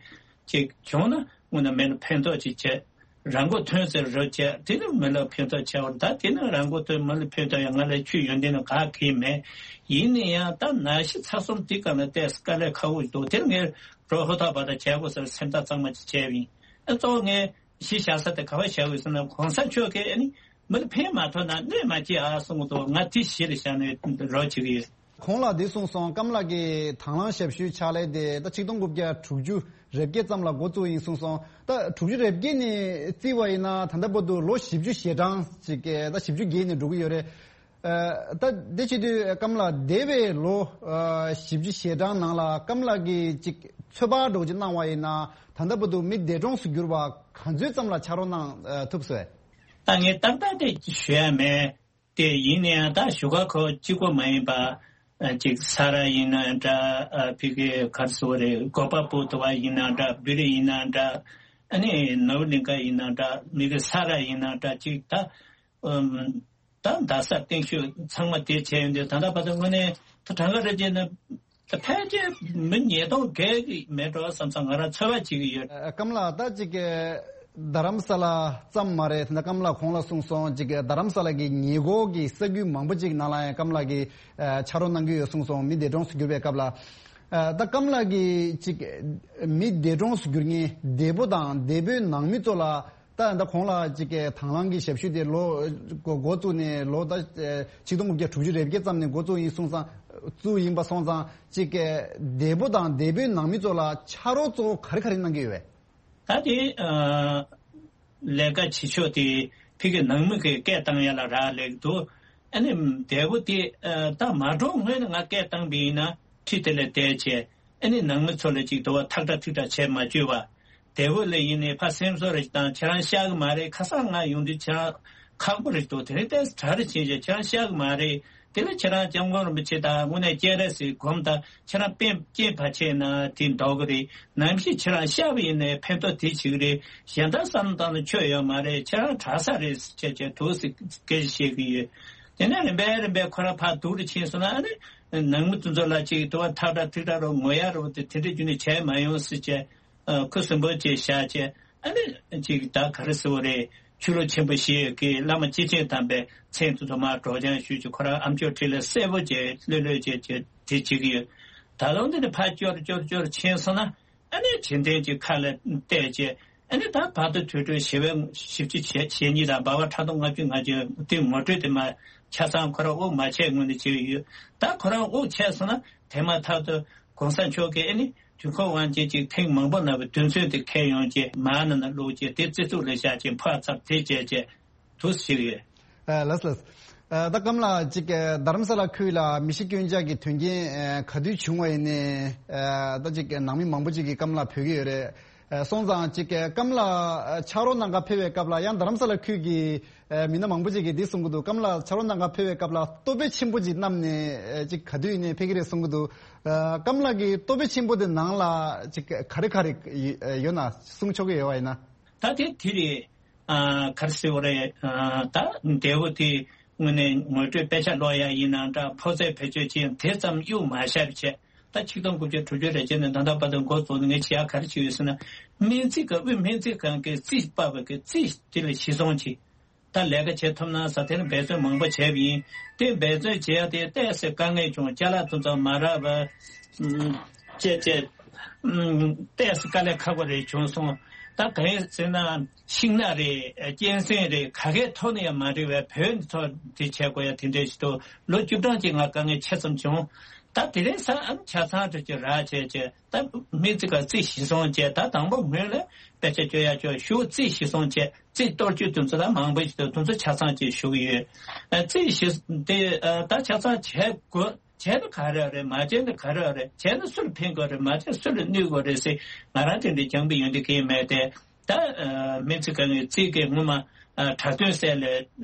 གཅིག་བྱུང་ན་དངོས་གནས་མི་ལ་ཕན་ཐོགས་གཅིག་བྱས། རང་མགོ་ཐོན་ཟེར་རོགས་བྱས། དེ་ནི་མི་ལ་ཕན་ཐོགས་ཆེ་བར། ད་དེ་ནི་རང་མགོ་ཐོན་མི་ལ་ཕན་ཐོགས་ཡང་ང་ལ་ཁྱོད་ཡོན་ཏན་ནི་ག་གེ་མེད། ཡིན་ན་ཡང་ད་ན་གཞི་ཚ་གསུམ་དེ་ག་ལ་བལྟས་དཀའ་ལས་ཁག་པོ་འདུག་དེར་ངས་རོགས་ཧུར་ཐག་བར་ཐག་བྱས་དགོས་ཟེར་སེམས་ཐག་གཙང་མ་ཅིག་བྱས་པ་ཡིན། ཨ་གཙོ་བོ་ངས་གཞི་བཞག་ས་དེ་ག་པར་བཞག་དགོས་ཟེར་ན། གོང་ས་མཆོག་གིས་ཨ་ནི་མི་ལ་ཕན་མ་ཐོགས་ན་གནོད་མ་སྐྱེལ་ཨ་གསུང་གི་འདུག་ང་དེ་གཞི་ལ་བཞག་ནས་རོགས་བྱེད་ཀྱི་ཡོད། ཁོང་ལ་འདི་གསུངས་སོང་། ཀམ་ལགས་ཀྱི་དང་བླངས་ཞབས་ཞུའི་ཕྱག་ལས་དེ་ད་ཆིག་སྟོང་དགུ་བརྒྱ་དྲུག་ཅུ་རེ་བརྒྱད་ཙམ་ལ་འགོ་བཙུགས་ཡིན་གསུངས་སོང་། ད་དྲུག་ཅུ་རེ་བརྒྱད་ནས་བརྩིས་པ་ཡིན་ན་ད་ལྟ་བར་དུ་ལོ་བཞི་བཅུ་ཞེ་གྲངས་ཅིག་ད་བཞི་བཅུ་བརྒལ་ནས་འགྲོ་གི་ཡོད་རེད། ཨ་ད་དེ་བྱེད་དུས་ཀམ་ལགས་འདས་པའི་ལོ་ཨ་བཞི་བཅུ་ཞེ་གྲངས་ནང་ལ་ཀམ་ལགས་ཀྱིས་ཅིག་ཚོད་དཔག་འདྲ་བོ་ཅིག་གནང་བ་ཡིན་ན་ད་ལྟ་བར་དུ་མི་འདས་གྲོངས་སུ་གྱུར་པ་ག་ཚོད་ཙམ་ལ་ཕྱག་རོགས་གནང་ཨ་ཐུབ་སོང་། ད་ངས་ཏག་ཏག་དེ་ཞུ་ཡ་མེད། དེ་ཡིན་ན་ཡང་ད་བཞུགས་སྒར་ཁག་གཅིག་པོ་མ་ཡིན་པ། ཨ་ཅིག་ས་རཱ་ཡིན་ན་འདྲ། ཨ་ཕ་གི་ག་རེ་ཟེར་དགོས་རེད། གོ་པལ་པུར་དུ་བ་ཡིན་ན་འདྲ། བི་རི་ཡིན་ན་འདྲ། ཨ་ནི་ནོར་གླིང་ཁ་ཡིན་ན་འདྲ། མི་གི་ས་རཱ་ཡིན་ན་འདྲ། ཅིག་ད་ཨམ་ད་རྡ་ས་སྟེང་ཤོད་ཚང་མ་དེ་བྱས་ཡོང་དུས་ད་ལྟ་བར་དུ་དངོས་གནས་ད་གྲངས་ཀ་རེ་བྱས་ན། ད་ཕལ་ཆེར་མི་ཉིས་སྟོང་བརྒལ་གྱི་མེད་འགྲོ་བསམ་བསམ་ང་རང་ཚོད་དཔག་བྱེད་ཀྱི་ཡོད། ཨ་ཀམ་ལགས་ད་ཅིག་གི་རྡ་རམ་ས་ལ་ཙམ་མ་རེད། ད་ལྟ་ཀམ་ལགས་གོང་ལ་གསུངས་སོང་། ཅིག་གི་རྡ་རམ་ས་ལ་གི་ཉེ་འཁོར་གྱི་ས་ཁུལ་མང་པོ་ཅིག་ནང་ལ་ཡང་ཀམ་ལགས་ཀྱིས་ཨ་ཕྱག་རོགས་གནང་གི་ཡོད་གསུངས་སོང་། མི་འདས་གྲོངས་སུ་གྱུར་པའི་སྐབས་ལ། ཨ་ད་ཀམ་ལགས་ཀྱིས་ཅིག་མི་འདས་གྲོངས་སུ་གྱུར་མཁན་འདས་པོ་དང་འདས་པོའི་ནང་མི་ཚོ་ལ། ད་ད་ཁོང་ལ་ཅིག་གི་དང་བླངས་ཀྱི་ཞབས་ཞུ་དེ་ལོ་འགོ་འགོ་བཙུགས་ནས་ལོ་ད་ཆིག་སྟོང་དགུ་བརྒྱ་དྲུག་ཅུ་རེ་བརྒྱད་ཙམ་ནས་འགོ་བཙུགས་ཡིན་སོང་ཙང་བཙུགས་ཡིན་པ་སོང་ཙང་ཅིག་གི་འདས་པོ་དང་འདས་པོའི་ནང་མི་ཚོ་ལ་ཕྱག་རོགས་གཙོ་བོ་ག་རེ་ག་རེ་གནང་གི་ཡོད་པས། ད་དེ་ཨ་ལས་ཀ་བྱེད་ཕྱོགས་དེ་ཕ་གི་ནང་མི་གི་སྐད་བཏང་ཡ་ལ་རག་ལས་ཀྱི་འདུག་ཨ་ནི་འདས་པོ་དེ་ཨ་ད་མ་འགྲོ་སྔོན་ནས་ང་སྐད་བཏང་པ་ཡིན་ན་ཁྲིད་དེ་ལས་བསྡད་བྱས། ཨ་ནི་ནང་མི་ཚོ་ལ་ཅིག་དུ་བ་ཐག་ཁྲ་ཐིག་ཁྲ་བྱས་མ་བཅུག་པ། དེ་བོ་ལ་ཡིན་ནའི་ཕ་སེམས་གསོ་རེ་དང་ཁྱེད་རང་ཤག་གི་མ་རེད། ཁ་སང་ང་ཡོང་དུས་ཁྱེད་རང་ཁག་པོ་རེད་འདུག་དེ་རིང་ཏོག་ཙམ་གྲ་རེ་བྱས་བྱས་ཁྱེད་རང་ཤག་གི་མ་རེད། དེ་ལ་ཁྱེད་རང་སྐྱབས་མགོན་རིན་པོ་ཆེ་དང་དངོས་གནས་སྤྱན་རས་གཟིགས་སྒོམ་དང་ཁྱེད་རང་སྤེན་སྐྱེས་ཕ་ཆེ་ན་དེ་འདོགས་གི་རེད། ནམ་ཞིག་ཁྱེད་རང་ཤག་པ་ཡིན་ནའི་ཕན་ཐོགས་དེ་བྱེད་གི་རེད། གཞན་དག་བསམ་བློ་བཏང་ན་ཆོ་ཡོད་མ་རེད། ཁྱེད་རང་དྲག་ས་རེད་ཟེར་བྱས་བྱས་འདུག་ཟེར་སྐད་ཆ་བཤད་གི་ཡོད། དེ་ནས་རིམ་པས་རིམ་པས་ཁོ་རང་ཕར་སྡུག་རུ་ཕྱིན་སོང་ན་ཨ་ནི་ནང་མི་དེ་ཚོ་ལ་ཅིག་དུ་བ་ཐག་ཁྲ་ཐིག་ཁྲ་རུ་ངོ་ཡ་རུ་དེ་དེ་འདྲ་རྒྱུ་ནས་བྱས་མ་ཡོང་ཟེར་བྱས། ཨ་ཁུ་སིམ་པོ་བྱས་བཞག་བྱས། ཨ་ནི་ཅིག་ད་ག་རེ་ཟེར་བ་རེད། ཆོས་ལུགས་ཆེན་པོ་ཞིག་གི་བླ་མ་སྐྱེས་ཆེན་དམ་པའི་མཚན་དེ་ཚོ་མར་སྒྲོག་སྦྱང་ཞུས་བྱས། ཁོ་རང་ཨ་མཆོག་འཁྲིས་ལ་གསལ་པོ་བྱས་ལྷོད་ལྷོད་བྱས་བྱས་དེ་བྱེད་ཀྱི་ཡོད། ད་ལོ་འདི་ནས་ཕར་སྐྱོར་སྐྱོར་སྐྱོར་ཕྱིན་སོང་ན། ཨ་ནི་བྱེད་འདོད་ཀྱི་ཁ་ལ་གཏད་བྱས། ཨ་ནི་ད་བར་དུ་དུས་དྲུག་ཞི་བའི་བཞི་བཅུ་ཞེ་ཞེ་གཉིས་དང་འབའ་བ་ཕྲག་དོག་ལྔ་བཅུ་ང་བཅུ་དེ་ངོ་སྤྲོད་དེ་མ་ཆ་ཚང་ཁོ་རང་དབུགས་མ་ཆད་སྔོན་དུ་བྱས་ཡོད། ད་ཁོ་རང་དབུགས་ཆད་སོང་ན་དེ་མ་ཐག་ཏུ་གོང་ས་མཆོག་གིས་ཨ་ནི་དུས་འཁོར་དབང་ཆེན་གཅིག་ཐེངས་མང་པོ་ན་བའི་དོན་ཚན་དེ་འཁྱེར་ཡོང་བྱས་མར་ནང་ན་བླུགས་བྱས་དེ་རྩི་ཚུགས་ལ་བཞག་བྱས་ཕར་ཚབ་དེ་བྱས་བྱས། དུ་ཞིག་ཡོད། ཨ་ལགས་ལགས། ཨ་ད་སྐམ་ལགས་ཅིག་ཨ་རྡ་རམ་ས་ལ་ཁུལ་ལ་མི་ཤི་སྐྱོན་ཆག་གི་དོན་རྐྱེན་ཨ་ག་དུས་བྱུང་བ་ཡིན་ནའི་ཨ་ད་ཅིག་ནང་མི་མང་པོ་ཅིག་གིས་སྐམ་ལགས་འབོད་ཀྱི་ཡོད་རེད། ཨ་སོང་ཙང་ཅིག་ཨ་སྐམ་ལགས་ཨ་ཕྱག་རོགས་གནང་ག་ཕེབས་པའི་སྐབས་ལ་ཡང་རྡ་རམ་ས་ལ་ཁུལ་གྱི་ཨ་མི་སྣ་མང་པོ་ཅིག་གིས་འདི་གསུང་གི་འདུག་སྐམ་ལགས་ཕྱག་རོགས་གནང་ག་ཕེབས་པའི་སྐབས་ལ་ལྟོ་ཕད་ཆེན་པོ་ཅིག་བསྣམས་ནས་ཨ་ཅིག་ག་དུས་ཡིན་ནའི་ཕེབས་ཀྱི་རེད་གསུང་གི་འདུག་ཨ་སྐམ་ལགས་ཀྱི་ལྟོ་ཕད་ཆེན་པོ་དེ་ནང་ལ་ཅིག་ག་རེ་ག་རེ་ཡོད་ན་གསུང་ཆོག་གི་ཡོད་པ་ཡིན་ན། ད་དེ་དེ་རེད། ཨ་ག་རེ་ཟེར་བ་རེད། ཨ་ད་འདས་པོ་དེ་དངོས་གནས་ངོ་སྤྲོད་དཔེ་ཆ་ཀློག་ཡ་ཡིན་ནའང་འདྲ། ཕོ་ཚོད་བེད་སྤྱོད་བྱེད་དེ་ཙམ་གཡུག་མ་བཞག་པ་བྱས། ད་ཆིག་སྟོང་དགུ་བརྒྱ་དྲུག་ཅུ་རེ་བརྒྱད་ནས་ད་ལྟ་བར་དུ་འགོ་བཙུགས་ནས་ངས་བྱེད་ཡ་ག་རེ་བྱས་ཡོད་ཟེར་ན། སྨན་རྩིས་ཁང་དབུས་སྨན་རྩིས་ཁང་གི་རྩིས་པ་བ་གི་རྩིས་དེ་ལ་གཞི་བཟུང་བྱས། ད་ལས་ཀ་བྱེད་ཐུབ་ན་ཟེར་དེ་ནི་འབད་བརྩོན་མང་པོ་བྱས་པ་ཡིན། དེ་འབད་བརྩོན་བྱས་ཏེ་ཏོག་ཙམ་དཀའ་ངལ་བྱུང་། ཅ་ལག་དེ་ཚོ་མ་རག་པ་ཨུམ་བཅས་བཅས་ཨུམ་ཏོག་ཙམ་དཀའ་ལས་ཁག་པོ་རེ་བྱུང་སོང་། ད་གང་ཡིན་ཟེར་ན་ཤིང་ནགས་རེད། གཅན་གཟན་རེད། ག་གའི་ཐོག་ནས་ཡང་མ་འགྲིག་པའི་བོད་ཚོ་དེ་བྱས་དགོས་ཡ་དེ་འདྲས་ཞིག་འདུག་ལོ་བཅུ་གྲངས་ཀྱི་ང་དཀའ་ངལ་ཆེ་ཙམ་བྱུང་། ད་དེ་རིང་སང་ཨ་ནི་ཆ་ཚང་དུ་ཅིག་རག་བྱས་བྱས། ད་མི་ཚིག་ག་རྩིས་གཞི་བཟུང་བྱས། ད་དང་པོ་སྔོན་ལ་དཔེ་ཆ་སྤྱོད་ཡ་ཅོག་ཞུ་རྩིས་གཞི་བཟུང་བྱས། རྩིས་གཏོར་སྐྱོན་དེ་ཚོ་ད་མང་པོ་ཞིག་འདུག་དེ་ཚོ་ཆ་ཚང་ཅིག་ཞུ་གི་ཡོད། ཨ་རྩིས་གཞི་དེ་ཨ་ད་ཆ་ཚང་བྱས་དགོས། བྱས་ན་ག་རེ་རེད། མ་བྱས་ན་ག་རེ་རེད། བྱས་ན་སུ་ལ་ཕན་དགོས་རེད། མ་བྱས་ན་སུ་ལ་གནོད་དགོས་རེད་ཟེར་ང་རང་དེ་འདྲའི་སྦྱང་པའི་ཡོན་ཏན་གང་ཡང་མེད་དེ། ད་ཨ་སྨན་རྩིས་ཁང་གི་རྩིས་ཀྱི་སྔོན་མ་ཨ་དྲག་སྟོན་སྲས་ལ་ཨ་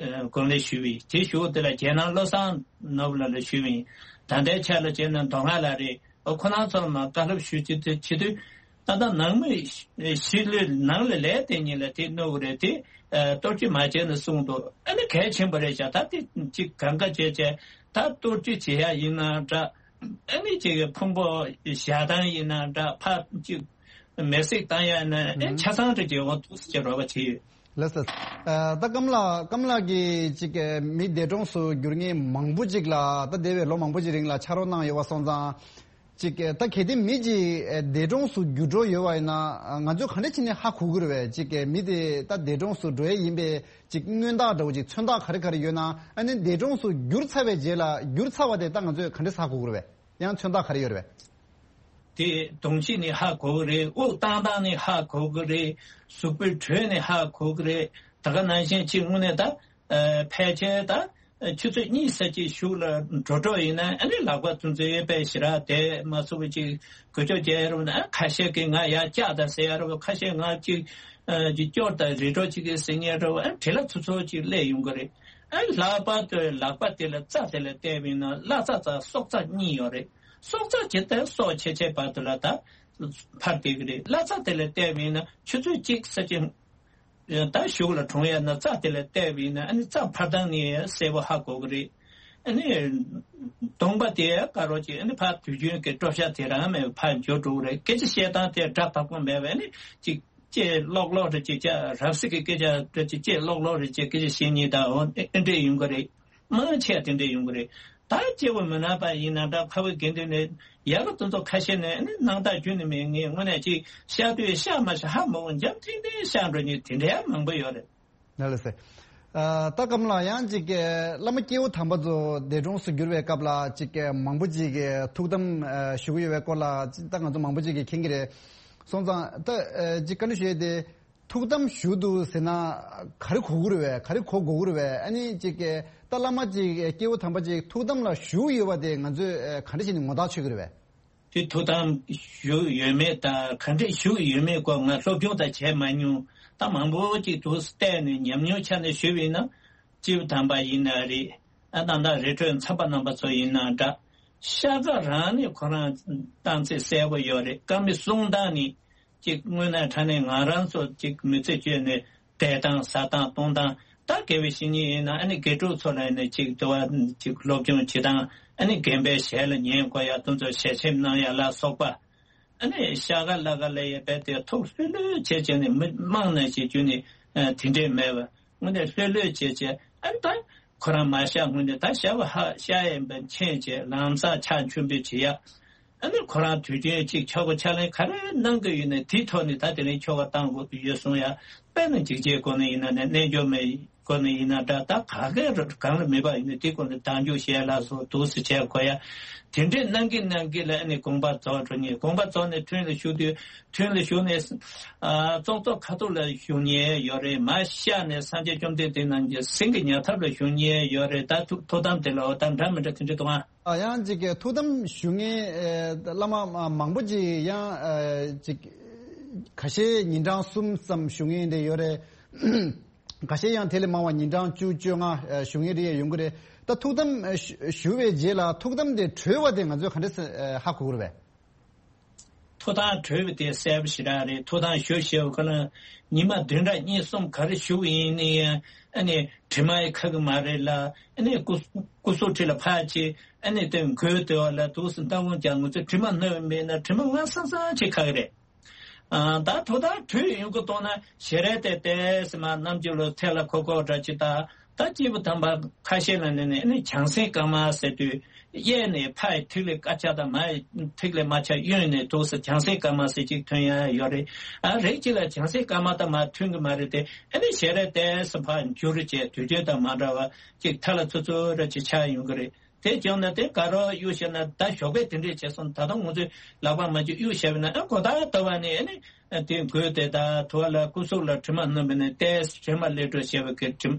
དགོངས་ལས་ཞུས་པ་ཡིན། དེ་ཞུ་བ་དེ་ལ་རྒྱལ་ནང་བློ་བཟང་ནོར་བུ་ལགས་ལ་ཞུས་པ་ཡིན། ད་ལྟའི་ཆ་ལ་བྱས་ན་མདོ་སྔགས་ལགས་རེད། ཨོ་ཁོ་རང་ཚོར་མ་བཀའ་སློབ་ཞུ་རྒྱུ་དེ་བྱེད་དུས། ད་ལྟ་ནང་མི་ཞི་ལུས་ནང་ལ་ལས་དེ་ཉིད་ལ་དེ་གནོད་གི་རེད། དེ་ཨ་གཏོར་སྐྱོན་མ་བྱས་ན་གསུངས་འདུག་ཨ་ནི་གལ་ཆེན་པོ་རེད་ཤག་ད་དེ་གཅིག་གང་ག་བྱས་བྱས་ད་གཏོར་སྐྱོན་བྱེད་ཡ་ཡིན་ན་འདྲ། ཨ་ནི་གཅིག་གི་ཕུང་པོ་བཞག་སྟངས་ཡིན་ན་འདྲ། ཕར་གཅིག་མེ་བསྲེགས་བཏང་ཡ་ན་ཨ་ཆ་ཚང་རེ་བྱེད་འོང་འདུག་ཟེར་རོགས་པ་བྱེད་ཡོད། ལགས་སོ། ཨ་ད་ཀམ་ལགས། ཀམ་ལགས་ཀྱིས་ཅིག་མི་འདས་གྲོངས་སུ་གྱུར་མཁན་མང་པོ་ཅིག་ལ། ད་འདས་པའི་ལོ་མང་པོ་ཅིག་རིང་ལ་ཕྱག་རོགས་གནང་ཡོད་པ་སོང་ཙང་། ཅིག་ད་གལ་ཏེ་མི་ཅིག་འདས་གྲོངས་སུ་གྱུར་འགྲོ་ཡོད་པ་ཡིན་ན། ང་ཚོས་ག་འདྲ་བྱས་ནས་ཧ་གོ་གི་རེད་པས། ཅིག་མི་དེ་ད་འདས་གྲོངས་སུ་འགྲོ་ཡས་ཡིན་པའི་ཅིག་མངོན་རྟགས་འདྲ་བོ་ཅིག་མཚོན་རྟགས་ག་རེ་ག་རེ་ཡོད་ན། ཨ་ནི་འདས་གྲོངས་སུ་གྱུར་ཚར་བའི་རྗེས་ལ། གྱུར་ཚར་བ་དེ་ད་ང་ཚོས་ག་འདྲས་ཧ་གོ་གི་རེད་པས། ཡང་མཚོན་རྟགས་ག་རེ་ཡོད་རེད་པས། དེ་གདོང་གཤིས་ནས་ཧ་གོ་གི་རེད། དབུགས་བཏང་སྟངས་ནས་ཧ་གོ་གི་རེད། གཟུགས་པོའི་དྲོད་ནས་ཧ་གོ་གི་རེད། ད་ག་ནང་བཞིན་ཅིག་དངོས་གནས་ད་ཨ་ཕལ་ཆེར་ད་ཆུ་ཚོད་གཉིས་ཙམ་ཅིག་གཞུག་ལ་འགྲོ་འགྲོ་ཡིན་ན། ཨ་ནི་ལག་པ་དེ་ཚོའི་དཔེ་ཞེ་དྲག་དེ་མ་ཚུགས་པ་ཅིག་འགུལ་སྐྱོད་བྱས་རུང་ན། ཨ་ཁ་ཤས་ཀྱིས་ང་ཡར་བཀྱག་དང་ཟེར་ཡ་རུང་། ཁ་ཤས་ང་ཅིག་ཨ་ཅིག་སྐྱོར་དང་རི་ཁྲོད་ཅིག་གིས་ཟེར་མཁན་རུང་། ཨ་བྲེལ་བ་ཚུབ་ཚུབ་ཅིག་སླེབས་ཡོང་གི་རེད། ཨ་ལྷག་པར་དུ་ལག་པ་དེ་ལ་རྩ་དེ་ལ་བལྟས་པ་ཡིན་ན། བརླ་རྩ་དང་སྲོག་རྩ་གཉིས་ཡོད་རེད། སྲོག་རྩ་ཇི་ལྟར་སྲོག་ཆེ་ཆེ་བར་དུ་ལ་ད་འཕར་བསྡད་ཀྱི་རེད། བརླ་རྩ་དེ་ལ་བལྟས་པ་ཡིན་ན་ཆུ་ཚོད་གཅིག་ཙམ་ཅིག་ད་གཞུག་ལ་གྲོངས་ཡ་ན། རྩ་དེ་ལ་བལྟས་པ་ཡིན་ན་ཨ་ནི་རྩ་འཕར་སྟངས་ནི་གསལ་པོ་ཧ་གོ་གི་རེད། ཨ་ནི་གདོང་པ་དེ་དཀར་པོ་ཅིག་ཨ་ནི་ཕར་དུས་རྒྱུན་གྱི་སྤྲོ་ཤ་དེ་རང་མེད་པར་ཕར་འགྱུར་འགྲོ་གི་རེད། སྐད་ཆ་བཤད་སྟངས་དེ་སྒྲ་དག་པོ་མེད་པ། ཨ་ནི་ཅིག་ལྕེ་ལོག་ལོག་རེ་ཅིག་བྱས། རབ་གསལ་གྱི་སྐད་ཆ་རེ་ཅིག་ལྕེ་ལོག་ལོག་རེ་ཅིག་སྐད་ཆ་བཤད་མཁན་དང་འོ་དེ་འདྲས་ཡོང་གི་རེད། མང་ཆེ་བ་དེ་འདྲས་ཡོང་གི་རེད། ད་སྐྱེ་བོ་མི་ནག་པ་ཡིན་ན་འདྲ། ཁ་བའི་དགེ་འདུན་ནས་ཡག་གི་དེ་ཚོ་ཁ་ཤས་ནས་ནི་སྣང་དག་ཁྱོན་ནས་མེད། ངས་དངོས་གནས་ཅིག་བཤད་དུས་བཤད་མ་བཤད་ཧ་མ་གོ། འཇམ་ཐིང་ཐིང་བཤད་འགྲོ་མཁན་དེ་འདྲ་ཡང་མང་པོ་ཡོད་རེད། ལགས་ལགས་སེ། ཨ་ད་ཀམ་ལགས། ཡང་ཅིག་བླ་མ་སྐྱེས་བུ་དམ་པ་ཚོ་འདས་གྲོངས་སུ་གྱུར་བའི་སྐབས་ལ་ཅིག་མང་པོ་ཅིག་གིས་ཐུགས་དམ་ཨ་ཞུ་གི་ཡོད་པའི་སྐོར་ལ་ཅིག་ད་ང་ཚོ་མང་པོ་ཅིག་གིས་མཁྱེན་གྱི་རེད། སོང་ཙང་ད་ཨ་ཅིག་བཀའ་འདྲི་ཞུ་ཡས་དེ། ཐུགས་དམ་ཞུ་འདུག་ཟེར་ན་ག་རེ་གོ་གི་རེད་པས། ག་རེ་གོ་དགོས་ཀྱི་རེད་པས། ཨ་ནི་ཅིག་ད་བླ་མ་ཅིག་སྐྱེས་བུ་དམ་པ་ཅིག་ཐུགས་དམ་ལ་བཞུགས་ཡོད་པ་དེ་ང་ཚོས་ག་འདྲ་བྱས་ནས་ངོ་རྟགས་ཆོད་ཀྱི་རེད་པས། དེ་ཐུགས་དམ་བཞུགས་ཡོད་མེད་དང་ག་འདྲས་བཞུགས་ཡོད་མེད་སྐོར་ང་སློབ་སྦྱོང་ད་བྱས་མ་མྱོང་། ད་མང་པོ་ཅིག་འདུག་བལྟས་ནས་ཉམས་མྱོང་ཆ་ནས་ཞུས་པ་ཡིན་ན། སྐྱེས་བུ་དམ་པ་ཡིན་ན་རེད། ཨ་ད་ལྟ་རི་ཁྲོད་མཚམས་པ་རྣམ་པ་ཚོ་ཡིན་ན་འདྲ། ཤ་ཁ་རང་ནས་ཁོ་རང་བཏང་ཚད་གསལ་པོ་ཡོད་རེད། བཀའ་མའི་གསུང་སྟངས་ནི་ཅིག་དངོས་གནས་དྲང་གནས་ང་རང་ཚོ་ཅིག་མི་ཚེ་བཅད་ནས་བསྡད་སྟངས་ཟ་སྟངས་གཏོང་སྟངས། ད་དགེ་བའི་བཤེས་གཉེན་ཡིན་ན་ཨ་ནི་དགེ་ཕྲུག་ཚོ་ལ་ནི་ཅིག་དུ་བ་ཅིག་སློབ་སྦྱོང་བྱེད་སྟངས། ཨ་ནི་རྒན་པའི་ཞལ་ལ་ཉན་དགོས་ཡ་དེ་ཚོ་ཞལ་ཆེམས་གནང་ཡ་ལ་སོགས་པ། ཨ་ནི་ཤ་ཁ་ལ་ཁ་ལ་ཡ་བས་དེ་ཐུགས་ལྷོད་ལྷོད་བྱས་བྱས་ནས། མི་མང་ན་ཞིག་རྒྱུ་ནི་ཨ་དེ་འདྲས་མེད་པ། དངོས་གནས་ལྷོད་ལྷོད་བྱས་བྱས། ཨ་ནི་ད་ཁོ་རང་མ་བཤད་སྔོན་ནས་ད་ཞབས་ཧ་ཤ་ཡན་པ་མཁྱེན་བྱས། ལམ་སང་ཕྱག་མཆོད་འབུལ་བྱེད་ཡ། ཨ་ནི་ཁོ་རང་དུས་རྒྱུན་ཅིག་ཆོ་ག་ཕྱག་ལེན་ག་རེ་གནང་གི་ཡོད་ན་དེའི་ཐོག་ནས་ད་དེ་རིང་ཆོ་ག་བཏང་དགོས་ཀྱི་ཡོད་གསུང་ཡ། དཔེར་ན་འཇིགས་བྱེད་སྒོ་ནས་ཡིན་ན་ནི། རྣལ་འབྱོར་མའི་སྒོ་ནས་ཡིན་ན་འདྲ། ད་ག་གེ་གང་ལ་མེད་པ་ཡིན་ན་དེའི་སྒོ་ནས་བདག་འཇུག་བྱས་ལ་སོགས་འདུག་སེ་བྱས་དགོས་ཡ། དེ་འདྲས་གནང་གིན་གནང་གིན་ལ་ཨ་ནི་དགོངས་པ་རྫོགས་འགྲོ་ནས། དགོངས་པ་རྫོགས་ནས་ཐུན་ལ་ཞུགས་དུས། ཐུན་ལ་ཞུགས་ནས་ཨ་ཙོག་ཙོག་ཁ་ཐུག་ལ་ཞུགས་མཁན་ཡོད་རེད། མར་བཤགས་ནས་སངས་རྒྱས་བཅོམ་ལྡན་འདས་རྣམས་ཀྱི་སེང་གེ་ཉལ་ཐབས་ལ་ཞུགས་མཁན་ཡོད་རེད། ད་ཐུགས་ཐུགས་དམ་དེ་ལ་འོ་ད་འདྲ་མི་འདྲ་དེ་འདྲ་འདུག་ཨ། ཨ་ཡང་ཅིག་གི་ཐུགས་དམ་ཞུ་མཁན་ཨེ་བླ་མ་མ་མང་པོ་ཅིག་ཡང་ཨེ་ཅིག་ཁ་ཤས་ཉིན་གྲངས་གསུམ་ཙམ་ཞུ་མཁན་དེ་ཡོད་རེད། ཁ་ཤས་ཡང་དེ་ལས་མང་བ་ཉིན་གྲངས་བཅུ་བཅོ་ལྔ་ཨེ་ཞུ་མཁན་རེ་ཡང་ཡོང་གི་རེད། ད་ཐུགས་དམ་ཨེ་ཞུ་ཞུ་བའི་རྗེས་ལ་ཐུགས་དམ་དེ་གྲོལ་བ་དེ་ང་ཚོས་ག་འདྲས་ཨེ་ཧ་གོ་གི་རེད་པས། ཐུགས་དམ་གྲོལ་བ་དེ་གསལ་པོ་ཞེ་དྲག་རེད། ཐུགས་དམ་ཞུ་ཞེས་པ་ཁོ་ན་ཉི་མ་བདུན་ཕྲག་གཉིས་གསུམ་ག་རེ་ཞུ་བ་ཡིན་ནའི་ཡང་ཨ་ནི་དྲི་མ་ཡི་ཁ་གི་མ་རེད་ལ། ཨ་ནི་སྐུ་སྐུ་གཟུགས་ཁྲི་ལ་ཕར་ཕྱིན། ཨ་ནི་དེ་མགོའི་དེ་བ་ལ་འདུག་སེ་སྣ་ཁུང་རྒྱག། ང་ཚོ་དྲི་མ་སྣོམ་མེད་ན་དྲི་མ་སྔ་སང་སང་ཅིག་ཁ་གི་རེད། ཨ་ད་ཐོག་མཐའ་དྲུད་ཡོང་གི་གཏོང་ན་ཞལ་རས་དེ་ཏེས་མ་རྣམ་འགྱུར་ལ་ཐད་ལ་ཁོ་ཁོ་འདྲ་ཅིག་ད། ད་སྐྱེས་བུ་དམ་པ་ཁ་ཤས་ལ་ནི་ནི་ནི་བྱང་སེམས་དཀར་དམར་ཟེར་དུས་གཡས་ནས་ཕ་ཡི་ཐིག་ལེ་དཀར་ཆ་དང་མ་ཡི་ཐིག་ལེ་དམར་ཆ་གཡོན་ནས་འདུག་སེ་བྱང་སེམས་དཀར་དམར་ཟེར་གཅིག་ཐོན་ཡ་ཡོད་རེད། ཨ་རེད་གཅིག་ལ་བྱང་སེམས་དཀར་དམར་དང་མ་མཐུན་གི་མ་རེད་དེ། ཨ་ནི་ཞལ་རས་ཏེས་ཕར་འགྱུར་བྱས་དུས་རྒྱུན་དང་མ་འདྲ་བ་གཅིག་ཐ་ལ་ཚུ་ཚུ་ར་གཅིག་ཆགས་ཡོང་གི་རེད། དེ་བྱུང་ན་དེ་ག་རོ་གཡུག་བཤད་ན་ད་ཞོགས་པའི་དེ་འདྲས་བྱས་སོང་། ད་དུང་ང་ཚོས་ལག་པ་མ་བཅུག་གཡུག་བཤད་པ་ན་ཨ་གོ་ད་ལྟ་བ་ནས་ཨ་ནི་དེ་འགོས་དེ་ད་ཐུ་བ་ལ་སྐུ་གཟུགས་ལ་དྲི་མ་སྣོམ་པ་ནས་ཏེས་དྲི་མ་ལས་གྲོལ་བྱས་པའི་གི་དྲི་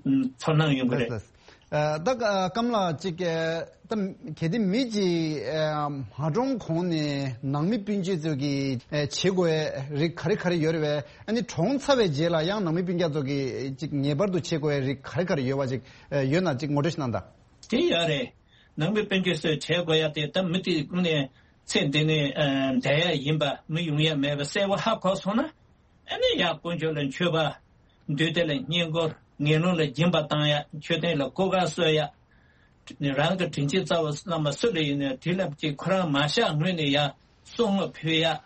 ཚོར་སྣང་ཡོང་གི་རེད། ལགས་ལགས། ཨ་ད་ཀ་ཀམ་ལགས་ཅིག་ཨ་ད་གལ་ཏེ་མི་གཅིག་ཨ་མ་གྲོངས་གོང་ནས་ནང་མི་སྤུན་མཆེད་ཚོ་གི་ཨ་བྱེད་དགོས་རིགས་ག་རེ་ག་རེ་ཡོད་རེད་བས། ཨ་ནི་གྲོངས་ཚར་བའི་རྗེས་ལ་ཡང་ནང་མི་སྤུན་ཀྱག་ཚོ་གི་ཅིག་ངེས་པར་དུ་བྱེད་དགོས་རིགས་ག་རེ་ག་རེ་ཡོད་བ་ཅིག་ཨ་ཡོད་ན་ཅིག་ངོ་སྤྲོད་ཞིག་གནང་དང་། དེ་ཡོད་རེད། ནང་མི་སྤུན་མཆེད་ཚོས་བྱེད་དགོས་ཡ་དེ་ད་མི་དེ་ཀུན་ནས་ཚེ་འདི་ནས་ཨ་འདས་ཡ་ཡིན་པ་མི་ཡོང་ཡ་མེད་པ་གསལ་པོ་ཧ་གོ་སོང་ན། ཨ་ནི་ཡ་དཀོན་མཆོག་ལ་མཆོད་པ། འདུས་སྡེ་ལ་བསྙེན་བཀུར། ངན་སློང་ལ་སྦྱིན་པ་བཏང་ཡ། མཆོད་རྟེན་ལ་སྐུ་ཁ་གསོལ་ཡ། རང་གི་དྲིན་ཅན་རྩ་བ་བླ་མ་སུ་ལ་ཡིན་ནའི་དེ་ལ་ཅིག་ཁོ་རང་མ་བཞག་སྔོན་ནས་ཡ་གསུང་ངོ་ཕུལ་ཡ།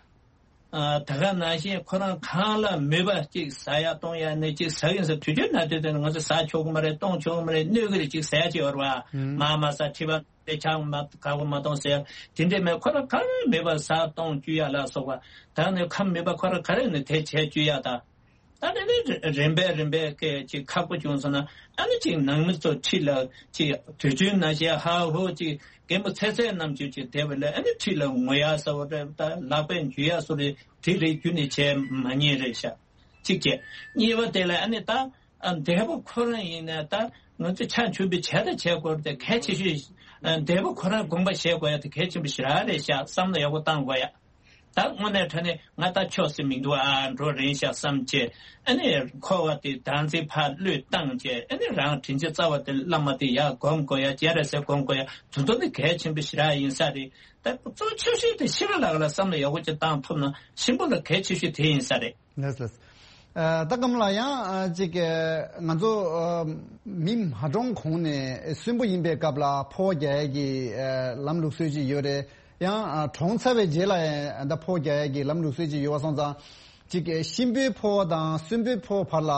ཨ་ད་ག་ནང་བཞིན་ཁོ་རང་གང་ལ་མོས་པ་ཅིག་ཟ་ཡ་གཏོང་ཡ་ནི་ཅིག་ཟ་གིན་ཟ་དུས་རྒྱུན་ན་དུས་དེ་ང་ཚོ་ཟ་ཆོག་གི་མ་རེད། གཏོང་ཆོག་གི་མ་རེད། གནོད་གི་རེད། ཅིག་ཟ་ཡ་ཅིག་ཡོད་རེད་བ། ཨུམ། མ་མ་ཟ་ཁྲི་པ་དེ་ཆང་མ་ག་གོ་མ་གཏོང་ཟེར་ཡ་དེ་འདྲས་མེད། ཁོ་རང་གང་ལ་མོས་པ་ཟ་གཏོང་བཅུག་ཡ་ལ་སོགས་པ། ད་ནི་ཁམས་མེད་པ་ཁོ་རང་ག་རེ་ནི་དེ་བྱས་བཅུག་ཡ་ད། ད་ནི་ནི་རིམ་པས་རིམ་པས་སྐད་ཅིག་ཁག་པོ་བྱུང་སོང་ན་ཨ་ནི་ཅིག་ནང་མི་ཚོ་ཁྲིད་ལ་ཅིག་དུས་རྒྱུན་ན་ཞེ་ཧ་ཧོ་ཅིག་རྒན་པོ་ཚེ་ཚད་རྣམས་ཀྱིས་ཅིག་བསྡད་པ་ལས་ཨ་ནི་ཁྲིད་ལ་ངུ་ཡ་ཟེར་བ་རེད། ད་ལག་པས་འཇུ་ཡ་སོགས་རེད། དེ་རེད་རྒྱུ་ནི་བྱས་མ་ཉེས་རེད་ཤག་གཅིག་བྱས། གཉིས་པ་དེ་ལ་ཨ་ནི་ད་ཨ་འདས་པོ་ཁོ་རང་ཡིན་ན་ད་ང་ཚོ་ཕྱག་མཆོད་འབུལ་བྱས་ད་བྱས་དགོས་རེད་དེ་གལ་ཆེ་ཤོས། ཨ་འདས་པོ་ཁོ་རང་དགོངས་པ་བཞེས་དགོས་ཡ་དེ་གལ་ཆེན་པོ་ཞེ་དྲག་རེད་ཤག་བསམ་བློ་ཡག་པོ་བཏང་དགོས་ཡ། ད་དངོས་གནས་དྲང་གནས་ང་ད་ཆོག་སེ་མི་འདུག་ཨ་འགྲོ་རན་ཤག་བསམ་བྱས། ཨ་ནི་འཁོར་བ་དེ་བདག་འཛིན་ཕར་བློས་བཏང་བྱས། ཨ་ནི་རང་དྲིན་ཅན་རྩ་བ་དེ་བླ་མ་དེ་ཡར་སྒོམ་དགོས་ཡ། སྤྱན་རས་གཟིགས་སྒོམ་དགོས་ཡ། དེ་ཚོ་ནི་གལ་ཆེན་པོ་ཞེ་དྲག་ཡིན་ས་རེད། ད་གཙོ་ཆེ་ཤོས་དེ་ཤི་ར་ལག་ལ་བསམ་བློ་ཡག་པོ་ཅིག་བཏང་ཐུབ་ན་གཤིན་པོ་ལ་གལ་ཆེ་ཤོས་དེ་ཡིན་ས་རེད། ལགས་ལགས། ཨ་ད་ཀམ་ལགས་ཡང་ཨ་ཅིག་ཨ་ང་ཚོ་ཨ་མི་མ་གྲོངས་གོང་ནས་གསོན་པོ་ཡིན་པའི་སྐབས་ལ་འཕོ་བ་རྒྱག་ཡས་ཀྱི་ཨ་ལམ་ལུགས་སྲོལ་ཅིག་ཡོད་རེད། ཡང་ཨ་གྲོངས་ཚར་བའི་རྗེས་ལ་ཡང་ད་འཕོ་བ་རྒྱག་ཡས་ཀྱི་ལམ་ལུགས་སྲོལ་ཅིག་ཡོད་པ་སོང་ཙང་། ཅིག་གཤིན་པོའི་འཕོ་བ་དང་གསོན་པོའི་འཕོ་བ་བར་ལ་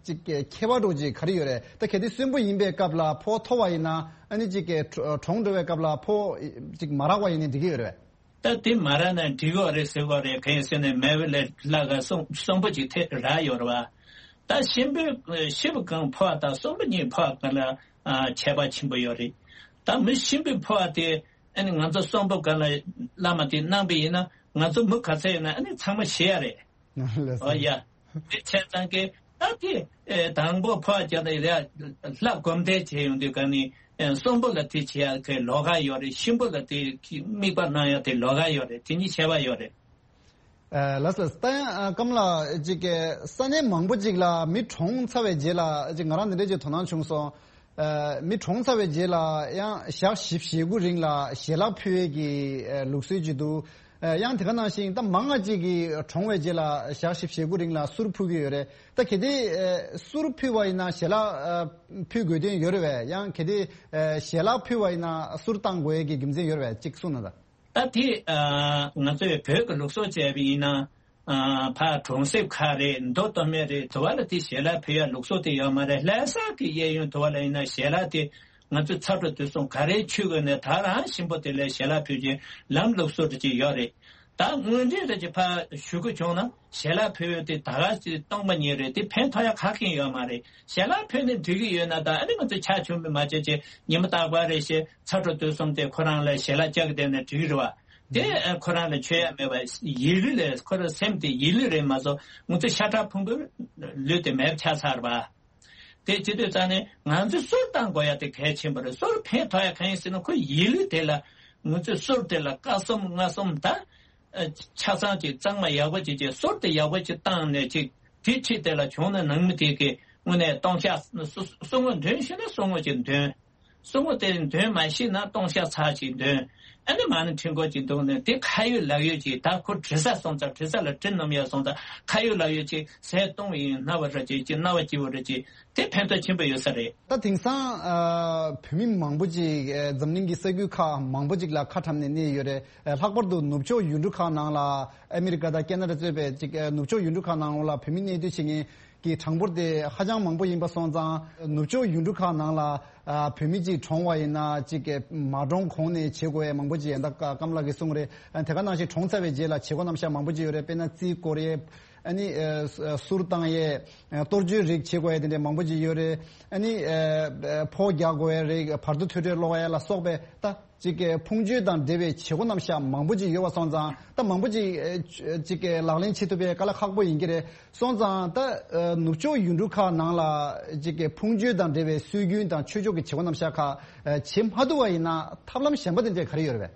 ཅིག་ཁྱད་པར་འདྲ་ཅིག་ག་རེ་ཡོད་རེད། ད་གལ་ཏེ་གསོན་པོ་ཡིན་པའི་སྐབས་ལ་འཕོ་བ་ཐོབ་པ་ཡིན་ན་ཨ་ནི་ཅིག་གྲོངས་འགྲོ་བའི་སྐབས་ལ་འཕོ་བ་ཅིག་མ་རག་པ་ཡིན་ན་འགྲིག་གི་ཡོད་རེད་པས། ད་དེ་མ་རག་ན་འགྲིག་གི་རེད་ཟེར་གི་རེད། གང་ཡིན་ཟེར་ན་མེད་པ་ལས་ལྷག་ག་གསོན་གསོན་པོ་ཅིག་ཐེབས་རག་ཡོད་རེད་པ། ད་གཤིན་པོའི་ཤི་བ་གང་འཕོ་བ་དང་གསོན་པོ་གཉིས་འཕོ་བ་གང་ལ་ཨ་ཁྱད་པར་ཆེན་པོ་ཡོད་རེད། ད་མི་གཤིན་པོའི་འཕོ་བ་དེ་ཨ་ནི་ང་ཚོ་གསོན་པོ་གང་ལ་བླ་མ་དེ་གནང་པ་ཡིན་ན་ང་ཚོ་མི་ག་ཚད་ཡིན་ན་ཨ་ནི་ཚང་མ་ཤི་ཡ་རེད། ལགས་སོ། ཨོ་ཡ། དེ་བྱས་ཙང་གི་ད་དེ་ཨེ་དང་པོ་འཕོ་བ་རྒྱག་ན་ཡ་ལྷ་སྒོམ་བཟླས་བྱས་ཡོང་དུས་ག་ནི་ཨེ་གསོན་པོ་ལ་དེ་བྱེད་ཡ་གི་ལོགས་ཀ་ཡོད་རེད། གཤིན་པོ་ལ་དེ་གི་དམིགས་པ་གནང་ཡ་དེ་ལོགས་ཀ་ཡོད་རེད། དེ་གཉིས་ཁྱད་པར་ཡོད་རེད། ཨ་ལགས་ལགས། ད་ཡང་ཨ་ཀམ་ལགས་ཅིག་གི་ས་གནས་མང་པོ་ཅིག་ལ་མི་གྲོངས་ཚར་བའི་རྗེས་ལ་ཅིག་ང་རང་འདི་འདྲ་ཅིག་དོ་སྣང་བྱུང་སོང་། ཨ་མི་གྲོངས་ཚར་བའི་རྗེས་ལ་ཡང་ཞག་བཞི་བཅུ་ཞེ་དགུ་རིང་ལ་ཞལ་ལག་ཕུལ་ཡས་ཀྱི་ཨ་ལུགས་སྲོལ་ཅིག་འདུག་ཨ་ཡང་དེ་ག་ནང་བཞིན་ད་མང་ང་ཅིག་གིས་གྲོངས་པའི་རྗེས་ལ་ཞག་བཞི་བཅུ་ཞེ་དགུ་རིང་ལ་གསུར་ཕུལ་གྱི་ཡོད་རེད། ད་གལ་ཏེ་ཨ་གསུར་ཕུལ་བ་ཡིན་ན་ཞལ་ལག་ཨ་ཕུལ་དགོས་དོན་ཡོད་རེད་པས། ཡང་གལ་ཏེ་ཨ་ཞལ་ལག་ཕུལ་བ་ཡིན་ན་གསུར་བཏང་དགོས་ཡས་ཀྱི་རྒྱུ་མཚན་ཡོད་རེད་པས། ཅིག་གསུངས་གནང་དང་། ད་དེ་ཨ་ང་ཚོས་བོད་ཀྱི་ལུགས་སྲོལ་བྱས་པ་ཡིན་ན། ཨ་ཕར་གྲོང་གསེབ་ཁག་རེད། མདོ་སྟོད་སྨད་རེད། དེ་བ་ལ་དེ་ཞལ་ལག་ཕུལ་ཡ་ལུགས་སྲོལ་དེ་ཡོད་མ་རེད། ལྷ་ས་གི་གཡས་གཡོན་དེ་བ་ལ་ཡིན་ན་ཞལ་ལག་དེ་ང་ཚོ་ཚ་དྲོད་དུས་གསུམ་ག་རེའི་ཆུ་བོ་ནས་ད་རང་གཤིན་པོ་དེ་ལ་ཞལ་ལག་ཕུལ་གྱི་ལམ་ལུགས་སྲོལ་དེ་ཅིག་ཡོད་རེད། ད་དངོས་འབྲེལ་རེ་ཅིག་ཕར་ཞུ་དགོས་བྱུང་ན་ཞལ་ལག་ཕུལ་ཡ་དེ་ད་ག་ཅིག་སྟོང་པ་ཉིད་རེད། དེ་ཕན་ཐོགས་ཡ་ག་གེ་ཡོད་མ་རེད། ཞལ་ལག་ཕུལ་ནས་འགྲིག་གི་ཡོད་ན་ད་ཨ་ནི་ང་ཚོ་ཕྱག་མཆོད་འབུལ་མ་བྱས་ཅིག་ཉི་མ་རྟག་པར་རེ་བཞིན་ཚ་དྲོད་དུས་གསུམ་དེ་ཁོ་རང་ལ་ཞལ་ལག་བཅག་གི་བསྡད་ན་འགྲིག་གི་རེད་བ། དེ་ཨ་ཁོ་རང་ལ་མཆོད་ཡ་མེད་པ་ཡིད་ལུས་ལས་ཁོ་རང་སེམས་དེ་ཡིད་ལུས་རེད་མ་གཏོགས་ང་ཚོ་ཤ་ཁྲག་ཕུང་པོའི་ལུས་དེ་མེད་པ་ཆགས་ཚར་བ། དེ་བྱེད་དུས་ཙང་ནས་ང་ཚོས་གསུར་བཏང་དགོས་ཡ་དེ་གལ་ཆེན་པོ་རེད། གསུར་ཕན་ཐོགས་ཡ་གང་ཡིན་ཟེར་ན་ཁོ་ཡིད་ལུས་དེ་ལ་ང་ཚོས་གསུར་དེ་ལ་སྐར་གསུམ་ལྔ་གསུམ་ད་ཨ་ཆ་ཚང་ཅིག་གཙང་མ་ཡག་པོ་ཅིག་བྱས་གསུར་དེ་ཡག་པོ་ཅིག་བཏང་ནས་ཅིག་དེ་ཁྲིད་དེ་ལ་བྱུང་ན་ནང་མི་དེ་གི་དངོས་གནས་སྟོང་ཤག་གསུར་ངོ་འདོན་ཤེས་ན་གསུར་ངོ་ཅིག་འདོན། གསུང་བ་དེ་འདོན་མ་ཤེས་ན་སྟོང་ཤ་ཚ་ཅིག་འདོན། ཨ་ནི་མ་ཎི་ཕྲེང་སྐོར་ཅིག་འདོན་ནས་དེ་ཁ་ཡོད་ལག་ཡོད་ཅིག་ད་ཁོ་དྲི་ས་སོང་ཙང་དྲི་ས་ལ་དྲི་སྣོམ་ཡ་སོང་ཙང་ཁ་ཡོད་ལག་ཡོད་ཅིག་ཟས་གཏོང་བ་ཡིན་སྣང་བ་ར་ཅིག་ཅིག་སྣང་བ་སྐྱིད་པོ་ར་ཅིག་དེ་ཕན་ཐོགས་ཆེན་པོ་ཡོད་ས་རེད། ད་དེང་སང་ཨ་བོད་མི་མང་པོ་ཅིག་ཨ་འཛམ་གླིང་གི་ས་ཁུལ་ཁག་མང་པོ་ཅིག་ལ་ཁ་གྲམ་ནས་གནས་ཡོད་རེད། ཨ་ལྷག་པར་དུ་ནུབ་ཕྱོགས་ཡུལ་གྲུ་ཁག་ནང་ལ་ཨ་མི་རི་ཀ་དང་ཁེ་ན་ཌ་གཙོས་པའི་ཅིག་ཨ་ནུབ་ཕྱོགས་ཡུལ་གྲུ་ཁག་ནང་ལ་བོད་མི་གནས་སྡོད་བྱེད་མཁན་གྱི་གྲངས་འབོར་དེ་ཧ་ཅང་མང་པོ་ཡིན་པ་སོང་ཙང་། ནུབ་ཕྱོགས་ཡུལ་གྲུ་ཁག་ནང་ལ་ཨ་བོད་མི་གཅིག་གྲོངས་པ་ཡིན་ན་གཅིག་གི་མ་གྲོངས་གོང་ནས་བྱེད་དགོས་ཡ་མང་པོ་ཅིག་ཡིན་ད་ཀ་ཀམ་ལགས་ཀྱིས་གསུངས་རེད། ཨ་དེ་ག་ནང་བཞིན་གྲོངས་ཚར་བའི་རྗེས་ལ་བྱེད་སྒོ་རྣམ་གཞག་མང་པོ་ཅིག་ཡོད་རེད། དཔེར་ན་རྩིས་བསྐོར་ཡས། ཨ་ནི་ཨ་གསུར་བཏང་ཡས། ཨ་གཏོར་བཅོས་རིགས་བྱེད་དགོས་ཡས་དེ་འདྲས་མང་པོ་ཅིག་ཡོད་རེད། ཨ་ནི་ཨ་ཕོ་རྒྱག་དགོས་ཡས་རིགས། བར་དོ་ཐོས་གྲོལ་ཀློག་ཡས་ལ་སོགས་པའི་ད་ཅིག་གི་ཕུང་མཆོད་དང་འབྲེལ་བའི་བྱེད་སྒོ་རྣམ་གཞག་མང་པོ་ཅིག་ཡོད་པ་སོང་ཙང་། ད་མང་པོ་ཅིག་ཨ་ཅིག་གི་ལག་ལེན་བྱེད་ཐུབ་པའི་དཀའ་ལས་ཁག་པོ་ཡིན་གྱི་རེད། སོང་ཙང་ད་ཨ་ནུབ་ཕྱོགས་ཡུལ་གྲུ་ཁག་ནང་ལ་ཅིག་གི་ཕུང་མཆོད་དང་འབྲེལ་བའི་སྲོལ་རྒྱུན་དང་ཆོས་ཕྱོགས་ཀྱི་བྱེད་སྒོ་རྣམ་གཞག་ཁག་ཨ་བྱེད་མ་ཐུབ་པ་ཡིན་ན་ཐབས་ལམ་གཞན་པ་དེ་འདྲས་ག་རེ་ཡོད་རེད་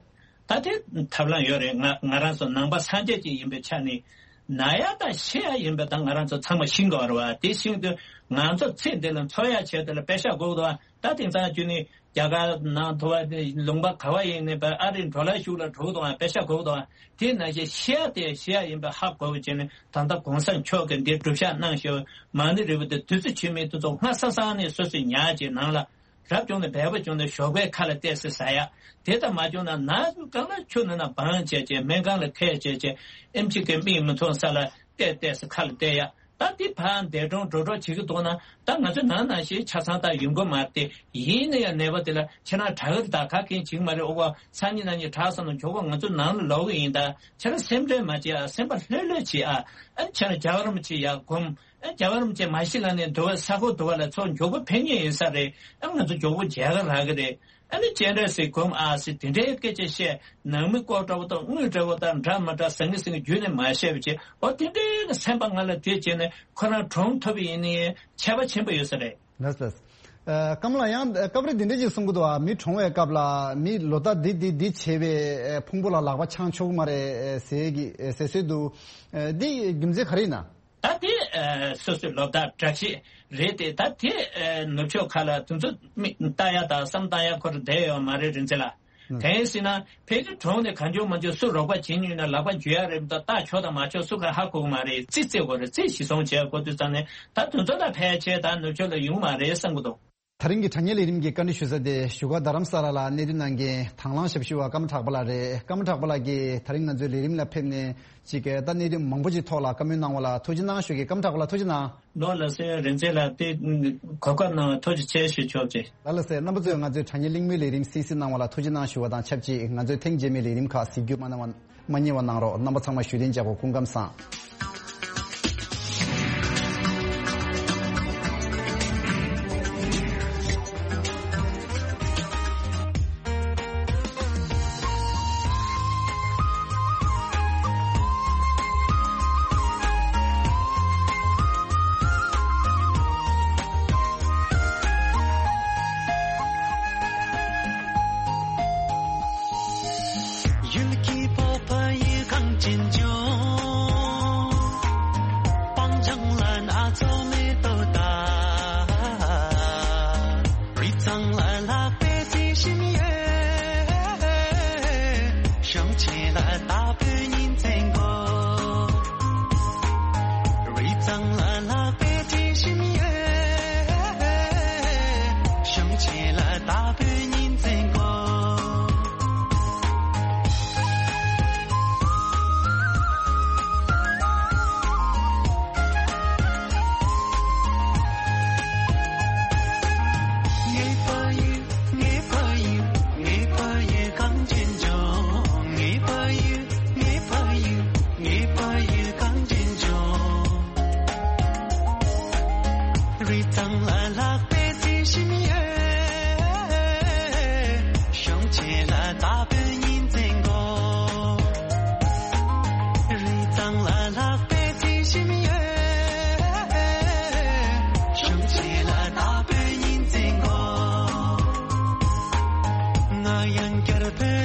པས། ད་དེ་ཐབས་ལམ་ཡོད་རེད། ང་ང་རང་ཚོ་ནང་པ་སངས་རྒྱས་ཅིག་ཡིན་པའི་ཆ་ནས་ན་ཡ་དང་ཤི་ཡ་ཡིན་པ་དང་ང་རང་ཚོ་ཚང་མ་ཤི་དགོས་རེད་བ། དེ་ཤི་དུས་ང་ཚོ་ཚེ་འདི་ལ་འཚོ་ཡ་བྱས་དེ་ལ་པེ་ཤ་དགོས་འདུག་བ། ད་དེང་སང་རྒྱུ་ནི་རྒྱ་གར་ནང་དུ་བ་ལུང་པ་ག་བ་ཡིན་ནི་པ་ཨ་རི་འགྲོ་ལ་ཤུགས་ལ་འགྲོ་གི་འདུག་བ། པེ་ཤ་དགོས་འདུག་བ། དེ་ནང་བཞིན་ཤི་ཡ་དེ་ཤི་ཡ་ཡིན་པ་ཧ་གོ་བ་བྱས་ནས་ད་ལྟ་གོང་ས་མཆོག་གིས་འདི་སྒྲུབ་བཞག་གནང་ཞེས་མ་ཎི་རིལ་བུ་དེ་བདུད་རྩི་ཆུས་མིན་དེ་ཚོ་སྔ་ས་སང་ནས་སོ་སོས་ཉར་བྱས་ནང་ལ། རབ་བྱུང་ན་སྦལ་པ་བྱུང་ན་ཞོགས་པའི་ཁ་ལ་བལྟས་སེ་ཟ་ཡ། དེ་ལྟར་མ་བྱུང་ན་ན་ཟུག་གང་ལ་ཆུ་ནང་ན་སྦངས་བྱས་བྱས་སྨན་ཁང་ལ་ཁད་བྱས་བྱས་ཨེམ་ཆི་གི་མིག་མི་མཐོང་ས་ལ་བལྟས་བལྟས་སེ་ཁ་ལ་བལྟས་ཡ། ད་འདི་ཕར་འདས་གྲོངས་འགྲོ་གྲོངས་བྱེད་ཀྱི་འདུག་ན་ད་ང་ཚོ་ནང་ནང་བཞིན་ཆ་ཚང་ད་ཡོང་གི་མ་རེད་དེ། ཡིན་ན་ཡང་ནད་པ་དེ་ལ་ཁྱེད་རང་དྲག་གི་རེད། ད་ག་གིན་བྱེད་ཀྱི་མ་རེད། ཨོ་བ་སང་ཉིན་གནངས་ཉིན་དྲག་སོང་ན་མགྱོགས་པོ་ང་ཚོ་ནང་ལ་ལོག་གི་ཡིན། ད་ཁྱེད་རང་སེམས་ཁྲལ་མ་བྱེད་ཨ། སེམས་པ་ལྷོད་ལྷོད་བྱེད་ཨ། ཨ་ཁྱེད་རང་རྒྱལ་བ་རིན་པོ་ཆེ་ཡར་སྒོམ། ཨ་རྒྱལ་བ་རིན་པོ་ཆེ་མ་ཤི་ལ་ནས་འདུལ་བ་ས་ཁོག་འདུལ་བ་ལ་ཚོ་མགྱོགས་པོ་ཕེབས་ངེས་ཡིན་ས་རེད། ཨ་ང་ཚོ་མགྱོགས་པོ་མཇལ་ཁ་རག་གི་རེད། ཨ་ནི་སྤྱན་རས་གཟིགས་སྒོམ་ཨ་ཟེར་དེ་འདྲའི་སྐད་ཆ་བཤད། ནང་མི་ལྐོག་འདྲ་བོ་དང་དངུལ་འདྲ་བོ་དང་འདྲ་མ་འདྲ་ཟང་ངེ་ཟིང་ངེ་བརྒྱུད་ནས་མ་བཤད་པ་བྱས། འོ་དེ་འདྲའི་གི་སེམས་པ་ང་ལ་དེ་བྱས་ནས་ཁོ་རང་གྲོངས་ཐུབ་པ་ཡིན་ནའི་ཁྱད་པར་ཆེན་པོ་ཡོད་ས་རེད། ལགས་ལགས། ཨ་སྐམ་ལགས་ཡང་སྐབས་རེ་འདི་འདྲ་ཅིག་གསུང་གི་འདུག་ཨ། མི་གྲོངས་པའི་སྐབས་ལ་མི་ལོ་ཟླ་འདི་འདི་འདི་བྱས་པའི་ཕུང་པོ་ལ་ལག་པ་འཆང་ཆོག་གི་མ་རེད་ཟེར་གི་ཟེར་སྲོལ་འདུག་ཨ་འདི་རྒྱུ་མཚན་ག་རེ་ཡིན་ན། ད་དེ་ཨ་སོ་སོའི་ལོ་ཟླ་གྲངས་ཤིག་རེད་དེ། ད་དེ་ཨ་ནུབ་ཕྱོགས་ཁག་ལ་དེ་ཚོ་མི་ལྟ་ཡ་དང་བསམ་བཏང་ཡ་ཁོ་རང་བསྡད་ཡོད་མ་རེད་རིན་ཆེན་ལགས། ཨ་དེ་ཡིན་ཟེར་ན་ཕལ་ཆེར་གྲོངས་ནས་གང་བྱུང་མང་བྱུང་སུ་རོགས་པ་བྱེད་མྱོང་ན་ལག་པ་འཇུ་ཡ་རེད་མ་གཏོགས་ལྟ་ཆོག་དང་མ་ཆོག་སུ་ག་ཧ་གོ་གི་མ་རེད། རྩིས་རྩིས་དགོས་རེད། རྩིས་གཞི་བཟུང་བྱས་དགོས་དུས་ཙང་ནས་ད་དེ་ཚོ་ལ་ཕལ་ཆེར་ད་ནུབ་ཕྱོགས་ལ་ཡོང་མ་རེད་བསམ་གི་འདུག་ད་རིང་གི་དྲ་བརྙན་ལས་རིམ་གྱི་བཀའ་འདྲི་ཞུ་ས་དེ་བཞུགས་སྒར་རྡ་རམ་ས་ལ་ལ་གནས་སྡོད་གནང་མཁན་དང་བླངས་ཞབས་ཞུ་བ་ཀརྨ་གྲགས་པ་ལགས་རེད། ཀརྨ་གྲགས་པ་ལགས་ཀྱིས་ད་རིང་ང་ཚོའི་ལས་རིམ་ལ་ཕེབས་ནས་ཅིག་ད་གནད་དོན་མང་པོ་ཅིག་ཐོག་ལ་བཀའ་མོལ་གནང་བ་ལ་ཐུགས་རྗེ་གནང་ཞུ་གི། ཀརྨ་གྲགས་པ་ལགས་ཐུགས་རྗེ་གནང་། ལགས་སོ། རིན་ཆེན་ལགས་དེ་གོ་སྐབས་གནང་བ་ཐུགས་རྗེ་ཆེ་ཞུ་ཆོག་ཅེས། ལགས་ལགས་སོ། རྣམ་པ་ཚོས་ང་ཚོའི་དྲ་བརྙན་གླེང་མོལ་ལས་རིམ་གསན་གཟིགས་གནང་བ་ལ་ཐུགས་རྗེ་གནང་ཞུ་བ་དང་ཆབས་ཅིག་ང་ཚོའི་ཐེངས་རྗེས་མའི་ལས་རིམ་ཁག་གཟིགས་རྒྱུ་མ་གནང་བ་མ་བསྙེལ་བ་གནང་རོགས། རྣམ་པ་ཚང་མ་བཞུགས་གདན་འཇགས་དགོས། སྐུ་ཁམས་བཟང་། ཡུལ་གྱི་སྤོབས་པ་ཡི་གངས་ཅན་ལྗོངས། སྤང་ལྗང་ལ་ནགས་ཚལ་མེ་ཏོག་དང་། རི་གཙང་ལ་ལྷག་པའི་རྩི་ཤིང་ཡོད། གཤོང་ཆེན་ལ་དྭགས་པོའི་ཉིན་མཚན་དགོས། རི་གཙང་ལ་ལྷག་པའི་རྩི་ཤིང་ཡོད། གཤོང་ཆེན་ལ་དྭགས་པོའི་ཉིན་མཚན་དགོས། ངའི་ཕ་ཡུལ། ངའི་ཕ་ཡུལ། ངའི་ཕ་ཡུལ་གངས་ཅན་ལྗོངས། ངའི་ཕ་ཡུལ། ངའི་ཕ་ཡུལ། ངའི་ཕ་ཡུལ་གངས་ཅན་ལྗོངས། རི་གཙང་ལ་ལྷག་པའི་རྩི་ཤིང་ཡོད། གཤོང་ཆེན་ལ་དྭགས་པོའི་ཉིན་མཚན་དགོས། རི་གཙང་ལ་ལྷག་པའི་རྩི་ཤིང་ཡོད། གཤོང་ཆེན་ལ་དྭགས་པོའི་ཉིན་མཚན་དགོས། ང་ཡང་བསྐྱར་བོད་